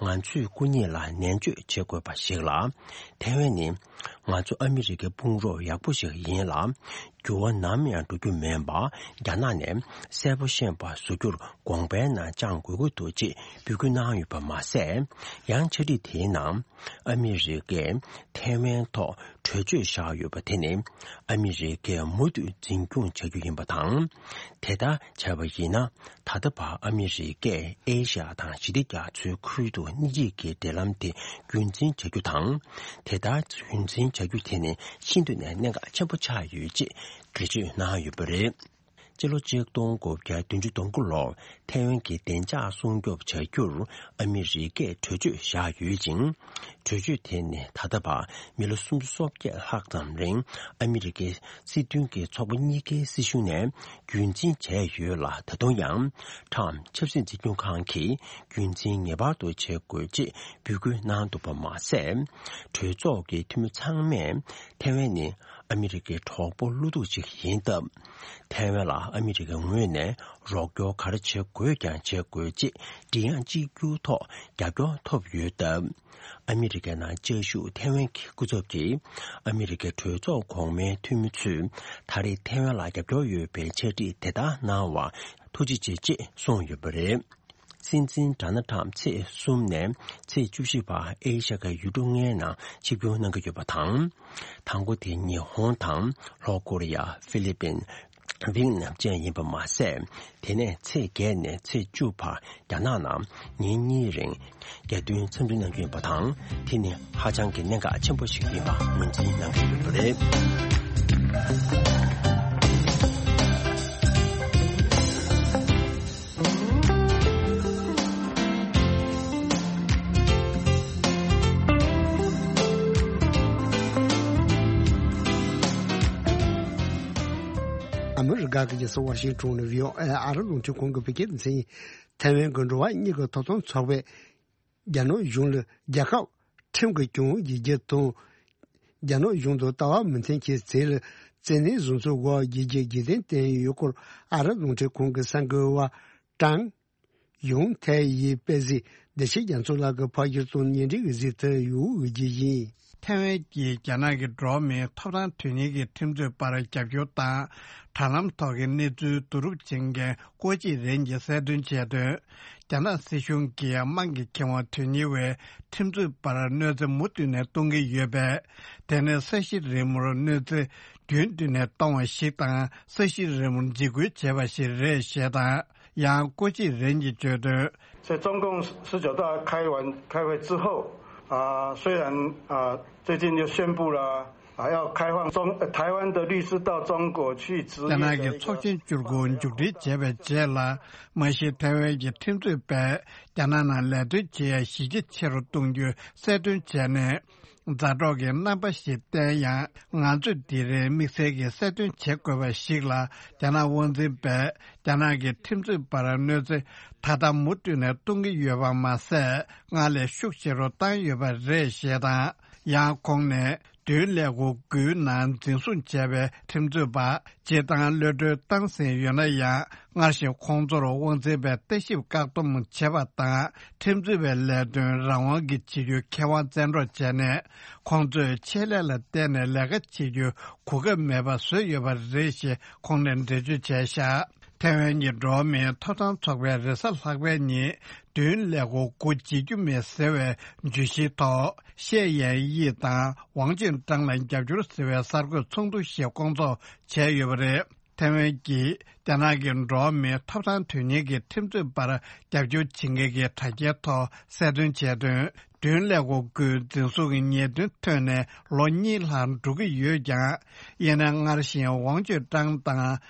ང་ཚོས་སྐུ་ཉིད་ལ་ནན་བརྗོད་བྱེད་དགོས་པ་ཞིག་ལ། ཐའེ་ཝན་ནི་ང་ཚོ་ཨ་མི་རི་ཀའི་དཔུང་རོགས་ཡག་པོ་ཞིག་ཡིན་ལ། འགྱུར་བ་ནམ་ཡང་འགྲོ་རྒྱུ་མིན་པ་རྒྱ་ནག་ནས་གསལ་པོ་ཤེས་པ་བཟོ་རྒྱུར་དགོངས་པའི་ནང་བཅངས་དགོས་ཀྱི་འདུག་ཅེས་འབོད་སྐུལ་གནང་ཡོད་པ་མ་ཟད། ཡང་འཆད་ཁྲིད་དེའི་ནང་ཨ་མི་རི་ཀས་ཐའེ་ཝན་ཐོག་གྲོས་ཆོད་བཞག་ཡོད་པ་དེ་ནི་ཨ་མི་རི་ཀས་མུ་མཐུད་འཛིན་སྐྱོང་བྱ་རྒྱུ་ཡིན་པ་དང་། དེ་ལྟར་བྱས་པ་ཡིན་ན་ད་ལྟ་བར་ཨ་མི་རི་ཀས་ཨེ་ཤ་ཡ་དང་ཞི་བདེ་རྒྱ་མཚོའི་ཁུལ་དུ་གཉིས་ཀྱི་འབྲེལ་ལམ་དེ་རྒྱུན་འཛིན་བྱ་རྒྱུ་དང་། དེ་ལྟར་རྒྱུན་འཛིན་བྱ་རྒྱུ་དེ་ནི་ཤིན་ཏུ་ནས་གནད་འགག་ཆེན་པོ་ཆགས་ཡོད་ཅེས་འགྲེལ་བརྗོད་གནང་ཡོད་པ་རེད། སྤྱི་ལོ་ཆིག་སྟོང་དགུ་བརྒྱ་བདུན་ཅུ་དོན་དགུ་ལོར་ཐའེ་ཝན་གྱི་བདེ་འཇགས་སྲུང་སྐྱོབ་བྱ་རྒྱུར་ཨ་མི་རི་ཀས་གྲོས་ཆོད་བཞག་ཡོད་ཅིང་། གྲོས་ཆོད་དེ་ནི་ད་ལྟ་བར་མི་ལོ་སུམ་ཅུ་སོ་བརྒྱད་ལྷག་ཙམ་རིང་ཨ་མི་རི་ཀའི་སྲིད་དོན་གྱི་ཚོགས་པ་གཉིས་ཀའི་སྲིད་གཞུང་ནས་རྒྱུན་འཛིན་བྱས་ཡོད་ལ། ད་དུང་ཡང་ཁྲམ་ཆབ་སྲིད་འཛིན་སྐྱོང་ཁང་གིས་རྒྱུན་འཛིན་ངེས་པར་དུ་བྱེད་དགོས་ཅེས་འབོད་སྐུལ་གནང་འདུག་པ་མ་ཟད། གྲོས་ཚོགས་ཀྱི་འཐུས་མི་ཚང་མས་ཐའེ་ཝན་ནི་ཨ་མི་རི་ཀའི་གྲོགས་པོ་བློ་སྡུག་ཅིག་ཡིན་སྟབས། ཐའེ་ཝན་ལ་ཨ་མི་རི་ཀའི་ངོས་ནས་རོགས་སྐྱོར་ག་རེ་བྱེད་དགོས་ཀྱང་བྱེད་དགོས་ཅེས་མགྲིན་དབྱངས་གཅིག་གྱུར་ཐོག་རྒྱབ་སྐྱོར་ཐོབ་ཡོད་སྟབས། ཨ་མི་རི་ཀའི་ནང་བཅའ་བཞུགས་ཐའེ་ཝན་གྱི་སྐུ་ཚབ་ཀྱིས་ཨ་མི་རི་ཀའི་གྲོས་ཚོགས་གོང་མའི་འཐུས་མི་ཚོས་ད་རེས་ཐའེ་ཝན་ལ་རྒྱབ་སྐྱོར་ཡོད་པའི་འཆད་ཁྲིད་དེ་ལྟར་གནང་བར་ཐུགས་རྗེ་ཆེ་ཅེས་གསུངས་ཡོད་པ་རེད། སྲིད་འཛིན་ཌོ་ནལ་ཊམ་ཚེས་གསུམ་ནས་ཚེས་བཅུ་བཞི་བར་ཨེ་ཤ་ཁའི་ཡུལ་གྲུ་ལྔའི་ནང་ཆིབས་བསྒྱུར་གནང་གི་ཡོད་པ་དང་། དང་པོ་དེ་ཉི་ཧོང་དང་ལྷོ་ཀོ་རི་ཡ། ཧྥི་ལི་པིན། ཝིང་ནམ་བཅས་ཡིན་པ་མ་ཟད། དེ་ནས་ཚེས་བརྒྱད་ནས་ཚེས་བཅུ་བར་རྒྱ་ནག་ནང་ཉིན་གཉིས་རིང་རྒྱལ་དོན་འཚམས་འདྲི་གནང་རྒྱུ་ཡིན་པ་དང་། དེ་ནི་ཧ་ཅང་གི་གནད་འགག་ཆེན་པོ་ཞིག་ཡིན་པ་ངོས་འཛིན་གནང་གི་ཡོད་པ་རེད། ཨ་མི་རི་ཀ་གི་རྒྱལ་ས་ཝ་ཤིང་ཊོན་ནས་བྷི་ཨོ་ཨེ་ཨ་རི་རླུང་འཕྲིན་ཁང་གི་བོད་སྐད་སྡེ་ཚན་ཡིན། ཐའེ་ཝན་གྱི་འགྲོ་བ་མིའི་ཐོབ་ཐང་ཚོགས་པས་རྒྱ་ནག་གཞུང་ལ་རྒྱལ་ཁབ་ ཁྲིམས་ཀྱི་སྐྱོན་བརྒྱབ་རྒྱུ་དང་། རྒྱ་ནག་གཞུང་དུ་ལྟ་བ་མི་མཐུན་རྐྱེན་ཟིན་ལ་བཙན་གནོན་བཟུང་ཚུལ་འོག་རྒྱལ་སྤྱིའི་རྒྱལ་དོན་བསྟན་ཡོད་སྐོར་ཨ་རི་རླུང་འཕྲིན་ཁང་གི་གསར་འགོད་པ་ཀྲང་ཡུང་ཐའེ་ཡིས་སྤེལ་གཟིགས། བདེ་ཆེན་རྒྱ་མཚོ་ལགས་ཀྱིས་ཕབ་སྒྱུར་དང་སྙན་སྒྲོན་གྱི་གཟིགས་ཚུལ་ཡོད་རྒྱུ་ཡིན། ཐའེ་ཝན་གྱིས་རྒྱ་ནག་གི་འགྲོ་བ་མིའི་ཐོབ་ཐང་དོན་གཉེར་གྱི་ཁྲིམས་རྩོད་པར་རྒྱབ་སྐྱོར་དང་། དྲ་ལམ་ཐོག་གི་གནས་ཚུལ་བསྡུ་རུབ་བྱེད་མཁན་ཀོ་ཅི་རེན་གྱིས་གསལ་སྟོན་བྱས་དོན། རྒྱ་ནག་སྲིད་གཞུང་གིས་དམངས་ཀྱི་ཁེ་དབང་དོན་གཉེར་བའི་ཁྲིམས་རྩོད་པར་གནོད་འཚེ་མུ་མཐུད་ནས་གཏོང་གི་ཡོད་པས། དེ་ནི་ས་གཞི་རི་མོར་གནོད་འཚེ་རྒྱུན་མཐུད་ནས་གཏོང་བ་ཞིག་དང་། ས་གཞི་རི་མོར་འཇིགས་སྐུལ་བྱས་པ་ཞིག་རེད་ཞེས་དང་། 杨国际人民决定。在中共十九大开完开会之后，啊，虽然啊最近又宣布了啊要开放中台湾的律师到中国去执业的一个法律。རྒྱ་ནག་གི་ཚོགས་ཆེན་བཅུ་དགུ་མཇུག་སྒྲིལ་བྱས་པའི་རྗེས་ལ། མ་གཞི་ཐའེ་ཝན་གྱི་ཁྲིམས་རྩོད་པས་རྒྱ་ནག་ནང་ལས་དོན་བྱེད་ཡ་གཞི་རྒྱ་ཆེ་རུ་གཏོང་རྒྱུ་གསལ་སྟོན་བྱས་ནས། མཛའ་གྲོགས་ཀྱི་རྣམ་པ་ཞིག་བསྟན་ཡང་། ང་ཚོས་དེ་རིང་དམིགས་བསལ་གྱི་གསལ་སྟོན་བྱེད་དགོས་པ་ཞིག་ལ། རྒྱ་ནག་དབང་འཛིན་པས་རྒྱ་ནག་གི་ཁྲིམས་རྩོད་པར་གནོད་འཚེ་ད་ལྟ་མུ་མཐུད་ནས་གཏོང་གི་ཡོད་པ་མ་ཟད། སྔར་ལས་ཤུགས་ཆེ་རུ་བཏང་ཡོད་པ་རེད་ཞེས་དང་། ཡང་ཁོང་ནས། མདུན་ཀླད་ཀོར་དགུའི་ནང་འཛིན་བཟུང་བྱས་པའི་ཁྲིམས་རྩོད་པ། སྤྱིར་བཏང་གློད་གྲོལ་བཏང་ཟིན་ཡོད་ན་ཡང་། སྔར་བཞིན་ཁོང་ཚོར་དབང་འཛིན་པས་ལྟ་ཞིབ་བཀག་སྡོམ་བྱེད་པ་དང་། ཁྲིམས་རྩོད་པའི་ལས་དོན་རང་དབང་གིས་བྱེད་རྒྱུའི་ཁེ་དབང་བཙན་འཕྲོག་བྱས་ནས། ཁོང་ཚོས་ཆེད་ལས་ལ་བརྟེན་ནས་ལས་ཀ་བྱེད་རྒྱུའི་གོ་སྐབས་མེད་པ་བཟོས་ཡོད་པ་རེད་ཞེས་ཁོང་ནས་འགྲེལ་བརྗོད་བྱས་བཞག་ཐའེ་ཝན་གྱི་འགྲོ་བ་མིའི་ཐོབ་ཐང་ཚོགས་པས་རེས་གཟའ་ལྷག་པའི་ཉིན། མདུན་ཀླད་ཀོར་དགུ་བརྗེད་རྒྱུ་མེད་ཟེར་བའི་བརྗོད་གཞིའི་ཐོག་ཤེ་ཡན་དབྱི་དང་ཝང་ཅུན་ཀྲང་ལ་རྒྱབ་སྐྱོར་ཟེར་བའི་གསར་འགོད་ཚོགས་འདུ་ཞིག་སྐོང་ཚོགས་བྱས་ཡོད་པ་རེད། ཐའེ་ཝན་གྱིས་རྒྱ་ནག་གི་འགྲོ་བ་མིའི་ཐོབ་ཐང་དོན་གཉེར་གྱི་ཁྲིམས་རྩོད་པར་རྒྱབ་སྐྱོར་བྱེད་མཁན་གྱི་དྲ་རྒྱའི་ཐོག་གསལ་སྟོན་བྱས་དོན། མདུན་ཀླད་ཀོར་དགུའི་འཛིན་བཟུང་གི་ཉེས་དོན་ཐོན་ནས་ལོ་གཉིས་ལྷག་འགྲོ་གི་ཡོད་ཀྱང་། ཡིན་ནའང་སྔར་བཞིན་ཝང་ཅུན་ཀྲང་དང་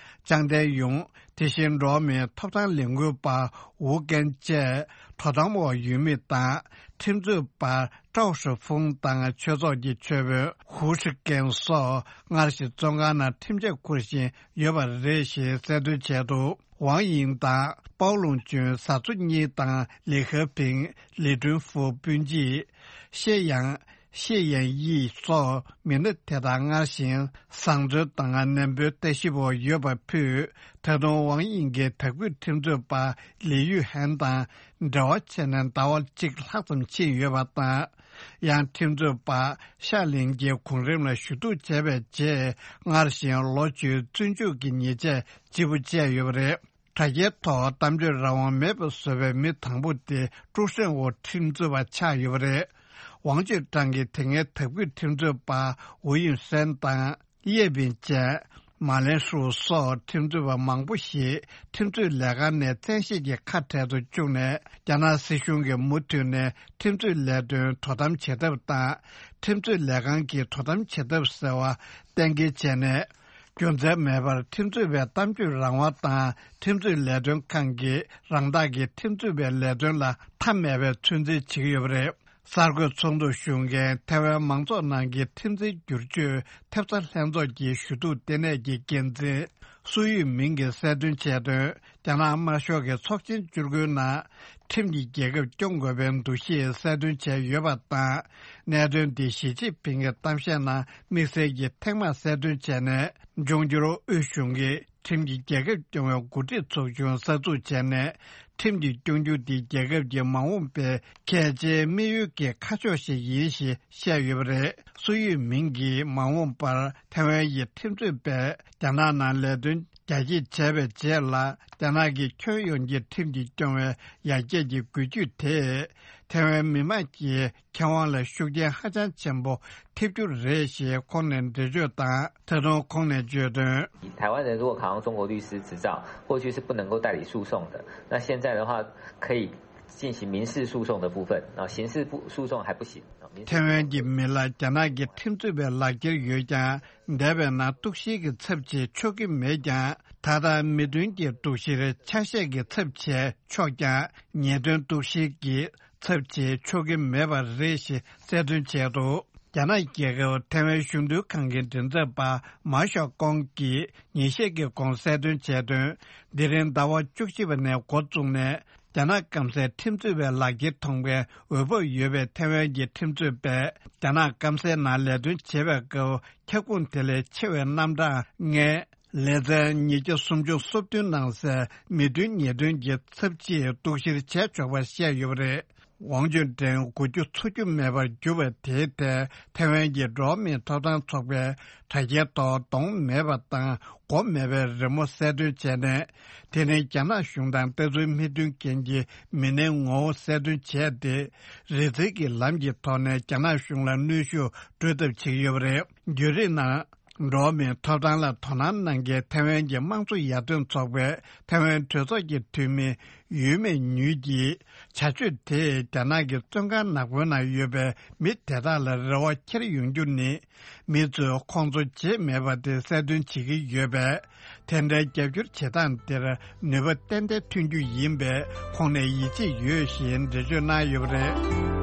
ཅང་ཏན་ཡུང་། དེ་བཞིན་འགྲོ་བ་མིའི་ཐོབ་ཐང་ལས་འགུལ་པ་ཝུ་ཀན་བཅས་དོ་དམ་འོག་ཡོད་མི་དང་། ཁྲིམས་རྩོད་པ་ཀྲའོ་ཧྲི་ཧྥུང་དང་ཆོས་ཚོགས་ཀྱི་ཆོས་དཔོན་ཧུའུ་ཧྲི་ཀན་སོགས་སྔར་བཞིན་བཙོན་ཁང་ནང་ཁྲིམས་ཆད་འཁུར་བཞིན་ཡོད་པ་རེད་ཞེས་གསལ་སྟོན་བྱས་འདུག་ཝང་དབྱིང་དང་པའོ་ལུང་ཅུན་བཟའ་ཚོ་གཉིས་དང་ལི་ཁེ་ཕིང་། ལི་ཀྲུན་ཧྥུ་སྤུན་མཆེད། ཤེ་ཡང་། ཤེ་ཡན་དབྱི་སོགས་མི་སྣ་དེ་དག་སྔར་བཞིན་བཟང་བཙོན་དང་ནན་པོའི་ལྟ་ཞིབ་འོག་ཡོད་པ་ཕུད། ད་དུང་ཝང་དབྱིང་གི་དྭགས་བོད་ཁྲིམས་རྩོད་པ་ལི་ཡུས་ཧན་དང་འབྲེལ་བ་བྱས་ནས་ཟླ་བ་གཅིག་ལྷག་ཙམ་ཕྱིན་ཡོད་པ་དང་། ཡང་ཁྲིམས་རྩོད་པ་ཤ་ལིན་གྱིས་གོང་རིམ་ལ་ཞུ་གཏུག་བྱས་པའི་རྗེས་སྔར་བཞིན་ལོ་བཅུའི་བཙོན་འཇུག་གི་ཉེས་ཆད་ལྗིད་པོ་བཅད་ཡོད་པ་རེད། དྲ་རྒྱའི་ཐོག་གཏམ་བརྗོད་རང་དབང་མེད་པ་བཟོས་པའི་མི་དང་པོ་དེ་ཀྲུའུ་ཧྲེང་འོག་ཁྲིམས་རྩོད་པ་ཆགས་ཡོད་པ་རེད། ཝང་ཅུན་ཀྲང་གིས་དེ་སྔའི་དྭགས་བོད་ཁྲིམས་རྩོད་པ་ཝུའུ་ཡུན་ཧྲན་དང་ཡེ་པིན་ཅན། མ་ལེན་ཧྲུའུ་སོགས་ཁྲིམས་རྩོད་པ་མང་པོ་ཞིག་ཁྲིམས་རྩོད་ལས་ཁང་ནས་བཙན་ཤེད་ཀྱིས་ཁ་བྲལ་དུ་བཅུག་ནས། རྒྱ་ནག་སྲིད་གཞུང་གིས་མུ་མཐུད་ནས་ཁྲིམས་རྩོད་ལས་དོན་དོ་དམ་བྱེད་ཐབས་དང་། ཁྲིམས་རྩོད་ལས་ཁང་གིས་དོ་དམ་བྱེད་ཐབས་ཟེར་བ་གཏན་འཁེལ་བྱས་ནས། རྒྱུ་མཚན་མེད་པར་ཁྲིམས་རྩོད་པའི་གཏམ་བརྗོད་རང་དབང་དང་ཁྲིམས་རྩོད་ལས་དོན་ཁང་གིས་རང་བདག་གི་ཁྲིམས་རྩོད་པའི་ལས་དོན་ལ་མཐའ་མེད་པའི་ཚོད་འཛིན་བྱེད་ཀྱི་ཡོད་པ་རེད། གསར་འགོད་ཚོགས་འདུར་ཞུགས་མཁན་ཐའེ་ཝན་མང་ཚོགས་ནང་གི་ཁྲིམས་འཛིན་བསྒྱུར་བཅོས་ཐེབས་རྩ་ལྷན་ཚོགས་ཀྱི་ཞུ་གཏུག་ལྟེ་གནས་ཀྱི་འགན་འཛིན་སུའུ་ཡུས་མིང་གིས་གསལ་སྟོན་བྱས་དོན། རྒྱ་ནག་དམར་ཤོག་གི་ཚོགས་ཆེན་བཅུ་དགུའི་ནང་ཁྲིམས་ཀྱིས་རྒྱལ་ཁབ་སྐྱོང་དགོས་པའི་འདུ་ཤེས་གསལ་སྟོན་བྱས་ཡོད་པ་དང་། གནད་དོན་འདི་ཞི་ཅིན་ཕིང་གི་གཏམ་བཤད་ནང་དམིགས་བསལ་གྱིས་ཐེངས་མང་གསལ་སྟོན་བྱས་ནས། འབྱུང་འགྱུར་དབུས་གཞུང་གིས་ཁྲིམས་ཀྱིས་རྒྱལ་ཁབ་སྐྱོང་བའི་འགོ་ཁྲིད་ཚོགས་ཆུང་གསར་འཛུགས་བྱས་ནས། ཁྲིམས་ཀྱིས་སྐྱོང་རྒྱུ་འདི་རྒྱལ་ཁབ་ཀྱི་མ་འོངས་པའི་གལ་ཆེའི་དམིགས་ཡུལ་གྱི་ཁ་ཕྱོགས་ཤིག་ཡིན་ཞེས་བཤད་ཡོད་པ་རེད། སུའུ་ཡུས་མིང་གིས་མ་འོངས་པར་ཐའེ་ཝན་གྱི་ཁྲིམས་རྩོད་པས་རྒྱ་ནག་ནང་ལས་དོན་རྒྱ་སྐྱེད་བྱས་པའི་རྗེས་ལ། རྒྱ་ནག་གི་ཁྱོན་ཡོངས་ཀྱི་ཁྲིམས་ཀྱིས་སྐྱོང་བའི་ཡར་རྒྱས་ཀྱི་འགུལ་སྐྱོད་དེས་ཐའེ་ཝན་མི་དམངས་ཀྱི་ཁེ་དབང་ལ་ཤུགས་རྐྱེན་ཧ་ཅང་ཆེན་པོ་ཐེབས་རྒྱུ་རེད་ཞེས་ཁོང་ནས་འགྲེལ་བརྗོད་དང་། ད་དུང་ཁོང་ནས་བརྗོད་དོན། 台湾人如果考上中国律师执照，过去是不能够代理诉讼的，那现在的话可以进行民事诉讼的部分，啊，刑事不诉讼还不行。啊，民事 ཐའེ་ཝན་གྱི་མི་ལ་རྒྱ་ནག་གི་ཁྲིམས་རྩོད་པའི་ལག་འཁྱེར་ཡོད་ཀྱང་། འདས་པའི་ནང་གཏུག་བཤེར་གྱི་ཚབ་བྱེད་ཆོག་གི་མེད་ཀྱང་། ད་ལྟ་མི་དོན་གྱི་གཏུག་བཤེར་ཆ་ཤས་ཀྱི་ཚབ་བྱས་ཆོག་ཀྱང་། ཉེས་དོན་གཏུག་བཤེར་གྱི་ཚབ་བྱེད་ཆོག་གི་མེད་པ་རེད་ཞེས་གསལ་སྟོན་བྱས་འདུག་རྒྱ་ནག་རྒྱལ་ཁབ་ཐའེ་ཝན་གཞོན་ནུ་ལྷན་ཁང་གི་མགྲིན་ཚབ་པ་མཱ་ཞའོ་ཀོང་གིས་ཉིན་ཤས་ཀྱི་གོང་གསལ་སྟོན་བྱས་དོན། འདི་རིང་ཟླ་བ་བཅུ་གཅིག་པ་ནས་འགོ་བཙུགས་ནས་ རྒྱ་ནག་སྐམ་སའི་ཁྲིམས་རྩོད་པའི་ལག་འཁྱེར་ཐོབ་མཁན་འོས་བབ་ཡོད་པའི་ཐེ་ཝན་གྱི་ཁྲིམས་རྩོད་པས། རྒྱ་ནག་སྐམ་སའི་ནང་ལས་དོན་བྱེད་པའི་སྐབས། ཁྱབ་ཁོངས་དེ་ལས་ཆེ་བའི་རྣམ་གྲངས་ལྔའི་ལེ་ཚན་ཉིས་བརྒྱ་སུམ་ཅུ་སོ་བདུན་ནང་གསལ་མི་མཐུན་ཉེས་དོན་གྱི་ཚབས་ཆེའི་གཏུག་བཤེར་བྱས་ཆོག་པ་བཤད་ཡོད་པ་རེད། ཝང་ཅུན་ཀྲེང་འགུལ་སྐྱོད་འཚོ་རྒྱུ་མེད་པར་གྱུར་བ་དེའི་ཐད། ཐེ་ཝན་གྱི་འགྲོ་བ་མིའི་ཐོབ་ཐང་ཚོགས་པས་དྲ་རྒྱའི་ཐོག་གདོང་མེད་པ་དང་མགོ་མེད་པའི་རི་མོ་གསལ་སྟོན་བྱས་ནས། དེ་ནི་རྒྱ་ནག་གཞུང་དང་ལྟ་ཚུལ་མི་མཐུན་མཁན་གྱི་མི་སྣའི་ངོ་བོ་གསལ་སྟོན་བྱས་ཏེ། རི་འཛེག་གི་ལམ་གྱི་ཐོག་ནས་རྒྱ་ནག་གཞུང་ལ་གནོན་ཤུགས་སྤྲོད་ཐབས་བྱེད་ཀྱི་ཡོད་པ་རེད། བརྒྱུད་རིམ་ནང་། འགྲོ་བ་མིའི་ཐོབ་ཐང་ལ་དོ་སྣང་གནང་མཁན་ཐེ་ཝན་གྱི་དམངས་གཙོ་ཡར་ཐོན་ཚོགས་པའི་ཐེ་ཝན་གྲོས་ཚོགས་ཀྱི་འཐུས་མི་ཡུས་མེ་ཉུས་ཀྱིས། བྱ་སྤྱོད་དེས་རྒྱ་ནག་གི་བཙོན་ཁང་ནག་པོའི་ནང་ཡོད་པའི་མི་དེ་དག་ལ་རེ་བ་འཁྱེར་ཡོང་རྒྱུ་ནི། མི་ཚོས་ཁོང་ཚོ་བརྗེད་མེད་པ་དེ་གསལ་སྟོན་བྱེད་ཀྱི་ཡོད་པས། དེ་འདྲའི་རྒྱབ་སྐྱོར་བྱེད་སྟངས་དེར་ནུས་པ་ཏན་ཏན་ཐོན་རྒྱུ་ཡིན་པས། ཁོང་ནས་ཡིད་ཆེས་ཡོད་ཞེས་འགྲེལ་བརྗོད་གནང་ཡོད་པ་རེད།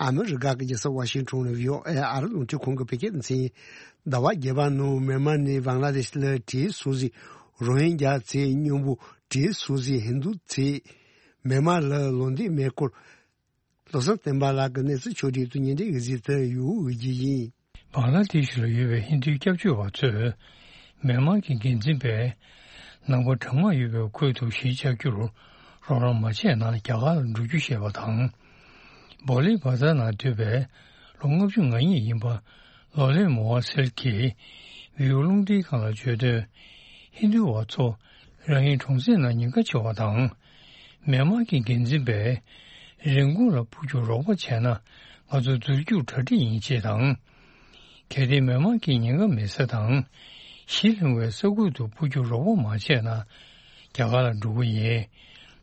ཨ་མི་རི་ཀ་གི་རྒྱལ་ས་ཝ་ཤིང་ཊོན་ནས་བྷི་ཨོ་ཨེ་ཨ་རི་རླུང་འཕྲིན་ཁང་གི་བོད་སྐད་སྡེ་ཚན། ཟླ་བ་བརྒྱད་པ་ནང་མེན་མར་ནས་བང་ལ་དེ་ཤི་ལ་བྲེལ་སོང་ཟིག་རོ་ཧིན་རྒྱ་ཚེ་སྙོམས་པོ་བྲེལ་སོང་ཟིག་ཧིན་དུ་ཚེ། མེན་མར་ལ་ལོ་འདི་མེ་འཁོར། བློ་བཟང་བསྟན་པ་ལགས་ཀྱི་གནས་ཚུལ་ཕྱོགས་བསྒྲིགས་དུ་ཉིན་དེ་གཟིགས་དུ་ཡོད་ཀྱི་ཡིན། བང་ལ་དེ་ཤི་ལ་ཡོད་པའི་ཧིན་དུའི་སྐྱབས་བཅོལ་བ་ཚོས། མེན་མར་གྱི་འགན་འཛིན་པས། ནང་པ་གྲང་དམག་ཡོད་པའི་ཁུལ་དུ་གཞིས་ཆགས་རྒྱུར་རོགས་རམ་མ་བྱས་ན་རྒྱ་གར་ལ་འགྲོ་རྒྱུ་བཤད་པ་དང་། བོ་ལི་བ་ཛར་ནང་སྡོད་པའི་ལོ་ལྔ་བཅུ་ང་གཉིས་ཡིན་པ་ལོ་ལེ་མོ་ཝ་སེལ་གྱིས་བི་ཡུ་རླུང་འཕྲིན་ཁང་ལ་བརྗོད་དོན། ཧིན་དུ་བ་ཚོ་རང་ཡི་གྲོང་གསེབ་ནང་ཉེན་ཁ་ཆེ་བ་དང་། མེན་མར་གྱི་འགན་འཛིན་པས་རིན་གོང་ལ་འཕུར་རྒྱུར་རོགས་པ་བྱས་ན་ང་ཚོ་འཛུལ་རྒྱུར་གྲ་སྒྲིག་ཡིན་ཅེས་དང་། གལ་ཏེ་མེན་མར་གྱི་ཉེན་ཁ་མེད་ས་དང་། ཞི་ལྷིང་བའི་ས་ཁུལ་དུ་འཕུར་རྒྱུར་རོགས་པ་མ་བྱས་ན། རྒྱ་གར་ལ་འགྲོ་གི་ཡིན།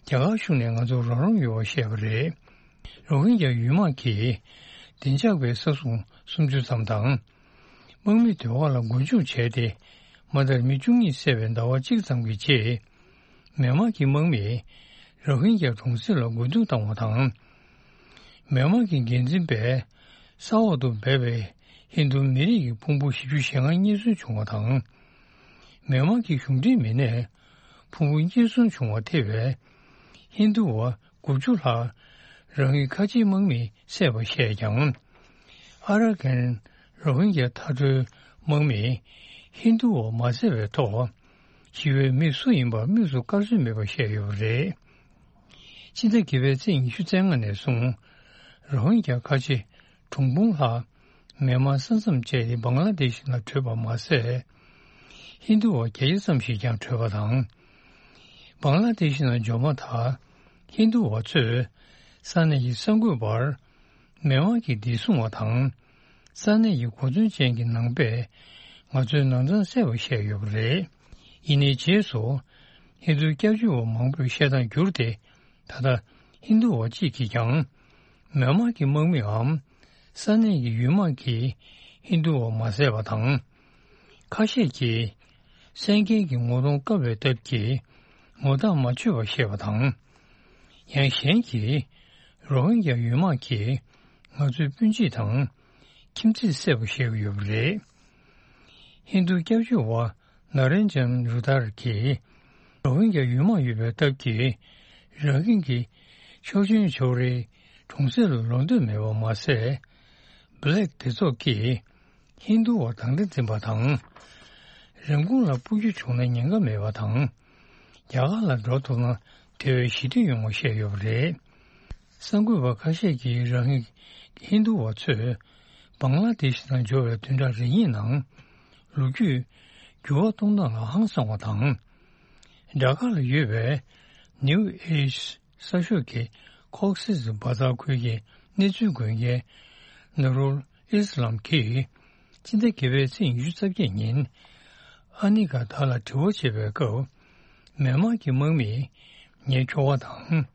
རྒྱ་གར་གཞུང་ནས་ང་ཚོར་རོགས་རམ་ཡོད་པ་བཤད་པ་རེད། རོ་ཧིན་རྒྱ་ཡུལ་དམག་གིས་བདེ་འཇགས་པའི་ས་སྲུང་སུམ་ཅུ་ཙམ་དང་། དམག་མི་སྡོད་ཁང་ལ་སྒོ་འཇུག་བྱས་ཏེ། མ་མཐར་མི་བཅུ་གཉིས་བསད་པའི་ཟླ་བ་གཅིག་ཙམ་གྱི་རྗེས། མེན་མར་གྱི་དམག་མིས་རོ་ཧིན་རྒྱ་གྲོང་གསེབ་ལ་རྒོལ་རྡུང་བཏང་བ་དང་། མེན་མར་གྱི་འགན་འཛིན་པས་ས་འོག་ཏུ་སྦས་པའི་ཧིན་རྡུ་མི་རིགས་ཀྱི་ཕུང་པོ་བཞི་བཅུ་ཞེ་ལྔ་རྙེད་སོན་བྱུང་བ་དང་། མེན་མར་གྱི་གཞུང་འབྲེལ་མི་སྣས་ཕུང་པོ་རྙེད་སོན་བྱུང་བ་ཐེ་བའི་ཧིན་རྡུ་བ་དགུ་བཅུ་ལྷག་རང་ཡུལ་ཁ་ཆེའི་དམག་མིས་བསད་པ་བཤད་ཀྱང་། ཨ་ར་ཀན་རོ་ཧིན་རྒྱ་མཐའ་གྲོལ་དམག་མིས་ཧིན་རྡུ་བ་མ་བསད་པའི་ཐོག་ཞི་བའི་མི་སུ་ཡིན་པ་དམིགས་སུ་བཀར་སྲོལ་མེད་པ་བཤད་ཡོད་པ་རེད། ཕྱི་ཟླ་བརྒྱད་པའི་ཚེས་ཉི་ཤུ་རྩ་ལྔ་ནས་བཟུང་རོ་ཧིན་རྒྱ་ཁ་ཆེ་གྲངས་འབུམ་ལྷག་མེན་མར་ས་མཚམས་བཅད་དེ་བང་ལ་དེ་ཤི་ནང་བྲོས་པ་མ་ཟད། ཧིན་རྡུ་བ་བརྒྱད་བརྒྱ་ཙམ་ཞིག་ཀྱང་བྲོས་པ་དང་། བང་ལ་དེ་ཤི་ནང་འབྱོར་མ་ཐག་ཧིན་རྡུ་བ་ཚོས་ས་གནས་ཀྱི་གསར་འགོད་པར་མེན་མར་གྱི་བདེ་སྲུང་བ་དང་། ས་གནས་ཀྱི་གོ་མཚོན་ཅན་གྱི་ནང་པས་ང་ཚོའི་ནང་ཚང་བསད་པ་བཤད་ཡོད་པ་རེད། ཡིན་ནའི་རྗེས་སུ་ཧིན་རྡུ་སྐྱབས་བཅོལ་བ་མང་པོས་བཤད་སྟངས་བསྒྱུར་ཏེ། ད་ལྟ་ཧིན་རྡུ་བ་གཅིག་གིས་ཀྱང་མེན་མར་གྱི་དམག་མིའམ་ས་གནས་ཀྱི་ཡུལ་དམག་གིས་ཧིན་རྡུ་བ་མ་བསད་པ་དང་། ཁ་ཤས་ཀྱིས་གསན་མཁན་གྱི་ངོ་གདོང་བཀབ་པའི་སྟབས་ཀྱིས་ངོ་རྟགས་མ་ཆོད་པ་བཤད་པ་དང་། ཡང་གཞན་གྱིས་རོ་ཧིན་རྒྱ་ཡུལ་དམག་གིས་ང་ཚོའི་སྤུན་མཆེད་དང་ཁྱིམ་མཚེས་བསད་པ་བཤད་ཀྱི་ཡོད་པ་རེད། ཧིན་རྡུ་སྐྱབས་བཅོལ་བ་ན་རེན་ཇན་རུ་དར་གྱིས་རོ་ཧིན་རྒྱ་ཡུལ་དམག་ཡོད་པའི་སྟབས་ཀྱིས་རང་ཁྱིམ་གྱི་ཆོག་མཆན་ཅོག་རེ་གྲོང་གསེབ་ལ་ལོག་འདོད་མེད་པ་མ་ཟད། Black་སྡེ་ཚོགས་ཀྱིས་ཧིན་རྡུ་བ་དང་འདྲ་འཛིན་པ་དང་། རིན་གོང་ལ་སྤུར་རྒྱུ་བྱུང་ན་ཉེན་ཁ་མེད་པ་དང་། རྒྱ་གར་ལ་འགྲོ་ཐུབ་ན་དེ་བས་ཞི་བདེ་ཡོང་བ་བཤད་ཡོད་པ་རེད། གསར་འགོད་པ་ཁ་ཤས་ཀྱིས་རང་ཧིན་ཧིན་རྡུ་བ་ཚོས་བང་ལ་དེ་ཤི་ནང་འབྱོར་བའི་བདུན་ཕྲག་རེ་གཉིས་ནང་ལོ་རྒྱུས་འགྱུར་བ་གཏོང་སྟངས་ལ་ཧང་སངས་པ་དང་། ཌ་ཀ་ལ་ཡོད་པའི་New Age་གསར་ཤོག་གི་ཁོག་སི་སི་བ་ཛར་ཁུལ་གྱི་གནས་ཚུལ་འགོད་མཁན་ནུ་རུལ་ཨིས་ལམ་གྱིས་སྤྱི་ཟླ་བརྒྱད་པའི་ཚེས་ཉི་ཤུ་རྩ་བརྒྱད་ཉིན་ཨ་ནི་ག་ད་ལ་དྲི་བ་བྱེད་པའི་སྐབས། མེན་མར་གྱི་དམག་མིས་ངའི་ཁྱོ་ག་དང་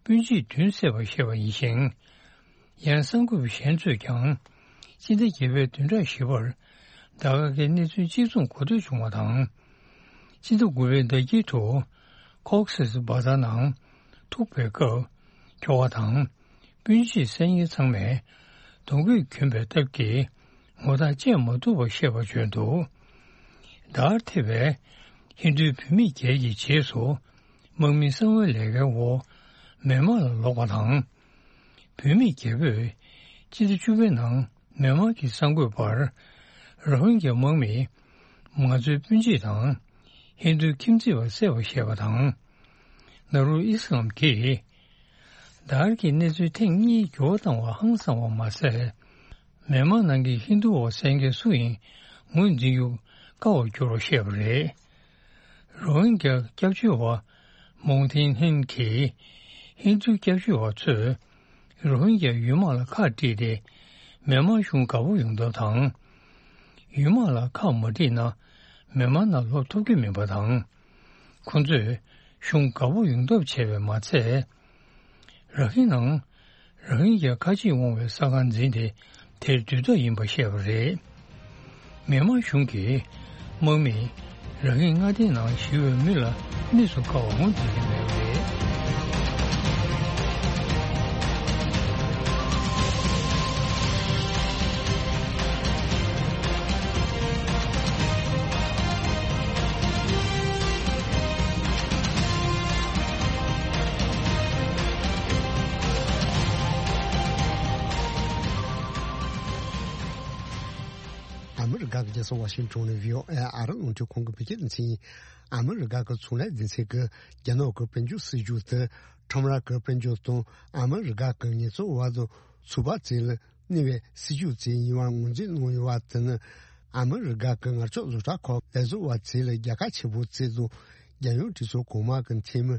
སྤུན་མཆེད་བདུན་བསད་པ་བཤད་པ་ཡིན་ཞིང་། ཡང་གསར་འགོད་པ་གཞན་ཚོས་ཀྱང་སྤྱི་ཟླ་བརྒྱད་པའི་བདུན་ཕྲག་བཞི་པར་ཌ་ཀ་གི་གནས་ཚུལ་གཅིག་མཚུངས་གོ་ཐོས་བྱུང་བ་དང་། སྤྱི་ཟླ་དགུ་པའི་ཟླ་དཀྱིལ་དུ་ཀོག་སིས་བྷ་ཛར་ནང་ཐུག་པའི་སྐབས། ཁྱོ་ག་དང་སྤུན་མཆེད་སེམས་ཉིད་ཚང་མས་གདོང་གུས་གྱོན་པའི་སྟབས་ཀྱིས་ངོ་རྟགས་བཅད་མ་ཐུབ་པ་ཤེས་པར་བྱོན་འདུག། དར་ཐེ་བའི་ཧིན་རྡུའི་བུད་མེད་བརྒྱད་ཀྱི་རྗེས་སུ་དམག་མིའི་གསང་བའི་ལས་ཀའི་འོག་མེན་མར་ལ་ལོག་པ་དང་། བུད་མེད་རྒྱལ་པོས་སྤྱི་ཟླ་བཅུ་པའི་ནང་མེན་མར་གྱི་གསར་འགོད་པར། རོ་ཧིན་གྱ་དམག་མིས་ང་ཚོའི་སྤུན་མཆེད་དང་ཧིན་རྡུ་ཁྱིམ་མཚེས་པ་བསད་པ་ཞེས་པ་དང་། ནཱ་རུལ་ཨི་སི་ལམ་གྱིས་དར་གྱི་གནས་ཚུལ་ཐེངས་གཉིས་འགྱུར་བ་བཏང་བ་ཧང་སང་བ་མ་ཟད། མེན་མར་ནང་གི་ཧིན་རྡུ་བ་གསན་མཁན་སུ་ཡིན་ངོས་འཛིན་རྒྱུ་དཀའ་བར་གྱུར་བ་བཤད་པ་རེད། རོ་ཧིན་གྱ་སྐྱབས་བཅོལ་བ་མོང་ཐིན་ཧིན་གྱིས་ཧིན་རྡུ་སྐྱབས་བཅོལ་བ་ཚོས་རོ་ཧིན་གྱ་ཡུལ་དམག་ལ་ཁག་དཀྲིས་ཏེ་མེན་མར་གཞུང་དགའ་པོ་ཡོང་ཐབས་དང་། ཡུལ་དམག་ལ་ཁག་མ་དཀྲིས་ན་མེན་མར་ནང་ལོག་ཐུབ་ཀྱི་མིན་པ་དང་། ཁོ་ཚོས་གཞུང་དགའ་པོ་ཡོང་ཐབས་བྱས་པས་མ་ཚད། ར་ཧིན་ནང་ར་ཧིན་གྱ་ཁ་ཆེས་འོང་བའི་ས་ཁང་འཛིན་ཏེ་དེར་སྡོད་ཐབས་ཡིན་པ་བཤད་པ་རེད། མེན་མར་གཞུང་གིས་དམག་མིས་ར་ཧིན་མངའ་སྡེའི་ནང་ཞི་བའི་མི་ལ་གནས་སུ་བཀར་བ་ངོས་འཛིན་གྱི་མེད་པ་རེད། ཨ་མི་རི་ཀ་གི་རྒྱལ་ས་ཝ་ཤིང་ཊོན་ནས་བྷི་ཨོ་ཨེ་ཨ་རི་རླུང་འཕྲིན་ཁང་གི་བོད་སྐད་སྡེ་ཚན་ཡིན། ཨ་མི་རི་ཀ་གི་ཚོང་ལས་སྡེ་ཚན་གྱིས་རྒྱ་ནག་གི་དཔལ་འབྱོར་སྲིད་ཇུས་དེ་ཁྲོམ་ར་གི་དཔལ་འབྱོར་དང་ཨ་མི་རི་ཀ་གི་ངལ་རྩོལ་བ་དང་ཚོང་པ་བཅས་ལ་གནོད་པའི་སྲིད་ཇུས་བཅས་ཡིན་པར་ངོས་འཛིན་གནང་ཡོད་པ་དེ་ནི། ཨ་མི་རི་ཀ་གི་ངར་ལྕགས་བཟོ་གྲྭ་ཁག་ལས་བཟོ་བ་བཅས་ལ་རྒྱལ་ཁ་ཆེན་པོ་བསྩལ་འདུག། རྒྱལ་ཡོངས་གྲོས་ཚོགས་གོང་མ་གི་འཐུས་མི་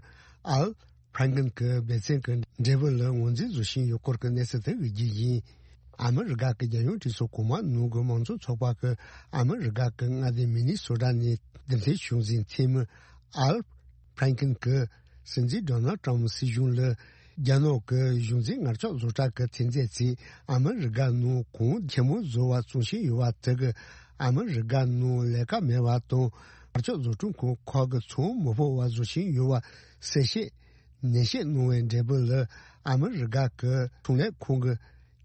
ཨལ་ཕྲན་ཀིན་གྱི་འབད་བརྩོན་གྱི་འབྲས་བུ་ལ་ངོས་འཛིན་བཟོ་བཞིན་ཡོད་སྐོར་གྱི་གནས་ཚུལ་དེ་གི་རྒྱུ་ཡིན། ཨ་མི་རི་ཀ་གི་རྒྱལ་ཡོངས་གྲོས་ཚོགས་གོང་མ་ནང་གི་མང་གཙོ་ཚོགས་པ་གི་ཨ་མི་རི་ཀ་གི་མངའ་སྡེ་མི་ནི་སོ་ཊ་ནས་འདེམས་ཐོན་བྱུང་ཟིན་འཐུས་མི་ཨལ་ཕྲན་ཀིན་གྱིས་སྲིད་འཛིན་ཌོ་ནལ་ཊམ་སྲིད་གཞུང་ལ་རྒྱ་ནག་གི་གཞུང་འཛིན་ངར་ལྕགས་བཟོ་གྲྭ་གི་ཐོན་རྫས་ཚོས་ཨ་མི་རི་ཀ་ནང་གོང་ཆེན་མོ་བཟོ་བ་བཙོང་བཞིན་ཡོད་པ་དེ་གིས་ཨ་མི་རི་ཀ་ནང་ལས་ཀ་མེད་པ་དང་། ངར་ལྕགས་བཟོ་སྐྲུན་ཁང་ཁག་གི་ཚོང་མི་ཕོད་པ་བཟོ་བཞིན་ཡོད་པ་གསལ་བཤད་ནན་བཤད་གནང་བའི་འབྲས་བུ་ལ། ཨ་མི་རི་ཀ་གི་ཚོང་ལས་ཁང་གིས་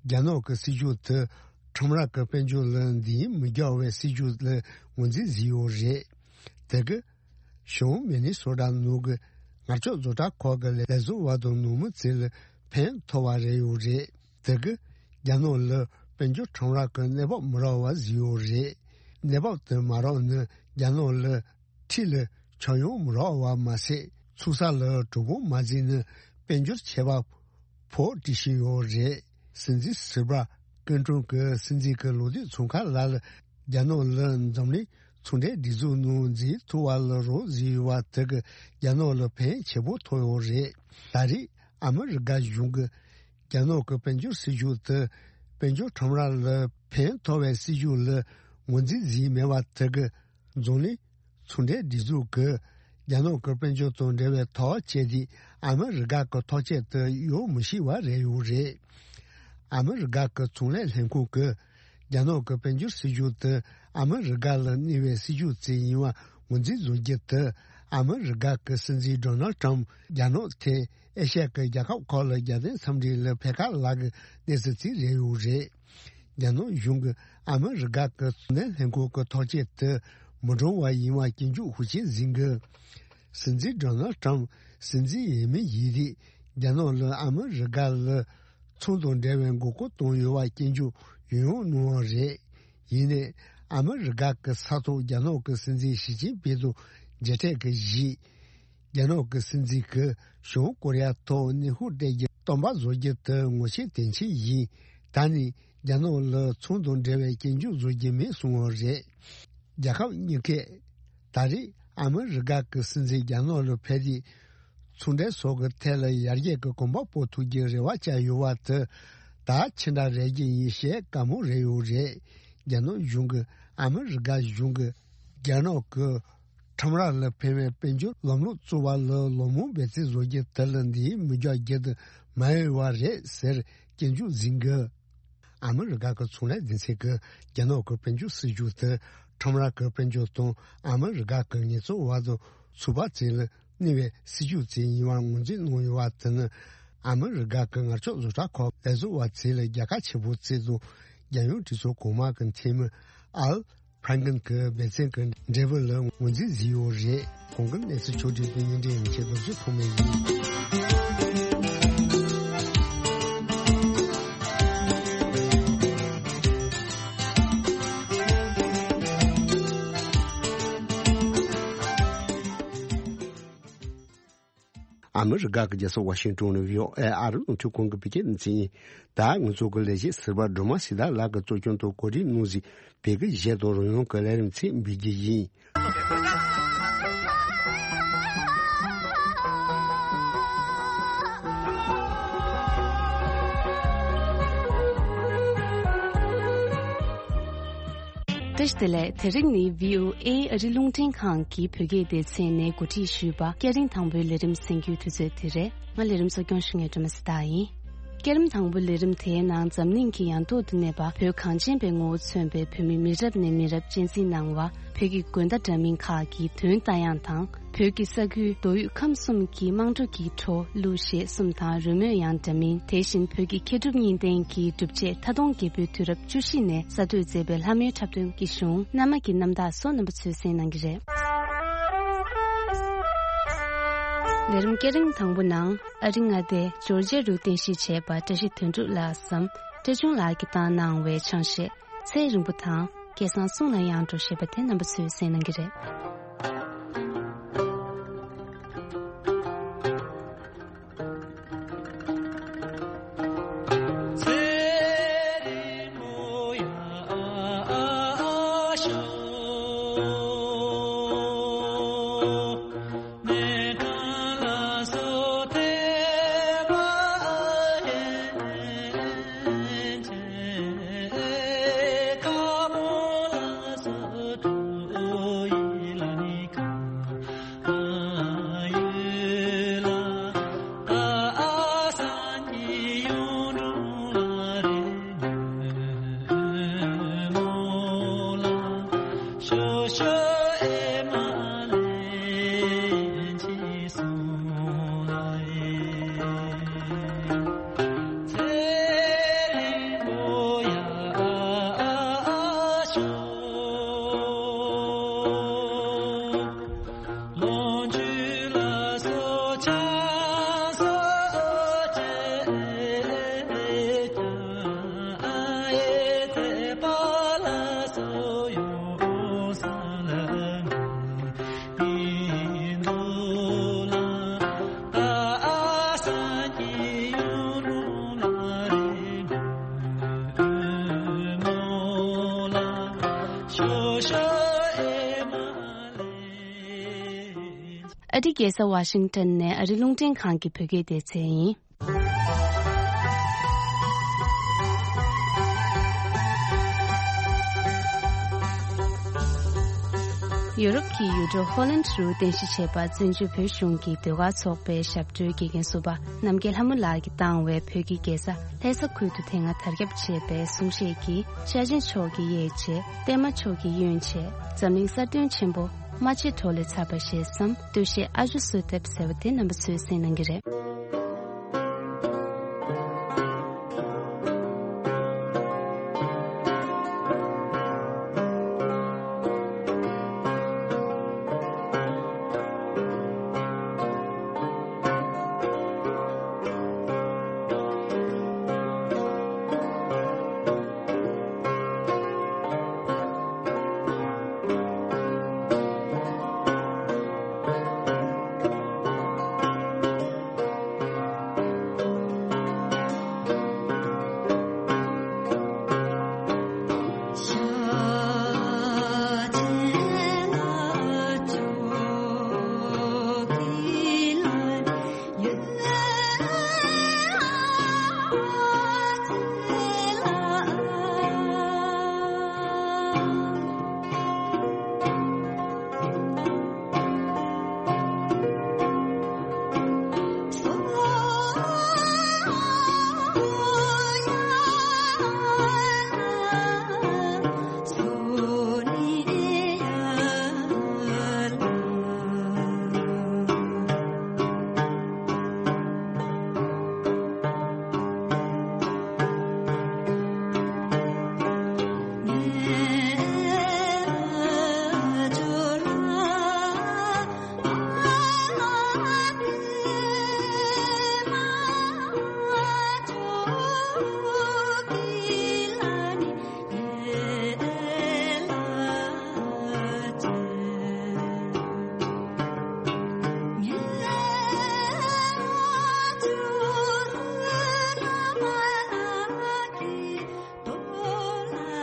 རྒྱ་ནག་གི་སྲིད་ཇུས་དེ་ཁྲོམ་ར་གི་དཔལ་འབྱོར་ལ་འདེད་མི་རྒྱག་པའི་སྲིད་ཇུས་ལ་ངོས་འཛིན་བཟོས་ཡོད་རེད། དེ་གིས་གཞུང་མི་ནི་སོ་ཊ་ནང་གི་ངར་ལྕགས་བཟོ་གྲྭ་ཁག་གི་ལས་བཟོ་བ་དང་ནང་མི་ཚོ་ལ་ཕན་ཐོགས་པ་རེད་ཡོད་རེད། དེ་གིས་རྒྱ་ནག་ལ་དཔལ་འབྱོར་ཁྲོམ་ར་གི་གནས་བབ་མི་རག་པ་བཟོས་ཡོད་རེད། གནས་བབ་དེ་མ་རག་ན་རྒྱ་ནག་ལ་འཁྲིས་ལ་ཆག་ཡང་མི་རག་པ་མ་ཟད། ཚོང་ས་ལ་གྲོད་ཁོག་མ་བརྫིས་ན་དཔལ་འབྱོར་ཆད་པ་ཕོག་བྲིས་བཞིན་ཡོད་རེད། སྲིད་འཛིན་སིལ་བྷ་ཀིན་ཀྲུང་གི་སྲིད་འཛིན་གྱི་ལོ་དུས་ཚོང་ཁང་ལགས་ལ་རྒྱ་ནག་ལ་འཛམ་གླིང་ཚོང་འབྲེལ་སྒྲིག་འཛུགས་ནང་འཛུལ་ཐུབ་པ་ལ་རོགས་བཟོས་ཡོད་པ་དེ་གིས་རྒྱ་ནག་ལ་ཕན་ཆེན་པོ་ཐོགས་ཡོད་རེད། ད་རེས་ཨ་མི་རི་ཀ་གཞུང་གིས་རྒྱ་ནག་གི་དཔལ་འབྱོར་སྲིད་ཇུས་དེ་དཔལ་འབྱོར་ཁྲོམ་ར་ལ་ཕན་ཐོགས་པའི་སྲིད་ཇུས་ལ་ངོས་འཛིན་བཟོས་མེད་པ་དེ་གིས་འཛམ་གླིང་ཚོང་འབྲེལ་སྒྲིག་འཛུགས་ཀྱིས་རྒྱ་ནག་གི་དཔལ་འབྱོར་དང་འབྲེལ་བའི་ཐག་བཅད་དེ་ཨ་མི་རི་ཀ་གི་ཐག་བཅད་དེ་གཡོལ་མི་ཤེས་པ་རེད་ཡོད་རེད། ཨ་མི་རི་ཀ་གི་ཚོང་ལས་ལྷན་ཁང་གིས་རྒྱ་ནག་གི་དཔལ་འབྱོར་སྲིད་ཇུས་དེ་ཨ་མི་རི་ཀ་ལ་གནོད་པའི་སྲིད་ཇུས་ཅིག་ཡིན་པ་ངོས་འཛིན་བཟོ་རྒྱུ་དེ་ཨ་མི་རི་ཀ་གི་སྲིད་འཛིན་ཌོ་ནལ་ཊམ་རྒྱ་ནག་ཐད་ཨེ་ཤ་ཡ་གི་རྒྱལ་ཁབ་ཁག་ལ་རྒྱལ་བསྟན་འཚམས་འདྲི་ལ་ཕེབས་ཁ་ལག་གི་གནས་ཚུལ་ཅིག་རེད་ཡོད་རེད། རྒྱ་ནག་གཞུང་གིས་ཨ་མི་རི་ཀ་གི་ཚོང་ལས་ལྷན་ཁང་གི་ཐག་བཅད་དེ་མི་འགྲོ་བ་ཡིན་པ་སྐྱོན་བརྗོད་ཤུགས་ཆེན་ཟིན་གི། སྲིད་འཛིན་ཌོ་ནལ་ཊམ་སྲིད་འཛིན་ཡིན་མིན་ཡིན་དུས་རྒྱ་ནག་ལ་ཨ་མི་རི་ཀ་ལ་ཚོང་དང་འབྲེལ་བའི་མགོ་སྐོར་བཏང་ཡོད་པ་སྐྱོན་བརྗོད་ཡང་ཡང་གནང་བ་རེད། ཡིན་ནའི་ཨ་མི་རི་ཀ་གི་ས་ཐོག་རྒྱ་ནག་གི་སྲིད་འཛིན་ཞི་ཅིན་ཕིང་དང་མཇལ་འཕྲད་ཀྱི་གཞི། རྒྱ་ནག་གི་སྲིད་འཛིན་གྱིས་བྱང་ཀོ་རི་ཡ་ཐོག་གནོན་ཤུགས་སྤྲད་རྒྱུ་སྟོན་པ་བཟོ་རྒྱུ་དེ་ངོ་ཤེས་དོན་ཆེན་ཡིན། ད་ནི་རྒྱ་ནག་ལ་ཚོང་དང་འབྲེལ་བའི་སྐྱོན་བརྗོད་བཟོ་རྒྱུ་མེད་གསུངས་པ་རེད། རྒྱལ་ཁབ་གཉིས་ཀས་ད་རེས་ཨ་མི་རི་ཀ་གི་སྲིད་འཛིན་རྒྱ་ནག་ལ་ཕེབས་ཏེ་ཚོང་འབྲེལ་སོགས་ཀྱི་ཐད་ལ་ཡར་རྒྱས་ཀྱི་གོམ་པ་སྤོ་ཐུབ་རྒྱུའི་རེ་བ་བཅངས་ཡོད་པ་དེ་ད་ཆེ་དྲགས་རེད་རྒྱུ་ཡིན་ཞེས་བཀའ་མོལ་རེ་ཡོད་རེད། རྒྱ་ནག་གཞུང་གིས་ཨ་མི་རི་ཀ་གཞུང་གིས་རྒྱ་ནག་གི་ཁྲོམ་ར་ལ་ཕན་པའི་དཔལ་འབྱོར་ལམ་ལུགས་བཙུགས་པ་ལ་ལོ་མང་འབད་བརྩོན་བཟོ་རྒྱུ་དེ་ལ་འདིའི་མི་རྒྱག་རྒྱུ་དེ་མ་ཡོད་པ་རེད་ཟེར་སྐྱོན་བརྗོད་ཟིན་གི། ཨ་མི་རི་ཀ་གི་ཚོང་ལས་སྡེ་ཚན་གྱིས་རྒྱ་ནག་གི་དཔལ་འབྱོར་སྲིད་ཇུས་དེ་ ཁྲོམ་ར་གི་དཔལ་འབྱོར་དང་ཨ་མི་རི་ཀ་གི་ངལ་རྩོལ་བ་དང་ཚོགས་པ་བཅས་ལ་གནོད་པའི་སྲིད་ཇུས་བཅས་ཡིན་པར་ངོས་འཛིན་གནང་ཡོད་པ་དེ་ནི། ཨ་མི་རི་ཀ་གི་ངར་ལྕགས་བཟོ་གྲྭ་ཁག་ལས་བཟོ་བ་བཅས་ལ་རྒྱལ་ཁ་ཆེ་པོ་བརྩི་དང་། རྒྱལ་ཡོངས་གྲོས་ཚོགས་གོང་མ་གི་འཐུས་མི་ཨལ་ཕྲན་ཀིན་གྱི་སྦས་ཚན་གྱི་འབྲས་བུ་ལ་ངོས་འཛིན་བཟོས་ཡོད་རེད། གོང་གི་གནས་ཚུལ་ཕྱོགས་བསྒྲིགས་དང་སྙན་སྒྲོན་ཡན་ཆད་རྡོ་རྗེ་ཐོགས་མེད་ཡིན། ཨ་མི་རི་ཀ་གི་རྒྱལ་ས་ཝ་ཤིང་ཏོན་ནས་བྷི་ཨོ་ཨེ་ཨ་རི་རླུང་འཕྲིན་ཁང་གི་བོད་སྐད་སྡེ་ཚན་ཡིན། ད་ང་ཚོ་གི་ལས་བྱེད་ཟུར་པ་སྒྲོལ་མ་སྲི་ཐར་ལགས་ཀྱིས་གཙོ་སྐྱོང་དང་གོ་སྒྲིག་གནང་བཞིན་བོད་སྐད་གཞས་དང་རོལ་དབྱངས་ཀྱི་ལས་རིམ་ཚིག་འབུལ་རྒྱུ་ཡིན། བཀྲ་ཤིས་བདེ་ལེགས། དེ་རིང་ནི་བྷི་ཨོ་ཨེ་ཨ་རི་རླུང་འཕྲིན་ཁང་གི་བོད་སྐད་སྡེ་ཚན་ནས་གོ་སྒྲིག་ཞུས་པ་སྐས་རིམ་དང་པོའི་ལས་རིམ་གསན་རྒྱུའི་དུས་ཚོད་དེ་རེད། ང་ལས་རིམ་གཙོ་སྐྱོང་ཞུ་མཁན་སྒྲོལ་མ་སྲི་ཐར་ཡིན། སྐས་རིམ་དང་པོའི་ལས་རིམ་དེའི་ནང་འཛམ་གླིང་གི་ཡང་ཐོག་ཏུ་གནས་པ་བོད་གངས་ཅན་པའི་ངོ་བོ་མཚོན་པའི་བོད་མི་མི་རབས་ནས་མི་རབས་གཅེས་འཛིན་གནང་བ། བོད་ཀྱི་དགོན་བདག་འདྲ་མིན་ཁག་གི་དོན་ལྟ་ཡང་དང་། བོད་ཀྱི་ས་ཁུལ་མདོ་དབུས་ཁམས་གསུམ་གྱི་དམངས་ཁྲོད་ཀྱི་བྲོ་གླུ་གཞས་གསུམ་དང་རོལ་མོ་ཡང་འདྲ་མིན། དེ་བཞིན་བོད་ཀྱི་མཁས་གྲུབ་གཉིས་ལྡན་གྱི་སྒྲུབ་བྱེད་མཐའ་སྟོང་རྒྱལ་པོའི་དུས་རབས་བཅུ་བཞི་ནས་གསར་གཏོད་མཛད་པའི་ལྷ་མོའི་འཁྲབ་སྟོན་གྱི་གཞུང་། གནའ་མ་གི་རྣམ་དག་སོགས་རྣམ་པ་ཚོས་གསན་གནང་གི་རེད། ལས་རིམ་སྐས་རིམ་དང་པོ་ནང་ཨ་རི་མངའ་སྡེ་ཇོར་ཇི་ཡ་རུ་རྟེན་གཞི་བྱས་པ་བཀྲ་ཤིས་དོན་གྲུབ་ལགས་སམ་བཀྲ་ཆུང་ལགས་ཀྱིས་བཏང་གནང་བའི་ཆང་གཞས། ཚེ་རིང་པོ་དང་སྐལ་བཟང་གསུང་ལ་ཡང་འགྲོ་ཞེས་པ་དེ་རྣམ་པ་ཚོས་གསན་གནང་གི་རེད། ཨ་རིའི་རྒྱལ་ས་ཝ་ཤིང་ཏོན་ནས་ཨ་རི་རླུང་འཕྲིན་ཁང་གི་བོད་སྐད་སྡེ་ཚན་ཡིན། ཡོ་རོབ་ཀྱི་ཡུལ་གྲུ་ཧོ་ལན་རུ་རྟེན་གཞི་བྱས་པ་བཙན་བྱོལ་བོད་གཞུང་གི་ཟློས་གར་ཚོགས་པའི་ཞབས་བྲོའི་དགེ་རྒན་ཟུར་པ་རྣམ་རྒྱལ་ལྷ་མོ་ལགས་ཀྱིས་བཏང་བའི་བོད་ཀྱི་རྒྱལ་ས་ལྷ་ས་ཁུལ་དུ་དེ་སྔ་དར་ཁྱབ་ཆེ་བའི་གསུང་བཤད་ཀྱི་ཤ་ཆེན་མཆོག་གི་གཡས་བྱས། བརྟན་མ་མཆོག་གི་གཡོན་བྱས། འཛམ་གླིང་གསར་ཐོན་ཆེན་པོ་རྨ་ཆེན་གྲོ་ལས་ཚར་བ་ཞེས་སམ། སྟོད་གཞས་ཨ་ཇོ་བསོད་ཐེབས་ཟེར་བ་དེ་རྣམ་པ་ཚོས་གསན་གནང་གི་རེད།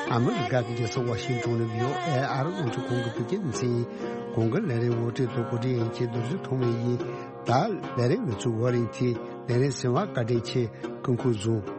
ཨ་མི་རི་ཀ་གི་རྒྱལ་ས་ཝ་ཤིང་ཊོན་ནས་བྷི་ཨོ་ཨེ་ཨ་རི་རླུང་འཕྲིན་ཁང་གི་བོད་སྐད་སྡེ་ཚན་ཡིན། གོང་གི་ལས་རིམ་ངོ་སྤྲོད་དང་གོ་སྒྲིག་ཡིན་གྱི་རྡོ་རྗེ་ཐོགས་མེད་ཡིན། ད་ལས་རིམ་ངོ་སྤྲོད་ཝ་རིང་ཐི་ལས་རིམ་གསན་པར་བཀའ་དྲིན་ཆེ། སྐུ་ཁམས་བཟང་།